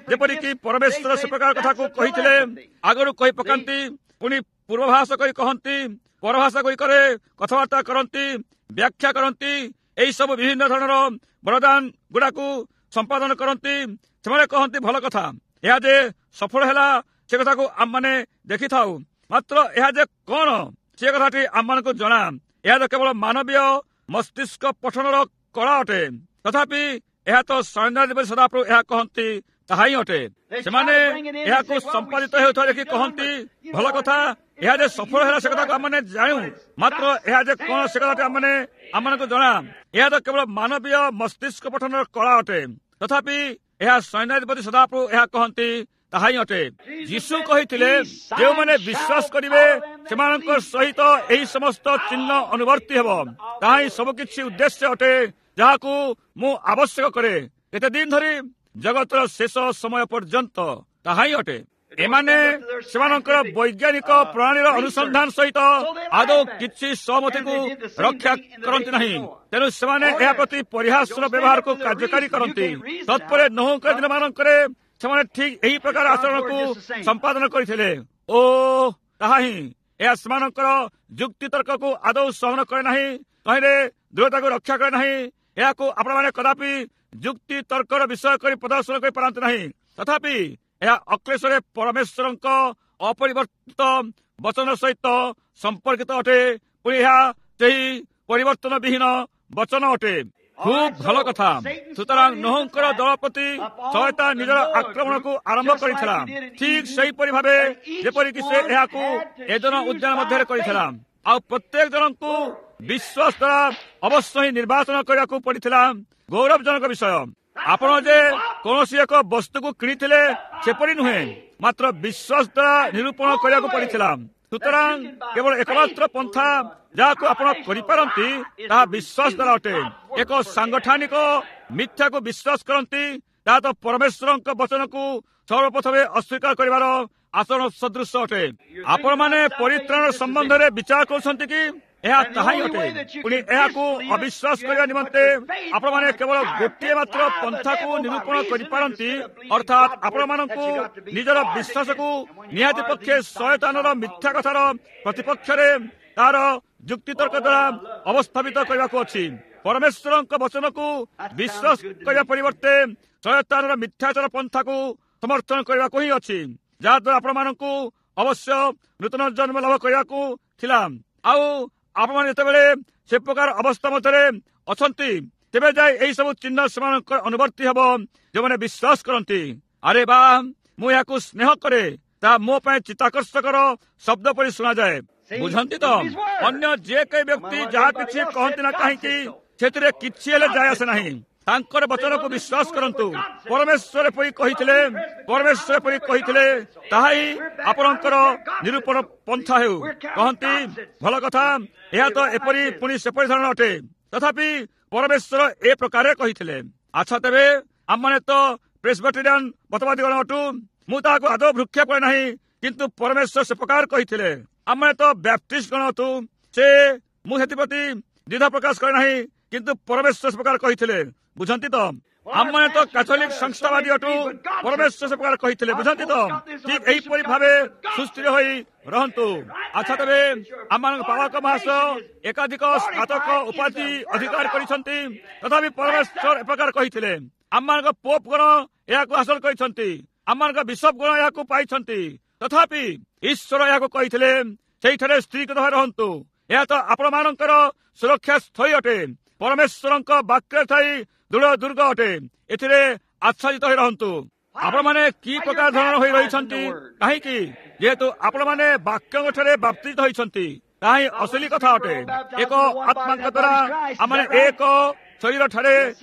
Speaker 1: ଯେପରିକି ପରମେଶ୍ୱର ସେ ପ୍ରକାର କଥାକୁ କହିଥିଲେ, ଆଗରୁ କହି ପକାନ୍ତି, ପୁଣି ପୂର୍ବଭାଷ କରି କହନ୍ତି, ପରଭାଷା ଗୁଡ଼ିକରେ କଥାବାର୍ତ୍ତା କରନ୍ତି, ବ୍ୟାଖ୍ୟା କରନ୍ତି, ଏହିସବୁ ବିଭିନ୍ନ ଧରଣର ବରଦାନ ଗୁଡାକୁ ସମ୍ପାଦନ କରନ୍ତି, ସେମାନେ କହନ୍ତି ଭଲ କଥା, ଏହା ଯେ ସଫଳ ହେଲା ସେ କଥାକୁ ଆମମାନେ ଦେଖିଥାଉ। ମାତ୍ର ଏହା ଯେ କଣ ସେ କଥାଟି ଆମମାନଙ୍କୁ ଜଣା। ଏହା ତ କେବଳ ମାନବୀୟ ମସ୍ତିଷ୍କ ପଠନର କଳା ଅଟେ। ତଥାପି ଏହା ତ ସୈନ୍ୟାଧିପତି ସଦାପ୍ରଭୁ ଏହା କହନ୍ତି, ତାହା ହିଁ ଅଟେ। ସେମାନେ ଏହାକୁ ସମ୍ପାଦିତ ହେଉଥିବା ଦେଖି କହନ୍ତି ଭଲ କଥା, ଏହା ଯେ ସଫଳ ହେଲା ସେ କଥାକୁ ଆମମାନେ ଜାଣୁ, ମାତ୍ର ଏହା ଯେ କଣ ସେ କଥାଟି ଆମମାନେ ଆମମାନଙ୍କୁ ଜଣା। ଏହା ତ କେବଳ ମାନବୀୟ ମସ୍ତିଷ୍କ ପଠନର କଳା ଅଟେ। ତଥାପି ଏହା ସୈନ୍ୟାଧିପତି ସଦାପ୍ରଭୁ ଏହା କହନ୍ତି, ତାହା ହିଁ ଅଟେ। ଯୀଶୁ କହିଥିଲେ, ଯେଉଁମାନେ ବିଶ୍ୱାସ କରିବେ ସେମାନଙ୍କ ସହିତ ଏହି ସମସ୍ତ ଚିହ୍ନ ଅନୁବର୍ତ୍ତୀ ହେବ। ତାହା ହିଁ ସବୁକିଛି ଉଦ୍ଦେଶ୍ୟ ଅଟେ ଯାହାକୁ ମୁଁ ଆବଶ୍ୟକ କରେ। କେତେ ଦିନ ଧରି? ଜଗତର ଶେଷ ସମୟ ପର୍ଯ୍ୟନ୍ତ। ତାହା ହିଁ ଅଟେ। ଏମାନେ ସେମାନଙ୍କର ବୈଜ୍ଞାନିକ ପ୍ରଣାଳୀର ଅନୁସନ୍ଧାନ ସହିତ ଆଦୌ କିଛି ସହମତିକୁ ରକ୍ଷା କରନ୍ତି ନାହିଁ। ତେଣୁ ସେମାନେ ଏହା ପ୍ରତି ପରିହାସର ବ୍ୟବହାରକୁ କାର୍ଯ୍ୟକାରୀ କରନ୍ତି। ତତ୍ପରେ ନୋହଙ୍କ ଦିନମାନଙ୍କରେ ସେମାନେ ଠିକ ଏହି ପ୍ରକାର ଆଚରଣକୁ ସମ୍ପାଦନ କରିଥିଲେ। ଓ ତାହା ହିଁ। ଏହା ସେମାନଙ୍କର ଯୁକ୍ତିତର୍କକୁ ଆଦୌ ସହନ କରେ ନାହିଁ, ତହିଁରେ ଦୃଢ଼ତାକୁ ରକ୍ଷା କରେ ନାହିଁ। ଏହାକୁ ଆପଣମାନେ କଦାପି ଯୁକ୍ତି ତର୍କର ବିଷୟ କରି ପ୍ରଦର୍ଶନ କରିପାରନ୍ତି ନାହିଁ। ତଥାପି ଏହା ଅକ୍ଲେଶରେ ପରମେଶ୍ୱରଙ୍କ ଅପରିବର୍ତ୍ତିତ ବଚନ ସହିତ ସମ୍ପର୍କିତ ଅଟେ। ପୁଣି ଏହା ସେହି ପରିବର୍ତ୍ତନ ବିହୀନ ବଚନ ଅଟେ। ଖୁବ୍ ଭଲ କଥା। ସୁତରାଂ ନୋହଙ୍କର ଦଳ ପ୍ରତି ଶୟତାନ ନିଜର ଆକ୍ରମଣକୁ ଆରମ୍ଭ କରିଥିଲା, ଠିକ ସେହିପରି ଭାବେ ଯେପରିକି ସେ ଏହାକୁ ଏଦନ ଉଦ୍ୟାନ ମଧ୍ୟରେ କରିଥିଲା। ଆଉ ପ୍ରତ୍ୟେକ ଜଣଙ୍କୁ ବିଶ୍ୱାସ ଦ୍ୱାରା ଅବଶ୍ୟ ହିଁ ନିର୍ବାଚନ କରିବାକୁ ପଡିଥିଲା। ଗୌରବଜନକ ବିଷୟ, ଆପଣ ଯେ କୌଣସି ଏକ ବସ୍ତୁକୁ କିଣିଥିଲେ ସେପରି ନୁହେଁ, ମାତ୍ର ବିଶ୍ୱାସ ଦ୍ୱାରା ନିରୂପଣ କରିବାକୁ ପଡିଥିଲା। ସୁତରାଂ କେବଳ ଏକମାତ୍ର ପନ୍ଥା ଯାହାକୁ ଆପଣ କରିପାରନ୍ତି ତାହା ବିଶ୍ୱାସ ଦ୍ୱାରା ଅଟେ। ଏକ ସାଂଗଠନିକ ମିଥ୍ୟାକୁ ବିଶ୍ୱାସ କରନ୍ତି, ତାହା ତ ପରମେଶ୍ୱରଙ୍କ ବଚନକୁ ସର୍ବପ୍ରଥମେ ଅସ୍ୱୀକାର କରିବାର ଆଚରଣ ସଦୃଶ ଅଟେ। ଆପଣମାନେ ପରିତ୍ରାଣ ସମ୍ବନ୍ଧରେ ବିଚାର କରୁଛନ୍ତି କି? ଏହା ତାହା ହିଁ ଅଟେ। ପୁଣି ଏହାକୁ ଅବିଶ୍ୱାସ କରିବା ନିମନ୍ତେ ଆପଣମାନେ କେବଳ ଗୋଟିଏ ମାତ୍ର ପନ୍ଥାକୁ ନିରୂପଣ କରିପାରନ୍ତି, ଅର୍ଥାତ୍ ଆପଣମାନଙ୍କୁ ନିଜର ବିଶ୍ୱାସକୁ ନିହାତି ପକ୍ଷେ ଶୟତାନର ମିଥ୍ୟା କଥାର ପ୍ରତିପକ୍ଷରେ ତାର ଯୁକ୍ତିତର୍କ ଦ୍ୱାରା ଅବସ୍ଥାପିତ କରିବାକୁ ଅଛି। ପରମେଶ୍ୱରଙ୍କ ବଚନକୁ ବିଶ୍ୱାସ କରିବା ପରିବର୍ତ୍ତେ ଶୟତାନର ମିଥ୍ୟାଚାର ପନ୍ଥାକୁ ସମର୍ଥନ କରିବାକୁ ହିଁ ଅଛି, ଯାହାଦ୍ୱାରା ଆପଣମାନଙ୍କୁ ଅବଶ୍ୟ ନୂତନ ଜନ୍ମ ଲାଭ କରିବାକୁ ଥିଲା। ଆଉ ଆପଣମାନେ ଯେତେବେଳେ ସେ ପ୍ରକାର ଅବସ୍ଥା ମଧ୍ୟରେ ଅଛନ୍ତି, ତେବେ ଯାଇ ଏହି ସବୁ ଚିହ୍ନ ସେମାନଙ୍କର ଅନୁବର୍ତ୍ତୀ ହେବ ଯେଉଁମାନେ ବିଶ୍ୱାସ କରନ୍ତି। ଆରେ ବା, ମୁଁ ଏହାକୁ ସ୍ନେହ କରେ। ତାହା ମୋ ପାଇଁ ଚିତ୍ତାକର୍ଷକର ଶବ୍ଦ ପରି ଶୁଣାଯାଏ। ବୁଝନ୍ତି ତ? ଅନ୍ୟ ଯେ କେହି ବ୍ୟକ୍ତି ଯାହା କିଛି କହନ୍ତି ନା କାହିଁକି, ସେଥିରେ କିଛି ହେଲେ ଯାଏ ଆସେ ନାହିଁ। ତାଙ୍କର ବଚନକୁ ବିଶ୍ୱାସ କରନ୍ତୁ। ପରମେଶ୍ୱର ଏପରି କହିଥିଲେ, ପରମେଶ୍ୱର ଏପରି କହିଥିଲେ, ତାହା ହିଁ ଆପଣଙ୍କର ନିରୂପଣ ପନ୍ଥା ହେଉ। କହନ୍ତି ଭଲ କଥା, ଏହା ତ ଏପରି ପୁଣି ସେପରି ଧରଣ ଅଟେ, ତଥାପି ପରମେଶ୍ୱର ଏ ପ୍ରକାରେ କହିଥିଲେ। ଆଚ୍ଛା, ତେବେ ଆମମାନେ ତ ପ୍ରେସବିଟେରିଆନ ମତବାଦୀଗଣ ଅଟୁ। ମୁଁ ତାହାକୁ ଆଦୌ ଭୃକ୍ଷେପ କରେ ନାହିଁ, କିନ୍ତୁ ପରମେଶ୍ୱର ସେ ପ୍ରକାର କହିଥିଲେ। ଆମମାନେ ତ ବ୍ୟାପ୍ଟିଷ୍ଟ ଗଣ ଅଟୁ। ସେ ମୁଁ ସେଥିପ୍ରତି ଦ୍ୱିଧା ପ୍ରକାଶ କରେ ନାହିଁ, କିନ୍ତୁ ପରମେଶ୍ୱର ସେ ପ୍ରକାର କହିଥିଲେ। ବୁଝନ୍ତି ତ? ଆମମାନେ ତ କାଥୋଲିକ ସଂସ୍ଥାବାଦୀ ଅଟୁ, ପରମେଶ୍ୱର ସେ ପ୍ରକାର କହିଥିଲେ। ବୁଝନ୍ତି ତ? ଠିକ ଏହିପରି ଭାବେ ସୁସ୍ଥିର ହୋଇ ରହନ୍ତୁ। ଆଚ୍ଛା, ତେବେ ଆମମାନଙ୍କ ପାଳକ ମହାଶୟ ଏକାଧିକ ସ୍ନାତକ ଉପାଧି ଅଧିକାର କରିଛନ୍ତି, ତଥାପି ପରମେଶ୍ୱର ଏ ପ୍ରକାର କହିଥିଲେ। ଆମମାନଙ୍କ ପୋପ ଗଣ ଏହାକୁ ହାସଲ କରିଛନ୍ତି, ଆମମାନଙ୍କ ବିଶପ ଗଣ ଏହାକୁ ପାଇଛନ୍ତି, ତଥାପି ଈଶ୍ୱର ଏହାକୁ କହିଥିଲେ, ସେଇଠାରେ ସ୍ତ୍ରୀକୃତ ଭାବେ ରହନ୍ତୁ। ଏହା ତ ଆପଣମାନଙ୍କର ସୁରକ୍ଷା ସ୍ଥଳୀ ଅଟେ। ପରମେଶ୍ୱରଙ୍କ ବାକ୍ୟରେ ଥାଇ ଦୃଢ ଦୁର୍ଗ ଅଟେ, ଏଥିରେ ଆଚ୍ଛାଦିତ ହୋଇ ରହନ୍ତୁ। ଆପଣମାନେ କି ପ୍ରକାର ଧରଣର ହୋଇ ରହିଛନ୍ତି? କାହିଁକି? ଯେହେତୁ ଆପଣମାନେ ବାକ୍ୟଙ୍କ ଠାରେ ବାପ୍ତିଜିତ ହୋଇଛନ୍ତି, ତାହା ହିଁ ଅସଲି କଥା ଅଟେ। ଏକ ଆତ୍ମାଙ୍କ ଦ୍ୱାରା ଆମମାନେ ଏକ ଶରୀର ଠାରେ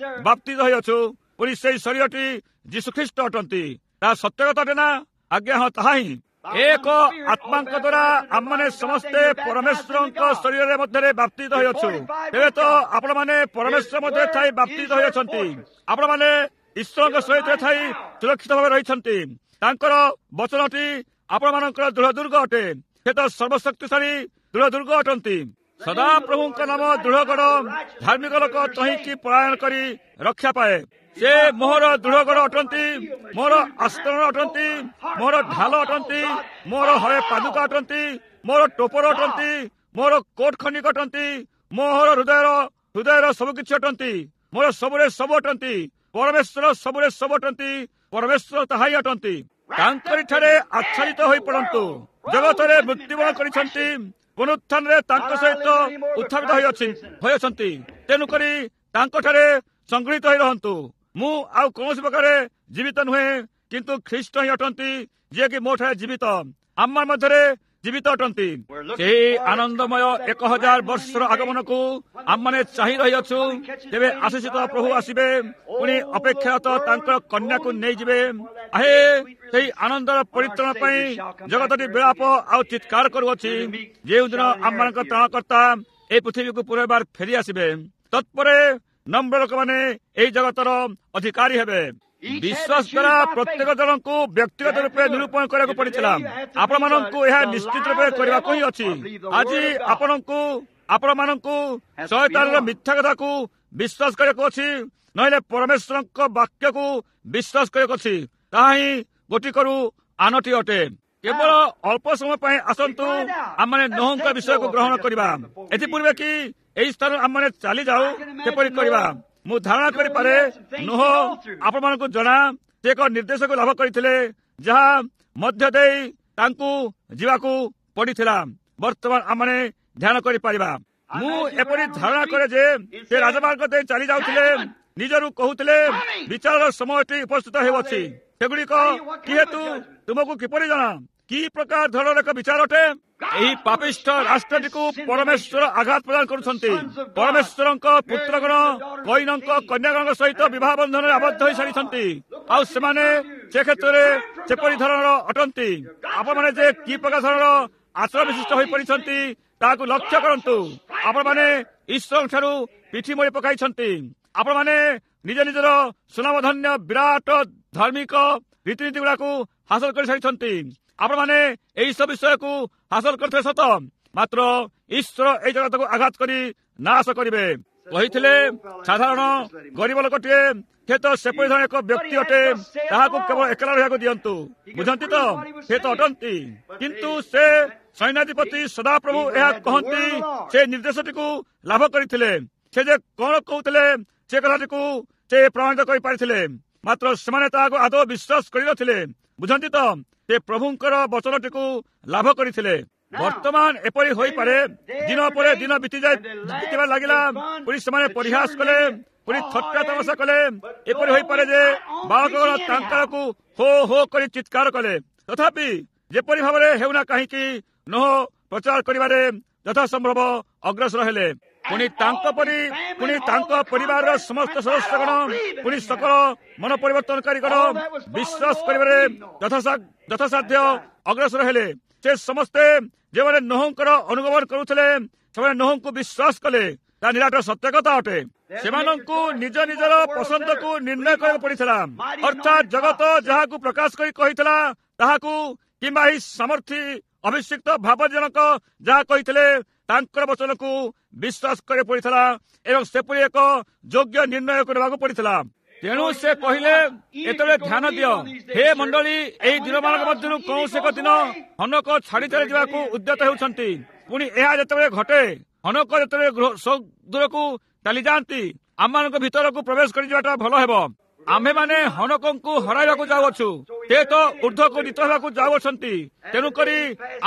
Speaker 1: ବାପ୍ତିଜିତ ହୋଇଅଛୁ, ପୁଣି ସେଇ ଶରୀରଟି ଯୀଶୁଖ୍ରୀଷ୍ଟ ଅଟନ୍ତି। ତାହା ସତ୍ୟ କଥା ଅଟେ ନା? ଆଜ୍ଞା ହଁ, ତାହା ହିଁ। ଏକ ଆତ୍ମାଙ୍କ ଦ୍ୱାରା ଆମମାନେ ସମସ୍ତେ ପରମେଶ୍ୱରଙ୍କ ଶରୀରରେ ମଧ୍ୟରେ ବାପ୍ତିଜିତ ହୋଇଅଛୁ। ତେବେ ତ ଆପଣମାନେ ପରମେଶ୍ୱର ମଧ୍ୟରେ ଥାଇ ବାପ୍ତିଜିତ ହୋଇଅଛନ୍ତି। ଆପଣମାନେ ଈଶ୍ୱରଙ୍କ ସହିତ ଥାଇ ସୁରକ୍ଷିତ ଭାବେ ରହିଛନ୍ତି। ତାଙ୍କର ବଚନଟି ଆପଣମାନଙ୍କର ଦୃଢ ଦୁର୍ଗ ଅଟେ। ସେ ତ ସର୍ବଶକ୍ତିଶାଳୀ ଦୃଢ ଦୁର୍ଗ ଅଟନ୍ତି। ସଦାପ୍ରଭୁଙ୍କ ନାମ ଦୃଢଗଡ଼, ଧାର୍ମିକ ଲୋକ ତହିଁକି ପଳାୟନ କରି ରକ୍ଷା ପାଏ। ସେ ମୋହର ଦୃଢଗଡ଼ ଅଟନ୍ତି, ମୋର ଆସ୍ତରଣ ଅଟନ୍ତି, ମୋର ଢାଲ ଅଟନ୍ତି, ମୋର ହଳେ ପାଦୁକା ଅଟନ୍ତି, ମୋର ଟୋପର ଅଟନ୍ତି, ମୋର କୋଟ ଖଣ୍ଡିକ ଅଟନ୍ତି, ମୋହର ହୃଦୟର ହୃଦୟର ସବୁକିଛି ଅଟନ୍ତି, ମୋର ସବୁରେ ସବୁ ଅଟନ୍ତି। ପରମେଶ୍ୱର ସବୁରେ ସବୁ ଅଟନ୍ତି, ପରମେଶ୍ୱର ତାହା ହିଁ ଅଟନ୍ତି। ତାଙ୍କରି ଠାରେ ଆଚ୍ଛାଦିତ ହୋଇ ପଡ଼ନ୍ତୁ। ଜଗତରେ ମୃତ୍ୟୁବରଣ କରିଛନ୍ତି, ପୁନରୁତ୍ଥାନରେ ତାଙ୍କ ସହିତ ଉତ୍ଥାପିତ ହୋଇଅଛି ହୋଇଅଛନ୍ତି। ତେଣୁକରି ତାଙ୍କଠାରେ ସଂଗୃହୀତ ହୋଇ ରହନ୍ତୁ। ମୁଁ ଆଉ କୌଣସି ପ୍ରକାରେ ଜୀବିତ ନୁହେଁ, କିନ୍ତୁ ଖ୍ରୀଷ୍ଟ ହିଁ ଅଟନ୍ତି, ଯିଏକି ମୋ ଠାରେ ଜୀବିତ, ଆମ ମଧ୍ୟରେ ଜୀବିତ ଅଟନ୍ତି। ସେହି ଆନନ୍ଦମୟ ଏକ ହଜାର ବର୍ଷର ଆଗମନକୁ ଆମମାନେ ଚାହିଁ ରହିଅଛୁ। ତେବେ ଆଶିଷିତ ପ୍ରଭୁ ଆସିବେ, ପୁଣି ଅପେକ୍ଷାରତ ତାଙ୍କର କନ୍ୟାକୁ ନେଇଯିବେ। ଆହେ, ସେହି ଆନନ୍ଦର ପରିତ୍ରାଣ ପାଇଁ ଜଗତଟି ବିଳାପ ଆଉ ଚିତ୍କାର କରୁଅଛି। ଯେଉଁଦିନ ଆମମାନଙ୍କ ତ୍ରାଣକର୍ତ୍ତା ଏହି ପୃଥିବୀକୁ ପୁନର୍ବାର ଫେରି ଆସିବେ, ତତ୍ପରେ ନମ୍ର ଲୋକମାନେ ଏହି ଜଗତର ଅଧିକାରୀ ହେବେ। ବିଶ୍ୱାସ ଦ୍ୱାରା ପ୍ରତ୍ୟେକ ଜଣଙ୍କୁ ବ୍ୟକ୍ତିଗତ ରୂପେ ନିରୂପଣ କରିବାକୁ ପଡିଥିଲା। ଆପଣମାନଙ୍କୁ ଏହା ନିଶ୍ଚିତ ରୂପେ କରିବାକୁ ହିଁ ଅଛି। ଆଜି ଆପଣଙ୍କୁ ଆପଣମାନଙ୍କୁ ଶୟତାନର ମିଥ୍ୟା କଥାକୁ ବିଶ୍ୱାସ କରିବାକୁ ଅଛି, ନହେଲେ ପରମେଶ୍ୱରଙ୍କ ବାକ୍ୟକୁ ବିଶ୍ୱାସ କରିବାକୁ ଅଛି। ତାହା ହିଁ ଗୋଟିକରୁ ଆନଟି ଅଟେ। କେବଳ ଅଳ୍ପ ସମୟ ପାଇଁ ଆସନ୍ତୁ ଆମମାନେ ନୋହଙ୍କ ବିଷୟକୁ ଗ୍ରହଣ କରିବା। ଏଥିପୂର୍ବେ କି ଏହି ସ୍ଥାନରୁ ଆମମାନେ ଚାଲିଯାଉ, ସେପରି କରିବା। ମୁଁ ଧାରଣା କରିପାରେ ନୋହ ଆପଣମାନଙ୍କୁ ଜଣା, ସେ ଏକ ନିର୍ଦ୍ଦେଶକୁ ଲାଭ କରିଥିଲେ ଯାହା ମଧ୍ୟ ଦେଇ ତାଙ୍କୁ ଯିବାକୁ ପଡିଥିଲା। ବର୍ତ୍ତମାନ ଆମମାନେ ଧ୍ୟାନ କରିପାରିବା। ମୁଁ ଏପରି ଧାରଣା କରେ ଯେ ସେ ରାଜମାର୍ଗ ଦେଇ ଚାଲି ଯାଉଥିଲେ, ନିଜରୁ କହୁଥିଲେ, ବିଚାରର ସମୟଟି ଉପସ୍ଥିତ ହେଉଅଛି। ସେଗୁଡ଼ିକ କି ହେତୁ ତୁମକୁ କିପରି ଜଣା? କି ପ୍ରକାର ଧରଣର ଏକ ବିଚାର ଅଟେ? ଏହି ପାପିଷ୍ଠ ରାଷ୍ଟ୍ରଟିକୁ ପରମେଶ୍ୱର ଆଘାତ ପ୍ରଦାନ କରୁଛନ୍ତି। ପରମେଶ୍ୱରଙ୍କ ପୁତ୍ରଗଣ କଇନଙ୍କ କନ୍ୟାଗଣଙ୍କ ସହିତ ବିବାହ ବନ୍ଧନରେ ଆବଦ୍ଧ ହୋଇସାରିଛନ୍ତି, ଆଉ ସେମାନେ ସେ କ୍ଷେତ୍ରରେ ସେପରି ଧରଣର ଅଟନ୍ତି। ଆପଣମାନେ ଯେ କି ପ୍ରକାର ଧରଣର ଆଚରଣ ବିଶିଷ୍ଟ ହୋଇପଡ଼ିଛନ୍ତି ତାହାକୁ ଲକ୍ଷ୍ୟ କରନ୍ତୁ। ଆପଣମାନେ ଈଶ୍ୱରଙ୍କ ଠାରୁ ପିଠି ମୋଡ଼ି ପକାଇଛନ୍ତି। ଆପଣମାନେ ନିଜ ନିଜର ସୁନାମଧନ୍ୟ ବିରାଟ ଧାର୍ମିକ ରୀତିନୀତି ଗୁଡାକୁ ହାସଲ କରିସାରିଛନ୍ତି। ଆପଣମାନେ ଏହି ସବୁ ବିଷୟକୁ ହାସଲ କରିଥିଲେ ସତ, ମାତ୍ର ଈଶ୍ୱର ଏହି ଜଗତକୁ ଆଘାତ କରି ନାଶ କରିବେ। କହିଥିଲେ ସାଧାରଣ ଗରିବ ଲୋକଟିଏ, ସେ ତ ସେପରି ଧରଣର ଏକ ବ୍ୟକ୍ତି ଅଟେ, ତାହାକୁ କେବଳ ଏକଲା ରହିବାକୁ ଦିଅନ୍ତୁ। ବୁଝନ୍ତି ତ? ସେ ତ ଅଟନ୍ତି, କିନ୍ତୁ ସେ ସୈନ୍ୟାଧିପତି ସଦାପ୍ରଭୁ ଏହା କହନ୍ତି, ସେ ନିର୍ଦ୍ଦେଶଟିକୁ ଲାଭ କରିଥିଲେ। ସେ ଯେ କଣ କହୁଥିଲେ ସେ କଥାଟିକୁ ସେ ପ୍ରମାଣିତ କରିପାରିଥିଲେ, ମାତ୍ର ସେମାନେ ତାହାକୁ ଆଦୌ ବିଶ୍ୱାସ କରିନଥିଲେ। ବୁଝନ୍ତି ତ? ସେ ପ୍ରଭୁଙ୍କର ବଚନଟିକୁ ଲାଭ କରିଥିଲେ। ବର୍ତ୍ତମାନ ଏପରି ହୋଇପାରେ, ଦିନ ପରେ ଦିନ ବିତିଯାଇ ବିତିବା ଲାଗିଲା, ପୁଣି ସେମାନେ ପରିହାସ କଲେ, ପୁଣି ଥଟ୍ଟା ତମସା କଲେ। ଏପରି ହୋଇପାରେ ଯେ ବାଳକଗଣ ତାଙ୍କ ଆଡ଼କୁ ହୋ ହୋ କରି ଚିତ୍କାର କଲେ। ତଥାପି ଯେପରି ଭାବରେ ହେଉନା କାହିଁକି, ନୋହ ପ୍ରଚାର କରିବାରେ ଯଥାସମ୍ଭବ ଅଗ୍ରସର ହେଲେ। ପୁଣି ତାଙ୍କ ପରି ପୁଣି ତାଙ୍କ ପରିବାରର ସମସ୍ତ ସଦସ୍ୟଗଣ, ପୁଣି ସକଳ ମନ ପରିବର୍ତ୍ତନକାରୀଗଣ ବିଶ୍ୱାସ କରିବାରେ ଯଥାସାଧ୍ୟ ଅଗ୍ରସର ହେଲେ। ସେ ସମସ୍ତେ ଯେଉଁମାନେ ନୋହଙ୍କର ଅନୁଗମନ କରୁଥିଲେ, ସେମାନେ ନୋହଙ୍କୁ ବିଶ୍ୱାସ କଲେ। ତା ନିରାଟ ସତ୍ୟ କଥା ଅଟେ। ସେମାନଙ୍କୁ ନିଜ ନିଜର ପସନ୍ଦକୁ ନିର୍ଣ୍ଣୟ କରିବାକୁ ପଡିଥିଲା। ଅର୍ଥାତ୍ ଜଗତ ଯାହାକୁ ପ୍ରକାଶ କରି କହିଥିଲା ତାହାକୁ, କିମ୍ବା ଏହି ସାମର୍ଥ୍ୟ ଅଭିଷିକ୍ତ ଭାବଜନକ ଯାହା କହିଥିଲେ ତାଙ୍କର ବଚନକୁ ବିଶ୍ୱାସ କରିବାକୁ ପଡ଼ିଥିଲା ଏବଂ ସେପରି ଏକ ଯୋଗ୍ୟ ନିର୍ଣ୍ଣୟକୁ ନେବାକୁ ପଡ଼ିଥିଲା। ତେଣୁ ସେ କହିଲେ, ଏତେବେଳେ ଧ୍ୟାନ ଦିଅ ହେ ମଣ୍ଡଳୀ, ଏହି ଦିନମାନଙ୍କ ମଧ୍ୟରୁ କୌଣସି ଏକ ଦିନ ହନକ ଛାଡ଼ି ଚାଲି ଯିବାକୁ ଉଦ୍ୟତ ହେଉଛନ୍ତି। ପୁଣି ଏହା ଯେତେବେଳେ ଘଟେ, ହନକ ଯେତେବେଳେ ଦୂରକୁ ଚାଲିଯାଆନ୍ତି, ଆମମାନଙ୍କ ଭିତରକୁ ପ୍ରବେଶ କରିଯିବାଟା ଭଲ ହେବ। ଆମ୍ଭେମାନେ ହନକଙ୍କୁ ହରାଇବାକୁ ଯାଉଅଛୁ, ସେ ତ ଉର୍ଦ୍ଧ୍ୱକୁ ନୀତ ହେବାକୁ ଯାଉଅଛନ୍ତି, ତେଣୁକରି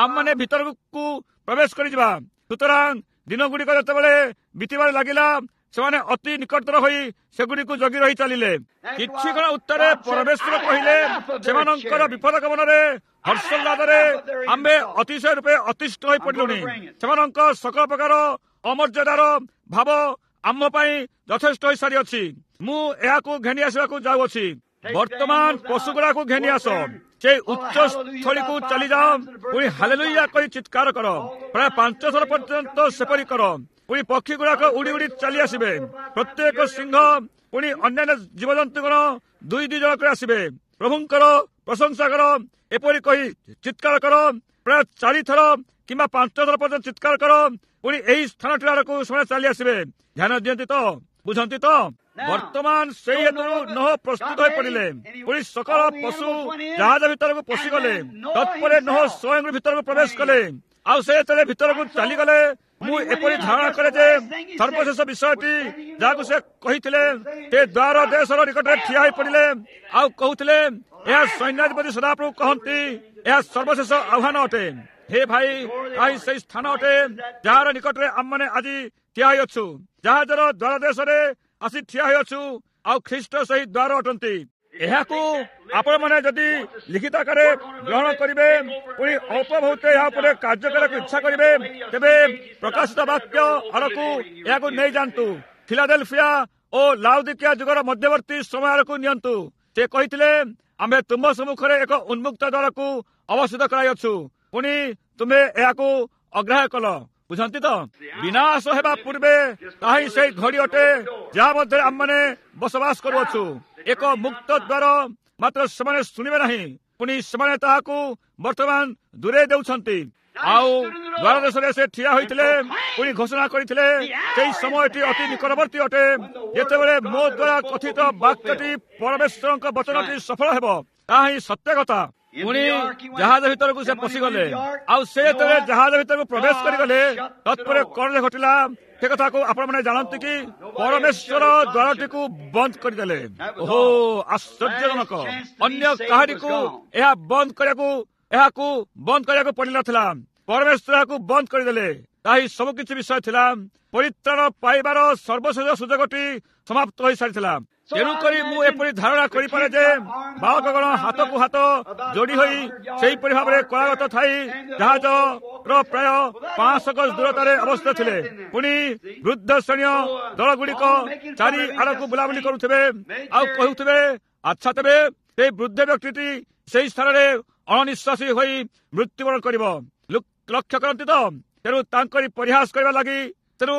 Speaker 1: ଆମମାନେ ଭିତରକୁ ପ୍ରବେଶ କରିଯିବା। ସୁତରାଂ ଦିନଗୁଡ଼ିକ ଯେତେବେଳେ ବିତିବାରେ ଲାଗିଲା, ସେମାନେ ଅତି ନିକଟତର ହୋଇ ସେଗୁଡ଼ିକୁ ଜଗି ରହି ଚାଲିଲେ। କିଛି କ୍ଷଣ ଉତ୍ତରେ ପରମେଶ୍ୱର କହିଲେ, ସେମାନଙ୍କର ବିପଦ ଗମନରେ ହର୍ଷୋଲ୍ଲାସରେ ଆମ୍ଭେ ଅତିଶୟ ରୂପେ ଅତିଷ୍ଠ ହୋଇ ପଡ଼ିଲୁଣି। ସେମାନଙ୍କ ସକଳ ପ୍ରକାର ଅମର୍ଯ୍ୟାଦାର ଭାବ ଆମ୍ଭ ପାଇଁ ଯଥେଷ୍ଟ ହୋଇସାରିଅଛି। ମୁଁ ଏହାକୁ ଘେନି ଆସିବାକୁ ଯାଉଅଛି। ବର୍ତ୍ତମାନ ପଶୁଗୁଡ଼ାକୁ ଘେନି ଆସ, ସେ ଉଚ୍ଚ ସ୍ଥଳୀକୁ ଚାଲିଯାଅ, ପୁଣି ହାଲେଲୁୟା କହି ଚିତ୍କାର କର। ପ୍ରାୟ ପାଞ୍ଚ ଥର ପର୍ଯ୍ୟନ୍ତ ସେପରି କର। ପୁଣି ପକ୍ଷୀ ଗୁଡ଼ାକ ଉଡ଼ି ଉଡ଼ି ଚାଲି ଆସିବେ, ପ୍ରତ୍ୟେକ ସିଂହ ପୁଣି ଅନ୍ୟାନ୍ୟ ଜୀବଜନ୍ତୁଗଣ ଦୁଇ ଦୁଇ ଜଣ କରି ଆସିବେ। ପ୍ରଭୁଙ୍କର ପ୍ରଶଂସା କର, ଏପରି କହି ଚିତ୍କାର କର। ପ୍ରାୟ ଚାରିଥର କିମ୍ବା ପାଞ୍ଚ ଥର ପର୍ଯ୍ୟନ୍ତ ଚିତ୍କାର କର। ପୁଣି ଏହି ସ୍ଥାନଟି ଆଡ଼କୁ ସେମାନେ ଚାଲି ଆସିବେ। ଧ୍ୟାନ ଦିଅନ୍ତି ତ, ବୁଝନ୍ତି ତ? ବର୍ତ୍ତମାନ ସେଇ ହେତୁରୁ ନୋହ ପ୍ରସ୍ତୁତ ହୋଇ ପଡ଼ିଲେ। ପୁଣି ସକଳ ପଶୁ ଜାହାଜ ଭିତରକୁ ପଶିଗଲେ। ତତ୍ପରେ ନୋହ ସ୍ୱୟଂ ଭିତରକୁ ପ୍ରବେଶ କଲେ। ଆଉ ସେ ଯେତେବେଳେ ଭିତରକୁ ଚାଲିଗଲେ, ମୁଁ ଏପରି ଧାରଣା କରେ ଯେ ସର୍ବଶେଷ ବିଷୟଟି ଯାହାକୁ ସେ କହିଥିଲେ, ସେ ଦ୍ୱାର ଦେଶର ନିକଟରେ ଠିଆ ହୋଇ ପଡ଼ିଲେ ଆଉ କହୁଥିଲେ, ଏହା ସୈନ୍ୟାଧିପତି ସଦାପ୍ରଭୁ କହନ୍ତି, ଏହା ସର୍ବଶେଷ ଆହ୍ୱାନ ଅଟେ। ହେ ଭାଇ, ତାହା ସେଇ ସ୍ଥାନ ଅଟେ ଯାହାର ନିକଟରେ ଆମମାନେ ଆଜି ଠିଆ ହୋଇଅଛୁ। ଜାହାଜର ଦ୍ୱାର ଦେଶରେ ଆସି ଠିଆ ହୋଇଅଛୁ, ଆଉ ଖ୍ରୀଷ୍ଟ ସେହି ଦ୍ୱାର ଅଟନ୍ତି। ଏହାକୁ ଆପଣମାନେ ଯଦି ଲିଖିତ ଆକାରରେ ଗ୍ରହଣ କରିବେ, ପୁଣି ଅଳ୍ପ ବହୁତ ଏହା ଉପରେ କାର୍ଯ୍ୟ କରିବାକୁ ଇଚ୍ଛା କରିବେ, ତେବେ ପ୍ରକାଶିତ ବାକ୍ୟ ଆଡ଼କୁ ଏହାକୁ ନେଇଯାଆନ୍ତୁ। ଫିଲାଡେଲଫିଆ ଓ ଲାଉଦିକିଆ ଯୁଗର ମଧ୍ୟବର୍ତ୍ତୀ ସମୟ ଆଡ଼କୁ ନିଅନ୍ତୁ। ସେ କହିଥିଲେ, ଆମ୍ଭେ ତୁମ୍ଭ ସମ୍ମୁଖରେ ଏକ ଉନ୍ମୁକ୍ତ ଦ୍ୱାରକୁ ଅବସ୍ଥିତ କରାଇଅଛୁ, ପୁଣି ତୁମେ ଏହାକୁ ଅଗ୍ରାହ୍ୟ କଲ। ବୁଝନ୍ତି ତ? ବିନାଶ ହେବା ପୂର୍ବେ ତାହା ହିଁ ସେଇ ଘଡ଼ି ଅଟେ ଯାହା ମଧ୍ୟରେ ଆମମାନେ ବସବାସ କରୁଅଛୁ। ଏକ ମୁକ୍ତ ଦ୍ୱାର, ମାତ୍ର ସେମାନେ ଶୁଣିବେ ନାହିଁ। ପୁଣି ସେମାନେ ତାହାକୁ ବର୍ତ୍ତମାନ ଦୂରେଇ ଦେଉଛନ୍ତି। ଆଉ ଦ୍ୱାର ଦେଶରେ ସେ ଠିଆ ହୋଇଥିଲେ, ପୁଣି ଘୋଷଣା କରିଥିଲେ, ସେଇ ସମୟଟି ଅତି ନିକଟବର୍ତ୍ତୀ ଅଟେ ଯେତେବେଳେ ମୋ ଦ୍ୱାରା କଥିତ ବାକ୍ୟଟି ପରମେଶ୍ୱରଙ୍କ ବଚନଟି ସଫଳ ହେବ। ତାହା ହିଁ ସତ୍ୟ କଥା। ପୁଣି ଜାହାଜ ଭିତରକୁ ସେ ପଶିଗଲେ। ଆଉ ସେ ଯେତେବେଳେ ଜାହାଜ ଭିତରକୁ ପ୍ରବେଶ କରିଗଲେ, ତତ୍ପରେ କଣ ଯେ ଘଟିଲା ସେ କଥାକୁ ଆପଣମାନେ ଜାଣନ୍ତି କି? ପରମେଶ୍ୱର ଦ୍ୱାରଟିକୁ ବନ୍ଦ କରିଦେଲେ। ଓହୋ, ଆଶ୍ଚର୍ଯ୍ୟଜନକ! ଅନ୍ୟ କାହାରିକୁ ଏହା ବନ୍ଦ କରିବାକୁ ଏହାକୁ ବନ୍ଦ କରିବାକୁ ପଡ଼ିନଥିଲା। ପରମେଶ୍ୱର ଏହାକୁ ବନ୍ଦ କରିଦେଲେ। ତାହା ହିଁ ସବୁକିଛି ବିଷୟ ଥିଲା। ପରିତ୍ରାଣ ପାଇବାର ସର୍ବଶେଷ ସୁଯୋଗଟି ସମାପ୍ତ ହୋଇସାରିଥିଲା। ତେଣୁକରି ମୁଁ ଏପରି ଧାରଣା କରିପାରେ ଯେ ବାଳକଗଣ ହାତକୁ ହାତ ଯୋଡ଼ି ହୋଇ ସେହିପରି ଭାବରେ କ୍ରମାଗତ ଥାଇ ଜାହାଜର ପ୍ରାୟ ପାଞ୍ଚଶହ ଗଜ ଦୂରତାରେ ଅବସ୍ଥିତ ଥିଲେ। ପୁଣି ବୃଦ୍ଧ ଶ୍ରେଣୀୟ ଦଳଗୁଡ଼ିକ ଚାରି ଆଡ଼କୁ ବୁଲାବୁଲି କରୁଥିବେ ଆଉ କହୁଥିବେ, ଆଚ୍ଛା ତେବେ ସେଇ ବୃଦ୍ଧ ବ୍ୟକ୍ତିଟି ସେଇ ସ୍ଥାନରେ ଅଣନିଶ୍ୱାସୀ ହୋଇ ମୃତ୍ୟୁବରଣ କରିବ। ଲକ୍ଷ୍ୟ କରନ୍ତି ତ? ତେଣୁ ତାଙ୍କରି ପରିହାସ କରିବା ଲାଗି ତେଣୁ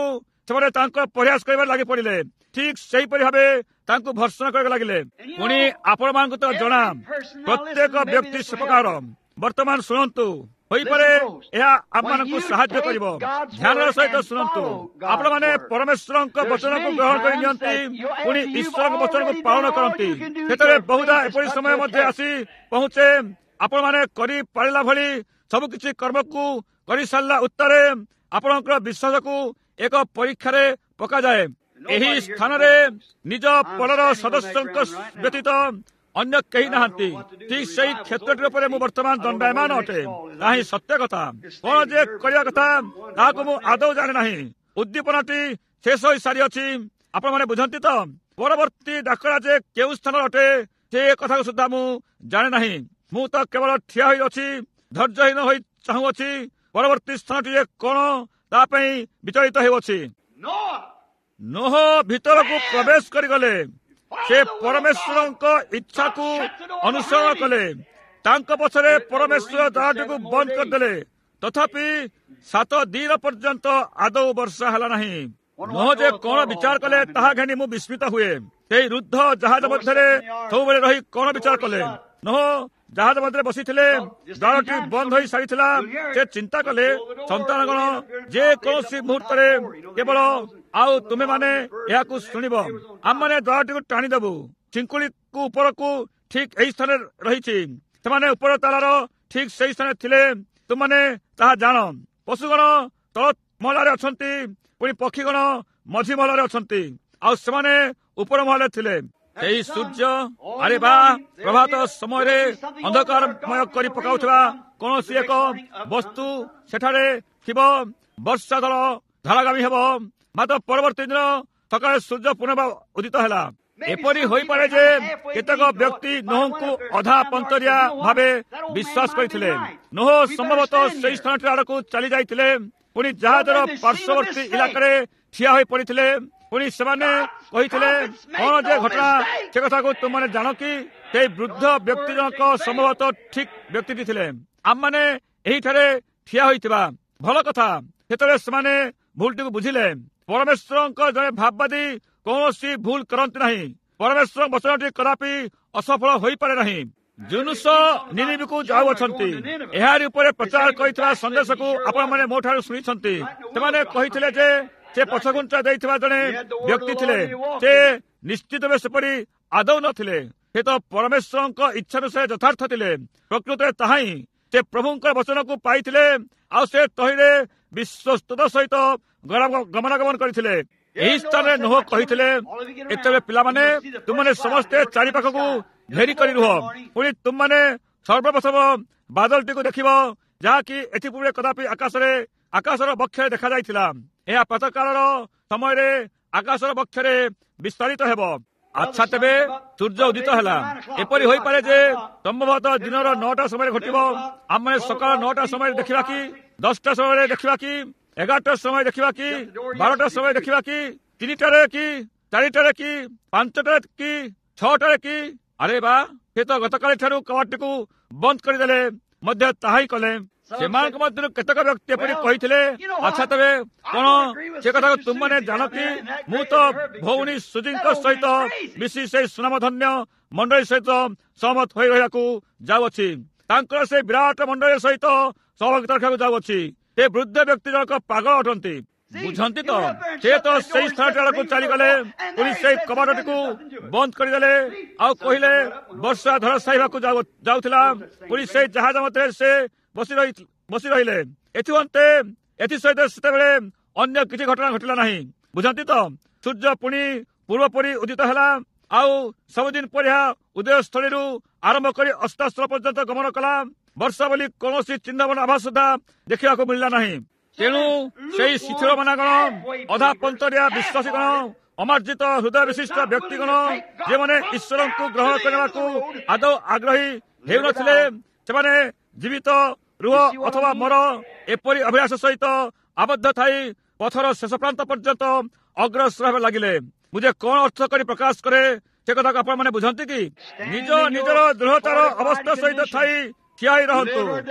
Speaker 1: ସେମାନେ ତାଙ୍କର ପରିହାସ କରିବାରେ ଲାଗି ପଡ଼ିଲେ। ଠିକ୍ ସେହିପରି ଭାବେ ତାଙ୍କୁ ଭର୍ତ୍ସନା କରିବାକୁ ଲାଗିଲେ। ପୁଣି ଆପଣମାନଙ୍କୁ ତ ଜଣା, ପ୍ରତ୍ୟେକ ବ୍ୟକ୍ତି ସେ ପ୍ରକାର। ବର୍ତ୍ତମାନ ଶୁଣନ୍ତୁ, ହୋଇପାରେ ଏହା ଆମମାନଙ୍କୁ ସାହାଯ୍ୟ କରିବ। ଧ୍ୟାନର ସହିତ ଶୁଣନ୍ତୁ। ଆପଣମାନେ ପରମେଶ୍ୱରଙ୍କ ବଚନକୁ ଗ୍ରହଣ କରି ନିଅନ୍ତି, ପୁଣି ଈଶ୍ୱରଙ୍କ ବଚନକୁ ପାଳନ କରନ୍ତି। ସେତେବେଳେ ବହୁଧା ଏପରି ସମୟ ମଧ୍ୟ ଆସି ପହଞ୍ଚେ, ଆପଣମାନେ କରିପାରିଲା ଭଳି ସବୁକିଛି କର୍ମକୁ କରିସାରିଲା ଉତ୍ତରେ ଆପଣଙ୍କର ବିଶ୍ୱାସକୁ ଏକ ପରୀକ୍ଷାରେ ପକାଯାଏ। ଏହି ସ୍ଥାନରେ ନିଜ ପଡ଼ର ସଦସ୍ୟଙ୍କ ବ୍ୟତୀତ ଅନ୍ୟ କେହି ନାହାନ୍ତି। ଠିକ୍ ସେଇ କ୍ଷେତ୍ରଟି ଉପରେ ମୁଁ ବର୍ତ୍ତମାନ ଦଣ୍ଡାୟମାନ ଅଟେ। ତାହା ହିଁ ସତ୍ୟ କଥା। କଣ ଯେ କରିବା କଥା ତାହାକୁ ମୁଁ ଆଦୌ ଜାଣେ ନାହିଁ। ଉଦ୍ଦୀପନାଟି ଶେଷ ହୋଇସାରିଅଛି। ଆପଣମାନେ ବୁଝନ୍ତି ତ? ପରବର୍ତ୍ତୀ ଡାକରା ଯେ କେଉଁ ସ୍ଥାନରେ ଅଟେ ସେ କଥାକୁ ସୁଦ୍ଧା ମୁଁ ଜାଣେ ନାହିଁ। ମୁଁ ତ କେବଳ ଠିଆ ହୋଇଅଛି, ଧୈର୍ଯ୍ୟହୀନ ହୋଇ ଚାହୁଁଅଛି ପରବର୍ତ୍ତୀ ସ୍ଥାନଟି ଯେ କଣ ତା ପାଇଁ ବିଚଳିତ ହେଉଅଛି। ନୋହ ଭିତରକୁ ପ୍ରବେଶ କରିଗଲେ। ସେ ପରମେଶ୍ୱରଙ୍କ ଇଚ୍ଛାକୁ ଅନୁସରଣ କଲେ। ତାଙ୍କ ପଛରେ ପରମେଶ୍ୱର ଦ୍ୱାରଟିକୁ ବନ୍ଦ କରିଦେଲେ। ତଥାପି ସାତ ଦିନ ପର୍ଯ୍ୟନ୍ତ ଆଦୌ ବର୍ଷା ହେଲା ନାହିଁ। ନୋହ ଯେ କଣ ବିଚାର କଲେ ତାହା ଘେନି ମୁଁ ବିସ୍ମିତ ହୁଏ। ସେଇ ରୁଦ୍ଧ ଜାହାଜ ମଧ୍ୟରେ ସବୁବେଳେ ରହି କଣ ବିଚାର କଲେ? ନୋହ ଜାହାଜ ମଧ୍ୟରେ ବସିଥିଲେ। ଦ୍ୱାରଟି ବନ୍ଦ ହୋଇ ସାରିଥିଲା। ସେ ଚିନ୍ତା କଲେ, ସନ୍ତାନଗଣ ଯେକୌଣସି ମୁହୂର୍ତ୍ତରେ କେବଳ ଆଉ ତୁମେମାନେ ଏହାକୁ ଶୁଣିବ, ଆମମାନେ ଦ୍ୱାରଟିକୁ ଟାଣିଦେବୁ। ଚିଙ୍କୁଳିକୁ ଉପରକୁ ଠିକ ଏହି ସ୍ଥାନରେ ରହିଛି। ସେମାନେ ଉପର ତାଲାର ଠିକ ସେଇ ସ୍ଥାନରେ ଥିଲେ। ତୁମମାନେ ତାହା ଜାଣ। ପଶୁଗଣ ତଳ ମହଲାରେ ଅଛନ୍ତି, ପୁଣି ପକ୍ଷୀଗଣ ମଝି ମହଲାରେ ଅଛନ୍ତି, ଆଉ ସେମାନେ ଉପର ମହଲାରେ ଥିଲେ। ଏହି ସୂର୍ଯ୍ୟ, ଆରେ ବା, ପ୍ରଭାତ ସମୟରେ ଅନ୍ଧକାରମୟ କରି ପକାଉଥିବା କୌଣସି ଏକ ବସ୍ତୁ ସେଠାରେ ଥିବ। ବର୍ଷା ଦଳ ଧାରାଗାମୀ ହେବ। ମାତ୍ର ପରବର୍ତ୍ତୀ ଦିନ ସକାଳେ ସୂର୍ଯ୍ୟ ପୁନର୍ବାର ଉଦିତ ହେଲା। ଏପରି ହୋଇପାରେ ଯେ କେତେକ ବ୍ୟକ୍ତି ନୋହଙ୍କୁ ଅଧା ପନ୍ତରିଆ ଭାବେ ବିଶ୍ୱାସ କରିଥିଲେ। ନୋହ ସମ୍ଭବତଃ ସେଇ ସ୍ଥାନଟି ଆଡ଼କୁ ଚାଲି ଯାଇଥିଲେ, ପୁଣି ଜାହାଜର ପାର୍ଶ୍ୱବର୍ତ୍ତୀ ଇଲାକାରେ ଠିଆ ହୋଇ ପଡ଼ିଥିଲେ। ପୁଣି ସେମାନେ କହିଥିଲେ, କଣ ଯେ ଘଟଣା ସେ କଥାକୁ ତୁମମାନେ ଜାଣ କି? ସେଇ ବୃଦ୍ଧ ବ୍ୟକ୍ତି ଜଣକ ସମ୍ଭବତଃ ଠିକ ବ୍ୟକ୍ତିଟି ଥିଲେ। ଆମମାନେ ଏହିଠାରେ ଠିଆ ହୋଇଥିବା ଭଲ କଥା। ସେତେବେଳେ ସେମାନେ ଭୁଲଟିକୁ ବୁଝିଲେ। ପରମେଶ୍ୱରଙ୍କ ଜଣେ ଭାବବାଦୀ କୌଣସି ଭୁଲ କରନ୍ତି ନାହିଁ। ପରମେଶ୍ୱରଙ୍କ ବଚନଟି କଦାପି ଅସଫଳ ହୋଇପାରେ ନାହିଁ। ଜୁନୁସ ନିନିବିକୁ ଯାଉଅଛନ୍ତି। ଏହାରି ଉପରେ ପ୍ରଚାର କରିଥିବା ସନ୍ଦେଶକୁ ଆପଣମାନେ ମୋ ଠାରୁ ଶୁଣିଛନ୍ତି। ସେମାନେ କହିଥିଲେ ଯେ ସେ ପଛଘୁଞ୍ଚା ଦେଇଥିବା ଜଣେ ବ୍ୟକ୍ତି ଥିଲେ। ସେ ନିଶ୍ଚିତ ଭାବେ ସେପରି ଆଦୌ ନଥିଲେ। ସେ ତ ପରମେଶ୍ୱରଙ୍କ ଇଚ୍ଛାନୁସାରେ ଯଥାର୍ଥ ଥିଲେ। ପ୍ରକୃତରେ ତାହା ହିଁ। ସେ ପ୍ରଭୁଙ୍କ ବଚନକୁ ପାଇଥିଲେ, ଆଉ ସେ ତହିଁରେ ବିଶ୍ୱସ୍ତତା ସହିତ ଗମନାଗମନ କରିଥିଲେ। ଏହି ସ୍ଥାନରେ ନୋହ କହିଥିଲେ, ଏତେବେଳେ ପିଲାମାନେ, ତୁମମାନେ ସମସ୍ତେ ଚାରିପାଖକୁ ଘେରି କରି ରୁହ। ପୁଣି ତୁମମାନେ ସର୍ବପ୍ରଥମ ବାଦଲଟିକୁ ଦେଖିବ, ଯାହାକି ଏଥିପୂର୍ବେ କଦାପି ଆକାଶରେ ଆକାଶର ବକ୍ଷରେ ଦେଖାଯାଇଥିଲା। ଏହା ପ୍ରାତଃକାଳର ସମୟରେ ଆକାଶର ବକ୍ଷରେ ବିସ୍ତାରିତ ହେବ। ଆଚ୍ଛା, ତେବେ ସୂର୍ଯ୍ୟ ଉଦିତ ହେଲା। ଏପରି ହୋଇପାରେ ଯେ ସମ୍ଭବତଃ ଦିନର ନଅଟା ସମୟରେ ଘଟିବ। ଆମେ ସକାଳ ନଅଟା ସମୟରେ ଦେଖିବା କି, ଦଶଟା ସମୟରେ ଦେଖିବା କି, ଏଗାରଟା ସମୟ ଦେଖିବା କି, ବାରଟା ସମୟ ଦେଖିବା କି, ତିନିଟାରେ କି, ଚାରିଟାରେ କି, ପାଞ୍ଚଟାରେ କି, ଛଅଟାରେ କି? ଆରେ ବା, ସେ ତ ଗତକାଲି ଠାରୁ କବାଟଟିକୁ ବନ୍ଦ କରିଦେଲେ ମଧ୍ୟ ତାହା ହିଁ କଲେ। ସେମାନଙ୍କ ମଧ୍ୟରୁ କେତେକ ବ୍ୟକ୍ତି ଏପରି କହିଥିଲେ, ଆଚ୍ଛା ତେବେ କଣ ସେ କଥାକୁ ତୁମମାନେ ଜାଣ କି? ମୁଁ ତ ଭଉଣୀ ସୁଜିଙ୍କ ସହିତ ମିଶି ସେଇ ସୁନାମଧନ୍ୟ ମଣ୍ଡଳୀ ସହିତ ସହମତ ହୋଇ ରହିବାକୁ ଯାଉଅଛି। ତାଙ୍କର ସେ ବିରାଟ ମଣ୍ଡଳୀ ସହିତ ସହଭାଗିତା ରଖିବାକୁ ଯାଉଅଛି। ସେ ବୃଦ୍ଧ ବ୍ୟକ୍ତି ଜଣକ ପାଗଳ ଅଟନ୍ତି। ବୁଝନ୍ତି ତ? ସେ ତ ସେଇ ସ୍ଥାନଟି ଆଡ଼କୁ ଚାଲିଗଲେ, ପୁଣି ସେଇ କବାଟଟିକୁ ବନ୍ଦ କରିଦେଲେ ଆଉ କହିଲେ ବର୍ଷା ଧରାଶାୟୀ ହେବାକୁ ଯାଉଥିଲା। ପୁଣି ସେଇ ଜାହାଜ ମଧ୍ୟରେ ସେ ବସି ରହି ବସି ରହିଲେ। ଏଥିମନ୍ତେ ଏଥିସହିତ ସେତେବେଳେ ଅନ୍ୟ କିଛି ଘଟଣା ଘଟିଲା ନାହିଁ। ବୁଝନ୍ତି ତ? ସୂର୍ଯ୍ୟ ପୁଣି ପୂର୍ବପରି ଉଦିତ ହେଲା, ଆଉ ସବୁଦିନ ପରି ଏହା ଉଦୟସ୍ଥଳୀରୁ ଆରମ୍ଭ କରି ଅସ୍ତାସ୍ଥଳ ପର୍ଯ୍ୟନ୍ତ ଗମନ କଲା। ବର୍ଷା ବୋଲି କୌଣସି ଚିହ୍ନବର୍ଣ୍ଣ ଆଭାସ ସୁଦ୍ଧା ଦେଖିବାକୁ ମିଳିଲା ନାହିଁ। ତେଣୁ ସେଇ ଶିଥିଳ ମନାଗଣ, ଅଧା ପନ୍ତରିଆ ବିଶ୍ୱାସୀଗଣ, ଅମାର୍ଜିତ ହୃଦୟ ବିଶିଷ୍ଟ ବ୍ୟକ୍ତିଗଣ, ଯେଉଁମାନେ ଈଶ୍ୱରଙ୍କୁ ଗ୍ରହଣ କରିବାକୁ ଆଦୌ ଆଗ୍ରହୀ ହେଉନଥିଲେ, ସେମାନେ ଜୀବିତ ରୁହ ଅଥବା ମର ଏପରି ଅଭିଳାଷ ସହିତ ଆବଦ୍ଧ ଥାଇ ପଥର ଶେଷ ପ୍ରାନ୍ତ ପର୍ଯ୍ୟନ୍ତ ଅଗ୍ରସର ହେବାକୁ ଲାଗିଲେ। ମୁଁ ଯେ କଣ ଅର୍ଥ କରି ପ୍ରକାଶ କରେ ସେ କଥାକୁ ଆପଣମାନେ ବୁଝନ୍ତି କି? ନିଜ ନିଜର ଦୃଢ଼ତାର ଅବସ୍ଥା ସହିତ ଥାଇ ଠିଆ ହୋଇ ରହନ୍ତୁ,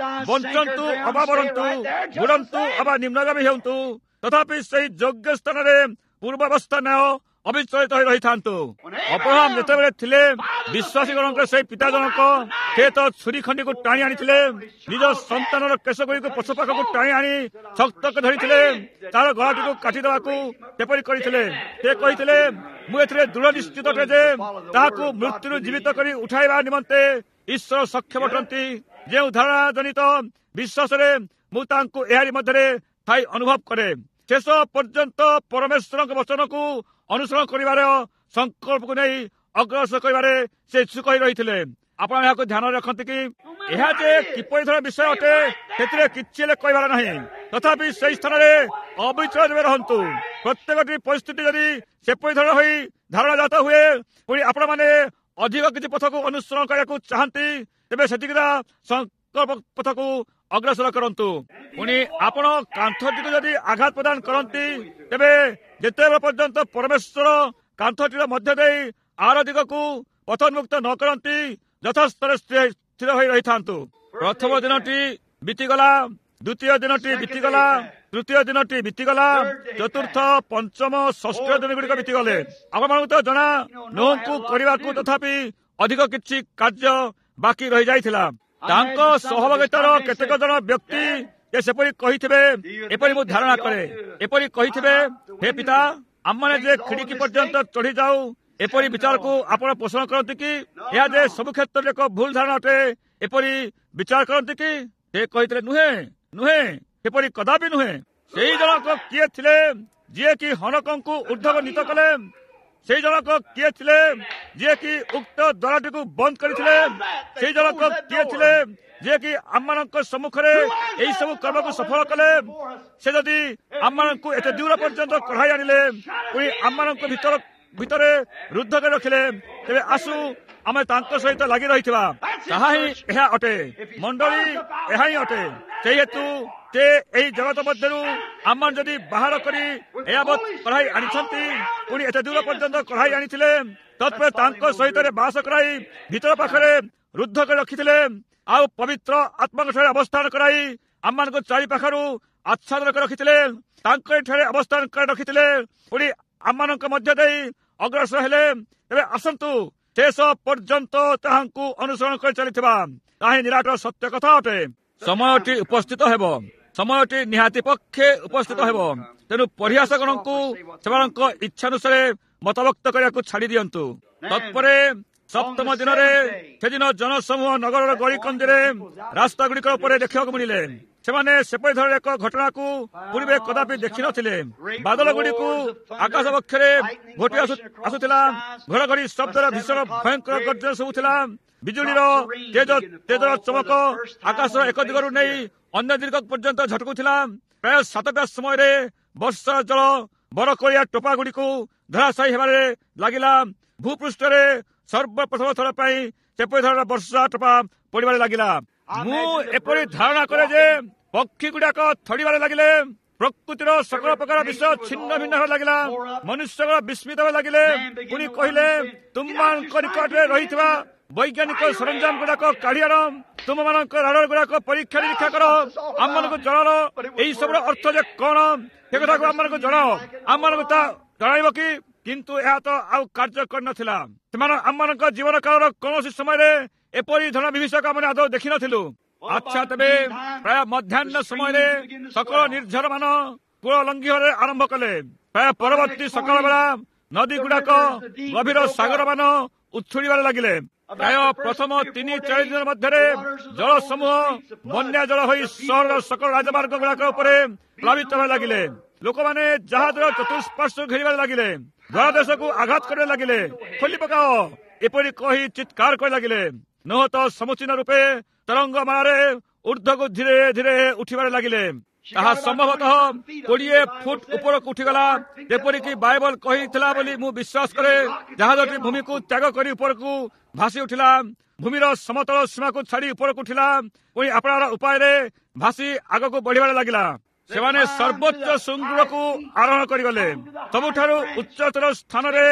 Speaker 1: ବଞ୍ଚନ୍ତୁ ଅବା ମରନ୍ତୁ, ବୁଡ଼ନ୍ତୁ ଅବା ନିମ୍ନଗାମୀ ହେଉନ୍ତୁ, ତଥାପି ସେଇ ଯୋଗ୍ୟ ସ୍ଥାନରେ ପୂର୍ବାବସ୍ଥା ନ୍ୟାୟ ଅବିଚଳିତ ହୋଇ ରହିଥାନ୍ତୁ। ଅବ୍ରହାମ ଯେତେବେଳେ ଥିଲେ ବିଶ୍ୱାସୀଗଣଙ୍କର ସେଇ ପିତା ଜଣକ, ସେ ତ ଛୁରୀ ଖଣ୍ଡିକୁ ଟାଣି ଆଣିଥିଲେ, ନିଜ ସନ୍ତାନର କେଶଗୁଡ଼ିକୁ ପଛ ପାଖକୁ ଟାଣି ଆଣି ଶକ୍ତ କରି ଧରିଥିଲେ, ତାର ଗଳାଟିକୁ କାଟିଦେବାକୁ ସେପରି କରିଥିଲେ। ସେ କହିଥିଲେ, ମୁଁ ଏଥିରେ ଦୃଢ଼ ନିଶ୍ଚିତ ଅଟେ ଯେ ତାହାକୁ ମୃତ୍ୟୁରୁ ଜୀବିତ କରି ଉଠାଇବା ନିମନ୍ତେ ଈଶ୍ୱର ସକ୍ଷମ ଅଟନ୍ତି। ଯେଉଁ ଧାରଣା ଜନିତ ବିଶ୍ୱାସରେ ମୁଁ ତାଙ୍କୁ ଏହାରି ମଧ୍ୟରେ ଥାଇ ଅନୁଭବ କରେ, ଶେଷ ପର୍ଯ୍ୟନ୍ତ ପରମେଶ୍ୱରଙ୍କ ବଚନକୁ ଅନୁସରଣ କରିବାର ସଂକଳ୍ପକୁ ନେଇ ଅଗ୍ରସର କରିବାରେ ସେ ଇଚ୍ଛୁକ ହୋଇ ରହିଥିଲେ। ଆପଣ ଏହାକୁ ଧ୍ୟାନରେ ରଖନ୍ତି କି? ଏହା ଯେ କିପରି ଧର ବିଷୟ ଅଟେ ସେଥିରେ କିଛି ହେଲେ କହିବାର ନାହିଁ। ତଥାପି ସେଇ ସ୍ଥାନରେ ଅବିଚଳ ଭାବେ ରହନ୍ତୁ। ପ୍ରତ୍ୟେକଟି ପରିସ୍ଥିତି ଯଦି ସେପରି ଧର ହୋଇ ଧାରଣା ଜାତ ହୁଏ, ପୁଣି ଆପଣମାନେ ଅଧିକ କିଛି ପଥକୁ ଅନୁସରଣ କରିବାକୁ ଚାହାନ୍ତି, ତେବେ ସେତିକିଟା ସଂକଳ୍ପ ପଥକୁ ଅଗ୍ରସର କରନ୍ତୁ। ପୁଣି ଆପଣ କାନ୍ଥଟିକୁ ଯଦି ଆଘାତ ପ୍ରଦାନ କରନ୍ତି, ତେବେ ଯେତେବେଳେ ପର୍ଯ୍ୟନ୍ତ ପରମେଶ୍ୱର କାନ୍ଥଟିର ମଧ୍ୟ ଦେଇ ଆର ଦିଗକୁ ପଥୋନ୍ମୁକ୍ତ ନ କରନ୍ତି, ଯଥାସ୍ଥଳରେ ସ୍ଥିର ହୋଇ ରହିଥାନ୍ତୁ। ପ୍ରଥମ ଦିନଟି ବିତିଗଲା, ଦ୍ୱିତୀୟ ଦିନଟି ବିତିଗଲା, ତୃତୀୟ ଦିନଟି ବିତିଗଲା, ଚତୁର୍ଥ, ପଞ୍ଚମ, ଷଷ୍ଠ ଦିନ ଗୁଡ଼ିକ ବିତିଗଲେ। ଆପଣମାନଙ୍କୁ ତ ଜଣା, ନୋହଙ୍କୁ କରିବାକୁ ତଥାପି ଅଧିକ କିଛି କାର୍ଯ୍ୟ ବାକି ରହିଯାଇଥିଲା। ତାଙ୍କ ସହଭାଗିତାର କେତେକ ଜଣ ବ୍ୟକ୍ତି ଯେ ସେପରି କହିଥିବେ, ଏପରି ମୁଁ ଧାରଣା କରେ, ଏପରି କହିଥିବେ, ହେ ପିତା, ଆମମାନେ ଯେ ଖିଡ଼ିକି ପର୍ଯ୍ୟନ୍ତ ଚଢ଼ି ଯାଉ, ଏପରି ବିଚାରକୁ ଆପଣ ପୋଷଣ କରନ୍ତି କି? ଏହା ଯେ ସବୁ କ୍ଷେତ୍ରରେ ଏକ ଭୁଲ ଧାରଣା ଅଟେ, ଏପରି ବିଚାର କରନ୍ତି କି? ସେ କହିଥିଲେ, ନୁହେଁ, ନୁହେଁ, ସେପରି କଦାପି ନୁହେଁ। ସେଇ ଜଣକ କିଏ ଥିଲେ ଯିଏକି ହନକଙ୍କୁ ଉର୍ଦ୍ଧ୍ୱନୀତ କଲେ? ସେଇ ଜଣକ କିଏ ଥିଲେ ଯିଏକି ଉକ୍ତ ଦ୍ୱାରଟିକୁ ବନ୍ଦ କରିଥିଲେ? ସେଇ ଜଣକ କିଏ ଥିଲେ ଯିଏକି ଆମମାନଙ୍କ ସମ୍ମୁଖରେ ଏହି ସବୁ କର୍ମକୁ ସଫଳ କଲେ? ସେ ଯଦି ଆମମାନଙ୍କୁ ଏତେ ଦୂର ପର୍ଯ୍ୟନ୍ତ କଢ଼ାଇ ଆଣିଲେ, ପୁଣି ଆମମାନଙ୍କ ଭିତର ଭିତରେ ରୁଦ୍ଧ କରି ରଖିଲେ, ତେବେ ଆସୁ ଆମେ ତାଙ୍କ ସହିତ ଲାଗି ରହିଥିବା। ତାହା ହିଁ ଏହା ଅଟେ ମଣ୍ଡଳୀ, ଏହା ହିଁ ଅଟେ। ସେଇ ହେତୁ ସେ ଏହି ଜଗତ ମଧ୍ୟରୁ ଆମମାନେ ଯଦି ବାହାର କରି ଏୟାବତ୍ କଢ଼ାଇ ଆଣିଛନ୍ତି, ପୁଣି ଏତେ ଦୂର ପର୍ଯ୍ୟନ୍ତ କଢ଼ାଇ ଆଣିଥିଲେ, ତତ୍ପରେ ତାଙ୍କ ସହିତ ବାସ କରାଇ ଭିତର ପାଖରେ ରୁଦ୍ଧ କରି ରଖିଥିଲେ, ଆଉ ପବିତ୍ର ଆତ୍ମାଙ୍କ ଠାରେ ଅବସ୍ଥାନ କରାଇ ଆମମାନଙ୍କୁ ଚାରି ପାଖରୁ ଆଚ୍ଛାଦନ କରି ରଖିଥିଲେ, ତାଙ୍କ ଠାରେ ଅବସ୍ଥାନ କରି ରଖିଥିଲେ, ପୁଣି ଆମମାନଙ୍କ ମଧ୍ୟ ଦେଇ ଅଗ୍ରସର ହେଲେ, ତେବେ ଆସନ୍ତୁ ଶେଷ ପର୍ଯ୍ୟନ୍ତ ତାହାଙ୍କୁ ଅନୁସରଣ କରି ଚାଲିଥିବା। ତାହା ହିଁ ନିରାଟ ସତ୍ୟ କଥା ଅଟେ। ସମୟଟି ଉପସ୍ଥିତ ହେବ, ସମୟଟି ନିହାତି ପକ୍ଷେ ଉପସ୍ଥିତ ହେବ। ତେଣୁ ପରିହାସଗଣଙ୍କୁ ସେମାନଙ୍କ ଇଚ୍ଛାନୁସାରେ ମତବ୍ୟକ୍ତ କରିବାକୁ ଛାଡ଼ି ଦିଅନ୍ତୁ। ତତ୍ପରେ ସପ୍ତମ ଦିନରେ ସେଦିନ ଜନସମୂହ ନଗରର ଗଳିକନ୍ଦିରେ ରାସ୍ତାଗୁଡ଼ିକ ଉପରେ ଦେଖିବାକୁ ମିଳିଲେ। ସେମାନେ ସେପରି ଧରଣର ଏକ ଘଟଣାକୁ ପୂର୍ବେ କଦାପି ଦେଖିନଥିଲେ। ବାଦଲ ଗୁଡ଼ିକୁ ଆକାଶ ବକ୍ଷରେ ଘୋଟି ଆସୁଥିଲା, ଘଡ଼ଘଡ଼ି ଶବ୍ଦର ଭୀଷଣ ଭୟଙ୍କର ଗର୍ଜନ ଶୁଭୁଥିଲା, ବିଜୁଳିର ତେଜ ତେଜର ଚମକ ଆକାଶର ଏକ ଦିଗରୁ ନେଇ ଅନ୍ୟ ଦିଗ ପର୍ଯ୍ୟନ୍ତ ଝଟକୁଥିଲା। ପ୍ରାୟ ସାତଟା ସମୟରେ ବର୍ଷା ଜଳ ବରକୋଳିଆ ଟୋପା ଗୁଡ଼ିକୁ ଧରାଶାୟୀ ହେବାରେ ଲାଗିଲା। ଭୂପୃଷ୍ଠରେ ସର୍ବପ୍ରଥମ ଥର ପାଇଁ ସେପରି ଧରଣର ବର୍ଷା ଟୋପା ପଡ଼ିବାରେ ଲାଗିଲା। ମୁଁ ଏପରି ଧାରଣା କରେ ଯେ ପକ୍ଷୀ ଗୁଡାକ ଥଡ଼ିବାରେ ଲାଗିଲେ, ପ୍ରକୃତିର ସକଳ ପ୍ରକାର ବିଷୟ ଛିନ୍ନ ଭିନ୍ନ ହେବାକୁ ଲାଗିଲା, ମନୁଷ୍ୟଗଣ ବିସ୍ମିତ ହେବାକୁ ଲାଗିଲେ। ପୁଣି କହିଲେ, ତୁମମାନଙ୍କ ନିକଟରେ ରହିଥିବା ବୈଜ୍ଞାନିକ ସରଞ୍ଜାମ ଗୁଡାକ କାଢି ଆଣ, ତୁମମାନଙ୍କ ରାଡର ଗୁଡାକ ପରୀକ୍ଷା ନିରୀକ୍ଷା କର, ଆମମାନଙ୍କୁ ଜଣାଅ ଏହି ସବୁର ଅର୍ଥ ଯେ କଣ, ସେ କଥାକୁ ଆମମାନଙ୍କୁ ଜଣାଅ, ଆମମାନଙ୍କୁ ତା ଜଣାଇବ କି? କିନ୍ତୁ ଏହା ତ ଆଉ କାର୍ଯ୍ୟ କରିନଥିଲା। ସେମାନେ ଆମମାନଙ୍କ ଜୀବନ କାଳର କୌଣସି ସମୟରେ ଏପରି ଧନ ବିଭୀଷକ ଆମେ ଆଦୌ ଦେଖିନଥିଲୁ। ଆଚ୍ଛା, ତେବେ ପ୍ରାୟ ମଧ୍ୟାହ୍ନ ସମୟରେ ସକଳ ନିର୍ଝର ମାନ କୂଳ ଲଙ୍ଘିବାରେ ଆରମ୍ଭ କଲେ। ପ୍ରାୟ ପରବର୍ତ୍ତୀ ସକାଳ ବେଳା ନଦୀ ଗୁଡାକ ଗଭୀର ସାଗରମାନ ଉଛୁଳିବାରେ ଲାଗିଲେ। ପ୍ରାୟ ପ୍ରଥମ ତିନି ଚାରି ଦିନ ମଧ୍ୟରେ ଜଳ ସମୂହ ବନ୍ୟା ଜଳ ହୋଇ ସହରର ସକଳ ରାଜମାର୍ଗ ଗୁଡାକ ଉପରେ ପ୍ଲାବିତ ହେବାକୁ ଲାଗିଲେ। ଲୋକମାନେ ଜାହାଜର ଚତୁଃପାର୍ଶ୍ୱ ଘେରିବାରେ ଲାଗିଲେ, ଦ୍ୱାରଦେଶକୁ ଆଘାତ କରିବାକୁ ଲାଗିଲେ, ଖୋଲି ପକାଅ ଏପରି କହି ଚିତ୍କାର କରି ଲାଗିଲେ। ନୁହଁ ତ ସମୁଚୀନ ରୂପେ ତରଙ୍ଗ ମାଳାରେ ଉର୍ଦ୍ଧ୍ୱକୁ ଧୀରେ ଧୀରେ ଉଠିବାରେ ଲାଗିଲେ। ତାହା ସମ୍ଭବତଃ କୋଡ଼ିଏ ଫୁଟ ଉପରକୁ ଉଠିଗଲା, ଯେପରିକି ବାଇବଲ କହିଥିଲା ବୋଲି ମୁଁ ବିଶ୍ୱାସ କରେ। ଜାହାଜଟି ଭୂମିକୁ ତ୍ୟାଗ କରି ଉପରକୁ ଭାସି ଉଠିଲା, ଭୂମିର ସମତଳ ସୀମାକୁ ଛାଡ଼ି ଉପରକୁ ଉଠିଲା, ପୁଣି ଆପଣାର ଉପାୟରେ ଭାସି ଆଗକୁ ବଢ଼ିବାରେ ଲାଗିଲା। ସେମାନେ ସର୍ବୋଚ୍ଚ ଶୃଙ୍ଗକୁ ଆରୋହଣ କରିଗଲେ, ସବୁଠାରୁ ଉଚ୍ଚତର ସ୍ଥାନରେ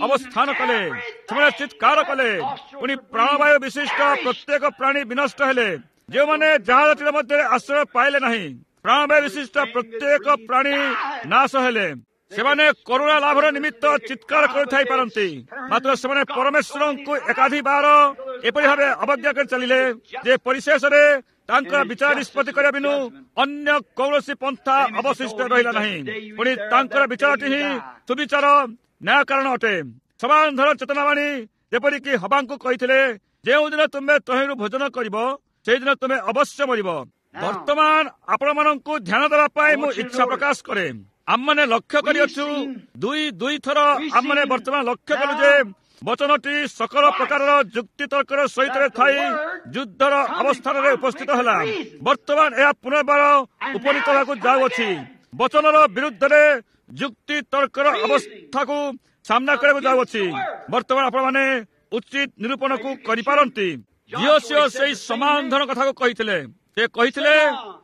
Speaker 1: ଅବସ୍ଥାନ କଲେ। ସେମାନେ ଚିତ୍କାର କଲେ, ପୁଣି ପ୍ରାଣବାୟୁ ବିଶିଷ୍ଟ ପ୍ରତ୍ୟେକ ପ୍ରାଣୀ ବିନଷ୍ଟ ହେଲେ, ଯେଉଁମାନେ ଜାହାଜଟିର ମଧ୍ୟରେ ଆଶ୍ରୟ ପାଇଲେ ନାହିଁ। ପ୍ରାଣବାୟୁ ବିଶିଷ୍ଟ ପ୍ରତ୍ୟେକ ପ୍ରାଣୀ ନାଶ ହେଲେ। ସେମାନେ କରୁଣା ଲାଭର ନିମିତ୍ତ ଚିତ୍କାର କରିଥାଇ ପାରନ୍ତି, ମାତ୍ର ସେମାନେ ପରମେଶ୍ୱରଙ୍କୁ ଏକାଧିବାର ଏପରି ଭାବେ ଅବଜ୍ଞା କରି ଚାଲିଲେ ଯେ ପରିଶେଷରେ ତାଙ୍କର ବିଚାର ନିଷ୍ପତ୍ତି କରିବା ବିନୁ ଅନ୍ୟ କୌଣସି ପନ୍ଥା ଅବଶିଷ୍ଟ ରହିଲା ନାହିଁ। ପୁଣି ତାଙ୍କର ବିଚାରଟି ହିଁ ସୁବିଚାର ନ୍ୟାୟ କାରଣ ଅଟେ। ସମାନ ଧର ଚେତନାବାଣୀ ଯେପରିକି ହବାଙ୍କୁ କହିଥିଲେ, ଯେଉଁଦିନ ତୁମେ ତହିଁରୁ ଭୋଜନ କରିବ ସେଇଦିନ ତୁମେ ଅବଶ୍ୟ ମରିବ। ବର୍ତ୍ତମାନ ଆପଣମାନଙ୍କୁ ଧ୍ୟାନ ଦେବା ପାଇଁ ମୁଁ ଇଚ୍ଛା ପ୍ରକାଶ କରେ। ଆମମାନେ ଲକ୍ଷ୍ୟ କରିଅଛୁ ଦୁଇ ଦୁଇ ଥର ଆମମାନେ ବର୍ତ୍ତମାନ ଲକ୍ଷ୍ୟ କଲୁ ଯେ ବଚନଟି ସକଳ ପ୍ରକାରର ଯୁକ୍ତିତର୍କର ସହିତ ଥାଇ ଯୁଦ୍ଧର ଅବସ୍ଥାନରେ ଉପସ୍ଥିତ ହେଲା। ବର୍ତ୍ତମାନ ଏହା ପୁନର୍ବାର ଉପନୀତ ହେବାକୁ ଯାଉଅଛି। ବଚନର ବିରୁଦ୍ଧରେ ଯୁକ୍ତି ତର୍କର ଅବସ୍ଥାକୁ ସାମ୍ନା କରିବାକୁ ଯାଉଅଛି। ବର୍ତ୍ତମାନ ଆପଣମାନେ ଉଚିତ ନିରୂପଣକୁ କରିପାରନ୍ତି। ଯିହୋଶୂୟ ସେଇ ସମାନ ଧରଣ କଥାକୁ କହିଥିଲେ। ସେ କହିଥିଲେ,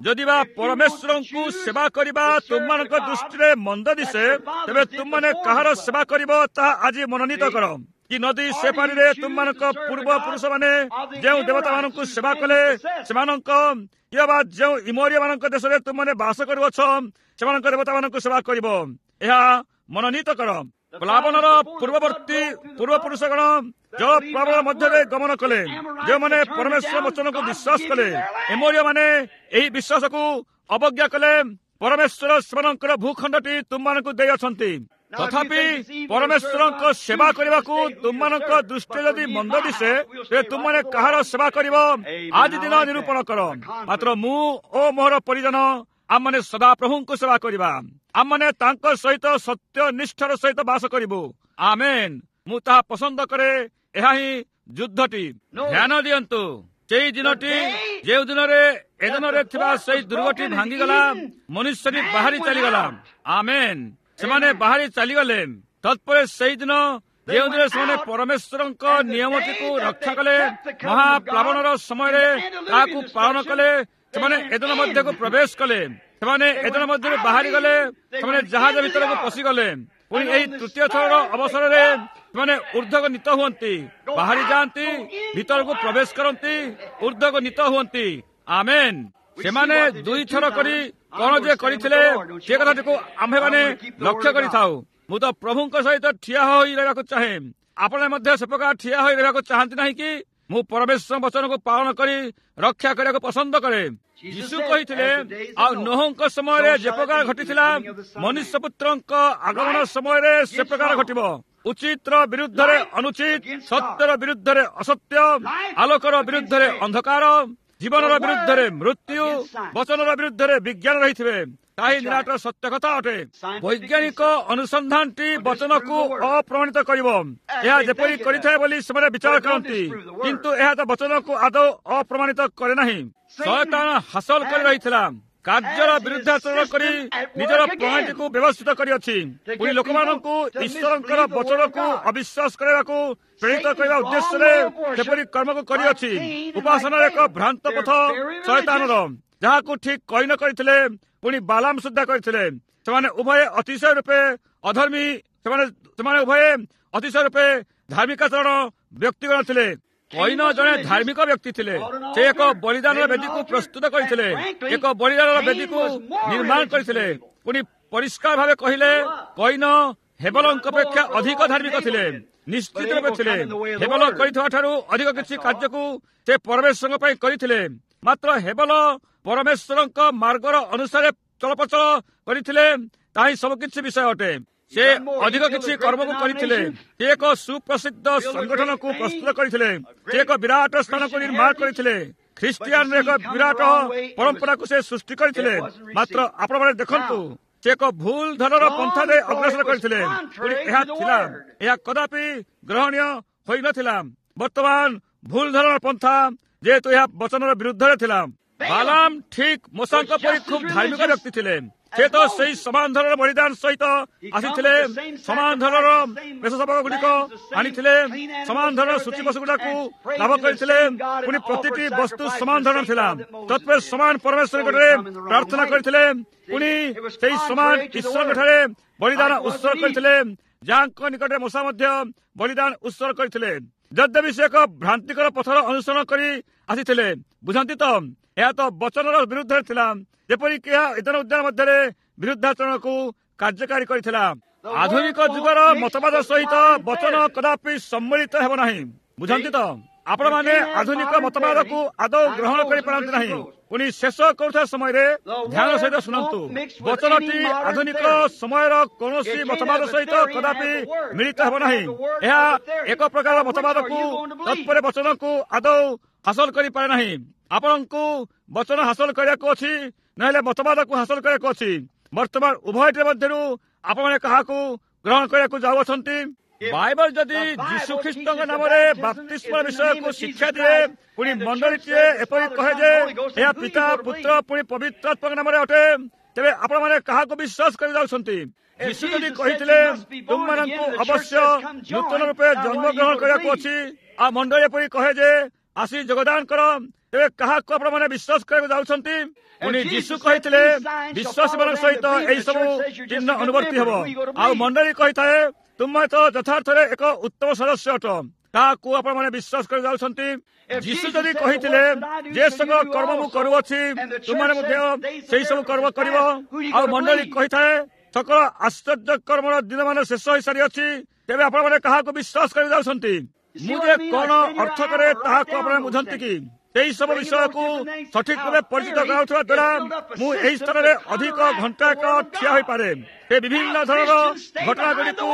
Speaker 1: ଯଦି ବା ପରମେଶ୍ୱରଙ୍କୁ ସେବା କରିବା ତୁମମାନଙ୍କ ଦୃଷ୍ଟିରେ ମନ୍ଦ ଦିଶେ, ତେବେ ତୁମମାନେ କାହାର ସେବା କରିବ ତାହା ଆଜି ମନୋନୀତ କର। କି ନଦୀ ସେପାରିରେ ତୁମମାନଙ୍କ ପୂର୍ବ ପୁରୁଷମାନେ ଯେଉଁ ଦେବତାମାନଙ୍କୁ ସେବା କଲେ ସେମାନଙ୍କ, କିମ୍ବା ଯେଉଁ ଇମୋରିୟମାନଙ୍କ ଦେଶରେ ତୁମମାନେ ବାସ କରୁଅଛ ସେମାନଙ୍କ ଦେବତାମାନଙ୍କୁ ସେବା କରିବ, ଏହା ମନୋନୀତ କର। ପ୍ଲାବନର ପୂର୍ବବର୍ତ୍ତୀ ପୂର୍ବପୁରୁଷଗଣ ଜଳ ପ୍ଲାବନ ମଧ୍ୟରେ ଗମନ କଲେ, ଯେଉଁମାନେ ପରମେଶ୍ୱର ବଚନକୁ ବିଶ୍ୱାସ କଲେ। ଏମୋରୀୟମାନେ ଏହି ବିଶ୍ୱାସକୁ ଅବଜ୍ଞା କଲେ। ପରମେଶ୍ୱର ସେମାନଙ୍କର ଭୂଖଣ୍ଡଟି ତୁମମାନଙ୍କୁ ଦେଇଅଛନ୍ତି। ତଥାପି ପରମେଶ୍ୱରଙ୍କ ସେବା କରିବାକୁ ତୁମମାନଙ୍କ ଦୃଷ୍ଟି ଯଦି ମନ୍ଦ ଦିଶେ, ତେବେ ତୁମମାନେ କାହାର ସେବା କରିବ ଆଜି ଦିନ ନିରୂପଣ କର। ମାତ୍ର ମୁଁ ଓ ମୋର ପରିଜନ ଆମମାନେ ସଦାପ୍ରଭୁଙ୍କୁ ସେବା କରିବା। ଆମମାନେ ତାଙ୍କ ସହିତ ସତ୍ୟ ନିଷ୍ଠାର ସହିତ ବାସ କରିବୁ। ଆମେନ୍। ମୁଁ ତାହା ପସନ୍ଦ କରେ। ଏହା ହିଁ ଯୁଦ୍ଧଟି। ଧ୍ୟାନ ଦିଅନ୍ତୁ, ସେଇ ଦିନଟି ଯେଉଁ ଦିନରେ ଏଦନରେ ଥିବା ସେଇ ଦୁର୍ଗଟି ଭାଙ୍ଗିଗଲା, ମନୁଷ୍ୟଟି ବାହାରି ଚାଲିଗଲା। ଆମେନ୍। ସେମାନେ ବାହାରି ଚାଲିଗଲେ। ତତ୍ପରେ ସେଇ ଦିନ ଯେଉଁ ଦିନ ସେମାନେ ପରମେଶ୍ୱରଙ୍କ ନିୟମଟିକୁ ରକ୍ଷା କଲେ, ମହାପ୍ଲାବନର ସମୟରେ ତାହାକୁ ପାଳନ କଲେ, ସେମାନେ ଏଦନ ମଧ୍ୟକୁ ପ୍ରବେଶ କଲେ। ସେମାନେ ଏଦନ ମଧ୍ୟରୁ ବାହାରି ଗଲେ। ସେମାନେ ଜାହାଜ ଭିତରକୁ ପଶିଗଲେ। ପୁଣି ଏହି ତୃତୀୟ ଥରର ଅବସରରେ ସେମାନେ ଉର୍ଦ୍ଧ୍ୱକୁ ନୀତ ହୁଅନ୍ତି, ବାହାରି ଯାଆନ୍ତି, ଭିତରକୁ ପ୍ରବେଶ କରନ୍ତି, ଉର୍ଦ୍ଧ୍ୱକୁ ନୀତ ହୁଅନ୍ତି। ଆମେନ୍। ସେମାନେ ଦୁଇଥର କରି କଣ ଯେ କରିଥିଲେ ସେ କଥାଟିକୁ ଆମ୍ଭେମାନେ ଲକ୍ଷ୍ୟ କରିଥାଉ। ମୁଁ ତ ପ୍ରଭୁଙ୍କ ସହିତ ଠିଆ ହୋଇ ରହିବାକୁ ଚାହେଁ। ଆପଣ ମଧ୍ୟ ସେ ପ୍ରକାର ଠିଆ ହୋଇ ରହିବାକୁ ଚାହାନ୍ତି ନାହିଁ କି? ମୁଁ ପରମେଶ୍ୱର ବଚନକୁ ପାଳନ କରି ରକ୍ଷା କରିବାକୁ ପସନ୍ଦ କରେ। ଯୀଶୁ କହିଥିଲେ, ଆଉ ନୋହଙ୍କ ସମୟରେ ଯେ ପ୍ରକାର ଘଟିଥିଲା, ମନୁଷ୍ୟ ପୁତ୍ରଙ୍କ ଆଗମନ ସମୟରେ ସେ ପ୍ରକାର ଘଟିବ। ଉଚିତର ବିରୁଦ୍ଧରେ ଅନୁଚିତ, ସତ୍ୟର ବିରୁଦ୍ଧରେ ଅସତ୍ୟ, ଆଲୋକର ବିରୁଦ୍ଧରେ ଅନ୍ଧକାର, ଜୀବନର ବିରୁଦ୍ଧରେ ମୃତ୍ୟୁ, ବଚନର ବିରୁଦ୍ଧରେ ବିଜ୍ଞାନ ରହିଥିବେ। ତାହା ହିଁ ନିରାଟ ସତ୍ୟ କଥା ଅଟେ। ବୈଜ୍ଞାନିକ ଅନୁସନ୍ଧାନଟି ବଚନକୁ ଅପ୍ରମାଣିତ କରିବ, ଏହା ଯେପରି କରିଥାଏ ବୋଲି ସେମାନେ ବିଚାର କରନ୍ତି, କିନ୍ତୁ ଏହା ତ ବଚନକୁ ଆଦୌ ଅପ୍ରମାଣିତ କରେ ନାହିଁ। ଶୟତାନ ହାସଲ କରି ରହିଥିଲା, କାର୍ଯ୍ୟର ବିରୁଦ୍ଧାଚରଣ କରି ନିଜର ପ୍ରଣାଳୀଟିକୁ ବ୍ୟବସ୍ଥିତ କରିଅଛି। ପୁଣି ଲୋକମାନଙ୍କୁ ଈଶ୍ୱରଙ୍କର ବଚନକୁ ଅବିଶ୍ୱାସ କରିବାକୁ ପ୍ରେରିତ କରିବା ଉଦ୍ଦେଶ୍ୟରେ ସେପରି କର୍ମକୁ କରିଅଛି। ଉପାସନାର ଏକ ଭ୍ରାନ୍ତ ପଥ ଶୟତାନର, ଯାହାକୁ ଠିକ କଇନ କରିଥିଲେ, ପୁଣି ବାଲାମ ସୁଦ୍ଧା କରିଥିଲେ। ସେମାନେ ଉଭୟେ ଅତିଶୟ ରୂପେ ଅଧର୍ମୀ, ସେମାନେ ସେମାନେ ଉଭୟେ ଅତିଶୟ ରୂପେ ଧାର୍ମିକାଚରଣ ବ୍ୟକ୍ତିଗଣ ଥିଲେ। କଇନ ଜଣେ ଧାର୍ମିକ ବ୍ୟକ୍ତି ଥିଲେ। ସେ ଏକ ବଳିଦାନର ବେଦୀକୁ ପ୍ରସ୍ତୁତ କରିଥିଲେ, ଏକ ବଳିଦାନର ବେଦୀକୁ ନିର୍ମାଣ କରିଥିଲେ। ପୁଣି ପରିଷ୍କାର ଭାବେ କହିଲେ, କଇନ ହେବଲଙ୍କ ଅପେକ୍ଷା ଅଧିକ ଧାର୍ମିକ ଥିଲେ, ନିଶ୍ଚିତ ରୂପେ ଥିଲେ। ହେବଲ କରିଥିବା ଠାରୁ ଅଧିକ କିଛି କାର୍ଯ୍ୟକୁ ସେ ପରମେଶ୍ୱରଙ୍କ ପାଇଁ କରିଥିଲେ। ମାତ୍ର ହେବଲ ପରମେଶ୍ୱରଙ୍କ ମାର୍ଗର ଅନୁସାରେ ଚଳପ୍ରଚଳ କରିଥିଲେ। ତାହା ହିଁ ସବୁକିଛି ବିଷୟ ଅଟେ। ସେ ଅଧିକ କିଛି କର୍ମକୁ କରିଥିଲେ। ସେ ଏକ ସୁପ୍ରସିଦ୍ଧ ସଂଗଠନକୁ ପ୍ରସ୍ତୁତ କରିଥିଲେ। ସେ ଏକ ବିରାଟ ସ୍ଥାନକୁ ନିର୍ମାଣ କରିଥିଲେ। ଖ୍ରୀଷ୍ଟିଆନର ଏକ ବିରାଟ ପରମ୍ପରାକୁ ସେ ସୃଷ୍ଟି କରିଥିଲେ। ମାତ୍ର ଆପଣମାନେ ଦେଖନ୍ତୁ, ସେ ଏକ ଭୁଲ ଧରଣର ପନ୍ଥାରେ ଅଗ୍ରସର କରିଥିଲେ। ପୁଣି ଏହା ଥିଲା, ଏହା କଦାପି ଗ୍ରହଣୀୟ ହୋଇନଥିଲା। ବର୍ତ୍ତମାନ ଭୁଲ ଧରଣର ପନ୍ଥା, ଯେହେତୁ ଏହା ବଚନର ବିରୁଦ୍ଧରେ ଥିଲା। ବାଲାମ ଠିକ ମୋଶାଙ୍କ ପରି ଖୁବ ଧାର୍ମିକ ବ୍ୟକ୍ତି ଥିଲେ। ସେ ତ ସେଇ ସମାନ ଧରଣର ବଳିଦାନ ସହିତ ଆସିଥିଲେ, ସମାନ ଧରଣର ମେଷଶାବକ ଗୁଡ଼ିକ ଆଣିଥିଲେ, ସମାନ ଧରଣର ସୂଚୀ ପଶୁ ଗୁଡାକୁ ଲାଭ କରିଥିଲେ। ପୁଣି ପ୍ରତିଟି ବସ୍ତୁ ସମାନ ଧରଣର ଥିଲା। ତତ୍ପରେ ସମାନ ପରମେଶ୍ୱର ନିକଟରେ ପ୍ରାର୍ଥନା କରିଥିଲେ। ପୁଣି ସେଇ ସମାନ ଈଶ୍ୱରଙ୍କ ଠାରେ ବଳିଦାନ ଉତ୍ସର୍ଗ କରିଥିଲେ, ଯାହାଙ୍କ ନିକଟରେ ମୋଶା ମଧ୍ୟ ବଳିଦାନ ଉତ୍ସର୍ଗ କରିଥିଲେ। ଯଦ୍ୟପି ସେ ଏକ ଭ୍ରାନ୍ତିକର ପଥର ଅନୁସରଣ କରି ଆସିଥିଲେ। ବୁଝନ୍ତି ତ, ଏହା ତ ବଚନର ବିରୁଦ୍ଧରେ ଥିଲା, ଯେପରିକି ଏହା ଇଦନ ଉଦ୍ୟାନ ମଧ୍ୟରେ ବିରୁଦ୍ଧାଚରଣକୁ କାର୍ଯ୍ୟକାରୀ କରିଥିଲା। ଆଧୁନିକ ଯୁଗର ମତବାଦ ସହିତ ବଚନ କଦାପି ସମ୍ମିଳିତ ହେବ ନାହିଁ। ବୁଝନ୍ତି ତ, ଆପଣମାନେ ଆଧୁନିକ ମତବାଦକୁ ଆଦୌ ଗ୍ରହଣ କରିପାରନ୍ତି ନାହିଁ। ପୁଣି ଶେଷ କରୁଥିବା ସମୟରେ ଧ୍ୟାନ ସହିତ ଶୁଣନ୍ତୁ, ବଚନଟି ଆଧୁନିକ ସମୟର କୌଣସି ମତବାଦ ସହିତ କଦାପି ମିଳିତ ହେବ ନାହିଁ। ଏହା ଏକ ପ୍ରକାର ମତବାଦକୁ ତତ୍ପରେ ବଚନକୁ ଆଦୌ ହାସଲ କରିପାରେ ନାହିଁ। ଆପଣଙ୍କୁ ବଚନ ହାସଲ କରିବାକୁ ଅଛି, ନହେଲେ ମତବାଦକୁ ହାସଲ କରିବାକୁ ଅଛି। ବର୍ତ୍ତମାନ ଉଭୟଟି ମଧ୍ୟରୁ ଆପଣମାନେ କାହାକୁ ଗ୍ରହଣ କରିବାକୁ ଯାଉଅଛନ୍ତି? ବାଇବଲ ଯଦି ଯୀଶୁ ଖ୍ରୀଷ୍ଟଙ୍କ ନାମରେ ବାପ୍ତିସ୍ମ ବିଷୟକୁ ଶିକ୍ଷା ଦିଏ, ପୁଣି ମଣ୍ଡଳୀଟିଏ ଏପରି କହେ ଯେ ଏହା ପିତା, ପୁତ୍ର, ପୁଣି ପବିତ୍ର ଆତ୍ମାଙ୍କ ନାମରେ ଅଟେ, ତେବେ ଆପଣମାନେ କାହାକୁ ବିଶ୍ୱାସ କରି ଯାଉଛନ୍ତି? ଯୀଶୁ ଯଦି କହିଥିଲେ ତୁମମାନଙ୍କୁ ଅବଶ୍ୟ ନୂତନ ରୂପେ ଜନ୍ମଗ୍ରହଣ କରିବାକୁ ଅଛି, ଆଉ ମଣ୍ଡଳୀ ଏପରି କହେ ଯେ ଆସି ଯୋଗଦାନ କର, ତେବେ କାହାକୁ ଆପଣମାନେ ବିଶ୍ୱାସ କରିବାକୁ ଯାଉଛନ୍ତି? ପୁଣି ଯୀଶୁ କହିଥିଲେ ବିଶ୍ୱାସୀମାନଙ୍କ ସହିତ ଏହି ସବୁ ଚିହ୍ନ ଅନୁବର୍ତ୍ତୀ ହେବ, ଆଉ ମଣ୍ଡଳୀ କହିଥାଏ ତୁମେ ତ ଯଥାର୍ଥରେ ଏକ ଉତ୍ତମ ସଦସ୍ୟ ଅଟ, ତାହାକୁ ଆପଣମାନେ ବିଶ୍ୱାସ କରି ଯାଉଛନ୍ତି? ଯୀଶୁ ଯଦି କହିଥିଲେ ଯେ ସବୁ କର୍ମ ମୁଁ କରୁଅଛି ତୁମମାନେ ମଧ୍ୟ ସେଇ ସବୁ କର୍ମ କରିବ, ଆଉ ମଣ୍ଡଳୀ କହିଥାଏ ସକଳ ଆଶ୍ଚର୍ଯ୍ୟ କର୍ମର ଦିନମାନ ଶେଷ ହୋଇସାରିଅଛି, ତେବେ ଆପଣମାନେ କାହାକୁ ବିଶ୍ୱାସ କରି ଯାଉଛନ୍ତି? ମୁଁ ଯେ କଣ ଅର୍ଥ କରେ ତାହାକୁ ଆପଣମାନେ ବୁଝନ୍ତି କି? ସେହି ସବୁ ବିଷୟକୁ ସଠିକ ରୂପେ ପରିଚିତ କରାଉଥିବା ଦ୍ୱାରା ମୁଁ ଏହି ସ୍ଥାନରେ ଅଧିକ ଘଣ୍ଟା ଏକ ଠିଆ ହୋଇପାରେ। ସେ ବିଭିନ୍ନ ଧରଣର ଘଟଣାଗୁଡ଼ିକୁ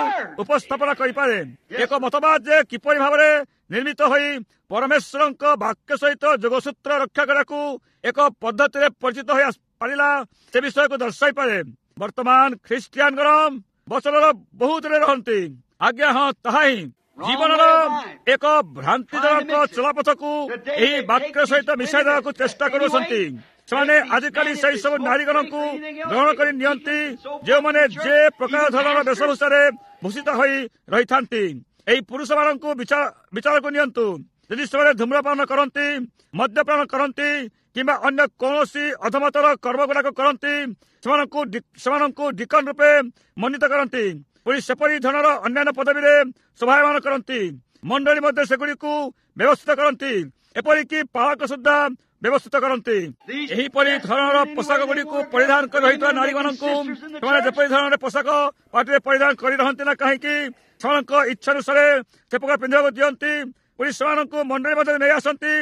Speaker 1: ଉପସ୍ଥାପନ କରିପାରେ। ଏକ ମତବାଦ ଯେ କିପରି ଭାବରେ ନିର୍ମିତ ହୋଇ ପରମେଶ୍ୱରଙ୍କ ବାକ୍ୟ ସହିତ ଯୋଗସୂତ୍ର ରକ୍ଷା କରିବାକୁ ଏକ ପଦ୍ଧତିରେ ପରିଚିତ ହୋଇ ପାରିଲା, ସେ ବିଷୟକୁ ଦର୍ଶାଇପାରେ। ବର୍ତ୍ତମାନ ଖ୍ରୀଷ୍ଟିଆନଗଣ ବଚନର ବହୁତରେ ରହନ୍ତି। ଆଜ୍ଞା ହଁ, ତାହା ହିଁ ଜୀବନର ଏକ ଭ୍ରାନ୍ତିଜନକ ଚଲାପଥକୁ ଏହି ବାକ୍ୟ ସହିତ ମିଶାଇ ଦେବାକୁ ଚେଷ୍ଟା କରୁଛନ୍ତି। ସେମାନେ ଆଜିକାଲି ସେହି ସବୁ ନାରୀଗଣଙ୍କୁ ଗ୍ରହଣ କରି ନିଅନ୍ତି, ଯେଉଁମାନେ ଯେ ପ୍ରକାର ଧରଣର ବେଶଭୂଷାରେ ଭୂଷିତ ହୋଇ ରହିଥାନ୍ତି। ଏହି ପୁରୁଷମାନଙ୍କୁ ବିଚାରକୁ ନିଅନ୍ତୁ। ଯଦି ସେମାନେ ଧୂମ୍ରପାନ କରନ୍ତି, ମଦ୍ୟପାନ କରନ୍ତି କିମ୍ବା ଅନ୍ୟ କୌଣସି ଅଧମତର କର୍ମଗୁଡ଼ାକ କରନ୍ତି, ସେମାନଙ୍କୁ ସେମାନଙ୍କୁ ଡିକନ ରୂପେ ମନୋନୀତ କରନ୍ତି। ପୁଣି ସେପରି ଧରଣର ଅନ୍ୟାନ୍ୟ ପଦବୀରେ ଶୋଭାୟମାନ କରନ୍ତି। ମଣ୍ଡଳୀ ମଧ୍ୟ ସେଗୁଡ଼ିକୁ ବ୍ୟବସ୍ଥିତ କରନ୍ତି, ଏପରିକି ପାଳକ ସୁଦ୍ଧା ବ୍ୟବସ୍ଥିତ କରନ୍ତି। ଏହିପରି ଧରଣର ପୋଷାକ ଗୁଡ଼ିକୁ ପରିଧାନ କରି ରହିଥିବା ନାରୀମାନଙ୍କୁ ସେମାନେ ଯେପରି ଧରଣର ପୋଷାକ ପାଟିରେ ପରିଧାନ କରି ରହନ୍ତି ନା କାହିଁକି, ସେମାନଙ୍କ ଇଚ୍ଛାନୁସାରେ ସେ ପ୍ରକାର ପିନ୍ଧିବାକୁ ଦିଅନ୍ତି। ପୁଣି ସେମାନଙ୍କୁ ମଣ୍ଡଳୀ ମଧ୍ୟରେ ନେଇ ଆସନ୍ତି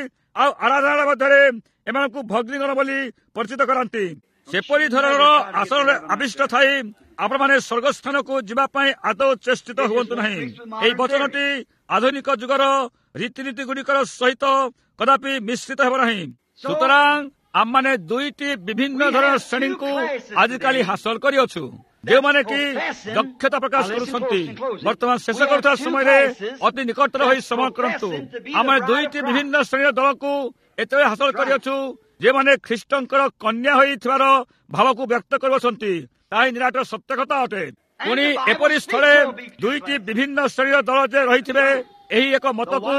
Speaker 1: ଆଉ ଆରାଧନା ମଧ୍ୟରେ ଏମାନଙ୍କୁ ଭଗ୍ନୀଗଣ ବୋଲି ପରିଚିତ କରାନ୍ତି। ସେପରି ଧରଣର ଆସନରେ ଆବିଷ୍ଟ ଥାଇ ଆପଣମାନେ ସ୍ୱର୍ଗସ୍ଥାନକୁ ଯିବା ପାଇଁ ଆଦୌ ଚେଷ୍ଟିତ ହୁଅନ୍ତୁ ନାହିଁ। ଏହି ବଚନଟି ଆଧୁନିକ ଯୁଗର ରୀତିନୀତି ଗୁଡ଼ିକର ସହିତ କଦାପି ମିଶ୍ରିତ ହେବ ନାହିଁ। ସୁତରାଂ ଆମମାନେ ଦୁଇଟି ବିଭିନ୍ନ ଧରଣର ଶ୍ରେଣୀଙ୍କୁ ଆଜିକାଲି ହାସଲ କରିଅଛୁ, ଯେଉଁମାନେ କି ଦକ୍ଷତା ପ୍ରକାଶ କରୁଛନ୍ତି। ବର୍ତ୍ତମାନ ଶେଷ କରୁଥିବା ସମୟରେ ଅତି ନିକଟତର ହୋଇ ଶ୍ରବଣ କରନ୍ତୁ। ଆମେ ଦୁଇଟି ବିଭିନ୍ନ ଶ୍ରେଣୀର ଦଳକୁ ଏତେବେଳେ ହାସଲ କରିଅଛୁ, ଯେଉଁମାନେ ଖ୍ରୀଷ୍ଟଙ୍କର କନ୍ୟା ହୋଇଥିବାର ଭାବକୁ ବ୍ୟକ୍ତ କରୁଅଛନ୍ତି। ତାହା ହିଁ ନିରାଟ ସତ୍ୟ କଥା ଅଟେ। ପୁଣି ଏପରି ସ୍ଥଳେ ଦୁଇଟି ବିଭିନ୍ନ ଶ୍ରେଣୀର ଦଳ ଯେ ରହିଥିବେ, ଏହି ଏକ ମତକୁ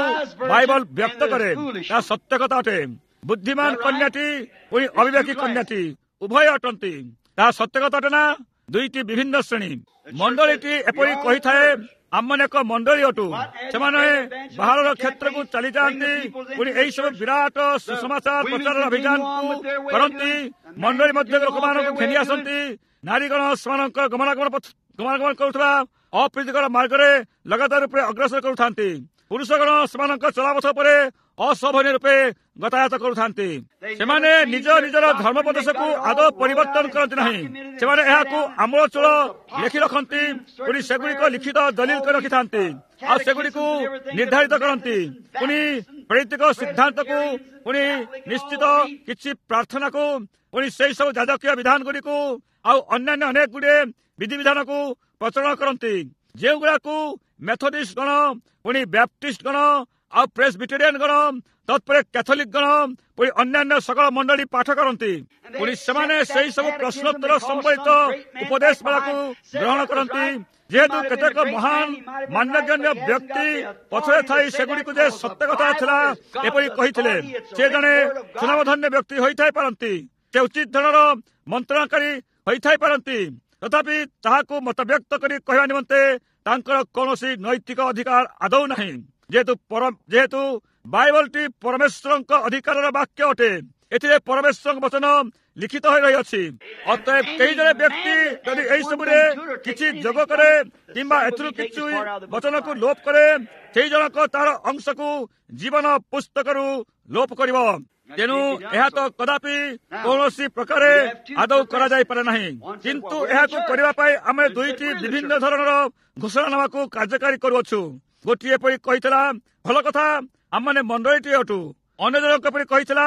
Speaker 1: ବାଇବଲ ବ୍ୟକ୍ତ କରେ। ତାହା ସତ୍ୟ କଥା ଅଟେ। ବୁଦ୍ଧିମାନ କନ୍ୟାଟି ପୁଣି ଅବିବେକୀ କନ୍ୟାଟି ଉଭୟ ଅଟନ୍ତି। ତାହା ସତ୍ୟ କଥା ଅଟେ ନା? ଦୁଇଟି ବିଭିନ୍ନ ଶ୍ରେଣୀ। ମଣ୍ଡଳୀଟି ଏପରି କହିଥାଏ, ଆମମାନେ ଏକ ମଣ୍ଡଳୀ ଅଟୁ। ସେମାନେ ବାହାରର କ୍ଷେତ୍ରକୁ ଚାଲିଯାଆନ୍ତି, ପୁଣି ଏହିସବୁ ବିରାଟ ସୁସମାଚାର ପ୍ରଚାର ଅଭିଯାନକୁ କରନ୍ତି। ମଣ୍ଡଳୀ ମଧ୍ୟରେ ଲୋକମାନଙ୍କୁ ଘେନି ଆସନ୍ତି। ନାରୀଗଣ ସେମାନଙ୍କ ଗମନାଗମନ ଗମନାଗମନ କରୁଥିବା ଅପ୍ରୀତିକର ମାର୍ଗରେ ଲଗାତାର ରୂପେ ଅଗ୍ରସର କରୁଥାନ୍ତି। ପୁରୁଷଗଣ ସେମାନଙ୍କ ଚଲାପଥ ଉପରେ ଅଶୋଭନୀୟ ରୂପେ ଗତାୟତ କରୁଥାନ୍ତି। ସେମାନେ ନିଜ ନିଜର ଧର୍ମୋପଦେଶକୁ ଆଦୌ ପରିବର୍ତ୍ତନ କରନ୍ତି ନାହିଁ। ସେମାନେ ଏହାକୁ ଆମୂଳଚୂଳ ଲେଖି ରଖନ୍ତି, ପୁଣି ସେଗୁଡ଼ିକ ଲିଖିତ ଦଲିଲ କରି ରଖିଥାନ୍ତି ଆଉ ସେଗୁଡ଼ିକୁ ନିର୍ଦ୍ଧାରିତ କରନ୍ତି। ପୁଣି ପ୍ରେରିତିକ ସିଦ୍ଧାନ୍ତକୁ, ପୁଣି ନିଶ୍ଚିତ କିଛି ପ୍ରାର୍ଥନାକୁ, ପୁଣି ସେହି ସବୁ ଯାଜକୀୟ ବିଧାନଗୁଡ଼ିକୁ ଆଉ ଅନ୍ୟାନ୍ୟ ଅନେକ ଗୁଡ଼ିଏ ବିଧିବିଧାନକୁ ପ୍ରଚଳନ କରନ୍ତି, ଯେଉଁଗୁଡ଼ାକୁ ମେଥୋଡିଷ୍ଟ ଗଣ, ପୁଣି ବ୍ୟାପ୍ଟିଷ୍ଟ ଗଣ ଆଉ ପ୍ରେସବିଟେରିଆନ ଗଣ, ତତ୍ପରେ କ୍ୟାଥୋଲିକ ଗଣ, ପୁଣି ଅନ୍ୟାନ୍ୟ ସକଳ ମଣ୍ଡଳୀ ପାଠ କରନ୍ତି। ପୁଣି ସେମାନେ ସେହି ସବୁ ପ୍ରଶ୍ନୋତ୍ତର ସମ୍ବଳିତ ଉପଦେଶ ମାଳାକୁ ଗ୍ରହଣ କରନ୍ତି। ଯେହେତୁ କେତେକ ମହାନ ମାନ୍ୟଗଣ୍ୟ ବ୍ୟକ୍ତି ପଛରେ ଥାଇ ସେଗୁଡ଼ିକୁ ଯେ ସତ୍ୟ କଥା ଥିଲା ଏପରି କହିଥିଲେ, ସେ ଜଣେ ସୁନାମଧନ୍ୟ ବ୍ୟକ୍ତି ହୋଇଥାଇ ପାରନ୍ତି, ସେ ଉଚିତ ଧରଣର ମନ୍ତ୍ରଣାକାରୀ ହୋଇଥାଇ ପାରନ୍ତି, ତଥାପି ତାହାକୁ ମତବ୍ୟକ୍ତ କରି କହିବା ନିମନ୍ତେ ତାଙ୍କର କୌଣସି ନୈତିକ ଅଧିକାର ଆଦୌ ନାହିଁ। ଯେହେତୁ ଯେହେତୁ ବାଇବଲଟି ପରମେଶ୍ୱରଙ୍କ ଅଧିକାରର ବାକ୍ୟ ଅଟେ, ଏଥିରେ ପରମେଶ୍ୱରଙ୍କ ବଚନ ଲିଖିତ ହୋଇ ରହିଅଛି। ଅତଏବ କେହି ଜଣେ ବ୍ୟକ୍ତି ଯଦି ଏହିସବୁରେ କିଛି ଯୋଗ କରେ କିମ୍ବା ଏଥିରୁ କିଛି ବଚନକୁ ଲୋପ କରେ, ସେହି ଜଣକ ତାର ଅଂଶକୁ ଜୀବନ ପୁସ୍ତକରୁ ଲୋପ କରିବ। ତେଣୁ ଏହା ତ କଦାପି କୌଣସି ପ୍ରକାରେ ଆଦୌ କରାଯାଇପାରେ ନାହିଁ। କିନ୍ତୁ ଏହାକୁ କରିବା ପାଇଁ ଆମେ ଦୁଇଟି ବିଭିନ୍ନ ଧରଣର ଘୋଷଣାନାମାକୁ କାର୍ଯ୍ୟକାରୀ କରୁଅଛୁ। ଗୋଟିଏ ପରି କହିଥିଲା, ଭଲ କଥା, ଆମମାନେ ମଣ୍ଡଳୀଟିଏ ଅଟୁ। ଅନ୍ୟ ଜଣଙ୍କ ପରି କହିଥିଲା,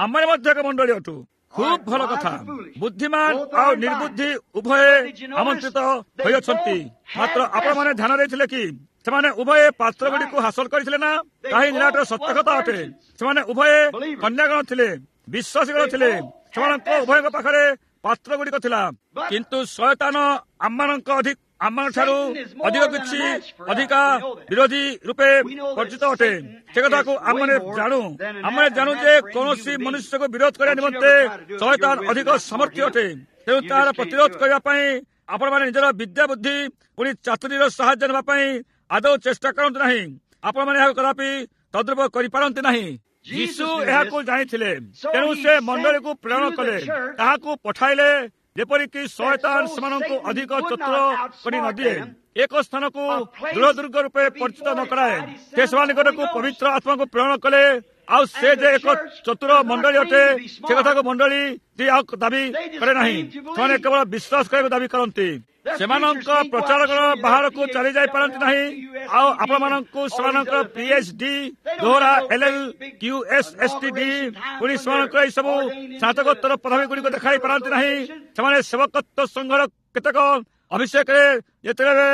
Speaker 1: ଆମମାନେ ମଧ୍ୟ ଏକ ମଣ୍ଡଳୀ ଅଟୁ। ଖୁବ୍ ଭଲ କଥା। ବୁଦ୍ଧିମାନ ଆଉ ନିର୍ବୁଦ୍ଧି ଉଭୟେ ଆମନ୍ତ୍ରିତ ହୋଇଅଛନ୍ତି। ମାତ୍ର ଆପଣମାନେ ଧ୍ୟାନ ଦେଇଥିଲେ କି ସେମାନେ ଉଭୟେ ପାତ୍ରଗୁଡ଼ିକୁ ହାସଲ କରିଥିଲେ ନା? ତାହା ନିରାଟ ସତ୍ୟ କଥା ଅଟେ। ସେମାନେ ଉଭୟେ କନ୍ୟାଗଣ ଥିଲେ, ବିଶ୍ୱାସୀଗଣ ଥିଲେ। ସେମାନଙ୍କ ଉଭୟଙ୍କ ପାଖରେ ପାତ୍ରଗୁଡ଼ିକ ଥିଲା। କିନ୍ତୁ ଶୟତାନ ଆମମାନଙ୍କ ଅଧିକ ଆମମାନଙ୍କଠାରୁ ଅଧିକ କିଛି ଅଧିକା ବିରୋଧୀ ରୂପେ ପରିଚିତ ଅଟେ। ସେ କଥାକୁ ଆମମାନେ ଜାଣୁ। ଆମେ ଜାଣୁ ଯେ କୌଣସି ମନୁଷ୍ୟକୁ ବିରୋଧ କରିବା ନିମନ୍ତେ ଶୟତାନ ଅଧିକ ସମର୍ଥ୍ୟ ଅଟେ। ତେଣୁ ତାହାର ପ୍ରତିରୋଧ କରିବା ପାଇଁ ଆପଣମାନେ ନିଜର ବିଦ୍ୟା ବୁଦ୍ଧି ପୁଣି ଚାତୁରୀର ସାହାଯ୍ୟ ନେବା ପାଇଁ ଆଦୌ ଚେଷ୍ଟା କରନ୍ତୁ ନାହିଁ। ଆପଣମାନେ ଏହାକୁ କଦାପି ତଦ୍ରୂପ କରିପାରନ୍ତି ନାହିଁ। ଯୀଶୁ ଏହାକୁ ଜାଣିଥିଲେ, ତେଣୁ ସେ ମଣ୍ଡଳୀକୁ ପ୍ରେରଣ କଲେ, ତାହାକୁ ପଠାଇଲେ। ଯେପରିକି ଶୟତାନ ସେମାନଙ୍କୁ ଅଧିକ ଚତୁର କରି ନଦିଏ, ଏକ ସ୍ଥାନକୁ ଦୃଢ଼ ଦୁର୍ଗ ରୂପେ ପରିଚିତ ନ କରାଏ। ସେ ସେମାନଙ୍କ ନିକଟକୁ ପବିତ୍ର ଆତ୍ମାକୁ ପ୍ରେରଣ କଲେ। ଆଉ ସେ ଯେ ଏକ ଚତୁର ମଣ୍ଡଳୀ ଅଟେ ସେ କଥାକୁ ମଣ୍ଡଳୀ ଆଉ ଦାବି କରେ ନାହିଁ। ସେମାନେ କେବଳ ବିଶ୍ୱାସ କରିବାକୁ ଦାବି କରନ୍ତି। ସେମାନଙ୍କ ପ୍ରଚାରକର ବାହାରକୁ ଚାଲି ଯାଇପାରନ୍ତି ନାହିଁ। ଆଉ ଆପଣମାନଙ୍କୁ ସେମାନଙ୍କର ପି ଏଚ୍ ଡି ଦୋହରା L L Q S S T D ପୁଣି ସେମାନଙ୍କର ଏହିସବୁ ସ୍ନାତକୋତ୍ତର ପଦବୀ ଗୁଡ଼ିକୁ ଦେଖାଇ ପାରନ୍ତି ନାହିଁ। ସେମାନେ ସେବକତ୍ୱ ସଂଘର କେତେକ ଅଭିଷେକରେ ଯେତେବେଳେ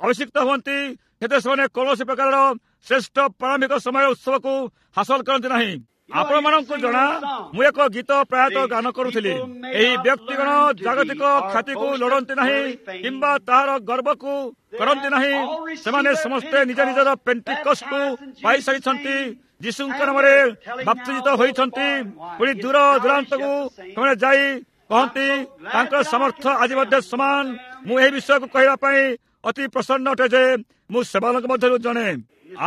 Speaker 1: ଅଭିଷିକ୍ତ ହୁଅନ୍ତି, ସେତେବେଳେ ସେମାନେ କୌଣସି ପ୍ରକାରର ଶ୍ରେଷ୍ଠ ପ୍ରାରମ୍ଭିକ ସମୟ ଉତ୍ସବକୁ ହାସଲ କରନ୍ତି ନାହିଁ। ଆପଣମାନଙ୍କୁ ଜଣା, ମୁଁ ଏକ ଗୀତ ପ୍ରାୟତଃ ଗାନ କରୁଥିଲି। ଏହି ବ୍ୟକ୍ତିଗଣ ଜାଗତିକ ଖ୍ୟାତିକୁ ଲୋଡ଼ନ୍ତି ନାହିଁ କିମ୍ବା ତାହାର ଗର୍ବକୁ କରନ୍ତି ନାହିଁ। ସେମାନେ ସମସ୍ତେ ନିଜ ନିଜର ପେଣ୍ଟିକଷ୍ଟକୁ ପାଇସାରିଛନ୍ତି, ଯୀଶୁଙ୍କ ନାମରେ ବାପ୍ତିଜିତ ହୋଇଛନ୍ତି। ପୁଣି ଦୂର ଦୂରାନ୍ତକୁ ସେମାନେ ଯାଇ କହନ୍ତି ତାଙ୍କର ସାମର୍ଥ୍ୟ ଆଜି ମଧ୍ୟ ସମାନ। ମୁଁ ଏହି ବିଷୟକୁ କହିବା ପାଇଁ ଅତି ପ୍ରସନ୍ନ ଅଟେ ଯେ ମୁଁ ସେମାନଙ୍କ ମଧ୍ୟରୁ ଜଣେ।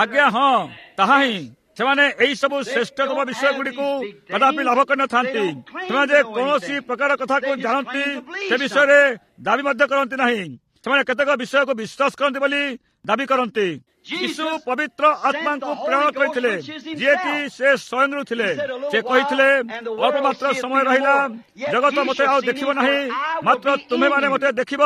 Speaker 1: ଆଜ୍ଞା ହଁ, ତାହା ହିଁ। ସେମାନେ ଏହି ସବୁ ଶ୍ରେଷ୍ଠତମ ବିଷୟ ଗୁଡ଼ିକୁ କଦାପି ଲାଭ କରିନଥାନ୍ତି। ସେମାନେ ଯେ କୌଣସି ପ୍ରକାର କଥାକୁ ଜାଣନ୍ତି ସେ ବିଷୟରେ ଦାବି ମଧ୍ୟ କରନ୍ତି ନାହିଁ। ସେମାନେ କେତେକ ବିଷୟକୁ ବିଶ୍ୱାସ କରନ୍ତି ବୋଲି ଦାବି କରନ୍ତି। ଯୀଶୁ ପବିତ୍ର ଆତ୍ମାଙ୍କୁ ପ୍ରେରଣ କରିଥିଲେ, ଯିଏକି ସେ ସ୍ୱୟଂ ଥିଲେ। ସେ କହିଥିଲେ, ଅଳ୍ପ ମାତ୍ର ସମୟ ରହିଲା, ଜଗତ ମୋତେ ଆଉ ଦେଖିବ ନାହିଁ, ମାତ୍ର ତୁମେମାନେ ମୋତେ ଦେଖିବ,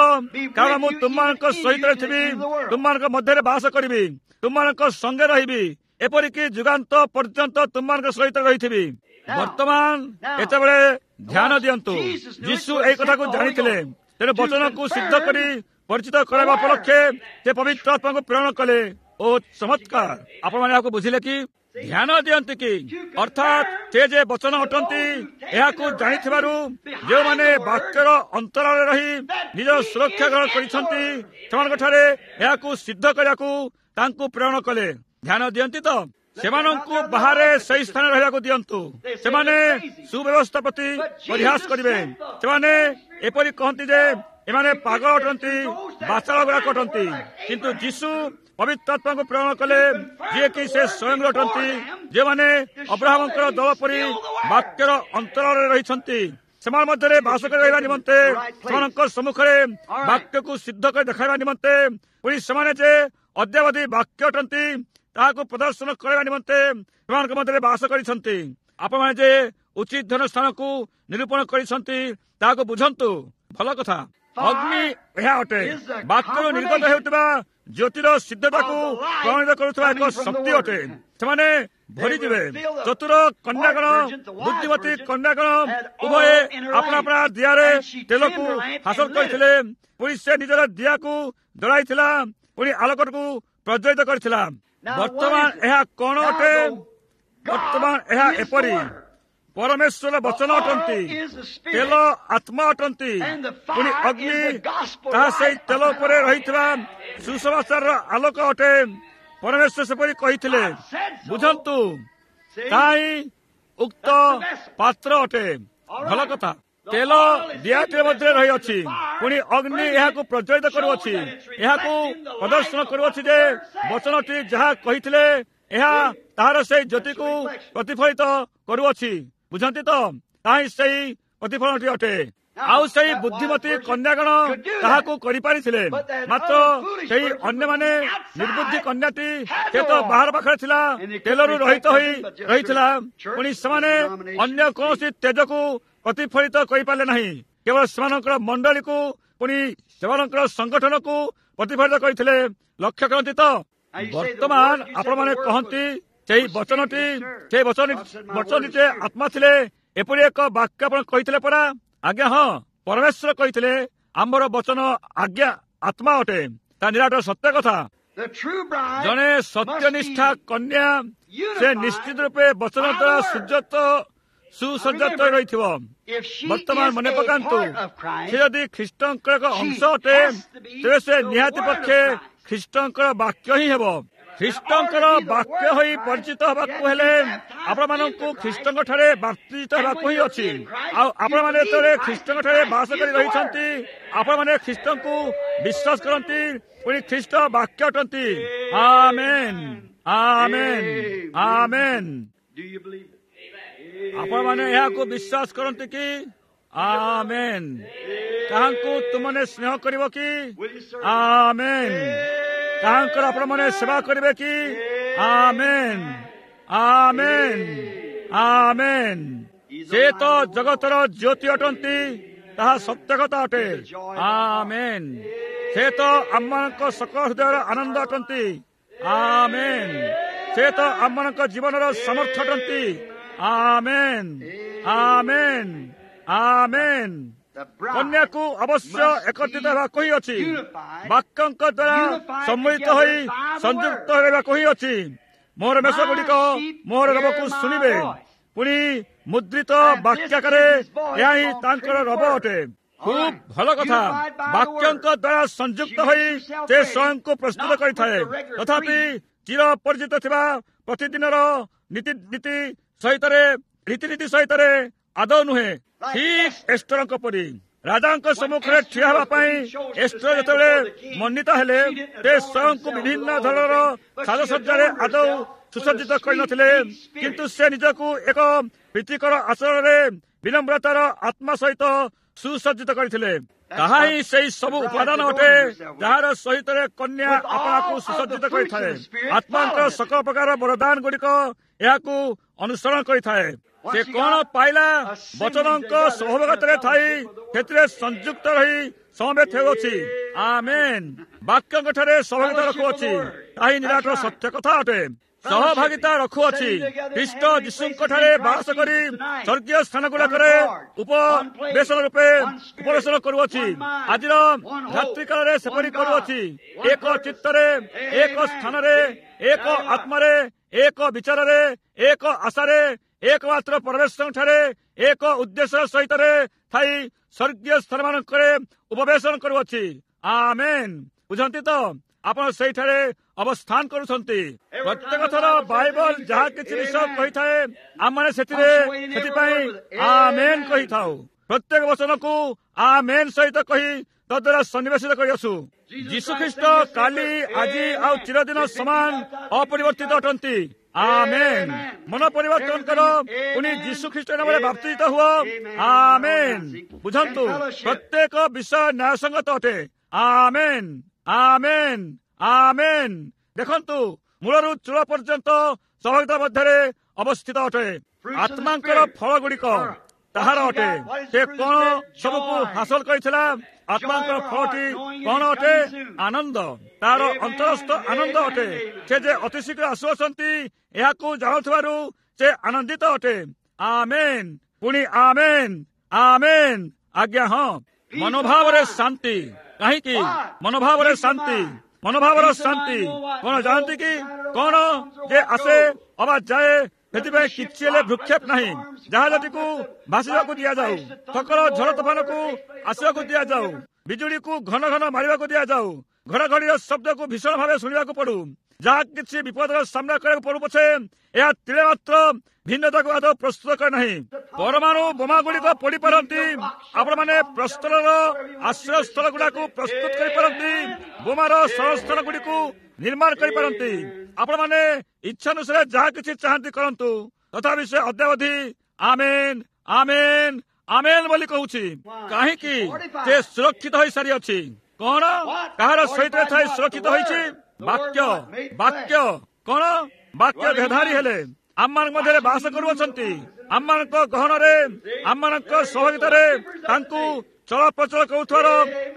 Speaker 1: କାରଣ ମୁଁ ତୁମମାନଙ୍କ ସହିତ ଥିବି, ତୁମମାନଙ୍କ ମଧ୍ୟରେ ବାସ କରିବି, ତୁମମାନଙ୍କ ସଙ୍ଗେ ରହିବି, ଏପରିକି ଯୁଗାନ୍ତ ପର୍ଯ୍ୟନ୍ତ ତୁମମାନଙ୍କ ସହିତ ରହିଥିବି। ବର୍ତ୍ତମାନ ଏତେବେଳେ ଧ୍ୟାନ ଦିଅନ୍ତୁ, ଯୀଶୁ ଏହି କଥାକୁ ଜାଣିଥିଲେ। ତେଣୁ ବଚନକୁ ସିଦ୍ଧ କରି ପରିଚିତ କରାଇବା ଉପଲକ୍ଷେ ସେ ପବିତ୍ର ଆତ୍ମାକୁ ପ୍ରେରଣ କଲେ। ଓ ଚମତ୍କାର! ଆପଣମାନେ ଏହାକୁ ବୁଝିଲେ କି? ଧ୍ୟାନ ଦିଅନ୍ତି କି? ଅର୍ଥାତ୍ ସେ ଯେ ବଚନ ଅଟନ୍ତି, ଏହାକୁ ଜାଣିଥିବାରୁ ଯେଉଁମାନେ ବାକ୍ୟର ଅନ୍ତରାଳରେ ରହି ନିଜ ସୁରକ୍ଷା ଗ୍ରହଣ କରିଛନ୍ତି, ସେମାନଙ୍କଠାରେ ଏହାକୁ ସିଦ୍ଧ କରିବାକୁ ତାଙ୍କୁ ପ୍ରେରଣ କଲେ। ଧ୍ୟାନ ଦିଅନ୍ତି ତ? ସେମାନଙ୍କୁ ବାହାରେ ସେହି ସ୍ଥାନରେ ରହିବାକୁ ଦିଅନ୍ତୁ। ସେମାନେ ସୁବ୍ୟବସ୍ଥା ପ୍ରତି ପରିହାସ କରିବେ। ସେମାନେ ଏପରି କହନ୍ତି ଯେ ଏମାନେ ପାଗଳ ଅଟନ୍ତି, ବାଚାଳ ଗୁଡାକ ଅଟନ୍ତି। କିନ୍ତୁ ଯୀଶୁ ପବିତ୍ର ଆତ୍ମାଙ୍କୁ ପ୍ରେରଣ କଲେ, ଯିଏକି ସେ ସ୍ୱୟଂ ଅଟନ୍ତି। ଯେଉଁମାନେ ଅବ୍ରାହମଙ୍କର ଦଳ ପରି ବାକ୍ୟର ଅନ୍ତରାଳରେ ରହିଛନ୍ତି, ସେମାନଙ୍କ ମଧ୍ୟରେ ବାସ କରି ରହିବା ନିମନ୍ତେ, ସେମାନଙ୍କ ସମ୍ମୁଖରେ ବାକ୍ୟକୁ ସିଦ୍ଧ କରି ଦେଖାଇବା ନିମନ୍ତେ, ପୁଣି ସେମାନେ ଯେ ଅଦ୍ୟାବଧି ବାକ୍ୟ ଅଟନ୍ତି ତାହାକୁ ପ୍ରଦର୍ଶନ କରିବା ନିମନ୍ତେ ସେମାନଙ୍କ ମଧ୍ୟରେ ବାସ କରିଛନ୍ତି। ଆପଣମାନେ ଯେ ଉଚିତ ଧନ ସ୍ଥାନକୁ ନିରୂପଣ କରିଛନ୍ତି ତାହାକୁ ବୁଝନ୍ତୁ। ଭଲ କଥା। ଅଗ୍ନି ଏହା ଅଟେ, ବାକ୍ୟରୁ ନିର୍ଗତ ହେଉଥିବା ଜ୍ୟୋତିର ସିଦ୍ଧତାକୁ ପ୍ରମାଣିତ କରୁଥିବା ଏକ ଶକ୍ତି ଅଟେ। ସେମାନେ ଭରିଯିବେ। ଚତୁର କନ୍ୟାଗଣ, ବୁଦ୍ଧିମତୀ କନ୍ୟାଗଣ ଉଭୟେ ଆପଣା ଆପଣା ଦିଆରେ ତେଲକୁ ହାସଲ କରିଥିଲେ। ପୁଣି ସେ ନିଜର ଦିଆକୁ ଜଳାଇଥିଲା, ପୁଣି ଆଲୋକକୁ ପ୍ରଜ୍ୱଳିତ କରିଥିଲା। ବର୍ତ୍ତମାନ ଏହା କଣ ଅଟେ? ବର୍ତ୍ତମାନ ଏହା ଏପରି, ପରମେଶ୍ୱର ବଚନ ଅଟନ୍ତି, ତେଲ ଆତ୍ମା ଅଟନ୍ତି, ପୁଣି ଅଗ୍ନି ତାହା ସେଇ ତେଲ ଉପରେ ରହିଥିବା ସୁସମାଚାରର ଆଲୋକ ଅଟେ। ପରମେଶ୍ୱର ସେପରି କହିଥିଲେ। ବୁଝନ୍ତୁ, ତାହା ହିଁ ଉକ୍ତ ପାତ୍ର ଅଟେ। ଭଲ କଥା। ତେଲ ଦିଆଟିର ମଧ୍ୟରେ ରହିଅଛି, ପୁଣି ଅଗ୍ନି ଏହାକୁ ପ୍ରଜ୍ୱଳିତ କରୁଅଛି, ଏହାକୁ ପ୍ରଦର୍ଶନ କରୁଅଛି ଯେ ବଚନଟି ଯାହା କହିଥିଲେ ଏହା ତାହାର ସେଇ ଜ୍ୟୋତିକୁ ପ୍ରତିଫଳିତ କରୁଅଛି। ବୁଝନ୍ତି ତ? ତାହା ହିଁ ସେଇ ପ୍ରତିଫଳନଟି ଅଟେ। ଆଉ ସେଇ ବୁଦ୍ଧିମତୀ କନ୍ୟାଗଣ ତାହାକୁ କରିପାରିଥିଲେ, ମାତ୍ର ସେଇ ଅନ୍ୟମାନେ, ନିର୍ବୁଦ୍ଧି କନ୍ୟାଟି ସେ ତ ବାହାର ପାଖରେ ଥିଲା, ତେଲରୁ ରହିତ ହୋଇ ରହିଥିଲା। ପୁଣି ସେମାନେ ଅନ୍ୟ କୌଣସି ତେଜକୁ ପ୍ରତିଫଳିତ କରିପାରିଲେ ନାହିଁ, କେବଳ ସେମାନଙ୍କର ମଣ୍ଡଳୀକୁ ପୁଣି ସେମାନଙ୍କର ସଂଗଠନକୁ ପ୍ରତିଫଳିତ କରିଥିଲେ। ଲକ୍ଷ୍ୟ କରନ୍ତି ତ? ବର୍ତ୍ତମାନ ଆପଣମାନେ କହନ୍ତି ସେଇ ବଚନଟି, ସେ ବଚନ ବଚନଟି ଯେ ଆତ୍ମା ଥିଲେ, ଏପରି ଏକ ବାକ୍ୟ ଆପଣ କହିଥିଲେ ପରା? ଆଜ୍ଞା ହଁ, ପରମେଶ୍ୱର କହିଥିଲେ ଆମର ବଚନ ଆଜ୍ଞା ଆତ୍ମା ଅଟେ। ତା ନିରାଟ ସତ୍ୟ କଥା। ଜଣେ ସତ୍ୟନିଷ୍ଠା କନ୍ୟା ସେ ନିଶ୍ଚିତ ରୂପେ ବଚନ ଦ୍ୱାରା ସୁଯତ ସୁସଜ୍ଜିତ ରହିଥିବ। ବର୍ତ୍ତମାନ ମନେ ପକାନ୍ତୁ, ସେ ଯଦି ଖ୍ରୀଷ୍ଟଙ୍କର ଏକ ଅଂଶ ଅଟେ, ତେବେ ସେ ନିହାତି ପକ୍ଷେ ଖ୍ରୀଷ୍ଟଙ୍କର ବାକ୍ୟ ହିଁ ହେବ। ଖ୍ରୀଷ୍ଟଙ୍କର ବାକ୍ୟ ହୋଇ ପରିଚିତ ହେବାକୁ ହେଲେ ଆପଣମାନଙ୍କୁ ଖ୍ରୀଷ୍ଟଙ୍କ ଠାରେ ବାପ୍ତିଜିତ ହେବାକୁ ହିଁ ଅଛି। ଆଉ ଆପଣମାନେ ଯେତେବେଳେ ଖ୍ରୀଷ୍ଟଙ୍କ ଠାରେ ବାସ କରି ରହିଛନ୍ତି, ଆପଣମାନେ ଖ୍ରୀଷ୍ଟଙ୍କୁ ବିଶ୍ୱାସ କରନ୍ତି, ପୁଣି ଖ୍ରୀଷ୍ଟ ବାକ୍ୟ ଅଟନ୍ତି। ଆମେନ୍, ଆମେନ୍, ଆମେନ୍। ଆପଣମାନେ ଏହାକୁ ବିଶ୍ୱାସ କରନ୍ତି କି? ଆମେନ୍। ତାହାଙ୍କୁ ତୁମମାନେ ସ୍ନେହ କରିବ କି? ଆମେନ୍। ତାହାଙ୍କର ଆପଣମାନେ ସେବା କରିବେ କି? ଆମେନ୍, ଆମେନ୍, ଆମେନ୍। ସେ ତ ଜଗତର ଜ୍ୟୋତି ଅଟନ୍ତି, ତାହା ସତ୍ୟ କଥା ଅଟେ। ଆମେନ୍। ସେ ତ ଆମମାନଙ୍କ ସକଳ ହୃଦୟର ଆନନ୍ଦ ଅଟନ୍ତି। ଆମେନ୍। ସେ ତ ଆମମାନଙ୍କ ଜୀବନର ସମର୍ଥ ଅଟନ୍ତି। ଆମେନ୍, ଆମେନ୍, ଆମେନ୍। କନ୍ୟାକୁ ଅବଶ୍ୟ ଏକତ୍ରିତ ହେବାକୁ ହିଁ ଅଛି, ବାକ୍ୟଙ୍କ ଦ୍ୱାରା ସମ୍ମିଳିତ ହୋଇ ସଂଯୁକ୍ତ ହେବାକୁ ହିଁ ଅଛି। ମୋର ମେଷ ଗୁଡ଼ିକ ମୋର ରବକୁ ଶୁଣିବେ। ପୁଣି ମୁଦ୍ରିତ ବାକ୍ୟାକାରେ ଏହା ହିଁ ତାଙ୍କର ରବ ଅଟେ। ଖୁବ୍ ଭଲ କଥା। ବାକ୍ୟଙ୍କ ଦ୍ୱାରା ସଂଯୁକ୍ତ ହୋଇ ସେ ସ୍ୱୟଂକୁ ପ୍ରସ୍ତୁତ କରିଥାଏ। ତଥାପି ଚିର ପରିଚିତ ଥିବା ପ୍ରତିଦିନର ନୀତି ନୀତି ସହିତରେ ରୀତିନୀତି ସହିତରେ ଆଦୌ ନୁହେଁ। ଠିକ୍ ଏଷ୍ଟରଙ୍କ ପରି ରାଜାଙ୍କ ସମ୍ମୁଖରେ ଠିଆ ହେବା ପାଇଁ ଏଷ୍ଟର ଯେତେବେଳେ ମନୋନୀତ ହେଲେ, ସେ ସ୍ୱୟଂକୁ ବିଭିନ୍ନ ଧରଣର ସାଜସଜ୍ଜାରେ ଆଦୌ ସୁସଜ୍ଜିତ କରିନଥିଲେ, କିନ୍ତୁ ସେ ନିଜକୁ ଏକ ପ୍ରୀତିକର ଆଚରଣରେ ବିନମ୍ରତାର ଆତ୍ମା ସହିତ ସୁସଜ୍ଜିତ କରିଥିଲେ। ତାହା ହିଁ ସେଇ ସବୁ ଉପାଦାନ ଅଟେ ଯାହାର ସହିତରେ କନ୍ୟା ଆପଣାକୁ ସୁସଜ୍ଜିତ କରିଥାଏ। ଆତ୍ମାଙ୍କର ସକଳ ପ୍ରକାର ବରଦାନ ଗୁଡ଼ିକ ଏହାକୁ ଅନୁସରଣ କରିଥାଏ। ସେ କଣ ପାଇଲା? ବଚନଙ୍କ ସହଭାଗିତାରେ ଥାଇ ସେଥିରେ ସଂଯୁକ୍ତ ରହି ସମବେତ ହେଉଅଛି। ଆମେନ୍। ବାକ୍ୟଙ୍କ ଠାରେ ସହଭାଗିତା ରଖୁଅଛି, ତାହା ହିଁ ନିରାଟ ସତ୍ୟ କଥା ଅଟେ। ସହଭାଗିତା ରଖୁଅଛି ଖ୍ରୀଷ୍ଟ ଯୀଶୁଙ୍କ ଠାରେ ବାସ କରି ସ୍ୱର୍ଗୀୟ ସ୍ଥାନ ଗୁଡାକରେ ଉପବେଶନ ରୂପେ ଉପବେଶନ କରୁଅଛି। ଆଜିର ରାତ୍ରିକାଳରେ ସେପରି କରୁଅଛି। ଏକ ଚିତ୍ତରେ, ଏକ ସ୍ଥାନରେ, ଏକ ଆତ୍ମାରେ, ଏକ ବିଚାରରେ, ଏକ ଆଶାରେ, ଏକମାତ୍ର ପରମେଶ୍ୱରଙ୍କ ଠାରେ ଏକ ଉଦ୍ଦେଶ୍ୟ ସହିତରେ ଥାଇ ସ୍ୱର୍ଗୀୟ ସ୍ଥାନମାନଙ୍କରେ ଉପବେଶନ କରୁଅଛି। ଆମେନ୍। ବୁଝନ୍ତି ତ? ଆପଣ ସେଇଠାରେ ଅବସ୍ଥାନ କରୁଛନ୍ତି। ପ୍ରତ୍ୟେକ ଥର ବାଇବଲ ଯାହା କିଛି ବିଷୟ କହିଥାଏ, ଆମମାନେ ସେଥିରେ ସେଥିପାଇଁ ଆମେନ୍ କହିଥାଉ। ପ୍ରତ୍ୟେକ ବଚନକୁ ଆମେନ୍ ସହିତ କହି ତଦ୍ୱାରା ସନ୍ନିବେଶିତ କରିଅଛୁ। ଯୀଶୁଖ୍ରୀଷ୍ଟ କାଲି, ଆଜି ଆଉ ଚିରଦିନ ସମାନ ଅପରିବର୍ତ୍ତିତ ଅଟନ୍ତି। ଆମେନ୍। ମନ ପରିବର୍ତ୍ତନ କର, ପୁଣି ଯୀଶୁ ଖ୍ରୀଷ୍ଟ ନାମରେ ବାପ୍ତିଜିତ ହୁଅ। ଆମେନ୍। ବୁଝନ୍ତୁ, ପ୍ରତ୍ୟେକ ବିଷୟ ନ୍ୟାୟସଙ୍ଗତ ଅଟେ। ଆମେନ୍, ଆମେନ୍, ଆମେନ୍। ଦେଖନ୍ତୁ, ମୂଳରୁ ଚୂଳ ପର୍ଯ୍ୟନ୍ତ ସହଭାଗିତା ମଧ୍ୟରେ ଅବସ୍ଥିତ ଅଟେ। ଆତ୍ମାଙ୍କର ଫଳ ଗୁଡ଼ିକ ତାହାର ଅଟେ। ସେ କଣ ସବୁକୁ ହାସଲ କରିଥିଲା? ଆତ୍ମାଙ୍କର ଫଳଟି କଣ ଅଟେ? ଆନନ୍ଦ। ତାର ଅନ୍ତରସ୍ଥ ଆନନ୍ଦ ଅଟେ। ସେ ଯେ ଅତିଶୀଘ୍ର ଆସୁଅଛନ୍ତି ଏହାକୁ ଜାଣୁଥିବାରୁ ସେ ଆନନ୍ଦିତ ଅଟେ। ଆମେନ୍। ପୁଣି ଆମେନ୍, ଆମେନ୍। ଆଜ୍ଞା ହଁ। ମନୋଭାବରେ ଶାନ୍ତି। କାହିଁକି ମନୋଭାବରେ ଶାନ୍ତି? ମନୋଭାବର ଶାନ୍ତି କଣ ଜାଣନ୍ତି କି? କଣ ଯେ ଆସେ ଅବା ଯାଏ, ସେଥିପାଇଁ କିଛି ହେଲେ ଭୃକ୍ଷେପ ନାହିଁ। ଜାହାଜଟିକୁ ଭାସିବାକୁ ଦିଆଯାଉ, ସକଳ ଝଡ଼ ତୋଫାନକୁ ଆସିବାକୁ ଦିଆଯାଉ, ବିଜୁଳିକୁ ଘନ ଘନ ମାରିବାକୁ ଦିଆଯାଉ, ଘଡ଼ଘଡ଼ିର ଶବ୍ଦକୁ ଭୀଷଣ ଭାବେ ଶୁଣିବାକୁ ପଡୁ, ଯାହା କିଛି ବିପଦର ସାମ୍ନା କରିବାକୁ ପଡୁ ପଛେ, ଏହା ତିଳେ ମାତ୍ର ଭିନ୍ନତାକୁ ଆଦୌ ପ୍ରସ୍ତୁତ କରେ ନାହିଁ। ପରମାଣୁ ବୋମା ଗୁଡ଼ିକ ପଡିପାରନ୍ତି, ଆପଣମାନେ ପ୍ରସ୍ତରର ଆଶ୍ରୟସ୍ଥଳ ଗୁଡାକୁ ପ୍ରସ୍ତୁତ କରିପାରନ୍ତି, ବୋମାର ଶରଣସ୍ଥଳ ଗୁଡ଼ିକୁ ନିର୍ମାଣ କରିପାରନ୍ତି। ଆପଣମାନେ ଇଚ୍ଛାନୁସାରେ ଯାହା କିଛି ଚାହାନ୍ତି କରନ୍ତୁ, ତଥାପି ସେ ଅଦ୍ୟାବଧି ଆମେନ୍, ଆମେନ୍, ଆମେନ୍ ବୋଲି କହୁଛି। କାହିଁକି? ସେ ସୁରକ୍ଷିତ ହୋଇସାରିଅଛି। କଣ କାହାର ସହିତ ଥାଇ ସୁରକ୍ଷିତ ହୋଇଛି? ବାକ୍ୟ। ବାକ୍ୟ କଣ? ବାକ୍ୟ ଦେହଧାରୀ ହେଲେ ଆମମାନଙ୍କ ମଧ୍ୟରେ ବାସ କରୁଅଛନ୍ତି। ଆମମାନଙ୍କ ଗହଣରେ, ଆମମାନଙ୍କ ସହଭାଗିତାରେ ତାଙ୍କୁ ଚଳପ୍ରଚଳ କରୁଥିବାର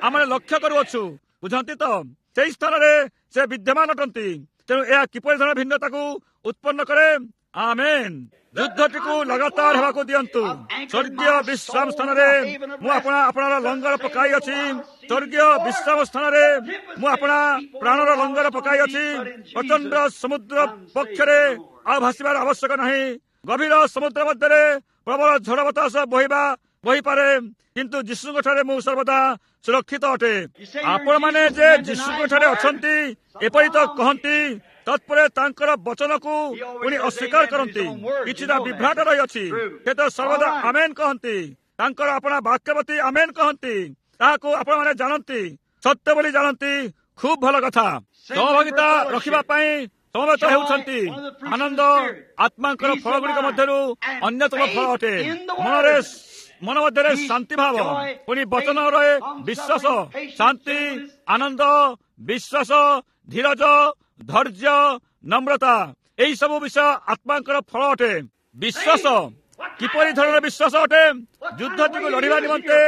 Speaker 1: ଆମେ ଲକ୍ଷ୍ୟ କରୁଅଛୁ। ବୁଝନ୍ତି ତ? ସେଇ ସ୍ଥାନରେ ସେ ବିଦ୍ୟମାନ ଅଟନ୍ତି। ତେଣୁ ଏହା କିପରି ଧରଣ ଭିନ୍ନତାକୁ ଉତ୍ପନ୍ନ କରେ? ଆମେନ୍। ଯୁଦ୍ଧଟିକୁ ଲଗାତାର ହେବାକୁ ଦିଅନ୍ତୁ। ସ୍ୱର୍ଗୀୟ ବିଶ୍ରାମ ସ୍ଥାନରେ ମୁଁ ଆପଣା ଆପଣାର ଲଙ୍ଗର ପକାଇଅଛି। ସ୍ୱର୍ଗୀୟ ବିଶ୍ରାମ ସ୍ଥାନରେ ମୁଁ ଆପଣା ପ୍ରାଣର ଲଙ୍ଗର ପକାଇଅଛି। ପ୍ରଚଣ୍ଡ ସମୁଦ୍ର ପକ୍ଷରେ ଆଉ ଭାସିବାର ଆବଶ୍ୟକ ନାହିଁ। ଗଭୀର ସମୁଦ୍ର ମଧ୍ୟରେ ପ୍ରବଳ ଝଡ଼ ବତାସ ବହିବା ବହିପାରେ, କିନ୍ତୁ ଯୀଶୁଙ୍କ ଠାରେ ମୁଁ ସର୍ବଦା ସୁରକ୍ଷିତ ଅଟେ। ଆପଣମାନେ ଯେ ଯୀଶୁଙ୍କ ଠାରେ ଅଛନ୍ତି ଏପରି ତ କହନ୍ତି, ତତ୍ପରେ ତାଙ୍କର ବଚନକୁ ପୁଣି ଅସ୍ୱୀକାର କରନ୍ତି। କିଛିଟା ବିଭ୍ରାଟ ରହିଅଛି। ସେ ତ ସର୍ବଦା ଆମେନ୍ କହନ୍ତି, ତାଙ୍କର ଆପଣା ବାକ୍ୟ ପ୍ରତି ଆମେନ୍ କହନ୍ତି। ତାହାକୁ ଆପଣମାନେ ଜାଣନ୍ତି, ସତ୍ୟ ବୋଲି ଜାଣନ୍ତି। ଖୁବ୍ ଭଲ କଥା। ସହଭାଗିତା ରଖିବା ପାଇଁ ସମବେତ ହେଉଛନ୍ତି। ଆନନ୍ଦ ଆତ୍ମାଙ୍କର ଫଳ ଗୁଡ଼ିକ ମଧ୍ୟରୁ ଅନ୍ୟତମ ଫଳ ଅଟେ। ମନରେ ମନ ମଧ୍ୟରେ ଶାନ୍ତି ଭାବ, ପୁଣି ବଚନରେ ବିଶ୍ୱାସ, ଶାନ୍ତି, ଆନନ୍ଦ, ବିଶ୍ୱାସ, ଧୀରଜ, ଧୈର୍ଯ୍ୟ, ନମ୍ରତା, ଏହି ସବୁ ବିଷୟ ଆତ୍ମାଙ୍କର ଫଳ ଅଟେ। ବିଶ୍ୱାସ କିପରି ଧରଣର ବିଶ୍ୱାସ ଅଟେ? ଯୁଦ୍ଧଟିକୁ ଲଢ଼ିବା ନିମନ୍ତେ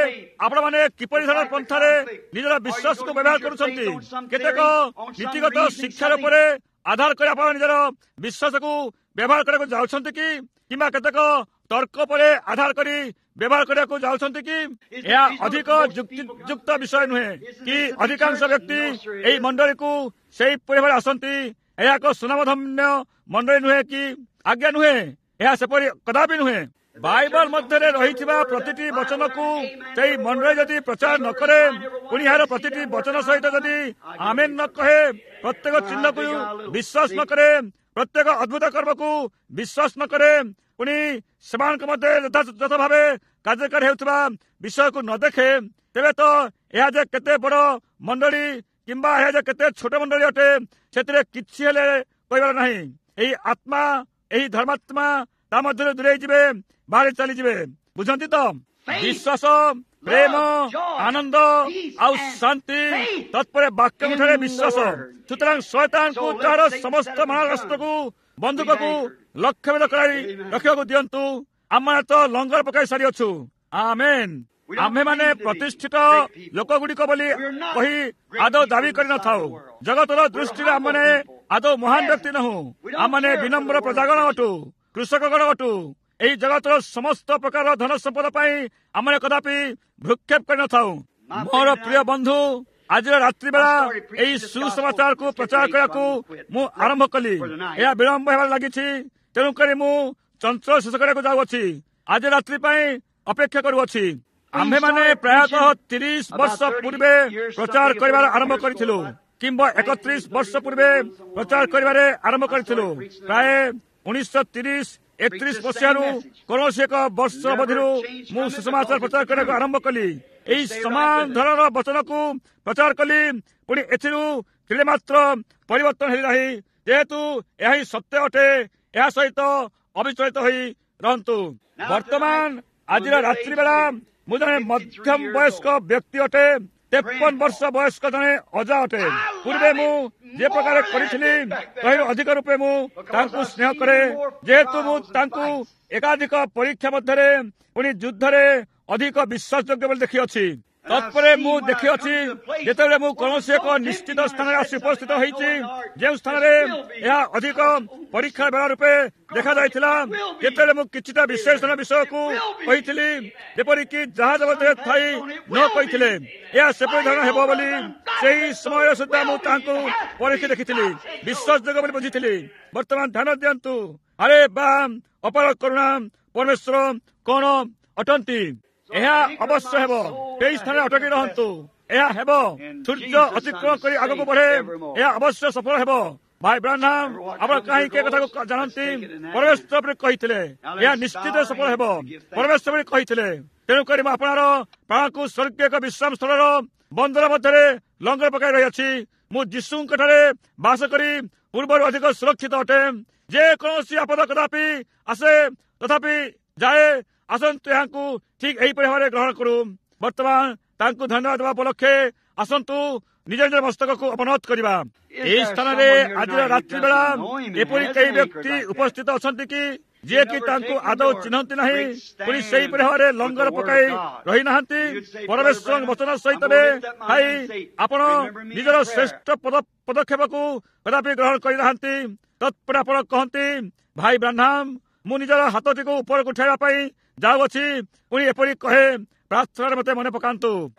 Speaker 1: ଆପଣମାନେ କିପରି ଧରଣର ପନ୍ଥାରେ ନିଜର ବିଶ୍ୱାସକୁ ବ୍ୟବହାର କରୁଛନ୍ତି? କେତେକ ନୀତିଗତ ଶିକ୍ଷାର ଉପରେ ଆଧାର କରି ଆପଣ ନିଜର ବିଶ୍ୱାସକୁ ବ୍ୟବହାର କରିବାକୁ ଯାଉଛନ୍ତି କି, କିମ୍ବା କେତେକ ତର୍କ ଉପରେ ଆଧାର କରି ବ୍ୟବହାର କରିବାକୁ ଯାଉଛନ୍ତି କି? ଏହା ଅଧିକ ଯୁକ୍ତିଯୁକ୍ତ ବିଷୟ ନୁହେଁ କି ଅଧିକାଂଶ ବ୍ୟକ୍ତି ଏହି ମଣ୍ଡଳୀକୁ ସେହିପରି ଭାବରେ ଆସନ୍ତି? ଏହା ଏକ ସୁନାମଧନ୍ୟ ମଣ୍ଡଳୀ ନୁହେଁ କି? ଆଜ୍ଞା ନୁହେଁ, ଏହା ସେପରି କଦାପି ନୁହେଁ। ବାଇବଲ ମଧ୍ୟରେ ରହିଥିବା ପ୍ରତିଟି ବଚନକୁ ସେଇ ମଣ୍ଡଳୀ ଯଦି ପ୍ରଚାର ନ କରେ, ପୁଣି ଏହାର ପ୍ରତିଟି ବଚନ ସହିତ ଯଦି ଆମେନ୍ ନ କହେ, ପ୍ରତ୍ୟେକ ଚିହ୍ନକୁ ବିଶ୍ୱାସ ନ କରେ, ପ୍ରତ୍ୟେକ ଅଦ୍ଭୁତ କର୍ମକୁ ବିଶ୍ୱାସ ନ କରେ, ପୁଣି ସେମାନଙ୍କ ମଧ୍ୟରେ ଯଥାଯଥ ଭାବେ କାର୍ଯ୍ୟକାରୀ ହେଉଥିବା ବିଷୟକୁ ନ ଦେଖେ, ତେବେ ତ ଏହା ଯେ କେତେ ବଡ଼ ମଣ୍ଡଳୀ କିମ୍ବା ଏହା ଯେ କେତେ ଛୋଟ ମଣ୍ଡଳୀ ଅଟେ ସେଥିରେ କିଛି ହେଲେ କହିବାର ନାହିଁ। ଏହି ଆତ୍ମା, ଏହି ଧର୍ମାତ୍ମା ତା ମଧ୍ୟରେ ଦୂରେଇ ଯିବେ, ବାହାରେ ଚାଲିଯିବେ। ବୁଝନ୍ତି ତ? ବିଶ୍ୱାସ, ପ୍ରେମ, ଆନନ୍ଦ ଆଉ ଶାନ୍ତି, ତତ୍ପରେ ବାକ୍ୟଠାରେ ବିଶ୍ୱାସ। ସୁତରାଂ ଶୟତାନକୁ ତାହାର ସମସ୍ତ ମାରଣାସ୍ତ୍ରକୁ, ବନ୍ଧୁକକୁ ଲକ୍ଷ୍ୟଭେଦ କରାଇ ରଖିବାକୁ ଦିଅନ୍ତୁ। ଆମମାନେ ତ ଲଙ୍ଗର ପକାଇ ସାରିଅଛୁ। ଆମେନ୍। ଆମ୍ଭେମାନେ ପ୍ରତିଷ୍ଠିତ ଲୋକଗୁଡ଼ିକ ବୋଲି କହି ଆଦୌ ଦାବି କରିନଥାଉ। ଜଗତର ଦୃଷ୍ଟିରେ ଆମମାନେ ଆଦୌ ମହାନ ବ୍ୟକ୍ତି ନୋହୁଁ। ଆମମାନେ ବିନମ୍ର ପ୍ରଜାଗଣ ଅଟୁ, କୃଷକଗଣ ଅଟୁ। ଏହି ଜଗତର ସମସ୍ତ ପ୍ରକାର ଧନ ସମ୍ପଦ ପାଇଁ ଆମେ କଦାପି ଭ୍ରୂକ୍ଷେପ କରିନଥାଉ। ମୋର ପ୍ରିୟ ବନ୍ଧୁ, ଆଜିର ରାତ୍ରି ବେଳା ଏହି ସୁସମାଚାରକୁ ପ୍ରଚାର କରିବାକୁ ମୁଁ ଆରମ୍ଭ କଲି। ଏହା ବିଳମ୍ବ ହେବାରେ ଲାଗିଛି, ତେଣୁକରି ମୁଁ ଚଞ୍ଚଳ ଶେଷ କରିବାକୁ ଯାଉଅଛି। ଆଜି ରାତ୍ରି ପାଇଁ ଅପେକ୍ଷା କରୁଅଛି। ଆମ୍ଭେମାନେ ପ୍ରାୟତଃ ତିରିଶ ବର୍ଷ ପୂର୍ବେ ପ୍ରଚାର କରିବାର ଆରମ୍ଭ କରିଥିଲୁ, କିମ୍ବା ଏକତ୍ରିଶ ବର୍ଷ ପୂର୍ବେ ପ୍ରଚାର କରିବାରେ ଆରମ୍ଭ କରିଥିଲୁ। ପ୍ରାୟ ଉଣେଇଶହ ତିରିଶ ଏକତ୍ରିଶ ମସିହାରୁ କୌଣସି ଏକ ବର୍ଷ ଅବଧିରୁ ମୁଁ ସୁସମାଚାର ପ୍ରଚାର କରିବାକୁ ଆରମ୍ଭ କଲି। ଏହି ସମାନ ଧରଣର ବଚନକୁ ପ୍ରଚାର କଲି, ପୁଣି ଏଥିରୁ ତିଳେ ମାତ୍ର ପରିବର୍ତ୍ତନ ହେଲି ନାହିଁ, ଯେହେତୁ ଏହା ହିଁ ସତ୍ୟ ଅଟେ। ଏହା ସହିତ ଅବିଚଳିତ ହୋଇ ରହନ୍ତୁ। ବର୍ତ୍ତମାନ ଆଜିର ରାତ୍ରି ବେଳା ମୁଁ ଜଣେ ମଧ୍ୟମ ବୟସ୍କ ବ୍ୟକ୍ତି ଅଟେ, ତେପନ ବର୍ଷ ବୟସ୍କ ଜଣେ ଅଜା ଅଟେ। ପୂର୍ବେ ମୁଁ ଯେ ପ୍ରକାର କରିଥିଲି ତହିଁରୁ ଅଧିକ ରୂପେ ମୁଁ ତାଙ୍କୁ ସ୍ନେହ କରେ, ଯେହେତୁ ମୁଁ ତାଙ୍କୁ ଏକାଧିକ ପରୀକ୍ଷା ମଧ୍ୟରେ ପୁଣି ଯୁଦ୍ଧରେ ଅଧିକ ବିଶ୍ୱାସଯୋଗ୍ୟ ବୋଲି ଦେଖିଅଛି। ତତ୍ପରେ ମୁଁ ଦେଖିଅଛି ଯେତେବେଳେ ମୁଁ କୌଣସି ଏକ ନିଶ୍ଚିତ ସ୍ଥାନରେ ଆସି ଉପସ୍ଥିତ ହେଇଛି, ଯେଉଁ ସ୍ଥାନରେ ଏହା ଅଧିକ ପରୀକ୍ଷା ବେଳା ରୂପେ ଦେଖାଯାଇଥିଲା, ଯେତେବେଳେ ମୁଁ କିଛିଟା ବିଶେଷ ବିଷୟକୁ କହିଥିଲି, ଯେପରିକି ଜାହାଜ ମଧ୍ୟରେ ଥାଇ ନ କହିଥିଲେ ଏହା ସେପରି ଧରଣ ହେବ ବୋଲି, ସେହି ସମୟ ସୁଦ୍ଧା ମୁଁ ତାହାଙ୍କୁ ପରୀକ୍ଷା ଦେଖିଥିଲି, ବିଶ୍ୱାସଯୋଗ୍ୟ ବୋଲି ବୁଝିଥିଲି। ବର୍ତ୍ତମାନ ଧ୍ୟାନ ଦିଅନ୍ତୁ। ଆରେ ବା, ଅପାର କରୁଣା ପରମେଶ୍ୱର କଣ ଅଟନ୍ତି! ଏହା ଅବଶ୍ୟ ହେବ। ସେହି ସ୍ଥାନରେ ଅଟକି ରହନ୍ତୁ, ଏହା ହେବ। ସୂର୍ଯ୍ୟ ଅତିକ୍ରମ କରି ଆଗକୁ ବଢେ, ଏହା ଅବଶ୍ୟ ସଫଳ ହେବ। ଭାଇ ବ୍ରାହ୍ମଣ, ଆପଣ କାହିଁକି ଏ କଥାକୁ ଜାଣନ୍ତି? ପରମେଶ୍ୱର ବୋଲି କହିଥିଲେ ଏହା ନିଶ୍ଚିତ ସଫଳ ହେବ। ପରମେଶ୍ୱର ବୋଲି କହିଥିଲେ। ତେଣୁକରି ମୁଁ ଆପଣର ପ୍ରାଣକୁ ସ୍ୱର୍ଗୀୟ ଏକ ବିଶ୍ରାମ ସ୍ଥଳର ବନ୍ଦର ମଧ୍ୟରେ ଲଙ୍ଗର ପକାଇ ରହିଅଛି। ମୁଁ ଯୀଶୁଙ୍କ ଠାରେ ବାସ କରି ପୂର୍ବରୁ ଅଧିକ ସୁରକ୍ଷିତ ଅଟେ। ଯେକୌଣସି ଆପଦ କଦାପି ଆସେ ତଥାପି ଯାଏ, ଆସନ୍ତୁ ଏହାକୁ ଠିକ୍ ଏହିପରି ଭାବରେ ଗ୍ରହଣ କରୁ। ବର୍ତ୍ତମାନ ତାଙ୍କୁ ଧନ୍ୟବାଦ ଦେବା ଉପଲକ୍ଷେ ଆସନ୍ତୁ ନିଜ ନିଜ ମସ୍ତକକୁ ଅବନତ କରିବା। ଏହି ସ୍ଥାନରେ ଆଜିର ରାତ୍ରି ବେଳା ଏପରି କେହି ବ୍ୟକ୍ତି ଉପସ୍ଥିତ ଅଛନ୍ତି କି ଯିଏକି ତାଙ୍କୁ ଆଦୌ ଚିହ୍ନନ୍ତି ନାହିଁ, ପୁଣି ସେହିପରି ଭାବରେ ଲଙ୍ଗର ପକାଇ ରହିନାହାନ୍ତି? ପରମେଶ୍ୱରଙ୍କ ବଚନ ସହିତ ଥାଇ ଆପଣ ନିଜର ଶ୍ରେଷ୍ଠ ପଦକ୍ଷେପକୁ କଦାପି ଗ୍ରହଣ କରିନାହାନ୍ତି। ତତ୍ପରେ ଆପଣ କହନ୍ତି, ଭାଇ ବ୍ରାହ୍ମଣ, ମୁଁ ନିଜର ହାତଟିକୁ ଉପରକୁ ଉଠାଇବା ପାଇଁ ଯାଉଅଛି, ପୁଣି ଏପରି କହେ, ପ୍ରାର୍ଥନାରେ ମୋତେ ମନେ ପକାନ୍ତୁ।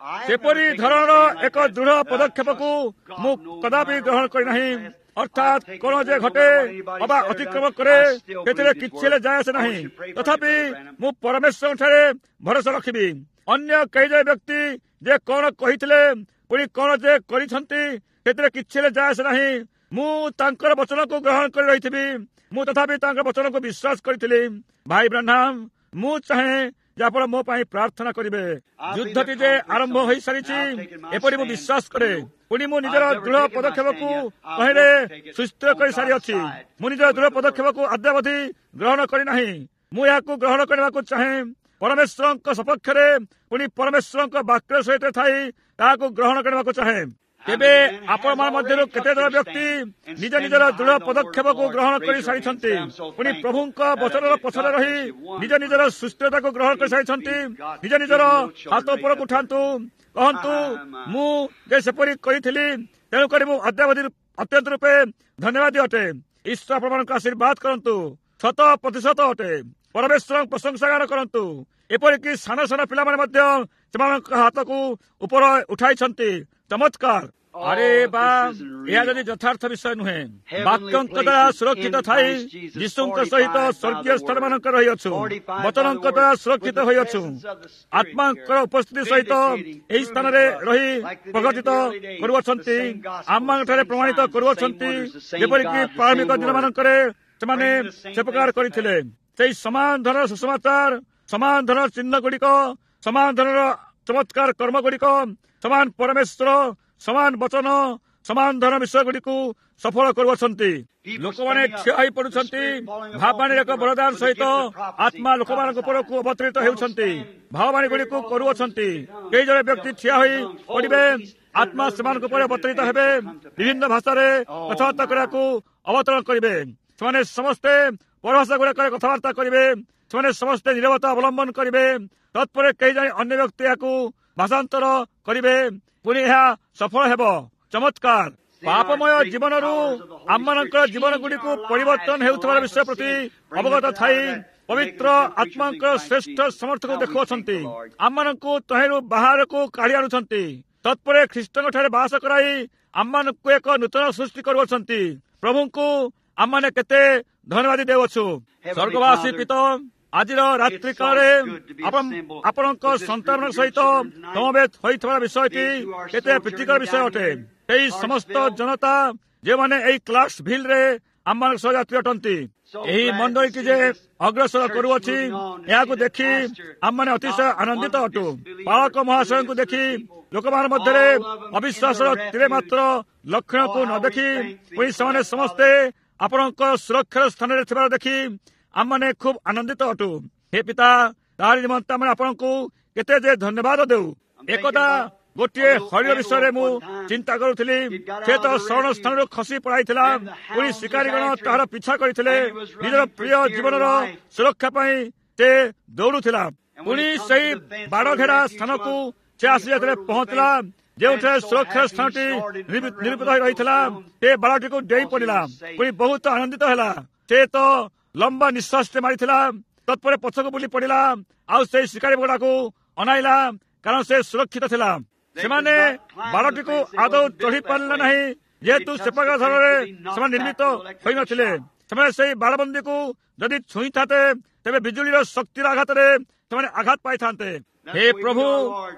Speaker 1: ସେପରି ଧରଣର ଏକ ଦୃଢ଼ ପଦକ୍ଷେପକୁ ମୁଁ କଦାପି ଗ୍ରହଣ କରିନାହିଁ। ଅର୍ଥାତ୍ କଣ ଯେ ଘଟେ ଅବା ଅତିକ୍ରମ କରେ ସେଥିରେ କିଛି ହେଲେ ଯାଏ ଆସେ ନାହିଁ। ତଥାପି ମୁଁ ପରମେଶ୍ୱରଙ୍କଠାରେ ଭରସା ରଖିବି। ଅନ୍ୟ କେହି ଜଣେ ବ୍ୟକ୍ତି ଯେ କଣ କହିଥିଲେ ପୁଣି କଣ ଯେ କରିଛନ୍ତି ସେଥିରେ କିଛି ହେଲେ ଯାଏ ଆସେ ନାହିଁ। ମୁଁ ତାଙ୍କର ବଚନକୁ ଗ୍ରହଣ କରି ରହିଥିବି। ମୁଁ ତଥାପି ତାଙ୍କ ବଚନକୁ ବିଶ୍ୱାସ କରିଥିଲି। ଭାଇ ବ୍ରାହ୍ମଣ, ମୁଁ ଚାହେଁ ଯେ ଆପଣ ମୋ ପାଇଁ ପ୍ରାର୍ଥନା କରିବେ। ଯୁଦ୍ଧଟି ଯେ ଆରମ୍ଭ ହୋଇସାରିଛି ଏପରି ମୁଁ ବିଶ୍ୱାସ କରେ। ପୁଣି ମୁଁ ନିଜର ଦୃଢ଼ ପଦକ୍ଷେପକୁ ତହିଁରେ ସୁସ୍ଥିର କରିସାରିଅଛି। ମୁଁ ନିଜର ଦୃଢ଼ ପଦକ୍ଷେପକୁ ଅଦ୍ୟାବଧି ଗ୍ରହଣ କରିନାହିଁ। ମୁଁ ଏହାକୁ ଗ୍ରହଣ କରିବାକୁ ଚାହେଁ ପରମେଶ୍ୱରଙ୍କ ସପକ୍ଷରେ ପୁଣି ପରମେଶ୍ୱରଙ୍କ ବାକ୍ୟ ସହିତ ଥାଇ ତାହାକୁ ଗ୍ରହଣ କରିବାକୁ ଚାହେଁ। ତେବେ ଆପଣମାନଙ୍କ ମଧ୍ୟରୁ କେତେଜଣ ବ୍ୟକ୍ତି ନିଜ ନିଜର ଦୃଢ଼ ପଦକ୍ଷେପକୁ ଗ୍ରହଣ କରିସାରିଛନ୍ତି, ପୁଣି ପ୍ରଭୁଙ୍କ ବଚନର ପଛରେ ରହି ନିଜ ନିଜର ସୁସ୍ଥତାକୁ ଗ୍ରହଣ କରିସାରିଛନ୍ତି? ନିଜ ନିଜର ହାତ ଉପରକୁ ଉଠାନ୍ତୁ, କହନ୍ତୁ, ମୁଁ ଯେ ସେପରି କରିଥିଲି, ତେଣୁକରି ମୁଁ ଅଦ୍ୟାବଧି ଅତ୍ୟନ୍ତ ରୂପେ ଧନ୍ୟବାଦୀ ଅଟେ। ଈଶ୍ୱର ଆପଣମାନଙ୍କୁ ଆଶୀର୍ବାଦ କରନ୍ତୁ। ଶତ ପ୍ରତିଶତ ଅଟେ। ପରମେଶ୍ୱରଙ୍କ ପ୍ରଶଂସା ଗାନ କରନ୍ତୁ। ଏପରିକି ସାନ ସାନ ପିଲାମାନେ ମଧ୍ୟ ସେମାନଙ୍କ ହାତକୁ ଉପର ଉଠାଇଛନ୍ତି। ଚମତ୍କାର! ଆରେ ବା, ଏହା ଯଦି ଯଥାର୍ଥ ବିଷୟ ନୁହେଁ! ବାକ୍ୟଙ୍କ ଦ୍ୱାରା ସୁରକ୍ଷିତ ଥାଇ ଯୀଶୁଙ୍କ ସହିତ ସ୍ୱର୍ଗୀୟ ସ୍ଥାନମାନଙ୍କ ରହିଅଛୁ, ବଚନଙ୍କ ଦ୍ୱାରା ସୁରକ୍ଷିତ ହୋଇଅଛୁ, ଆତ୍ମାଙ୍କର ଉପସ୍ଥିତି ସହିତ ଏହି ସ୍ଥାନରେ ରହି ପ୍ରଗତିତ କରୁଅଛନ୍ତି, ଆମମାନଙ୍କଠାରେ ପ୍ରମାଣିତ କରୁଅଛନ୍ତି, ଯେପରିକି ପ୍ରାରମ୍ଭିକ ଦିନମାନଙ୍କରେ ସେମାନେ ସେ ପ୍ରକାର କରିଥିଲେ। ସେଇ ସମାନ ଧରଣର ସୁସମାଚାର, ସମାନ ଧରଣର ଚିହ୍ନ ଗୁଡ଼ିକ, ସମାନ ଧରଣର ଚମତ୍କାର କର୍ମ ଗୁଡ଼ିକ, ସମାନ ପରମେଶ୍ୱର, ସମାନ ବଚନ, ସମାନ ଧରଣ ବିଷୟ ଗୁଡ଼ିକୁ ସଫଳ କରୁଅଛନ୍ତି। ଲୋକମାନେ ଠିଆ ହୋଇ ପଡୁଛନ୍ତି। ଭାବବାଣୀର ଏକ ବରଦାନ ସହିତ ଆତ୍ମା ଲୋକମାନଙ୍କ ଉପରକୁ ଅବତୀରିତ ହେଉଛନ୍ତି, ଭାବବାଣୀ ଗୁଡ଼ିକୁ କରୁଅଛନ୍ତି। କେହି ଜଣେ ବ୍ୟକ୍ତି ଠିଆ ହୋଇ ପଡ଼ିବେ, ଆତ୍ମା ସେମାନଙ୍କ ଉପରେ ଅବତୀରିତ ହେବେ, ବିଭିନ୍ନ ଭାଷାରେ କଥାବାର୍ତ୍ତା କରିବାକୁ ଅବତରଣ କରିବେ। ସେମାନେ ସମସ୍ତେ ପରଭାଷା ଗୁଡ଼ାକରେ କଥାବାର୍ତ୍ତା କରିବେ। ସେମାନେ ସମସ୍ତେ ନିରବତା ଅବଲମ୍ବନ କରିବେ। ତତ୍ପରେ କେହି ଜଣେ ଅନ୍ୟ ବ୍ୟକ୍ତି ଏହାକୁ ଭାଷାନ୍ତର କରିବେ, ପୁଣି ଏହା ସଫଳ ହେବ। ଚମତ୍କାର! ପାପମୟ ଜୀବନରୁ ଆମମାନଙ୍କର ଜୀବନ ଗୁଡ଼ିକୁ ପରିବର୍ତ୍ତନ ହେଉଥିବାର ବିଷୟ ପ୍ରତି ଅବଗତ ଥାଇ ପବିତ୍ର ଆତ୍ମାଙ୍କର ଶ୍ରେଷ୍ଠ ସମର୍ଥକୁ ଦେଖୁଅଛନ୍ତି, ଆମମାନଙ୍କୁ ତହିଁରୁ ବାହାରକୁ କାଢି ଆଣୁଛନ୍ତି, ତତ୍ପରେ ଖ୍ରୀଷ୍ଟଙ୍କ ଠାରେ ବାସ କରାଇ ଆମମାନଙ୍କୁ ଏକ ନୂତନ ସୃଷ୍ଟି କରୁଅଛନ୍ତି। ପ୍ରଭୁଙ୍କୁ ଆମମାନେ କେତେ ଧନ୍ୟବାଦ ଦେଉଅଛୁ। ସ୍ୱର୍ଗବାସୀ ପିତା, ଆଜିର ରାତ୍ରି କାଳରେ ଆପଣ ଆପଣଙ୍କ ସନ୍ତାନଙ୍କ ସହିତ ସମବେତ ହୋଇଥିବା ବିଷୟଟି କେତେ ପ୍ରୀତିକର ବିଷୟ ଅଟେ। ଏହି ସମସ୍ତ ଜନତା ଯେଉଁମାନେ ଏହି କ୍ଲାସ ଭିଲରେ ଆମମାନଙ୍କ ସହ ଯାତ୍ରୀ ଅଟନ୍ତି, ଏହି ମଣ୍ଡଳୀଟି ଯେ ଅଗ୍ରସର କରୁଅଛି, ଏହାକୁ ଦେଖି ଆମମାନେ ଅତିଶୟ ଆନନ୍ଦିତ ଅଟୁ। ପାଳକ ମହାଶୟଙ୍କୁ ଦେଖି, ଲୋକମାନଙ୍କ ମଧ୍ୟରେ ଅବିଶ୍ୱାସର ତିଳେ ମାତ୍ର ଲକ୍ଷଣକୁ ନ ଦେଖି, ପୁଣି ସେମାନେ ସମସ୍ତେ ଆପଣଙ୍କ ସୁରକ୍ଷାର ସ୍ଥାନରେ ଥିବାର ଦେଖି ଆମମାନେ ଖୁବ୍ ଆନନ୍ଦିତ ଅଟୁ। ହେ ପିତା, ତାହାରି ନିମନ୍ତେ ଆମେ ଆପଣଙ୍କୁ କେତେ ଯେ ଧନ୍ୟବାଦ ଦେଉ। ଏକଦା ଗୋଟିଏ ହରିଣ ବିଷୟରେ ମୁଁ ଚିନ୍ତା କରୁଥିଲି। ସେ ତ ଶରଣ ସ୍ଥାନରୁ ଖସି ପଳାଇଥିଲା, ପୁଣି ଶିକାରୀଗଣ ତାହାର ପିଛା କରିଥିଲେ। ନିଜର ପ୍ରିୟ ଜୀବନର ସୁରକ୍ଷା ପାଇଁ ସେ ଦୌଡୁଥିଲା। ପୁଣି ସେଇ ବାଡ଼ଘେରା ସ୍ଥାନକୁ ସେ ଆସି ଯେତେବେଳେ ପହଞ୍ଚିଲା, ଯେଉଁଠାରେ ସୁରକ୍ଷାର ସ୍ଥାନଟି ନିରୂପିତ ହୋଇ ରହିଥିଲା, ସେ ବାଡ଼ଟିକୁ ଡେଇଁ ପଡ଼ିଲା, ପୁଣି ବହୁତ ଆନନ୍ଦିତ ହେଲା। ସେ ତ ଲମ୍ବା ନିଶ୍ୱାସଟେ ମାରିଥିଲା, ତତ୍ପରେ ପଛକୁ ବୁଲି ପଡ଼ିଲା ଆଉ ସେଇ ଶିକାରୀ ଗୁଡ଼ାକୁ ଅନାଇଲା, କାରଣ ସେ ସୁରକ୍ଷିତ ଥିଲା। ସେମାନେ ବାଡ଼ଟିକୁ ଆଦୌ ଚଢ଼ି ପାରିଲେ ନାହିଁ, ଯେହେତୁ ସେ ପ୍ରକାର ଧରଣରେ ସେମାନେ ନିର୍ମିତ ହୋଇନଥିଲେ। ସେମାନେ ସେଇ ବାଡ଼ବନ୍ଦୀକୁ ଯଦି ଛୁଇଁଥାନ୍ତେ, ତେବେ ବିଜୁଳିର ଶକ୍ତିର ଆଘାତରେ ସେମାନେ ଆଘାତ ପାଇଥାନ୍ତେ। ହେ ପ୍ରଭୁ,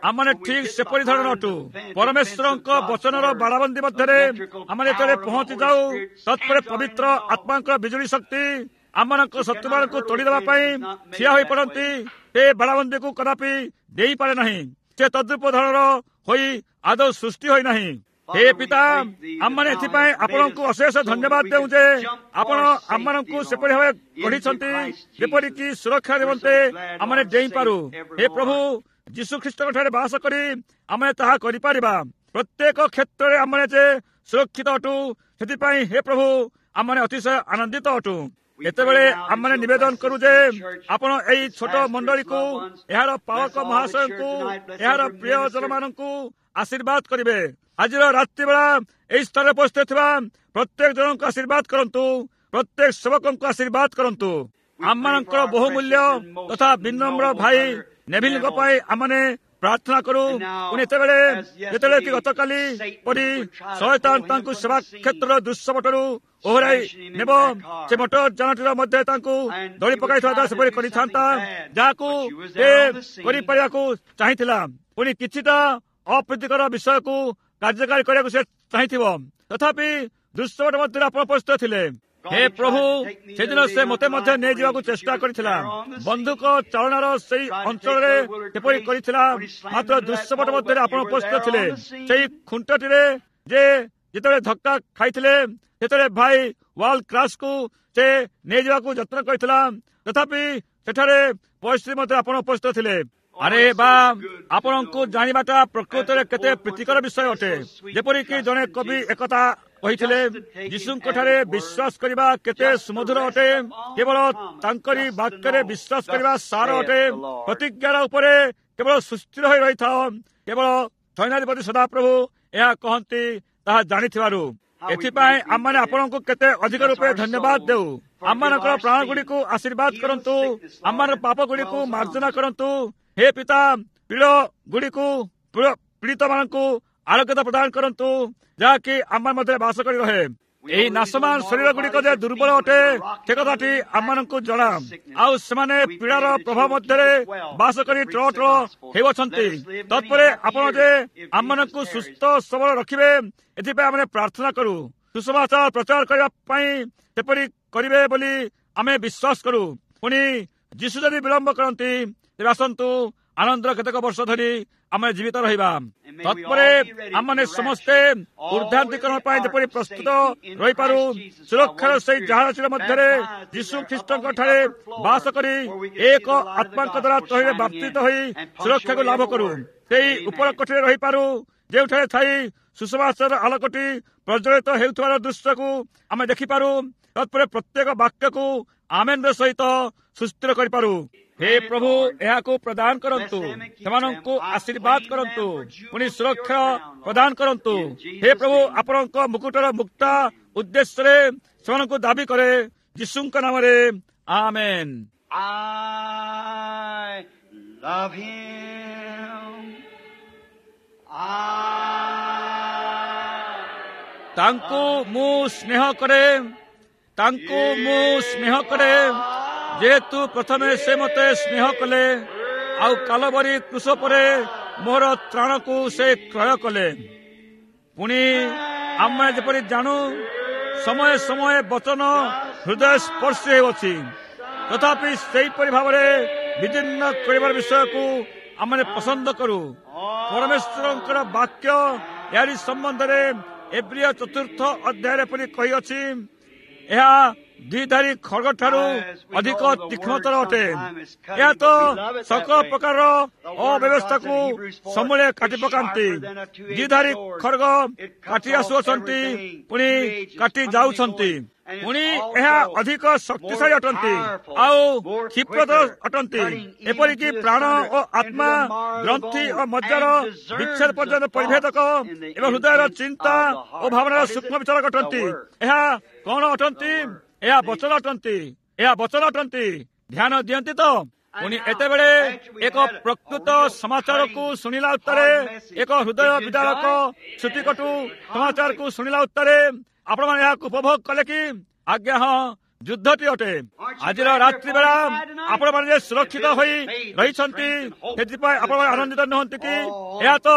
Speaker 1: ଆମମାନେ ଠିକ ସେପରି ଧରଣ ଅଟୁ। ପରମେଶ୍ୱରଙ୍କ ବଚନର ବାଡ଼ବନ୍ଦୀ ମଧ୍ୟରେ ଆମେ ଯେତେବେଳେ ପହଞ୍ଚି ଯାଉ, ତତ୍ପରେ ପବିତ୍ର ଆତ୍ମାଙ୍କର ବିଜୁଳି ଶକ୍ତି ଆମମାନଙ୍କ ଶତ୍ରୁମାନଙ୍କୁ ତୋଡ଼ିଦେବା ପାଇଁ ଠିଆ ହୋଇ ପଡ଼ନ୍ତି। ସେ ବାଡ଼ବନ୍ଦୀକୁ କଦାପି ଦେଇପାରେ ନାହିଁ। ସେ ତଦ୍ରୂପ ଧରଣର ହୋଇ ଆଦୌ ସୃଷ୍ଟି ହୋଇନାହିଁ। ହେ ପିତା, ଆମମାନେ ଏଥିପାଇଁ ଆପଣଙ୍କୁ ଅଶେଷ ଧନ୍ୟବାଦ ଦେଉ ଯେ ଆପଣ ଆମମାନଙ୍କୁ ସେପରି ଭାବେ ଗଢ଼ିଛନ୍ତି, ଯେପରିକି ସୁରକ୍ଷା ନିମନ୍ତେ ଆମମାନେ ଡେଇଁପାରୁ। ହେ ପ୍ରଭୁ, ଯୀଶୁ ଖ୍ରୀଷ୍ଟଙ୍କ ଠାରେ ବାସ କରି ଆମେ ତାହା କରିପାରିବା। ପ୍ରତ୍ୟେକ କ୍ଷେତ୍ରରେ ଆମମାନେ ଯେ ସୁରକ୍ଷିତ ଅଟୁ, ସେଥିପାଇଁ ହେ ପ୍ରଭୁ ଆମମାନେ ଅତିଶୟ ଆନନ୍ଦିତ ଅଟୁ। ଏତେବେଳେ ଆମମାନେ ନିବେଦନ କରୁ ଯେ ଆପଣ ଏଇ ଛୋଟ ମଣ୍ଡଳୀକୁ, ଏହାର ପାଳକ ମହାଶୟଙ୍କୁ, ଏହାର ପ୍ରିୟ ଜନମାନଙ୍କୁ ଆଶୀର୍ବାଦ କରିବେ। ଆଜିର ରାତ୍ରିବେଳା ଏହି ସ୍ଥାନରେ ଉପସ୍ଥିତ ଥିବା ପ୍ରତ୍ୟେକ ଜଣଙ୍କୁ ଆଶୀର୍ବାଦ କରନ୍ତୁ, ପ୍ରତ୍ୟେକ ସେବକଙ୍କୁ ଆଶୀର୍ବାଦ କରନ୍ତୁ। ଆମମାନଙ୍କର ବହୁମୂଲ୍ୟ ତଥା ବିନମ୍ର ଭାଇ ନେଭିଲଙ୍କ ପାଇଁ ଆମମାନେ ପ୍ରାର୍ଥନା କରୁ। ପୁଣି ଏତେବେଳେ ଯେତେବେଳେ କି ଗତକାଲି ପରି ଶୟତାନ ତାଙ୍କୁ ସେବା କ୍ଷେତ୍ରର ଦୃଶ୍ୟପଟରୁ ଓହରାଇ ନେବ, ସେ ମଟର ଯାନଟିର ମଧ୍ୟ ତାଙ୍କୁ ଦଳି ପକାଇଥିବା ସେପରି କରିଥାନ୍ତା, ଯାହାକୁ ସେ କରିପାରିବାକୁ ଚାହିଁଥିଲା। ପୁଣି କିଛିଟା ଅପ୍ରୀତିକର ବିଷୟକୁ କାର୍ଯ୍ୟକାରୀ କରିବାକୁ ସେ ଚାହିଁଥିବ, ତଥାପି ଦୃଶ୍ୟପଟ ମଧ୍ୟରେ ଆପଣ ଉପସ୍ଥିତ ଥିଲେ। ହେ ପ୍ରଭୁ, ସେଦିନ ସେ ମୋତେ ମଧ୍ୟ ନେଇଯିବାକୁ ଚେଷ୍ଟା କରିଥିଲା। ବନ୍ଧୁକ ଚାଳନାର ସେଇ ଅଞ୍ଚଳରେ ସେପରି କରିଥିଲା, ମାତ୍ର ଦୃଶ୍ୟପଟ ମଧ୍ୟରେ ଆପଣ ଉପସ୍ଥିତ ଥିଲେ। ସେଇ ଖୁଣ୍ଟଟିରେ ଯେ ଯେତେବେଳେ ଧକ୍କା ଖାଇଥିଲେ, ସେତେବେଳେ ଭାଇ ୱାର୍ଲଡ କ୍ରାସକୁ ସେ ନେଇଯିବାକୁ ଯତ୍ନ କରିଥିଲା, ତଥାପି ସେଠାରେ ପରିସ୍ଥିତି ମଧ୍ୟ ଆପଣ ଉପସ୍ଥିତ ଥିଲେ। ଆରେ ବା, ଆପଣଙ୍କୁ ଜାଣିବାଟା ପ୍ରକୃତରେ କେତେ ପ୍ରୀତିକର ବିଷୟ ଅଟେ। ଯେପରିକି ଜଣେ କବି ଏକଥା କହିଥିଲେ, ଯୀଶୁଙ୍କ ଠାରେ ବିଶ୍ୱାସ କରିବା କେତେ ସୁମଧୁର ଅଟେ, କେବଳ ତାଙ୍କରି ବାକ୍ୟରେ ବିଶ୍ୱାସ କରିବା ସାର ଅଟେ। ପ୍ରତିଜ୍ଞାର ଉପରେ କେବଳ ସୁସ୍ଥିର ହୋଇ ରହିଥାଅ, କେବଳ ସୈନ୍ୟାଧିପତି ସଦାପ୍ରଭୁ ଏହା କହନ୍ତି ତାହା ଜାଣିଥିବାରୁ। ଏଥିପାଇଁ ଆମମାନେ ଆପଣଙ୍କୁ କେତେ ଅଧିକ ରୂପେ ଧନ୍ୟବାଦ ଦେଉ। ଆମମାନଙ୍କର ପ୍ରାଣଗୁଡ଼ିକୁ ଆଶୀର୍ବାଦ କରନ୍ତୁ, ଆମମାନଙ୍କ ପାପ ଗୁଡ଼ିକୁ ମାର୍ଜନା କରନ୍ତୁ। ହେ ପିତା, ପୀଡ଼ ଗୁଡ଼ିକୁ ପୀଡ଼ିତମାନଙ୍କୁ ଆରୋଗ୍ୟତା ପ୍ରଦାନ କରନ୍ତୁ, ଯାହାକି ଆମ ମଧ୍ୟରେ ବାସ କରି ରହେ। ଏହି ନାଶମାନ ଶରୀର ଗୁଡ଼ିକ ଯେ ଦୁର୍ବଳ ଅଟେ, ସେ କଥାଟି ଆମମାନଙ୍କୁ ଜଣା। ଆଉ ସେମାନେ ପୀଡ଼ାର ପ୍ରଭାବ ମଧ୍ୟରେ ବାସ କରି ଟ୍ର ଟ୍ର ହେଉଅଛନ୍ତି। ତତ୍ପରେ ଆପଣ ଯେ ଆମମାନଙ୍କୁ ସୁସ୍ଥ ସବଳ ରଖିବେ, ଏଥିପାଇଁ ଆମେ ପ୍ରାର୍ଥନା କରୁ। ସୁସମାଚାର ପ୍ରଚାର କରିବା ପାଇଁ ସେପରି କରିବେ ବୋଲି ଆମେ ବିଶ୍ୱାସ କରୁ। ପୁଣି ଯୀଶୁ ଯଦି ବିଳମ୍ବ କରନ୍ତି, ତେବେ ଆସନ୍ତୁ ଆନନ୍ଦର କେତେକ ବର୍ଷ ଧରି ଆମେ ଜୀବିତ ରହିବା। ତତ୍ପରେ ଆମମାନେ ସମସ୍ତେ ଉର୍ଦ୍ଧାନ୍ତିକରଣ ପାଇଁ ଯେପରି ପ୍ରସ୍ତୁତ ରହିପାରୁ, ସୁରକ୍ଷାର ସେଇ ଜାହାଜର ମଧ୍ୟରେ ଯୀଶୁ ଖ୍ରୀଷ୍ଟଙ୍କ ଠାରେ ବାସ କରି ଏକ ଆତ୍ମାଙ୍କ ଦ୍ୱାରା ତହିଁରେ ବାପ୍ତିତ ହୋଇ ସୁରକ୍ଷାକୁ ଲାଭ କରୁ। ସେଇ ଉପର କୋଠିରେ ରହିପାରୁ, ଯେଉଁଠାରେ ଥାଇ ସୁସମାଚାରର ଆଲୋକଟି ପ୍ରଜ୍ୱଳିତ ହେଉଥିବାର ଦୃଶ୍ୟକୁ ଆମେ ଦେଖିପାରୁ। ତତ୍ପରେ ପ୍ରତ୍ୟେକ ବାକ୍ୟକୁ ଆମେନ୍ର ସହିତ ସୁସ୍ଥିର କରିପାରୁ। ହେ ପ୍ରଭୁ, ଏହାକୁ ପ୍ରଦାନ କରନ୍ତୁ, ସେମାନଙ୍କୁ ଆଶୀର୍ବାଦ କରନ୍ତୁ, ପୁଣି ସୁରକ୍ଷା ପ୍ରଦାନ କରନ୍ତୁ। ହେ ପ୍ରଭୁ, ଆପଣଙ୍କ ମୁକୁଟର ମୁକ୍ତା ଉଦ୍ଦେଶ୍ୟରେ ସେମାନଙ୍କୁ ଦାବି କରେ, ଯୀଶୁଙ୍କ ନାମରେ, ଆମେନ୍।
Speaker 2: I love him. I
Speaker 1: ତାଙ୍କୁ ମୁଁ ସ୍ନେହ କରେ, ତାଙ୍କୁ ମୁଁ ସ୍ନେହ କରେ, ଯେହେତୁ ପ୍ରଥମେ ସେ ମୋତେ ସ୍ନେହ କଲେ, ଆଉ କାଲବରୀ କ୍ରୁଶ ପରେ ମୋର ତ୍ରାଣକୁ ସେ କ୍ରୟ କଲେ। ପୁଣି ଆମେ ଯେପରି ଜାଣୁ, ସମୟ ସମୟ ବଚନ ହୃଦୟ ସ୍ପର୍ଶୀ ହେଉଅଛି, ତଥାପି ସେହିପରି ଭାବରେ ବିଦୀର୍ଣ୍ଣ କରିବାର ବିଷୟକୁ ଆମେ ପସନ୍ଦ କରୁ। ପରମେଶ୍ୱରଙ୍କର ବାକ୍ୟ ଏହାରି ସମ୍ବନ୍ଧରେ ଏବ୍ରିୟ ଚତୁର୍ଥ ଅଧ୍ୟାୟରେ ପରି କହିଅଛି, ଏହା ଦ୍ୱିଧାରୀ ଖଡ଼ଗ ଠାରୁ ଅଧିକ ତୀକ୍ଷ୍ଣତର ଅଟେ। ଏହା ତ ସକଳ ପ୍ରକାରର ଅବ୍ୟବସ୍ଥାକୁ ସମୂଳେ କାଟି ପକାନ୍ତି। ଦ୍ୱିଧାରୀ ଖଡ଼ଗ କାଟି ଆସୁଅଛନ୍ତି, ପୁଣି କାଟି ଯାଉଛନ୍ତି। ପୁଣି ଏହା ଅଧିକ ଶକ୍ତିଶାଳୀ ଅଟନ୍ତି ଆଉ କ୍ଷିପ୍ରତର ଅଟନ୍ତି, ଏପରିକି ପ୍ରାଣ ଓ ଆତ୍ମା, ଗ୍ରନ୍ଥି ଓ ମଜ୍ଜାର ବିଚ୍ଛେଦ ପର୍ଯ୍ୟନ୍ତ ପରିଭେଦକ ଏବଂ ହୃଦୟର ଚିନ୍ତା ଓ ଭାବନାର ସୂକ୍ଷ୍ମ ବିଚାରକ ଅଟନ୍ତି। ଏହା କଣ ଅଟନ୍ତି? ଏହା ବଚନ ଅଟନ୍ତି। ଏହା ବଚନ ଅଟନ୍ତି। ଧ୍ୟାନ ଦିଅନ୍ତି ତ? ପୁଣି ଏତେବେଳେ ଏକ ପ୍ରକୃତ ସମାଚାରକୁ ଶୁଣିଲା ଉତ୍ତାରେ, ଏକ ହୃଦୟ ବିଦାରକ ଶ୍ରୁତିକଟୁ ସମାଚାରକୁ ଶୁଣିଲା ଉତ୍ତାରେ ଆପଣମାନେ ଏହାକୁ ଉପଭୋଗ କଲେ କି? ଆଜ୍ଞା ହଁ, ଯୁଦ୍ଧଟି ଅଟେ। ଆଜିର ରାତ୍ରି ବେଳା ଆପଣମାନେ ଯେ ସୁରକ୍ଷିତ ହୋଇ ରହିଛନ୍ତି, ସେଥିପାଇଁ ଆପଣମାନେ ଆନନ୍ଦିତ ନୁହନ୍ତି କି? ଏହା ତ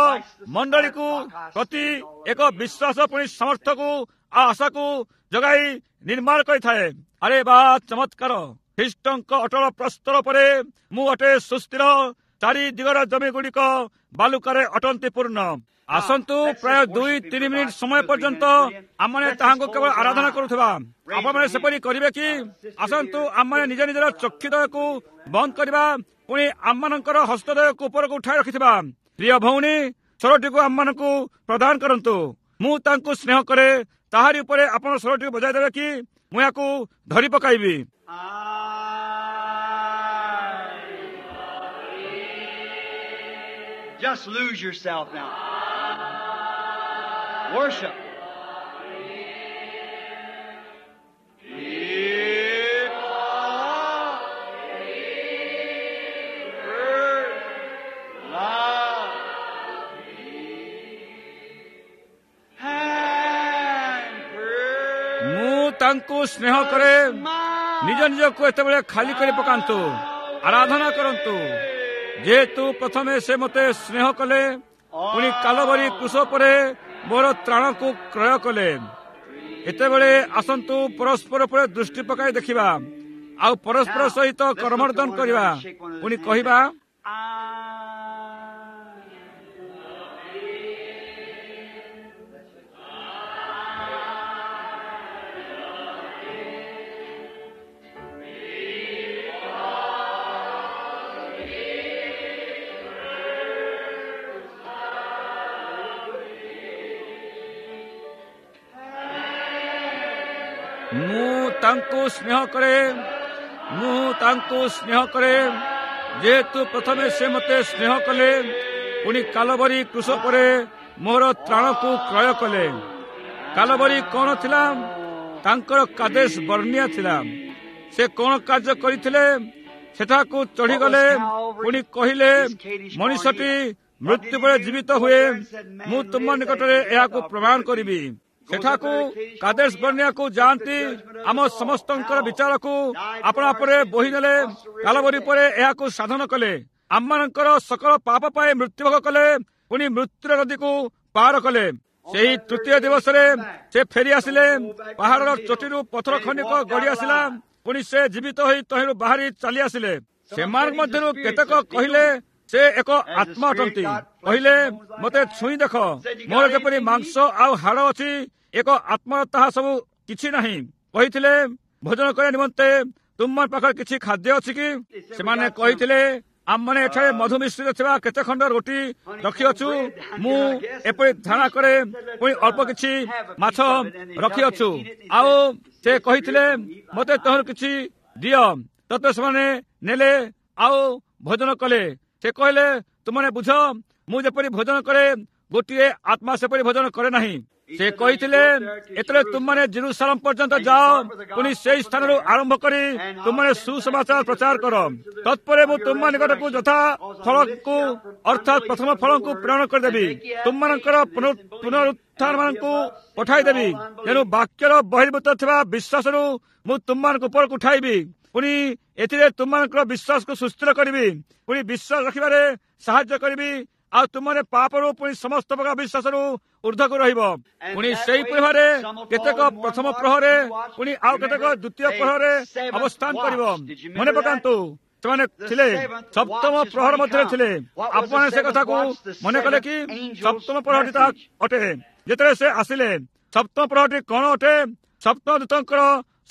Speaker 1: ମଣ୍ଡଳୀକୁ ପ୍ରତି ଏକ ବିଶ୍ୱାସ ପୁଣି ସମର୍ଥକୁ ଆଉ ଆଶାକୁ ଯୋଗାଇ ନିର୍ମାଣ କରିଥାଏ। ଆରେ ବା ଚମତ୍କାର! ଖ୍ରୀଷ୍ଟଙ୍କ ଅଟଳ ପ୍ରସ୍ତର ପରେ ମୁଁ ଅଟେ ସୁସ୍ଥିର, ଚାରି ଦିଗର ଜମି ଗୁଡ଼ିକ ବାଲୁକାରେ ଅଟନ୍ତି ପୂର୍ଣ୍ଣ। ଆସନ୍ତୁ ପ୍ରାୟ ଦୁଇ ତିନି ମିନିଟ୍ ସମୟ ପର୍ଯ୍ୟନ୍ତ ଆମମାନେ ତାହାଙ୍କୁ କେବଳ ଆରାଧନା କରୁଥିବା। ଆପଣମାନେ ସେପରି କରିବେ କି? ଆସନ୍ତୁ ଆମମାନେ ନିଜ ନିଜର ଚକ୍ଷୁଦୟକୁ ବନ୍ଦ କରିବା, ପୁଣି ଆମମାନଙ୍କର ହସ୍ତଦୟକୁ ଉପରକୁ ଉଠାଇ ରଖିଥିବା। ପ୍ରିୟ ଭଉଣୀ, ସ୍ୱରଟିକୁ ଆମମାନଙ୍କୁ ପ୍ରଦାନ କରନ୍ତୁ। ମୁଁ ତାଙ୍କୁ ସ୍ନେହ କରେ, ତାହାରି ଉପରେ ଆପଣ ସ୍ୱରଟିକୁ ବଜାଇ ଦେବେ କି? ମୁଁ ଏହାକୁ ଧରି ପକାଇବି।
Speaker 2: Just lose yourself now. Worship.
Speaker 1: ମୁଁ ତାଙ୍କୁ ସ୍ନେହ କରେ। ନିଜ ନିଜକୁ ଏତେବେଳେ ଖାଲି କରି ପକାନ୍ତୁ, ଆରାଧନା କରନ୍ତୁ। ଯେହେତୁ ପ୍ରଥମେ ସେ ମୋତେ ସ୍ନେହ କଲେ, ପୁଣି କାଲବରୀ କ୍ରୁଶ ପରେ ମୋର ତ୍ରାଣକୁ କ୍ରୟ କଲେ। ଏତେବେଳେ ଆସନ୍ତୁ ପରସ୍ପର ଉପରେ ଦୃଷ୍ଟି ପକାଇ ଦେଖିବା, ଆଉ ପରସ୍ପର ସହିତ କରମର୍ଦ୍ଦନ କରିବା, ପୁଣି କହିବା, ମୁଁ ତାଙ୍କୁ ସ୍ନେହ କରେ, ମୁଁ ତାଙ୍କୁ ସ୍ନେହ କରେ, ଯେହେତୁ ପ୍ରଥମେ ସେ ମୋତେ ସ୍ନେହ କଲେ, ପୁଣି କାଲବରୀ କ୍ରୁଶ ପରେ ମୋର ତ୍ରାଣକୁ କ୍ରୟ କଲେ। କାଲବରୀ କଣ ଥିଲା? ତାଙ୍କର କାଦେଶ ବର୍ଣ୍ଣିଆ ଥିଲା। ସେ କଣ କାର୍ଯ୍ୟ କରିଥିଲେ? ସେଠାକୁ ଚଢ଼ିଗଲେ, ପୁଣି କହିଲେ, ମଣିଷଟି ମୃତ୍ୟୁ ପରେ ଜୀବିତ ହୁଏ, ମୁଁ ତୁମ ନିକଟରେ ଏହାକୁ ପ୍ରମାଣ କରିବି। ସେଠାକୁ କାଦେଶ ବର୍ଣ୍ଣିଆକୁ ଯାଆନ୍ତି, ଆମ ସମସ୍ତଙ୍କର ବିଚାରକୁ ଆପଣା ପରେ ବୋହି ନେଲେ, କାଲବରୀ ପରେ ଏହାକୁ ସାଧନ କଲେ, ଆମମାନଙ୍କର ସକଳ ପାପ ପାଇଁ ମୃତ୍ୟୁଭୋଗ କଲେ, ପୁଣି ମୃତ୍ୟୁର ନଦୀକୁ ପାର କଲେ। ସେହି ତୃତୀୟ ଦିବସରେ ସେ ଫେରି ଆସିଲେ, ପାହାଡ଼ର ଚୋଟିରୁ ପଥର ଖଣ୍ଡିକ ଗଡ଼ି ଆସିଲା, ପୁଣି ସେ ଜୀବିତ ହୋଇ ତହିଁରୁ ବାହାରି ଚାଲି ଆସିଲେ। ସେମାନଙ୍କ ମଧ୍ୟରୁ କେତେକ କହିଲେ ସେ ଏକ ଆତ୍ମା ଅଟନ୍ତି। କହିଲେ, ମୋତେ ଛୁଇଁ ଦେଖ, ମୋର ଯେପରି ମାଂସ ଆଉ ହାଡ଼ ଅଛି, ଏକ ଆତ୍ମାର ତାହା ସବୁ କିଛି ନାହିଁ। କହିଥିଲେ, ଭୋଜନ କରିବା ନିମନ୍ତେ ତୁମ ପାଖରେ କିଛି ଖାଦ୍ୟ ଅଛି କି? ସେମାନେ କହିଥିଲେ, ଆମମାନେ ଏଠାରେ ମଧୁ ମିଶ୍ରିତ ଥିବା କେତେ ଖଣ୍ଡ ରୋଟି ରଖିଅଛୁ, ମୁଁ ଏପରି ଧାରଣା କରେ, ପୁଣି ଅଳ୍ପ କିଛି ମାଛ ରଖିଅଛୁ। ଆଉ ସେ କହିଥିଲେ, ମୋତେ ତହିଁରୁ କିଛି ଦିଅ। ତତେ ସେମାନେ ନେଲେ ଆଉ ଭୋଜନ କଲେ। ସେ କହିଲେ, ତୁମେ ବୁଝ, ମୁଁ ଯେପରି ଭୋଜନ କରେ, ଗୋଟିଏ ଆତ୍ମା ସେପରି ଭୋଜନ କରେ ନାହିଁ। ସେ କହିଥିଲେ, ଏଥିରେ ତୁମମାନେ ଜିରୁସାଲମ ପର୍ଯ୍ୟନ୍ତ ଯାଅ, ପୁଣି ସେଇ ସ୍ଥାନରୁ ଆରମ୍ଭ କରି ତୁମମାନେ ସୁସମାଚାର ପ୍ରଚାର କର। ତତ୍ପରେ ମୁଁ ତୁମ ନିକଟକୁ ଯଥା ଫଳକୁ, ଅର୍ଥାତ୍ ପ୍ରଥମ ଫଳକୁ ପ୍ରେରଣ କରିଦେବି, ତୁମମାନଙ୍କର ପୁନରୁତ୍ଥାନ ମାନଙ୍କୁ ପଠାଇଦେବି। ତେଣୁ ବାକ୍ୟର ବହିର୍ଭୂତ ଥିବା ବିଶ୍ୱାସରୁ ମୁଁ ତୁମମାନଙ୍କୁ ଉପରକୁ ଉଠାଇବି, ପୁଣି ଏଥିରେ ତୁମମାନଙ୍କର ବିଶ୍ୱାସକୁ ସୁସ୍ଥିର କରିବି, ପୁଣି ବିଶ୍ୱାସ ରଖିବାରେ ସାହାଯ୍ୟ କରିବି, ଆଉ ତୁମମାନେ ପାପରୁ ପୁଣି ସମସ୍ତ ପ୍ରକାର ବିଶ୍ୱାସରୁ ଉର୍ଦ୍ଧ୍ୱକୁ ରହିବ। ପୁଣି ସେହିପରି ଭାବରେ କେତେକ ପ୍ରଥମ ପ୍ରହରେ, ପୁଣି ଆଉ କେତେକ ଦ୍ୱିତୀୟ ପ୍ରହରେ ଅବସ୍ଥାନ କରିବ। ମନେ ପକାନ୍ତୁ, ସେମାନେ ଥିଲେ ସପ୍ତମ ପ୍ରହର ମଧ୍ୟରେ ଥିଲେ। ଆପଣ ସେ କଥାକୁ ମନେ କଲେ କି? ସପ୍ତମ ପ୍ରହରଟି ତାହା ଅଟେ। ଯେତେବେଳେ ସେ ଆସିଲେ, ସପ୍ତମ ପ୍ରହରଟି କଣ ଅଟେ? ସପ୍ତମ ଦୂତଙ୍କର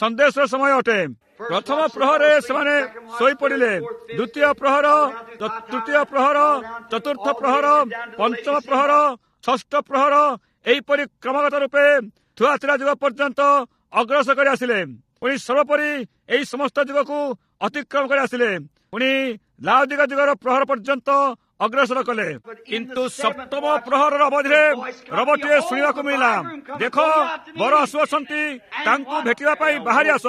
Speaker 1: ସନ୍ଦେଶର ସମୟ ଅଟେ। ପ୍ରଥମ ପ୍ରହରେ ସେମାନେ ଶୋଇପଡ଼ିଲେ, ଦ୍ୱିତୀୟ ପ୍ରହର, ତୃତୀୟ ପ୍ରହର, ଚତୁର୍ଥ ପ୍ରହର, ପଞ୍ଚମ ପ୍ରହର, ଷଷ୍ଠ ପ୍ରହର, ଏହିପରି କ୍ରମାଗତ ରୂପେ ଥୁଆତିରା ଯୁଗ ପର୍ଯ୍ୟନ୍ତ ଅଗ୍ରସର କରି ଆସିଲେ। ପୁଣି ସର୍ବୋପରି ଏହି ସମସ୍ତ ଯୁଗକୁ ଅତିକ୍ରମ କରି ଆସିଲେ, ପୁଣି ଲାଉଦିକା ଯୁଗର ପ୍ରହର ପର୍ଯ୍ୟନ୍ତ ଅଗ୍ରସର କଲେ। କିନ୍ତୁ ସପ୍ତମ ପ୍ରହରର ଅବଧିରେ ରବଟିଏ ଶୁଣିବାକୁ ମିଳିଲା, ଦେଖ, ବର ଆସୁଅଛନ୍ତି, ତାଙ୍କୁ ଭେଟିବା ପାଇଁ ବାହାରି ଆସ।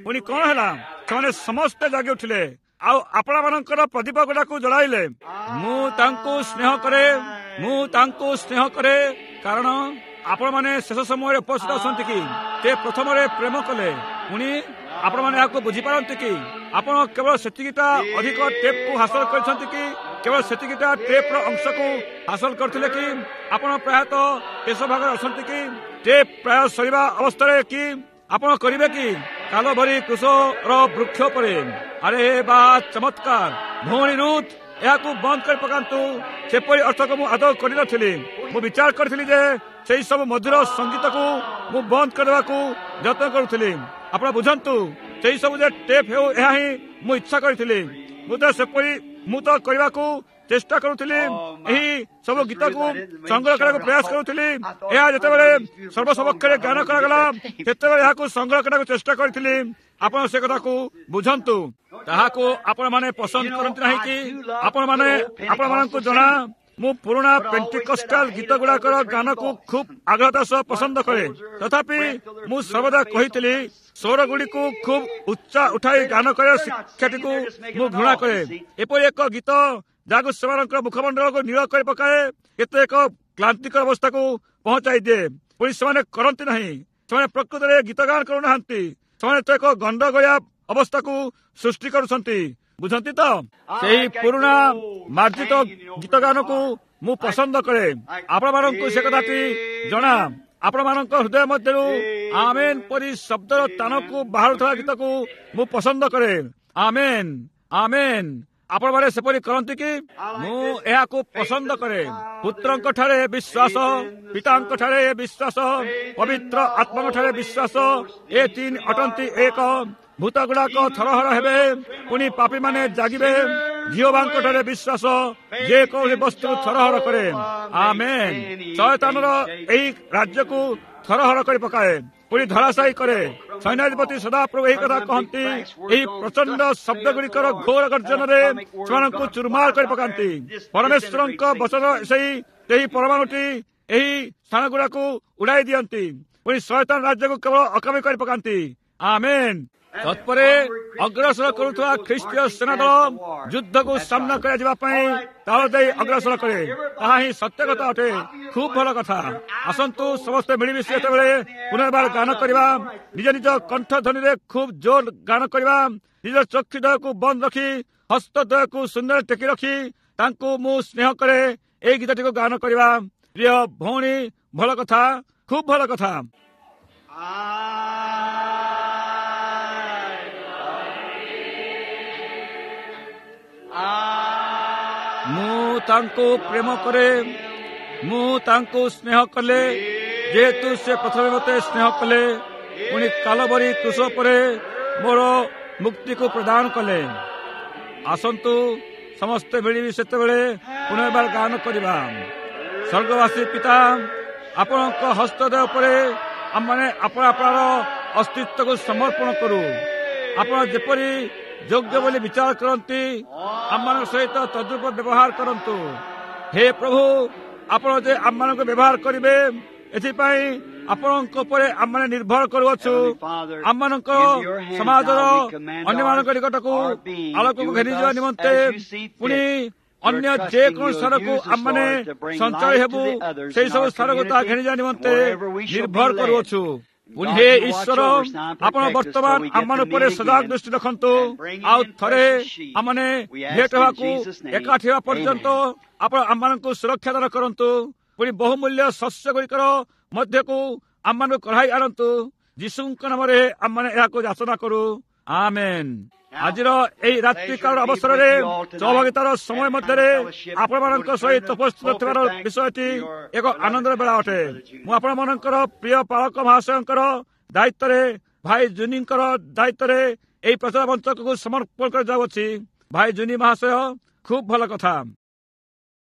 Speaker 1: ପୁଣି କଣ ହେଲା? ସେମାନେ ସମସ୍ତେ ଜାଗି ଉଠିଲେ ଆଉ ଆପଣମାନଙ୍କର ପ୍ରଦୀପ ଗୁଡାକୁ ଜଳାଇଲେ। ମୁଁ ତାଙ୍କୁ ସ୍ନେହ କରେ, ମୁଁ ତାଙ୍କୁ ସ୍ନେହ କରେ, କାରଣ ଆପଣମାନେ ଶେଷ ସମୟରେ ଉପସ୍ଥିତ ଅଛନ୍ତି କି? ସେ ପ୍ରଥମରେ ପ୍ରେମ କଲେ। ପୁଣି ଆପଣମାନେ ଏହାକୁ ବୁଝିପାରନ୍ତି କି? ଆପଣ କେବଳ ସେତିକିଟା ଅଧିକ ଟେପ୍କୁ ହାସଲ କରିଛନ୍ତି କି? କେବଳ ସେତିକିଟା ଟେପ୍ର ଅଂଶକୁ ହାସଲ କରିଥିଲେ କି? ଆପଣ ପ୍ରାୟତଃ ଶେଷ ଭାଗରେ ଅଛନ୍ତି କି? ଟେପ୍ ପ୍ରାୟ ସରିବା ଅବସ୍ଥାରେ କି? ଆପଣ କରିବେ କି? କାଲଭରି କୃଷର ବୃକ୍ଷ ଉପରେ। ଆରେ ବା ଚମତ୍କାର! ଭଉଣୀ ରୁଥ, ଏହାକୁ ବନ୍ଦ କରି ପକାନ୍ତୁ। ସେପରି ଅର୍ଥକୁ ମୁଁ ଆଦୌ କରିନଥିଲି। ମୁଁ ବିଚାର କରିଥିଲି ଯେ ସେଇ ସବୁ ମଧୁର ସଙ୍ଗୀତକୁ ମୁଁ ବନ୍ଦ କରିବାକୁ ଯତ୍ନ କରୁଥିଲି। ଆପଣ ବୁଝନ୍ତୁ, ସେଇ ସବୁ ଯେ ଟେପ୍ ହେଉ, ଏହା ହିଁ ମୁଁ ଇଚ୍ଛା କରିଥିଲି। ମୁଁ ତ ସେପରି ମୁଁ ତ କରିବାକୁ ଚେଷ୍ଟା କରୁଥିଲି, ଏହି ସବୁ ଗୀତକୁ ସଂଗ୍ରହ କରିବାକୁ ପ୍ରୟାସ କରୁଥିଲି। ଏହା ଯେତେବେଳେ ସର୍ବସମକ୍ଷରେ ଗାନ କରାଗଲା, ସେତେବେଳେ ଏହାକୁ ସଂଗ୍ରହ କରିବାକୁ ଚେଷ୍ଟା କରିଥିଲି। ଆପଣ ସେ କଥାକୁ ବୁଝନ୍ତୁ। ତାହାକୁ ଆପଣମାନେ ପସନ୍ଦ କରନ୍ତି ନାହିଁ କି? ଆପଣମାନେ ଆପଣମାନଙ୍କୁ ଜଣା, ମୁଁ ପୁରୁଣା ପେଣ୍ଟିକଷ୍ଟାଲ ଗୀତ ଗୁଡାକର ଗାନକୁ ଖୁବ୍ ଆଗ୍ରହତା ସହ ପସନ୍ଦ କରେ। ତଥାପି ମୁଁ ସର୍ବଦା କହିଥିଲି, ସ୍ୱର ଗୁଡ଼ିକୁ ଖୁବ୍ ଉଚ୍ଚା ଉଠାଇ ଗାନ କରିବା ଶିକ୍ଷାଟିକୁ ମୁଁ ଘୃଣା କରେ। ଏପରି ଏକ ଗୀତ ଯାହାକୁ ସେମାନଙ୍କର ମୁଖମଣ୍ଡଳକୁ ନୀଳ କରି ପକାଏ, କେତେ ଏକ କ୍ଳାନ୍ତିକର ଅବସ୍ଥାକୁ ପହଞ୍ଚାଇ ଦିଏ। ପୁଣି ସେମାନେ କରନ୍ତି ନାହିଁ। ସେମାନେ ପ୍ରକୃତରେ ଗୀତ ଗାନ କରୁନାହାନ୍ତି, ସେମାନେ ତ ଏକ ଗଣ୍ଡଗୋଳିଆ ଅବସ୍ଥାକୁ ସୃଷ୍ଟି କରୁଛନ୍ତି। ବୁଝନ୍ତି ତ? ସେହି ପୁରୁଣା ମାର୍ଜିତ ଗୀତ ଗାନକୁ ମୁଁ ପସନ୍ଦ କରେ। ଆପଣମାନଙ୍କୁ ସେ କଥାଟି ଜଣା। ଆପଣମାନଙ୍କ ହୃଦୟ ମଧ୍ୟରୁ ଆମେନ୍ ପରି ଶବ୍ଦର ତାନକୁ ବାହାରୁଥିବା ଗୀତକୁ ମୁଁ ପସନ୍ଦ କରେ। ଆମେନ୍, ଆମେନ୍। ଆପଣମାନେ ସେପରି କରନ୍ତି କି? ମୁଁ ଏହାକୁ ପସନ୍ଦ କରେ। ପୁତ୍ରଙ୍କ ଠାରେ ବିଶ୍ୱାସ, ପିତାଙ୍କ ଠାରେ ବିଶ୍ୱାସ, ପବିତ୍ର ଆତ୍ମାଙ୍କ ଠାରେ ବିଶ୍ୱାସ, ଏ ତିନି ଅଟନ୍ତି ଏକ। ଭୂତ ଗୁଡାକ ଥରହର ହେବେ, ପୁଣି ପାପୀମାନେ ଜାଗିବେ। ଝିଅବାଙ୍କ ଠାରେ ବିଶ୍ୱାସ ଯେକୌଣସି ବସ୍ତୁ ଥରହର କରେ। ଆମେନ୍। ଶୟତାନର ଏହି ରାଜ୍ୟକୁ ଥରହର କରି ପକାଏ। ପୁଣି ଧରାଶାୟୀ କରେ। ସୈନ୍ୟାଧିପତି ସଦାପ୍ରଭୁ ଏହି କଥା କହନ୍ତି, ଏହି ପ୍ରଚଣ୍ଡ ଶବ୍ଦ ଗୁଡ଼ିକର ଘୋର ଗର୍ଜନରେ ସେମାନଙ୍କୁ ଚୁରମାର କରି ପକାନ୍ତି। ପରମେଶ୍ୱରଙ୍କ ବଚନ ସେଇ ସେହି ପରମାଣୁଟି ଏହି ସ୍ଥାନ ଗୁଡାକୁ ଉଡାଇ ଦିଅନ୍ତି, ପୁଣି ଶୟତାନ ରାଜ୍ୟକୁ କେବଳ ଅକାମୀ କରି ପକାନ୍ତି। ଆମେନ୍। ତତ୍ପରେ ଅଗ୍ରସର କରୁଥିବା ଖ୍ରୀଷ୍ଟୀୟ ସେନା ଦଳ ଯୁଦ୍ଧକୁ ସାମ୍ନା କରାଯିବା ପାଇଁ ତାଳ ଦେଇ ଅଗ୍ରସର କରେ। ତାହା ହିଁ ସତ୍ୟ କଥା ଅଟେ। ଖୁବ୍ ଭଲ କଥା। ଆସନ୍ତୁ ସମସ୍ତେ ମିଳିମିଶି ଯେତେବେଳେ ପୁନର୍ବାର ଗାନ କରିବା, ନିଜ ନିଜ କଣ୍ଠ ଧ୍ୱନିରେ ଖୁବ୍ ଜୋର ଗାନ କରିବା, ନିଜ ଚକ୍ଷୁ ଦ୍ୱୟକୁ ବନ୍ଦ ରଖି ହସ୍ତ ଦ୍ୱୟକୁ ଶୂନ୍ୟରେ ଟେକି ରଖି ତାଙ୍କୁ ମୁଁ ସ୍ନେହ କରେ ଏଇ ଗୀତଟିକୁ ଗାନ କରିବା। ପ୍ରିୟ ଭଉଣୀ, ଭଲ କଥା, ଖୁବ୍ ଭଲ କଥା। ମୁଁ ତାଙ୍କୁ ପ୍ରେମ କରେ, ମୁଁ ତାଙ୍କୁ ସ୍ନେହ କଲେ, ଯେହେତୁ ସେ ପ୍ରଥମେ ମୋତେ ସ୍ନେହ କଲେ, ପୁଣି କାଲବରୀ କୃଷ ପରେ ମୋର ମୁକ୍ତିକୁ ପ୍ରଦାନ କଲେ। ଆସନ୍ତୁ ସମସ୍ତେ ମିଳିମିଶି ସେତେବେଳେ ପୁନର୍ବାର ଗାନ କରିବା। ସ୍ୱର୍ଗବାସୀ ପିତା, ଆପଣଙ୍କ ହସ୍ତଦ୍ୱୟ ଉପରେ ଆମମାନେ ଆପଣ ଆପଣାର ଅସ୍ତିତ୍ୱକୁ ସମର୍ପଣ କରୁ। ଆପଣ ଯେପରି ଯୋଗ୍ୟ ବୋଲି ବିଚାର କରନ୍ତି ଆମମାନଙ୍କ ସହିତ ତଦ୍ରୂପ ବ୍ୟବହାର କରନ୍ତୁ। ହେ ପ୍ରଭୁ, ଆପଣ ଯେ ଆମମାନଙ୍କୁ ବ୍ୟବହାର କରିବେ ଏଥିପାଇଁ ଆପଣଙ୍କ ଉପରେ ଆମମାନେ ନିର୍ଭର କରୁଅଛୁ। ଆମମାନଙ୍କ ସମାଜର ଅନ୍ୟମାନଙ୍କ ନିକଟକୁ ଆଲୋକକୁ ଘେନିଯିବା ନିମନ୍ତେ ପୁଣି ଅନ୍ୟ ଯେକୌଣସି ସ୍ଥାନକୁ ଆମମାନେ ସଞ୍ଚୟ ହେବୁ, ସେହି ସବୁ ସ୍ଥାନକୁ ତାହା ଘେନିଯିବା ନିମନ୍ତେ ନିର୍ଭର କରୁଅଛୁ। ପୁଣି ହେ ଈଶ୍ୱର, ଆପଣ ବର୍ତ୍ତମାନ ଆମମାନ ଉପରେ ସଜାଗ ଦୃଷ୍ଟି ରଖନ୍ତୁ। ଆଉ ଥରେ ଆମମାନେ ଭେଟ ହେବାକୁ ଏକାଠି ହେବା ପର୍ଯ୍ୟନ୍ତ ଆପଣ ଆମମାନଙ୍କୁ ସୁରକ୍ଷା ଦାନ କରନ୍ତୁ। ପୁଣି ବହୁମୂଲ୍ୟ ଶସ୍ୟ ଗୁଡ଼ିକର ମଧ୍ୟକୁ ଆମମାନଙ୍କୁ କଢ଼ାଇ ଆଣନ୍ତୁ। ଯୀଶୁଙ୍କ ନାମରେ ଆମମାନେ ଏହାକୁ ଯାଚନା କରୁ, ଆମେନ୍। ଆଜିର ଏହି ରାତ୍ରିକାଳର ଅବସରରେ ସହଭାଗିତାର ସମୟ ମଧ୍ୟରେ ଆପଣମାନଙ୍କ ସହିତ ଉପସ୍ଥିତ ଥିବାର ବିଷୟଟି ଏକ ଆନନ୍ଦର ବେଳା ଅଟେ। ମୁଁ ଆପଣମାନଙ୍କର ପ୍ରିୟ ପାଳକ ମହାଶୟଙ୍କର ଦାୟିତ୍ୱରେ, ଭାଇ ଜୁନିଙ୍କର ଦାୟିତ୍ୱରେ ଏହି ପ୍ରଚାର ମଞ୍ଚକୁ ସମର୍ପଣ କରାଯାଉଅଛି। ଭାଇ ଜୁନି ମହାଶୟ, ଖୁବ୍ ଭଲ କଥା।